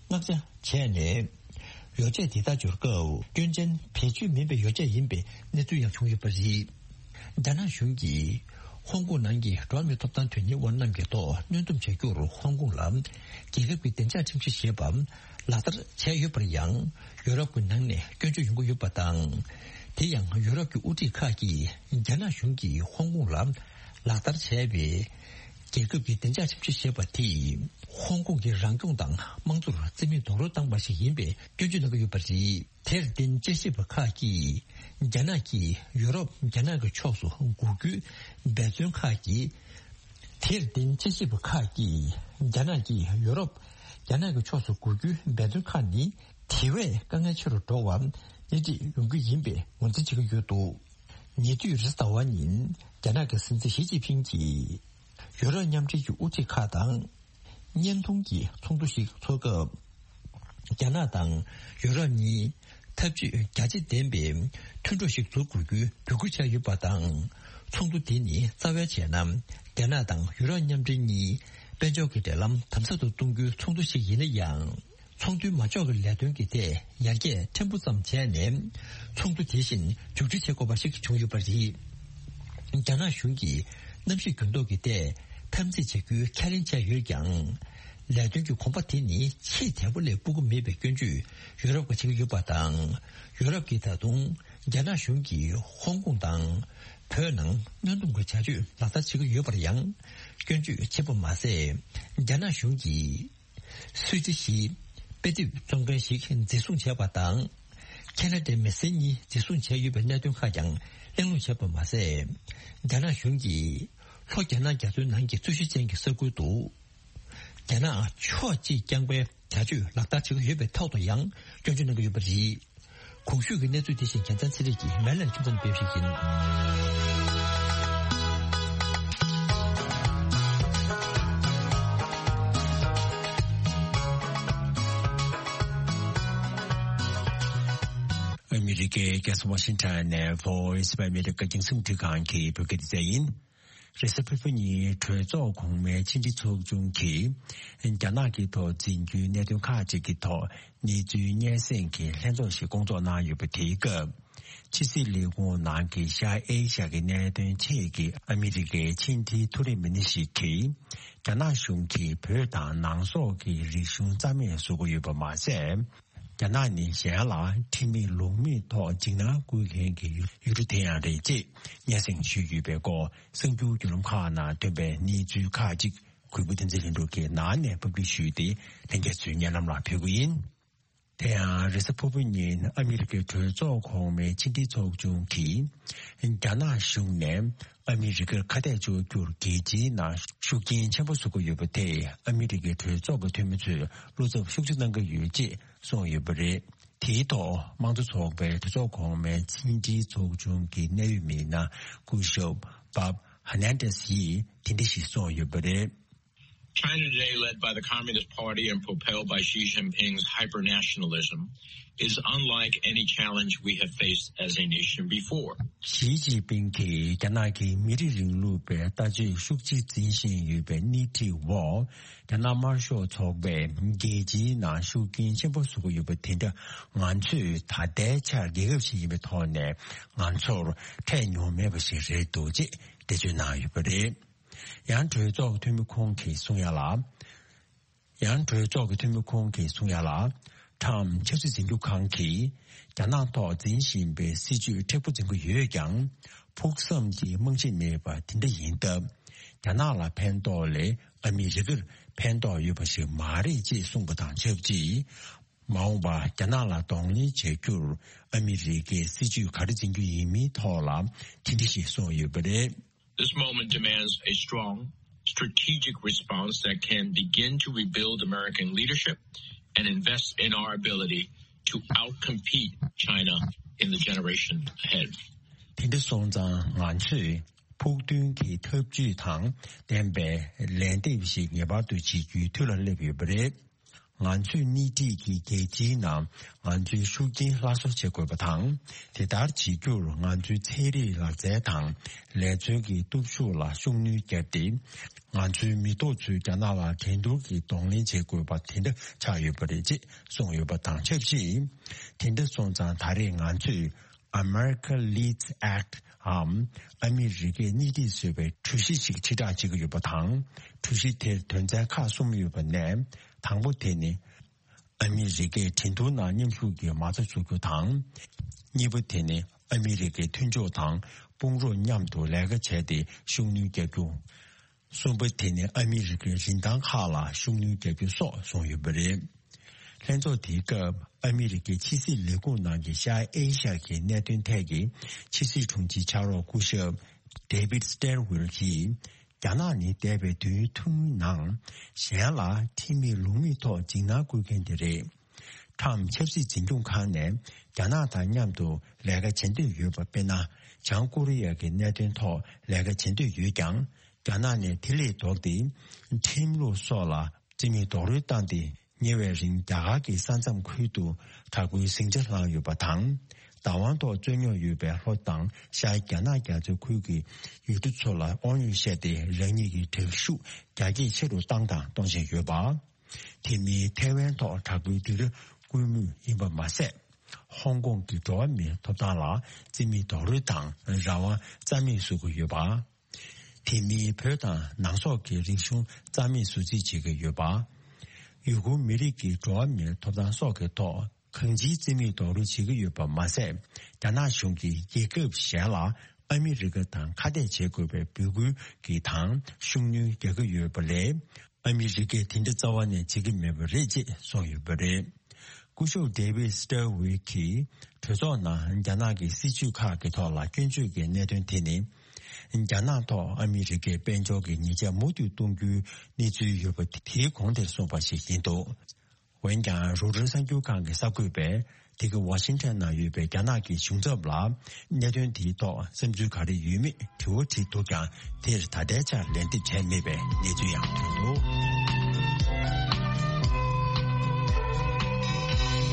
མངགས་ཆ་བྱས་ནས། ཡོ་བྱད་དེ་དག་འབྱོར་སྐབས་སྐྱོན་ཅན་བེད་སྤྱོད་མིན་པའི་ཡོ་བྱད་ཡིན་པའི་གནས་ཚུལ་ཡང་བྱུང་ཡོད་པ་རེད། རྒྱ་ནག་གཞུང་གིས་ཧོང་ཀོང་ནང་གི་འགྲོ་བ་མིའི་ཐོབ་ཐང་དོན་གཉེར་བ་རྣམས་ཀྱི་ཐོག་གནོན་སྡོམ་བྱ་རྒྱུར་ཧོང་ཀོང་ལ་རྒྱལ་ཁབ་ཀྱི་བདེ་འཇགས་ཁྲིམས་གཞི་ཞེས་པ་ལག་བསྟར་བྱས་ཡོད་པར་ཡང་། ཡུ་རོབ་ཀྱི་ནང་ནས་སྐྱོན་བརྗོད་ཡོང་གི་ཡོད་པ་དང་། དེ་ཡང་ཡུ་རོབ་ཀྱི་དབུ་ཁྲིད་ཁག་གིས་རྒྱ་ནག་གཞུང་གིས་ཧོང་ཀོང་ལ་ལག་བསྟར་བྱས་པའི་རྒྱལ་ཁབ་ཀྱི་བདེ་འཇགས་ཁྲིམས་གཞི་ཞེས་པ་དེས་ཧོང་ཀོང་གི་རང་སྐྱོང་དང་དམངས་གཙོར་རྩིས་མེད་རྡོག་རོལ་བཏང་པ་ཞིག་ཡིན་པའི་སྐྱོན་བརྗོད་གནང་གི་ཡོད་པ་རེད། དེར་བརྟེན་དཔྱད་ཞིབ་པ་ཁག་གིས་རྒྱ་ནག་གིས་ཡུ་རོབ་རྒྱ་ནག་གི་ཕྱོགས་སུ་འགུག་རྒྱུའི་འབད་བརྩོན་ཁག་གིས། དེར་བརྟེན་དཔྱད་ཞིབ་པ་ཁག་གིས་རྒྱ་ནག་གིས་ཡུ་རོབ་རྒྱ་ནག་གི་ཕྱོགས་སུ་འགུག་རྒྱུའི་འབད་བརྩོན་ཁག་ནི་དེ་བས་དཀའ་ངལ་ཆེ་རུ་འགྲོ་བ་སྣེ་ཁྲིད་ཡོང་རྒྱུ་ཡིན་པའི་ངོས་འཛིན་བྱེད་ཀྱི་ཡོད་འདུག་ཉེ་དུས་རེས་གཟའ་ཟླ་བ་ཉིན་རྒྱ་ནག་གི་སྲིད་འཛིན་ཞི་ཅིན་ཕིང་གྱིས་ཡུ་རོབ་མཉམ་འབྲེལ་གྱི་དབུ་ཁྲིད་ཁག་དང་བརྙན་ཐུང་གི་ཚོགས་འདུ་ཞིག་འཚོགས་སྐབས། རྒྱ་ནག་དང་ཡུ་རོབ་གཉིས་ འཐབ་ཇུས་རྒྱ་ཆེ་ལྡན་པའི་མཐུན་གྲོགས་ཤིག་འཛུགས་དགོས་རྒྱུའི་འབོད་སྐུལ་བྱས་ཡོད་པ་དང་། ཚོགས་འདུ་དེ་ནི་རྩ་བའི་བྱས་ན། རྒྱ་ནག་དང་ཡུ་རོབ་མཉམ་འབྲེལ་གཉིས་དཔལ་འབྱོར་གྱི་འབྲེལ་ལམ་དམ་ཟབ་ཏུ་གཏོང་རྒྱུའི་ཚོགས་འདུ་ཞིག་ཡིན་ན་ཡང་། ཚོགས་འདུའི་མ་འཇོག་གི་ལས་དོན་གྱི་ཐད་ཡར་རྒྱས་ཕྲན་བུ་ཙམ་བྱས་ནས། ཚོགས་འདུ་དེ་བཞིན་མཇུག་སྒྲིལ་བྱེད་དགོས་པ་ཞིག་བྱུང་ཡོད་པ་རེད། རྒྱ་ནག་གཞུང་གིས་གནམ་གཤིས་འགྱུར་ལྡོག་གི་ཐད་འཐབ་འཛིང་བྱེད་རྒྱུའི་ཁས་ལེན་བྱས་ཡོད་ཀྱང་། ལས་དོན་གྱི་གོམ་པ་དེ་ནི་ཆེས་དལ་པོ་ལས་སྤོ་གི་མེད་པའི་སྐྱོན་བརྗོད་ཡུ་རོབ་ཀྱིས་བྱེད་ཀྱི་ཡོད་པ་དང་། ཡུ་རོབ་ཀྱིས་ད་དུང་རྒྱ་ནག་གཞུང་གིས་ཧོང་ཀོང་དང་བོད་ནང་གནོན་སྡོམ་གྱི་བྱ་སྤྱོད་ལག་བསྟར་བྱེད་ཀྱི་ཡོད་པར་ཡང་སྐྱོན་བརྗོད་བྱེད་པ་མ་ཟད། རྒྱ་ནག་གཞུང་གིས་སུད་སི་གཞིས་དཔེ་དེབ་རྩོམ་མཁན་ཞིག་འཛིན་བཟུང་བྱས་པ་དང་། ཁེ་ན་ཌའི་མི་སེར་གཉིས་འཛིན་བཟུང་བྱས་ཡོད་པའི་གནད་དོན་ཁག་ཀྱང་གླེང་སློང་བྱས་པ་མ་ཟད། རྒྱ་ནག་གཞུང་གིས་ལྷོ་རྒྱ་ནག་རྒྱ་མཚོའི་ནང་གི་རྩོད་གཞི་ཅན་གྱི་ས་ཁུལ་དུ། རྒྱ་ནག་ཕྱོགས་གཅིག་རྐྱང་པའི་བྱ་སྤྱོད་ལག་བསྟར་བྱེད་ཀྱི་ཡོད་པའི་ཐོག་ཏུ་ཡང་སྐྱོན་བརྗོད་གནང་གི་ཡོད་པ་རེད། གོང་ཞུས་ཀྱི་གནས་ཚུལ་དེ་བཞིན་རྒྱལ་མཚན་ཚེ་རིང་གིས་མེ་ལན་ཁྱིམ་ཚང་སྤེལ་ཞིག་ཡིན། ཨ་མི་རི་ཀའི་རྒྱལ་ས་ཝ་ཤིང་ཊོན་ནས་Voice of America རྒྱང་སྲིང་རླུང་འཕྲིན་ཁང་གི་བོད་སྐད་སྡེ་ཚན་ཡིན། རེས་གཟའ་ཕུར་བུ་ཉིན་གྲོས་ཚོགས་གོང་མའི་ཕྱི་འབྲེལ་ཚོགས་ཆུང་གིས་རྒྱ་ནག་གི་ཐོག་འཛིན་རྒྱུའི་གནད་དོན་ཁག་ཅིག་གི་ཐོག་གནས་ཚུལ་སྙན་སེང་གི་ལྷན་ཚོགས་ཤིག་བསྐོང་ཚོགས་གནང་ཡོད་པ་དེའི་སྐབས། ཕྱི་སྲིད་ལས་ཁུངས་ནང་གི་ཤར་ཨེ་ཤ་ཡའི་གནད་དོན་ཐད་ཀྱི་ཨ་མི་རི་ཀའི་ཕྱི་འབྲེལ་མཐོ་རིམ་མི་སྣ་ཞིག་གིས། རྒྱ་ནག་གཞུང་གིས་བོད་དང་ནང་སོག་གི་རིག་གཞུང་རྩ་མེད་བཟོ་གི་ཡོད་པ་མ་ཟད། རྒྱ་ནག་ནི་གཞན་ལ་ཁྲིམས་མེད་ལུགས་མེད་ཐོག་འཇིགས་སྣང་བསྐུལ་མཁན་གྱི་ཡུལ་གྲུ་དེ་ཡང་རེད་ཅེས་སྙན་སེང་ཞུས་ཡོད་པའི་སྐོར་གསར་འགྱུར་བརྒྱུད་ལམ་ཁག་ནང་ཐོན་པའི་གནས་ཚུལ་ཁག་ཅིག་གུས་པ་བསྟན་འཛིན་ལྷུན་གྲུབ་ཀྱིས་ནང་ནས་ཕབ་སྒྱུར་ཞུས་ཏེ་ལྷན་རྒྱས་ཚོའི་སྙན་ལམ་ལ་ཕུལ་གྱི་ཡིན། དེ་ཡང་རེས་གཟའ་ཕུར་བུ་ཉིན་ཨ་མི་རི་ཀའི་གྲོས་ཚོགས་གོང་མའི་ཕྱི་འབྲེལ་ཚོགས་ཆུང་གིས། རྒྱ་ནག་གཞུང་ནས་ཨ་མི་རི་ཀར་ཁ་གཏད་གཅོག་རྒྱུར་རྒྱལ་སྤྱིའི་ནང་ཤུགས་རྐྱེན་ཆེན་པོ་བཟོ་གི་ཡོད་པ་དེས་ཨ་མི་རི་ཀའི་གྲོས་ཚོགས་ཀྱི་འཐུས་མི་ཚོས་བློ་འཚབ་ཤུགས་ཆེ་གནང་གི་ཡོད་ཅེས་གསུངས་ཡོད་པ་རེད། དེའི་ཐོག་དམངས་གཙོ་ཚོགས་པའི་གྲོས་ཚོགས་གོང་མའི་ཕྱི་འབྲེལ་ཚོགས་ཆུང་གི་གནད་ཡོད་མི་སྣ་སྐུ་ཞབས་བྷབ་ཧ་ནན་ཏེས་ཡིས་དེ་འདྲ་ཞིག་གསུངས་ཡོད་པ་རེད། China today, led by the Communist Party and propelled by Xi Jinping's hyper-nationalism, is unlike any challenge we have faced as a nation before. ཞི་ཅིན་ཕིང་གིས་རྒྱ་ནག་གི་མི་རིགས་རིང་ལུགས་པའི་ལྟ་སྤྱོད་ཤུགས་ཆེ་འཛིན་བཞིན་ཡོད་པའི་སྣེ་ཁྲིད་འོག་རྒྱ་ནག་དམར་ཤོག་ཚོགས་པས་རྒྱལ་སྤྱིའི་ནང་ཤུགས་རྐྱེན་ཆེན་པོ་བཟོ་གི་ཡོད་པ་དེ་འདྲ་ང་ཚོས་ད་ལྟའི་ཆར་རྒྱལ་ཁབ་ཞིག་ཡིན་པའི་ཐོག་ནས་ང་ཚོར་འཕྲད་མྱོང་མེད་པ་ཞིག་རེད་འདུག་ཅེས་འགྲེལ་བརྗོད་གནང་ཡོད་པ་རེད། ཡང་གྲོས་ཚོགས་འཐུས་མི་ཁོང་གིས་གསུང་ཡ་ལ། ཡང་གྲོས་ཚོགས་ཀྱི་འཐུས་མི་ཁོང་གིས་གསུང་ཡ་ལ། ཁྲམ་ཆབ་སྲིད་འཛིན་སྐྱོང་ཁང་གིས་རྒྱ་ནག་ཐོག་འཛིན་བཞིན་པའི་སྲིད་ཇུས་མཁྲེགས་པོ་འཛིན་གྱི་ཡོད་ཀྱང་། ཕུགས་བསམ་གྱི་རྨང་གཞི་མེད་པ་དེ་འདྲ་ཡིན་སྟབས། རྒྱ་ནག་ལ་ཕན་ཐོགས་ལས་ཨ་མི་རི་ཀར་ཕན་ཐོགས་ཡོད་པ་ཞིག་མ་རེད་ཅེས་གསུངས་པ་དང་ཆབས་ཅིག་མ་འོངས་པར་རྒྱ་ནག་ལ་གདོང་ལེན་བྱ་རྒྱུར་ཨ་མི་རི་ཀས་སྲིད་ཇུས་ག་རེ་འཛིན་རྒྱུ་ཡིན་མིན་ཐོག་ལ་དེ་འདྲ་ཞིག་གསུངས་ཡོད་པ་རེད། This moment demands a strong, strategic response that can begin to rebuild American leadership and invest in our ability to outcompete China in the generation ahead. དེ་འདྲ་སོང་ཙང་ང་ཚོས་ཕུགས་འདུན་གྱི་ཐབས་ཇུས་དང་ལྡན་པའི་ལན་འདེབས་ཤིག་ངེས་པར་དུ་བྱེད་རྒྱུའི་དུས་ལ་སླེབས་ཡོད་པ་རེད། ང་ཚོས་སྣེ་ཁྲིད་ཀྱི་རྒྱལ་སྤྱིའི་ནང་ང་ཚོའི་ཤུགས་རྐྱེན་སླར་གསོ་བྱེད་དགོས་པ་དང་། དེ་ལྟར་བྱེད་རྒྱུར་ང་ཚོའི་ཚན་རིག་ལག་རྩལ་དང་ལས་རྩལ་གྱི་སྟོབས་ཤུགས་ལ་ཤུགས་སྣོན་བརྒྱབ་སྟེ། ང་ཚོའི་མི་ཐོག་ཚོས་རྒྱ་ནག་ལ་འགྲན་བསྡུར་གྱི་གདོང་ལེན་བྱེད་དགོས་པ་དེ་འདྲ་ཆགས་ཡོད་པ་རེད་ཅེས་གསུངས་ཡོད་པ་དང་ཆབས་ཅིག་དེ་འདྲ་སོང་ཙང་ད་རེས་ང་ཚོས། America Leads Act འམ་ཨ་མི་རི་ཀས་སྣེ་ཁྲིད་བཟོས་པའི་གྲོས་གཞི་ཞིག་ཕྱིར་བསྒྲགས་བྱེད་ཀྱི་ཡོད་པ་དང་། གྲོས་གཞི་དེར་དོན་ཚན་ཁག་གསུམ་ཡོད་པ་ནས། དང་པོ་དེ་ནི། ཨ་མི་རི་ཀས་འགྲན་བསྡུར་ནང་མཉམ་ཞུགས་ཀྱི་མ་རྩ་བཟོ་རྒྱུ་དང་། གཉིས་པ་དེ་ནི་ཨ་མི་རི་ཀའི་མཐུན་ཕྱོགས་དང་དཔུང་རོགས་མཉམ་དུ་ལས་ཀ་བྱས་ཏེ་ཤུགས་སྣོན་རྒྱག་རྒྱུ། གསུམ་པ་དེ་ནི་ཨ་མི་རི་ཀའི་རིན་ཐང་ཁག་ལ་ཤུགས་སྣོན་རྒྱག་རྒྱུ་སོགས་གསུངས་ཡོད་པ་རེད། ལྷན་ཚོགས་དེའི་སྐབས་ཨ་མི་རི་ཀའི་ཕྱི་སྲིད་ལས་ཁུངས་ནང་གི་ཤར་ཨེ་ཤ་ཡའི་གནད་དོན་ཐད་ཀྱི་ཕྱི་སྲིད་དྲུང་ཆེའི་ཕྱག་རོགས་སྐུ་ཞབས་David Stilwell གྱིས། རྒྱ་ནག་ནི་འདས་པའི་དུས་ཡུན་ཐུང་ངུའི་ནང་གཞན་ལ་ཁྲིམས་མེད་ལུགས་མེད་ཐོག་འཇིགས་སྣང་བསྐུལ་མཁན་དེ་རེད། ཁྲམ་ཆབ་སྲིད་འཛིན་སྐྱོང་ཁང་ནས་རྒྱ་ནག་དང་མཉམ་དུ་ལས་ཀ་བྱེད་འདོད་ཡོད་པ། དཔེར་ན། བྱང་ཀོ་རི་ཡ་གི་གནད་དོན་ཐོག་ལས་ཀ་བྱེད་འདོད་ཡོད་ཀྱང་། རྒྱ་ནག་ནས་དེ་ལས་ལྡོག་སྟེ། ཁྲིམས་ལུགས་སོགས་ལ་རྩིས་མེད་རྡོག་རོལ་བཏང་སྟེ། ཉེ་བའི་རིང་རྒྱ་གར་གྱི་ས་མཚམས་ཁུལ་དུ་དྲག་པོའི་ཟིང་ཆ་བསླངས་ཡོད་པ་དང་། བདག་དབང་ཐོག་རྩོད་རྙོག་ཡོད་པའི་ལྷོ་དང་ཤར་རྒྱ་ནག་རྒྱ་མཚོའི་ཁུལ་གྱི་ཡུལ་གྲུ་ཚོ་ལ་དབང་ཡོད་བཤད་དེ་རང་ཉིད་ཀྱི་དྲག་ཤུགས་རྒྱ་སྐྱེད་ཆེ་རུ་བཏང་དང་གཏོང་བཞིན་ཡོད་པ། དེ་མིན་ཐའེ་ཝན་ཐོག་དྲག་པོའི་སྡིགས་ར་སྐུལ་མུས་ཡིན་པ་མ་ཟད། ཧོང་ཀོང་གི་འགྲོ་བ་མིའི་ཐོབ་ཐང་ལ་རྩིས་མེད་རྡོག་རོལ་དང་རང་དབང་རྩ་མེད་བཟོ་གི་ཡོད་པ། དེ་མིན་བོད་དང་ནང་སོག་གི་རིག་གཞུང་རྩ་མེད་བཟོ་རྩིས་བྱེད་ཀྱི་ཡོད་པ། ཡུ་གུར་མི་རིགས་ཀྱི་འགྲོ་བ་མིའི་ཐོབ་ཐང་སོགས་ཀྱི་ཐོག་གང་ཅིའི་རྩིས་མེད་རྡོག་རོལ་བྱེད་ཀྱི་ཡོད་པ་མ་ཟད། རྒྱ་ནག་གཞུང་གིས་རྒྱལ་ཁབ་གཞན་ལ་ཨ་མི་རི་ཀ་དང་ཁ་གཏད་བྱེད་དགོས་པའི་འབོད་སྐུལ་གྱི་དང་ཤུགས་སྣོན་རྒྱག་གི་ཡོད་པ་ལས། ཨ་མི་རི་ཀས་དེ་འདྲ་རྩ་བ་ནས་བྱེད་ཀྱི་མེད་པ་རེད་ཅེས་གསུངས་ཡོད་པ་རེད། སྐུ་ཞབས་David Stirwin་གྱིས་གྲོས་ཚོགས་ནང་རྒྱ་ནག་གི་སྲིད་བྱུས་ཁག་གི་ཐོག་ལ་སྐྱོན་བརྗོད་ཀྱི་གནད་དོན་དེ་ནི། རྒྱ་ནག་ཐོག་ཨ་མི་རི་ཀའི་དཔལ་འབྱོར་གྱི་ཉེས་ཆད་མུ་མཐུད་གཏོང་རྒྱུའི་གནས་ཚུལ་ཡོད་པ་དེའི་གོང་དེར་གསུངས་པ་ཞིག་ཡིན་འདུག་འོན་ཀྱང་རོའི་ཊར་གསར་འགྱུར་ཁང་གི་གསར་འགོད་པས་དེ་གའི་ཝ་ཤིང་ཊོན་ནང་ཡོད་པའི་རྒྱ་ནག་གི་གཞུང་ཚབ་ལ་གནད་དོན་དེའི་ཐོག་བསམ་ཚུལ་ག་རེ་ཡོད་མེད་དྲི་བ་དྲིས་འདུག་ཀྱང་དེར་ད་ལྟའི་ཆར་ལན་འདེབས་བྱས་མེད་པའི་གནས་ཚུལ་ཡང་ཐོན་འདུག་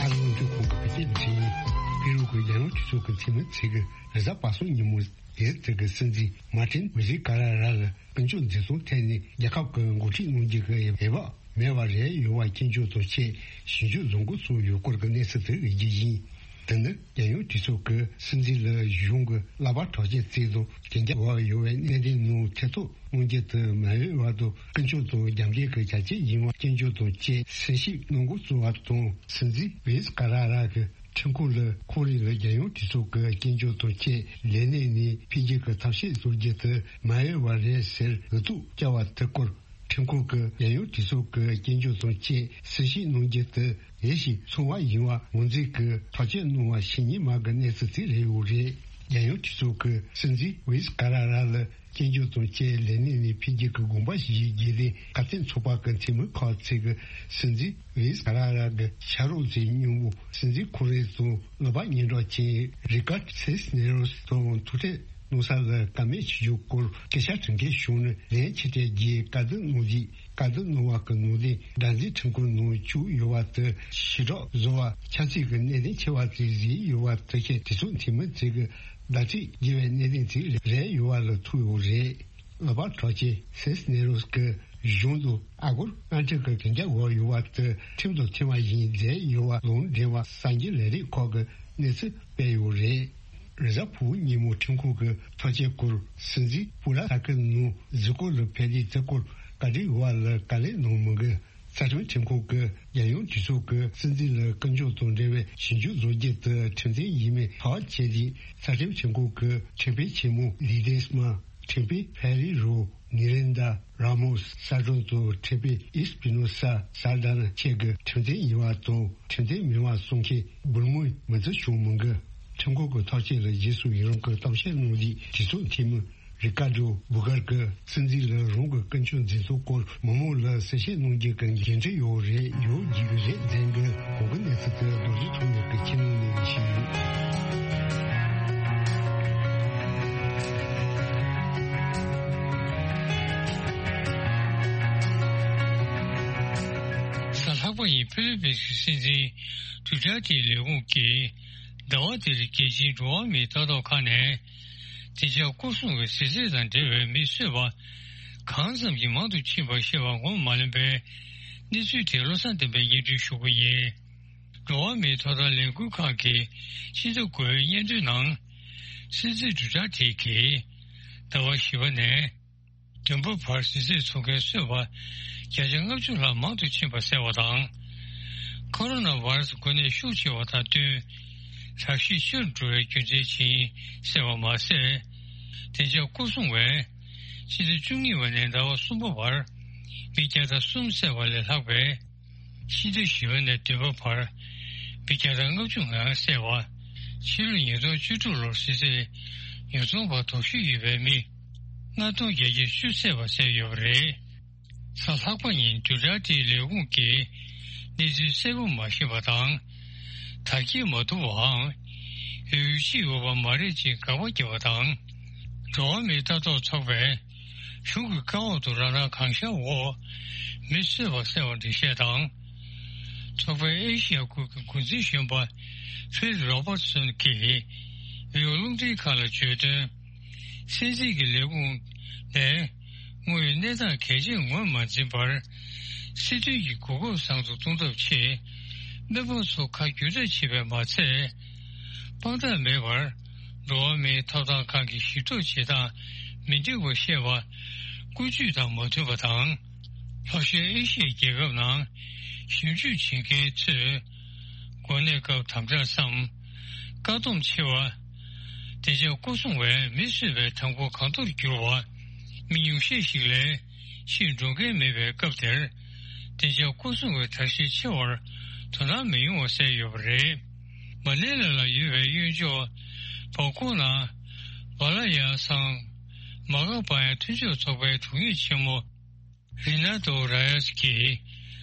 ཨ་རིའི་དབང་སྒྱུར་ཁང་གི་བོད་སྐད་སྡེ་ཚན་ནས་པེ་རུ་གི་རྒྱལ་ཡོངས་གྲོས་ཚོགས་ཀྱི་འཐུས་མི་ཚོས་རེས་གཟའ་པ་སངས་ཉིན་མོ། དེར་དེ་གི་སྲིད་འཛིན་མཱ་ཏིན་ཝི་ཟི་ཀ་ར་ར་ལ་ཀུན་སྤྱོད་འཛིན་སྐྱོང་ཐད་ནས་རྒྱལ་ཁབ་ཀྱི་འགོ་ཁྲིད་གནང་རྒྱུ་གི་འོས་འབབ་མེད་པ་རེད་ཡོད་པ་སྐྱོན་བརྗོད་དང་བཅས་ཞིབ་འཇུག་བཟོ་འགོ་བཙུགས་ཡོད་སྐོར་གྱི་གནས་ཚུལ་དེ་ཡོད་རྒྱུ་ཡིན། དེ་ནི་རྒྱལ་ཡོངས་གྲོས་ཚོགས་ཀྱི་སྲིད་འཛིན་ལ་གཞུང་གི་བསླབ་པ་གྲགས་ཅན་བརྩིས་དང་གན་རྒྱ་འོག་ཡོད་པའི་གནད་དོན་ནང་ཐེ་གཏོགས་གནང་རྒྱུ་དེ་མ་འོས་པ་དང་ཀུན་སྤྱོད་དང་རྒྱབ་འགལ་གྱི་བྱ་སྤྱོད་ཡིན་པ་སྐྱོན་བརྗོད་དང་བཅས་གསལ་བཤད་གནང་འགོ་བཙུགས་པ་དང་། སྲིད་འཛིན་ཝི་ཟི་ཀ་ར་ར་གི་ཁྲིམས་ཁང་ལ་ཁོང་རང་ལ་རྒྱལ་ཡོངས་གྲོས་ཚོགས་ཀྱི་སྐྱོན་བརྗོད་དང་བཅས་ལས་གནས་ནས་ཕུད་རྒྱུ་གི་ཐབས་ཤེས་བཟོ་རྒྱུ་དེ་མ་འོས་པ་རེད་ཟེར་འུ་ཐུག་བཅར་བ་དེ་སྐོར་ཁྲིམས་ཁང་གིས་རྒྱལ་ཡོངས་གྲོས་ཚོགས་ཀྱི་སྐྱོན་བརྗོད་དང་བཅས་གསལ་བཤད་གནང་རྒྱུ་དེ་ཡིད་བཞིན་འཚོ་བ་ཡིན་པ་ངོས་འཛིན་གྱིས་ཐག་གཅོད་གནང་བ་ཞིག་ཉིན་མ་གི་གནས་ཚུལ་དེ་རེད་ཡོད་རེད། རྒྱལ་ཡོངས་གྲོས་ཚོགས་ཀྱི་སྲིད་འཛིན་ཝི་ཟི་ཀ་ར་ར་ལ། སྐྱོན་བརྗོད་དང་བཅས་ལས་གནས་ནས་ཕུད་རྒྱུ་གི་དགོངས་པ་བཞེས་རྒྱུ་དེ་ཁ་གཏད་ཚོགས་པ་གི་འཐུས་མི་ཁག་ཅིག་གིས་སྲིད་འཛིན་ཝི་ཟི་ཀ་ར་ར་གི་ཕྱག་རོགས་ཚོའི་སྙིང་པོ་སྲིད་འཛིན་ཁོང་རང་དང་ནུས་པ་སྙན་གྲགས་ཅན་རི་ཀར་སིས་ནེ་རོས་དང་ཐུག་འཕྲད་གནང་ས་ལ་བཀའ་མོལ་བྱེད་རྒྱུའི་སྐོར་སྐད་ཆ་དྲི་མཁན་བྱུང་ནས་ལན་ཕྱིར་སྤྲད་རྒྱུའི་བཀའ་བསྡུར་གནང་རྗེས། བཀའ་བསྡུར་གནང་བ་གི་ནང་དོན་སྒྲ་འཛིན་ཁྲིམས་ཁང་ནང་བཅུག་ཡོད་པ་དེ་ཞི་དྲག་བཟོ་བ་ཆབ་སྲིད་ཀྱི་གནད་དོན་ཆེ་བ་ཅིག་བཟོས་ཡོད་པ་དེ་བཞིན་གྲོས་ཚོགས་འཐུས་མི་ཚོས་ཀྱི་བརྡ་སྤྲོད་བགྱི་བའི་གནད་དོན་ཅིག་རེད་ཡོད་པ་ལ་ཐུག་ཡོད་རེད། ལག་པ་གྲགས་ཅན་སིས་ནེ་རོས་ཀྱི་གཞུང་དུ་ཨ་སྒོར་ལྔ་ཁྲི་གི་གན་རྒྱ་འོག་ཡོད་པ་དེ་ཁྲིམས་དང་མཐུན་པ་ཡིན་མཛད་ཡོད་པ་ལུང་འདྲེན་པ་གསར་འགྱུར་ལས་རིགས་ཁག་གི་གནས་ཚུལ་སྤེལ་ཡོད་རེད། རེས་གཟའ་ཕུར་བུ་ཉིན་མོ་ཁྲིམས་ཁང་གི་ཐག་བཅད་སྐོར་སྲིད་འཛིན་སྤུ་ར་ས་ཁུལ་ནང་གཟིགས་སྐོར་ལ་ཕེབས་དུས་དེ་སྐོར་བཀའ་འདྲི་ཡོད་པ་ལ་བཀའ་ལན་གནང་མི་འགི། རྩ་ཁྲིམས་ཁྲིམས་ཁང་གིས་རྒྱལ་ཡོངས་གྲོས་ཚོགས་ཀྱི་སྲིད་འཛིན་ལ་སྐུ་ཕྱོགས་དང་འབྲེལ་བའི་ཞིབ་འཇུག་བཟོ་རྒྱུ་དེ་ཁྲིམས་མཐུན་ཡིན་མིན་ཐག་བཅད་རྗེས། རྩ་ཁྲིམས་ཆེན་མོ་གི་ཁྲིམས་དཔོན་ཆེན་མོ་ལི་དེ་སྨ། ཁྲིམས་དཔོན་ཕེ་རི་རོ་ནི་རེན་དྲ་ར་མོ་སི་གསར་སྐྲུན་དང་ཁྲིམས་དཔོན་ཨིས་པི་ནོ་ས་སར་དཱ་ན་བཅས་ཀྱི་ཁྲིམས་མཐུན་ཡིན་པ་དང་ཁྲིམས་མཐུན་མིན་པ་གསུང་མཁན་འབུལ་མིན་མི་འདུག་བྱུང་མི་འགི། ཁྲིམས་ཁང་གི་ཐག་བཅད་ལ་རྗེས་སུ་ཡི་རང་གི་གཏམ་བཤད་གནང་རྗེས་གྲོས་ཚོགས་འཐུས་མི། རི་ཀ་ཌོ་བུ་གར་གྱིས་སྲིད་འཛིན་ལ་རང་གི་ཀུན་སྤྱོད་འཛིན་སྐྱོང་སྐོར་མི་མང་ལ་གསལ་བཤད་གནང་རྒྱུ་གི་འགན་འཁྲི་ཡོད་རེད། ཡོད་རྒྱུ་གི་རེད་ཟེར་གི། གོང་གི་གནས་ཚུལ་དེ་རྡོ་རྗེ་ཐོགས་མེད་ཀྱིས་ཁྱེར་ཡོང་ནས་ཞུས་ཡོད། གཟའ་ལྷག་པ་ཉིན་ཕི་ལི་པིན་གྱི་སྲིད་འཛིན་ཌུ་ཊར་ཏེའི་ལས་ཁུངས་ཀྱིས་ཟླ་བ་འདིར་རྒྱལ་སྤྱིའི་འགྲོ་བ་མིའི་ལྟ་རྟོག་ཁང་ནས། བདེ་འཇགས་སྐོར་སྲུང་གི་ཟས་རིགས་དང་འབྲེལ་བའི་མི་གསོད་པ་གང་ཙམ་གྱིས་མང་དུ་ཕྱིན་པ་ཞེས་པ་ངོ་མ་ལོན་པའི་གནས་ཚུལ་དེ་བློ་བཟང་བསྟན་པས་སྙན་སྒྲོན་ཞུ་གི་ཡིན། འགྲོ་བ་མིའི་ཐོབ་ཐང་ལས་འགུལ་ཁང་གིས་ཕྱི་ཟླ་དགུ་པའི་སྙན་ཐོའི་ནང་། སྲིད་འཛིན་ཌུ་ཊར་ཏེ་གིས་ཟླ་བ་བཞི་པ་ནས་བདུན་པ་བར་གཟི་རྩེར་འཚོ་མཁན་གསོད་པ་བརྒྱ་ཆ་ལྔ་བཅུ་ལྷག་མང་དུ་ཕྱིན་པ་གསལ་བ་དང་། ཁོ་རོ་ན་བྷ་ར་སི་འགོས་ནད་ཤུགས་ཆེ་བ་དང་བསྟུན། གྲགས་གཤིས་ཆེ་རུ་འགྲོ་བའི་རྒྱུ་མཚན་ཅིག་གསལ་བ་མ་ཟད། བདེ་འཇགས་སྐོར་སྲུང་བས་ཕྱི་ཟླ་བཅུ་གཉིས་པ་ནས་ཟླ་བ་གསུམ་པ་བར་མི་བརྒྱ་དང་གསུམ་བསད་པ་ལས་ལྷག་པའི་ཕྱི་ཟླ་བཞི་པ་ནས་བདུན་པ་བར་མི་བརྒྱ་དང་ལྔ་བཅུ་ང་ལྔ་བསད་པ། ཕྱི་ལོ་ཉིས་སྟོང་བཅུ་དྲུག་ལོར་གཟི་རྩེར་ཉོ་ཚོང་པ་དོགས་གཞི་ཡོད་པའི་མི་ལྔ་སྟོང་བརྒྱད་བརྒྱ་བཅུ་བསད་པ་གསལ་ཡོད་པ་རེད། གཟའ་ལྷག་པ་ཉིན་ཌུ་ཊར་ཏེའི་ལས་ཁུངས་ཀྱིས་གནས་ཚུལ་གསལ་པོ་མ་ཤེས་པ་དང་། དར་རྒྱས་མ་ཐུབ་པའམ་ཡོད་ཡོད་ཅིག་ཡོད་པ་མ་རེད་ཅེས་དགག་པ་བརྒྱབ་པ་དང་། འགྲོ་བ་མིའི་ལྟ་རྟོག་ཚོགས་པས་གཞུང་གི་བཀའ་འོག་ཏུ་རང་སྣང་གང་ཤར་འོག་མི་གསོད་པ་གསལ་བ་འགྲེལ་བཤད་དང་། ཚོགས་པའི་ཨེ་ཤི་ཡ་ཁུལ་གྱི་འགོ་འཛིན་གཞོན་པ་ཕིལ་རོ་བར་སོན་གྱིས་བྷི་ཨོ་རླུང་འཕྲིན་ཁང་ལ་བརྗོད་དོན། སྲིད་འཛིན་གྱི་ལས་ཁུངས་ནས་དངོས་ཡོད་གནས་སྟངས་གལ་ཆེན་ངོས་མ་འཛིན་པར། སྲིད་དོན་གྱི་གོ་སྐབས་བཟང་དུ་གཏོང་ཐབས་ཆེད་སྨན་པ་ཚོ་ཁ་བསྒྱུར་ཐབས་བྱས་པས་མ་ཚད། དཔང་རྟགས་མེད་པར་འགྲོ་བ་མིའི་ཐོབ་ཐང་ཁང་གི་ཞིབ་ཐོ་བྱེད་སྟངས་མི་འགྲིག་པ་བཤད་པ་ཀུན་སྤྱོད་དང་མ་མཐུན་པ་དང་། ལྷོ་ཤར་ཨེ་ཤི་ཡའི་རྒྱལ་ཁབ་ནང་ཞིབ་འཇུག་བྱེད་མཁན་ཚོས་འགོ་ནད་སྐབས་དམ་དྲག་སམ། བཀག་སྡོམ་ཆེ་བ། བདེ་འཇགས་སྐོར་སྲུང་བས་མི་གསོད་པའི་ཐང་གོ་གང་མཐོར་གྱུར་བ། མི་ཉུང་ཤས་ཤིག་ལས་ཕྱིར་འགྲོ་མཁན་མེད་པའི་སྐབས་དེར། བདེ་འཇགས་སྐོར་སྲུང་བའི་དར་ཤེད་ཆེ་བར་དོ་སྣང་མི་ཡོང་བ་གསལ་ཡོད་པ་རེད། མ་ནེ་ལ་ལ་ཡོད་པའི་གཡོན་ཕྱོགས་བ་ཀོ་ནང་བ་ལ་ཡ་སང་མ་ག་པ་ཡ་མཐུན་ཕྱོགས་ཚོགས་པའི་དྲུང་ཡིག་ཆེན་མོ་རི་ན་ཏོ་ར་ཡ་སི་ཀྱིས།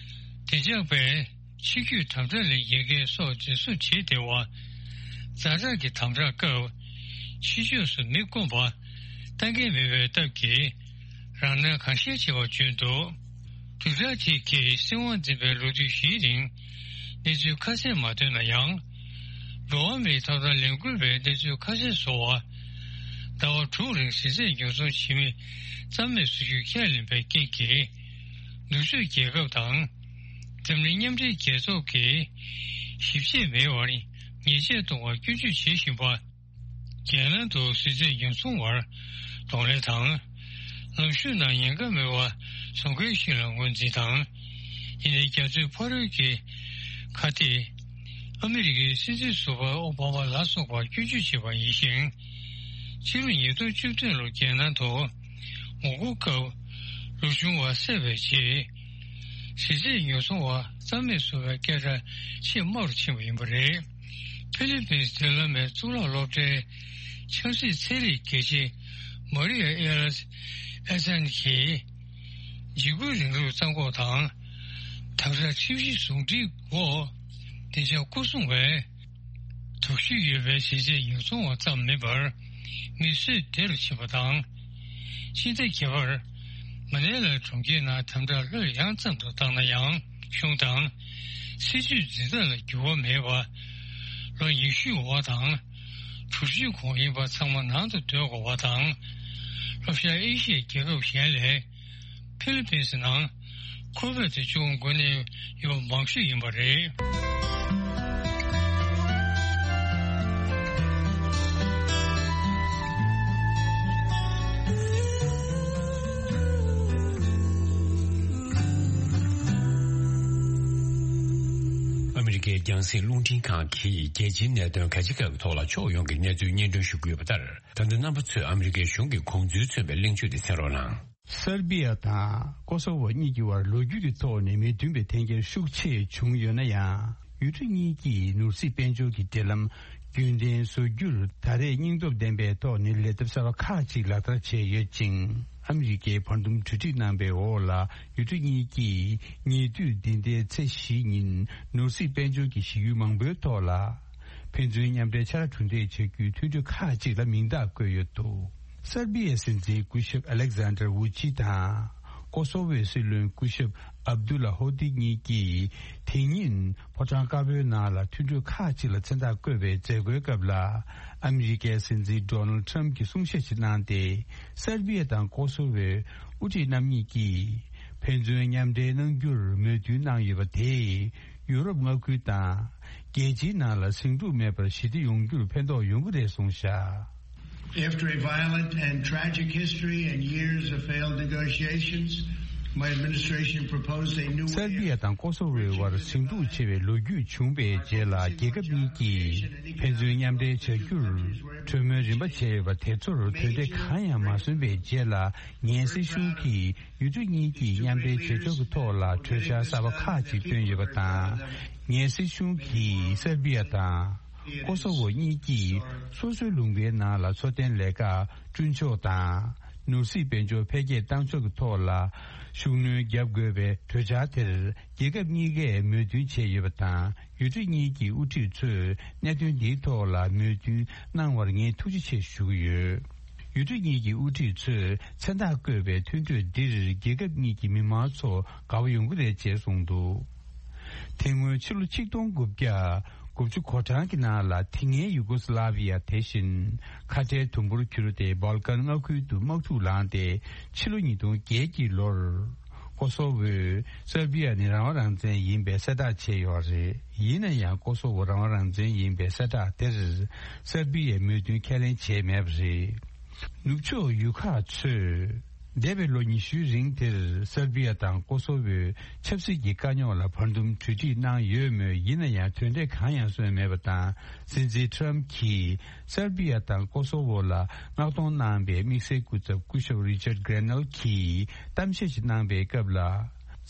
བདེ་འཇགས་པས་ཕྱི་སྐྱོད་དམ་དྲག་ལས་འགལ་མཁན་སོགས་འཛིན་བཟུང་བྱེད་བདེ་བ། ཛ་དྲག་གི་དམ་དྲག་སྐབས་ཕྱི་ཕྱོགས་སུ་མི་བསྐོང་པ་ལྟ་མཁན་མེད་པའི་སྟབས་ཀྱིས། རང་སྣང་གང་ཤར་བྱེད་པ་བརྗོད་འདུག་དུག་དྲ་ཐིག་གིས་སྲིད་དབང་འཛིན་པའི་ལོ་དུས་བཞིའི་རིང་གནས་ཚུལ་ཁ་གསལ་མ་བཏོན་ན་ཡང་། འགྲོ་བ་མིའི་ཐོབ་ཐང་ལས་འགུལ་བས་གནས་ཚུལ་ཁ་གསལ་བཟོ་བ། ཟླ་བ་དྲུག་རིང་གཟི་རྩད་ཉོ་ཚོང་བྱེད་མི་རྩ་མེད་བཟོ་རྒྱུའི་ཁས་ལེན་པའི་རྐྱེན་གྱིས། ནུབ་ཕྱོགས་རྒྱལ་ཁབ་དང་། འཛམ་གླིང་མཉམ་འབྲེལ་རྒྱལ་ཚོགས་ཀྱིས་ཞིབ་དཔྱད་མེད་པར་ཉེས་ཆད་གཏོང་བར་སྐྱོན་བརྗོད་བྱེད་བཞིན་པ། རྒྱལ་ནང་དུ་གཟི་རྩད་ཉོ་ཚོང་བར་གདོང་ལེན་དང་། ལམ་ཞུགས་ནང་ཉེན་ཁ་མེད་པ་བཟོ་མཁན་ཞིག་ལ་ངོས་འཛིན་དང་། ཡིན་ནའི་རྒྱ་མཚོའི་ཕ་རོལ་གྱི་ཁ་གཏད། ཨ་མི་རི་ཀའི་སྲིད་འཛིན་ཟུར་པ་ཨོ་བྷ་མ་ལ་སོགས་པར་སྐྱོན་བརྗོད་བྱས་པ་ཡིན་ཞིང་། ཕྱི་ལོ་ཉིས་སྟོང་བཅུ་བདུན་ལོར་རྒྱལ་ནང་དུ་ངོ་རྒོལ་སྐབས་ལོ་ཆུང་བ་བསད་པའི་རྗེས། གཟི་རྩད་ཉོ་ཚོང་བ་རྩ་མེད་བཟོ་བའི་སྐད་གྲགས་ཆེས་དམའ་རུ་ཕྱིན་པ་ཡིན་པ་རེད། ཧྥི་ལི་པིན་སི་མདུན་ལམ་མའི་གཙུག་ལག་སློབ་གྲྭའི་ཆབ་སྲིད་ཚན་རིག་དགེ་ཆེ་མ་རི་ཡ་ཨེ་ལ་ཨེ་སན་གྱིས། འཇིགས་སྐུལ་རིང་ལུགས་རྩ་འགོག་དང་། དམ་དྲག་ཁྲིམས་གཞི་ཟུང་འབྲེལ་འོག་བདེ་འཇགས་སྐོར་སྲུང་བས། དོགས་གཞི་ཡོད་པའི་གཟི་རྩད་ཉོ་ཚོང་བ་ཙམ་མིན་པར། མི་གསོད་བདེ་རུ་ཕྱིན་པ་དང་། ཕྱི་ཟླ་བརྒྱད་པར། མ་ནེ་ལ་གྲོང་ཁྱེར་ནང་དམ་དྲག་སླར་ཡང་ཙམ་དུ་བཏང་ན་ཡང་། གཞུང་དང་། སྲིད་ཇུས་འཛིན་སྟངས་ལ་འགྱུར་བ་མེད་པ། ལོ་ཉི་ཤུའི་འོག་དང་། དྲུག་ཅུའི་གོང་ཡིན་པ་ཚང་མ་ནང་དུ་སྡོད་དགོས་པ་དང་། ལྷོ་ཤར་ཨེ་ཤི་ཡའི་རྒྱལ་ཁབ་གཞན་ལས། ཕི་ལི་པིན་སི་ནང་ཁོ་བོད་དུ་ཅུང་འགོས་ནད་ཡོད་པ་མང་ཤོས་ཡིན་པ་རེད། ཨ་མི་རི་ཀའི་རྒྱང་སྲིང་རླུང་འཕྲིན་ཁང་གིས་རྒྱལ་སྤྱིའི་གནད་དོན་གལ་ཆེ་ཁག་གི་ཐོག་ལ་ཕྱོགས་ཡོངས་ཀྱི་གནས་ཚུལ་སྙན་སྒྲོན་ཞུ་གི་ཡོད་པ་ལྟར། ད་ལྟ་རྣམ་པ་ཚོས་ཨ་མི་རི་ཀའི་གཞུང་གི་དགོངས་ཚུལ་མཚོན་པའི་གླེང་བརྗོད་དེ་གསན་རོགས་གནང་། སར་བྷི་ཡ་དང་ཀོ་སོ་ཝོ་གཉིས་ཀྱི་བར་ལོ་རྒྱུས་ཀྱི་ཐོག་ནས་མི་མཐུན་པའི་འཐེན་འཁྱེར་ཤུགས་ཆེ་བྱུང་ཡོད་ན་ཡང་། ཡུལ་གྲུ་གཉིས་ཀྱིས་ནོར་སྲིད་དཔལ་འབྱོར་གྱི་འབྲེལ་ལམ་རྒྱུན་ལྡན་བཟོ་རྒྱུར་ད་རེས་སྙིང་སྟོབས་ལྡན་པའི་ཐོག་ནས་ལས་ཐབས་གསར་པ་ཁག་ཅིག་ལག་བསྟར་བྱས་ཡོད་ཅིང་། ཨ་མི་རི་ཀའི་བར་འདུམ་གྲོས་འགྲིག་གནང་པའི་འོག་ལ། ཡུལ་གྲུ་གཉིས་ཀྱིས་ཉེ་དུས་འདི་ཟླའི་ཚེས་བཞི་ཉིན་ནོར་སྲིད་དཔལ་འབྱོར་གྱི་གཞི་ཡུལ་མང་པོའི་ཐོག་ལ། ཕན་ཚུན་མཉམ་འབྲེལ་ཕྱག་ལས་གྲུ་འདེགས་བྱ་རྒྱུའི་མཐུན་གྲོས་ཁག་ཅིག་ལ་མིང་རྟགས་བཀོད་ཡོད་འདུག་སར་བྷི་ཡའི་སྲིད་འཛིན་སྐུ་ཞབས་ཨ་ལེག་ཟན་ཌར་ཝུ་ཅི་དང་། ཀོ་སོ་ཝོའི་སྲིད་བློན་སྐུ་ཞབས་ཨབ་དུ་ལ་ཧོ་དི་གཉིས་ཀྱིས་དེ་ཉིན་ཕོ་བྲང་དཀར་པོའི་ནང་ལ་མཐུན་གྲོས་ཁག་ཅིག་ལ་མཚན་རྟགས་བཀོད་པའི་མཛད་སྒོའི་སྐབས་ལ། ཨ་མི་རི་ཀའི་སྲིད་འཛིན་ཌོ་ནལ་ཊམ་གྱིས་གསུང་བཤད་ཅིག་གནང་སྟེ། སར་བྷི་ཡ་དང་ཀོ་སོ་ཝོའི་དབུ་ཁྲིད་རྣམ་གཉིས་ཀྱིས་ཕན་ཚུན་མཉམ་འབྲེལ་གནང་རྒྱུར་མོས་མཐུན་གནང་ཡོད་པ་དེས། ཡུ་རོབ་མངའ་ཁུལ་དང་རྒྱལ་སྤྱིའི་ནང་ལ་ཟིང་འཁྲུག་མེད་པར་ཞི་བདེ་ཡོང་རྒྱུར་ཕན་ཐོགས་ཡོང་གི་རེད་གསུངས་བཞག After a violent and tragic history and years of failed negotiations, my administration proposed a new སར་བྷི་ཡ་དང་ཀོ་སོ་ཝོའི་དབར་ཟིང་འཁྲུག་ཆེ་བའི་ལོ་རྒྱུས་བྱུང་བའི་རྗེས་ལ། རྒྱལ་ཁབ་གཉིས་ཀྱིས་ཕན་ཚུན་མཉམ་འབྲེལ་བྱ་རྒྱུར་གྲོས་མོལ་རིམ་པ་བྱས་ཡོད་པ་དེ་ཚོར་དོན་འབྲས་གང་ཡང་མ་སོན་པའི་རྗེས་ལ། ངའི་སྲིད་གཞུང་གིས་ཡུལ་གྲུ་གཉིས་ཀྱིས་མཉམ་འབྲེལ་བྱེད་ཕྱོགས་ཀྱི་ཐོག་ལ་གྲོས་འཆར་གསར་པ་ཁག་ཅིག་བཏོན་ཡོད་པ་དང་། ངའི་སྲིད་གཞུང་གིས་སར་བྷི་ཡ་དང་ཀོ་སོ་ཝོ་གཉིས་ཀྱིས་སོ་སོའི་ལུང་པའི་ནང་ལ་འཚོ་རྟེན་ལས་ཀ་བསྐྲུན་ཕྱོགས་དང་། ནོར་སྲིད་དཔལ་འབྱོར་འཕེལ་རྒྱས་བཏང་ཕྱོགས་ཀྱི་ཐོག་ལ་ཤུགས་སྣོན་བརྒྱབ་དགོས་པའི་གྲོས་འཆར་དེར། རྒྱལ་ཁབ་གཉིས་ཀས་མོས་མཐུན་བྱས་ཡོད་པ་དང་། ཡུལ་གྲུ་གཉིས་ཀྱི་དབུ་ཁྲིད་ཚོས་གནད་དོན་འདིའི་ཐོག་ལ་མོས་མཐུན་གནང་བར་ངས་ཐུགས་རྗེ་ཆེ་ཞུ་གི་ཡོད། ཡུལ་གྲུ་གཉིས་ཀྱི་དབུ་ཁྲིད་ཚོས་མཚན་རྟགས་བཀོད་པའི་མཐུན་གྲོས་འདིར་རྒྱལ་ཁབ་གཉིས་ཀྱི་མི་མང་ཚོ་དགའ་བོ་ཡོང་གི་རེད་ཅེས་གསུངས་འདུག་དེ་སྔོན་ཕྱི་ལོ་ཆིག་སྟོང་དགུ་བརྒྱ་དགུ་བཅུ་གོ་གྲངས་ཀྱི་ནང་ལ་དེ་སྔའི་ཡུ་གོ་སི་ལ་བི་ཡ་དེ་བཞིན་ཁ་བྲལ་དུམ་བུར་གྱུར་ཏེ་སྦལ་ཀན་མངའ་ཁུལ་དུ་དམག་འཁྲུག་ལངས་ཏེ་ཕྱི་ལོ་ཉིས་སྟོང་བརྒྱད་ཀྱི་ལོར་ཀོ་སོ་ཝོས་སར་བི་ཡ་ནི་རང་དབང་རང་བཙན་ཡིན་པའི་གསལ་བསྒྲགས་བྱས་ཡོད་རེད། ཡིན་ན་ཡང་ཀོ་སོ་ཝོ་རང་དབང་རང་བཙན་ཡིན་པའི་གསལ་བསྒྲགས་དེར་སར་བི་ཡས་མོས་མཐུན་ཁས་ལེན་བྱས་མེད་པ་རེད། ནུབ་ཕྱོགས་ཡུལ་ཁག་ཚོས་འདས་པའི་ལོ་ཉི་ཤུའི་རིང་དེར་སར་བི་ཡ་དང་ཀོ་སོ་ཝོས་ཆབ་སྲིད་ཀྱི་དཀའ་རྙོག་ལ་བར་འདུམ་གྲོས་འགྲིག་གནང་ཡོད་མོད། ཡིན་ན་ཡང་དོན་འབྲས་གང་ཡང་སོན་མེད་པ་དང་། སྲིད་འཛིན་ཊམ་གྱིས་སར་བི་ཡ་དང་ཀོ་སོ་ཝོ་ལ་མངགས་གཏོང་གནང་པའི་དམིགས་བསལ་སྐུ་ཚབ་སྐུ་ཞབས་རི་ཅར་གྷེ་རེ་ནལ་གྱིས་གཏམ་བཤད་ཞིག་གནང་པའི་སྐབས་ལ།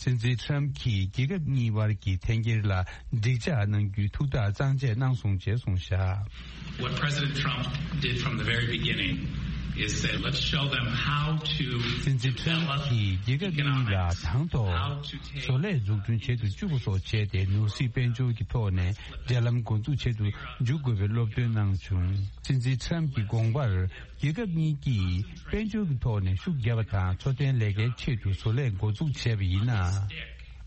སྲིད་འཛིན་ཊམ་གྱིས་རྒྱལ་ཁབ་གཉིས་དབར་གྱི་འཐེན་འཁྱེར་ལ་འགྲིག་འཇགས་གནང་རྒྱུའི་ཐུགས་ཐག་གཙང་བཅད་གནང་སོང་ཅེས་གསུངས་བཞག What President Trump did from the very beginning is said, "Let's show them how to develop economics, how to take" སྲིད་འཛིན་ཊམ་གྱིས་རྒྱལ་ཁབ་གཉིས་ལ་དང་ཐོག་བཟོ་ལས་འཛུགས་སྐྲུན་བྱེད་དུ་བཅུག་པ་སོགས་བྱས་ཏེ། ནོར་སྲིད་དཔལ་འབྱོར་གྱི་ཐོག་ནས་འབྲེལ་ལམ་འགོ་འཛུགས་བྱེད་དུ་འཇུག་དགོས་པའི་སློབ་སྟོན་གནང་བྱུང་། སྲིད་འཛིན་ཊམ་གྱི་དགོངས་པར། རྒྱལ་ཁབ་གཉིས་ཀྱིས་དཔལ་འབྱོར་གྱི་ཐོག་ནས་ཤུགས་བརྒྱབ་པ་དང་། འཚོ་རྟེན་ལས་ཀའི་ཆེད་དུ་བཟོ་ལས་འགོ་འཛུགས་བྱས་པ་ཡིན་ན།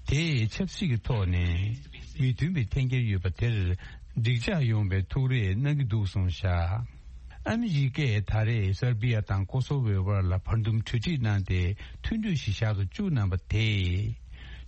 དེས་ཆབ་སྲིད་ཀྱི་ཐོག་ནས་མི་མཐུན་པའི་འཐེན་འཁྱེར་ཡོད་པ་དེར་འགྲིག་འཇགས་ཡོང་བའི་ཐུགས་རེ་གནང་གི་འདུག་གསུངས་བཞག་ཨ་མི་རི་ཀས་ད་རེས་སར་བི་ཡ་དང་ཀོ་སོ་ཝོའི་བར་ལ་བར་འདུམ་གྲོས་འགྲིག་གནང་སྟེ། མཐུན་གྲོས་ཤིག་བཞག་ཏུ་བཅུག་གནང་པ་དེས།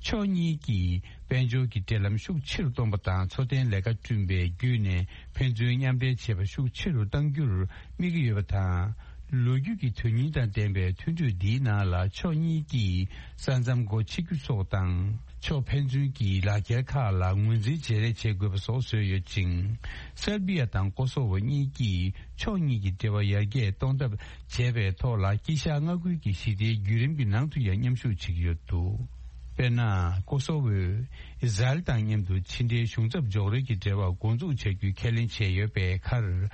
ཕྱོགས་གཉིས་ཀྱིས་དཔལ་འབྱོར་གྱི་འབྲེལ་ལམ་ཤུགས་ཆེ་རུ་གཏོང་པ་དང་། འཚོ་རྟེན་ལས་ཀ་བསྐྲུན་པའི་བརྒྱུད་ནས་ཕན་ཚུན་མཉམ་འབྲེལ་བྱེད་པ་ཤུགས་ཆེ་རུ་གཏང་རྒྱུར་དམིགས་ཀྱི་ཡོད་པ་དང་། ལོ་རྒྱུས་ཀྱི་དོན་སྙིང་དང་ལྡན་པའི་མཐུན་གྲོས་འདིའི་ནང་ལ་ཕྱོགས་གཉིས་ཀྱིས་ས་མཚམས་སྒོ་ཕྱེ་རྒྱུ་སོགས་དང་། ཕྱོགས་ཕན་ཚུན་གྱི་ལག་འཁྱེར་ཁག་ལ་ངོས་འཛིན་བརྗེ་རེས་བྱེད་དགོས་པ་སོགས་བཟོས་ཡོད་ཅིང་། སེར་བི་ཡ་དང་ཀོ་སོ་ཝོ་གཉིས་ཀྱིས་ཕྱོགས་གཉིས་ཀྱི་འབྲེལ་བ་ཡར་རྒྱས་གཏོང་ཐབས་བྱས་པའི་ཐོག་ལ། དཀྱིལ་ཤར་མངའ་ཁུལ་གྱི་ཞི་བདེའི་བརྒྱུད་རིམ་གྱི་ནང་དུ་ཡང་མཉམ་ཞུགས་བྱེད་ཀྱི་ཡོད་འདུག་དཔེར་ན། ཀོ་སོ་ཝོས་ཨི་ཟ་རེལ་དང་མཉམ་དུ་ཕྱི་འབྲེལ་གཞུང་ཚབ་འཇོག་རེས་ཀྱི་འབྲེལ་བ་འགོ་འཛུགས་བྱ་རྒྱུའི་ཁས་ལེན་བྱས་ཡོད་པའི་ཁར།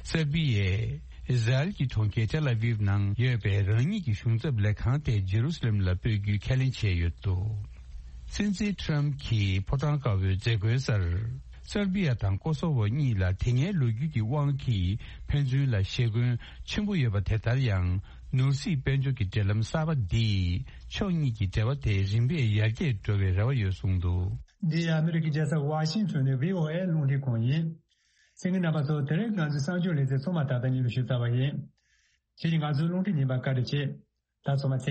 སེར་བི་ཡས་ཨི་ཟ་རེལ་གྱི་གྲོང་ཁྱེར་ཏེལ་ཨ་ཝིབ་ནང་ཡོད་པའི་རང་ཉིད་ཀྱི་གཞུང་ཚབ་ལས་ཁང་དེ་ཇེ་རུ་སི་ལེམ་ལ་སྤོས་རྒྱུའི་ཁས་ལེན་བྱས་ཡོད་འདུག་སྲིད་འཛིན་ཊམ་གྱིས་ཕོ་བྲང་དཀར་པོའི་མཛད་སྒོའི་སར། སེར་བི་ཡ་དང་ཀོ་སོ་ཝོ་གཉིས་ལ་དེ་སྔའི་ལོ་རྒྱུས་ཀྱི་དབང་གིས་ཕན་ཚུན་ལ་ཞེ་འཁོན་ཆེན་པོ་ཡོད་པ། དེ་ལྟར་ཡང་ནོར་སྲིད་དཔལ་འབྱོར་གྱི་འབྲེལ་ལམ་གསར་པ་འདིས་ཕྱོགས་གཉིས་ཀྱི་འབྲེལ་བ་དེ་རིམ་པས་ཡར་རྒྱས་འགྲོ་བའི་རེ་བ་ཡོད་གསུངས་འདུག་འདི་ཨ་མི་རི་ཀའི་རྒྱལ་ས་ཝ་ཤིང་ཊོན་ནས་བྷི་ཨོ་ཨེ་རླུང་འཕྲིན་ཁང་ཡིན། གསན་མཁན་རྣམ་པ་ཚོ། དེ་རིང་ང་ཚོའི་གསར་འགྱུར་ལེ་ཚན་ཚང་མ་ད་ལྟ་སྙན་ལ་ཞུས་ཚར་བ་ཡིན། ཁྱེད་ཀྱིས་ང་ཚོའི་རླུང་འཕྲིན་རྙིང་པ་བཀའ་འདྲི་བྱེད། ད་ཚང་མ་ཚེ།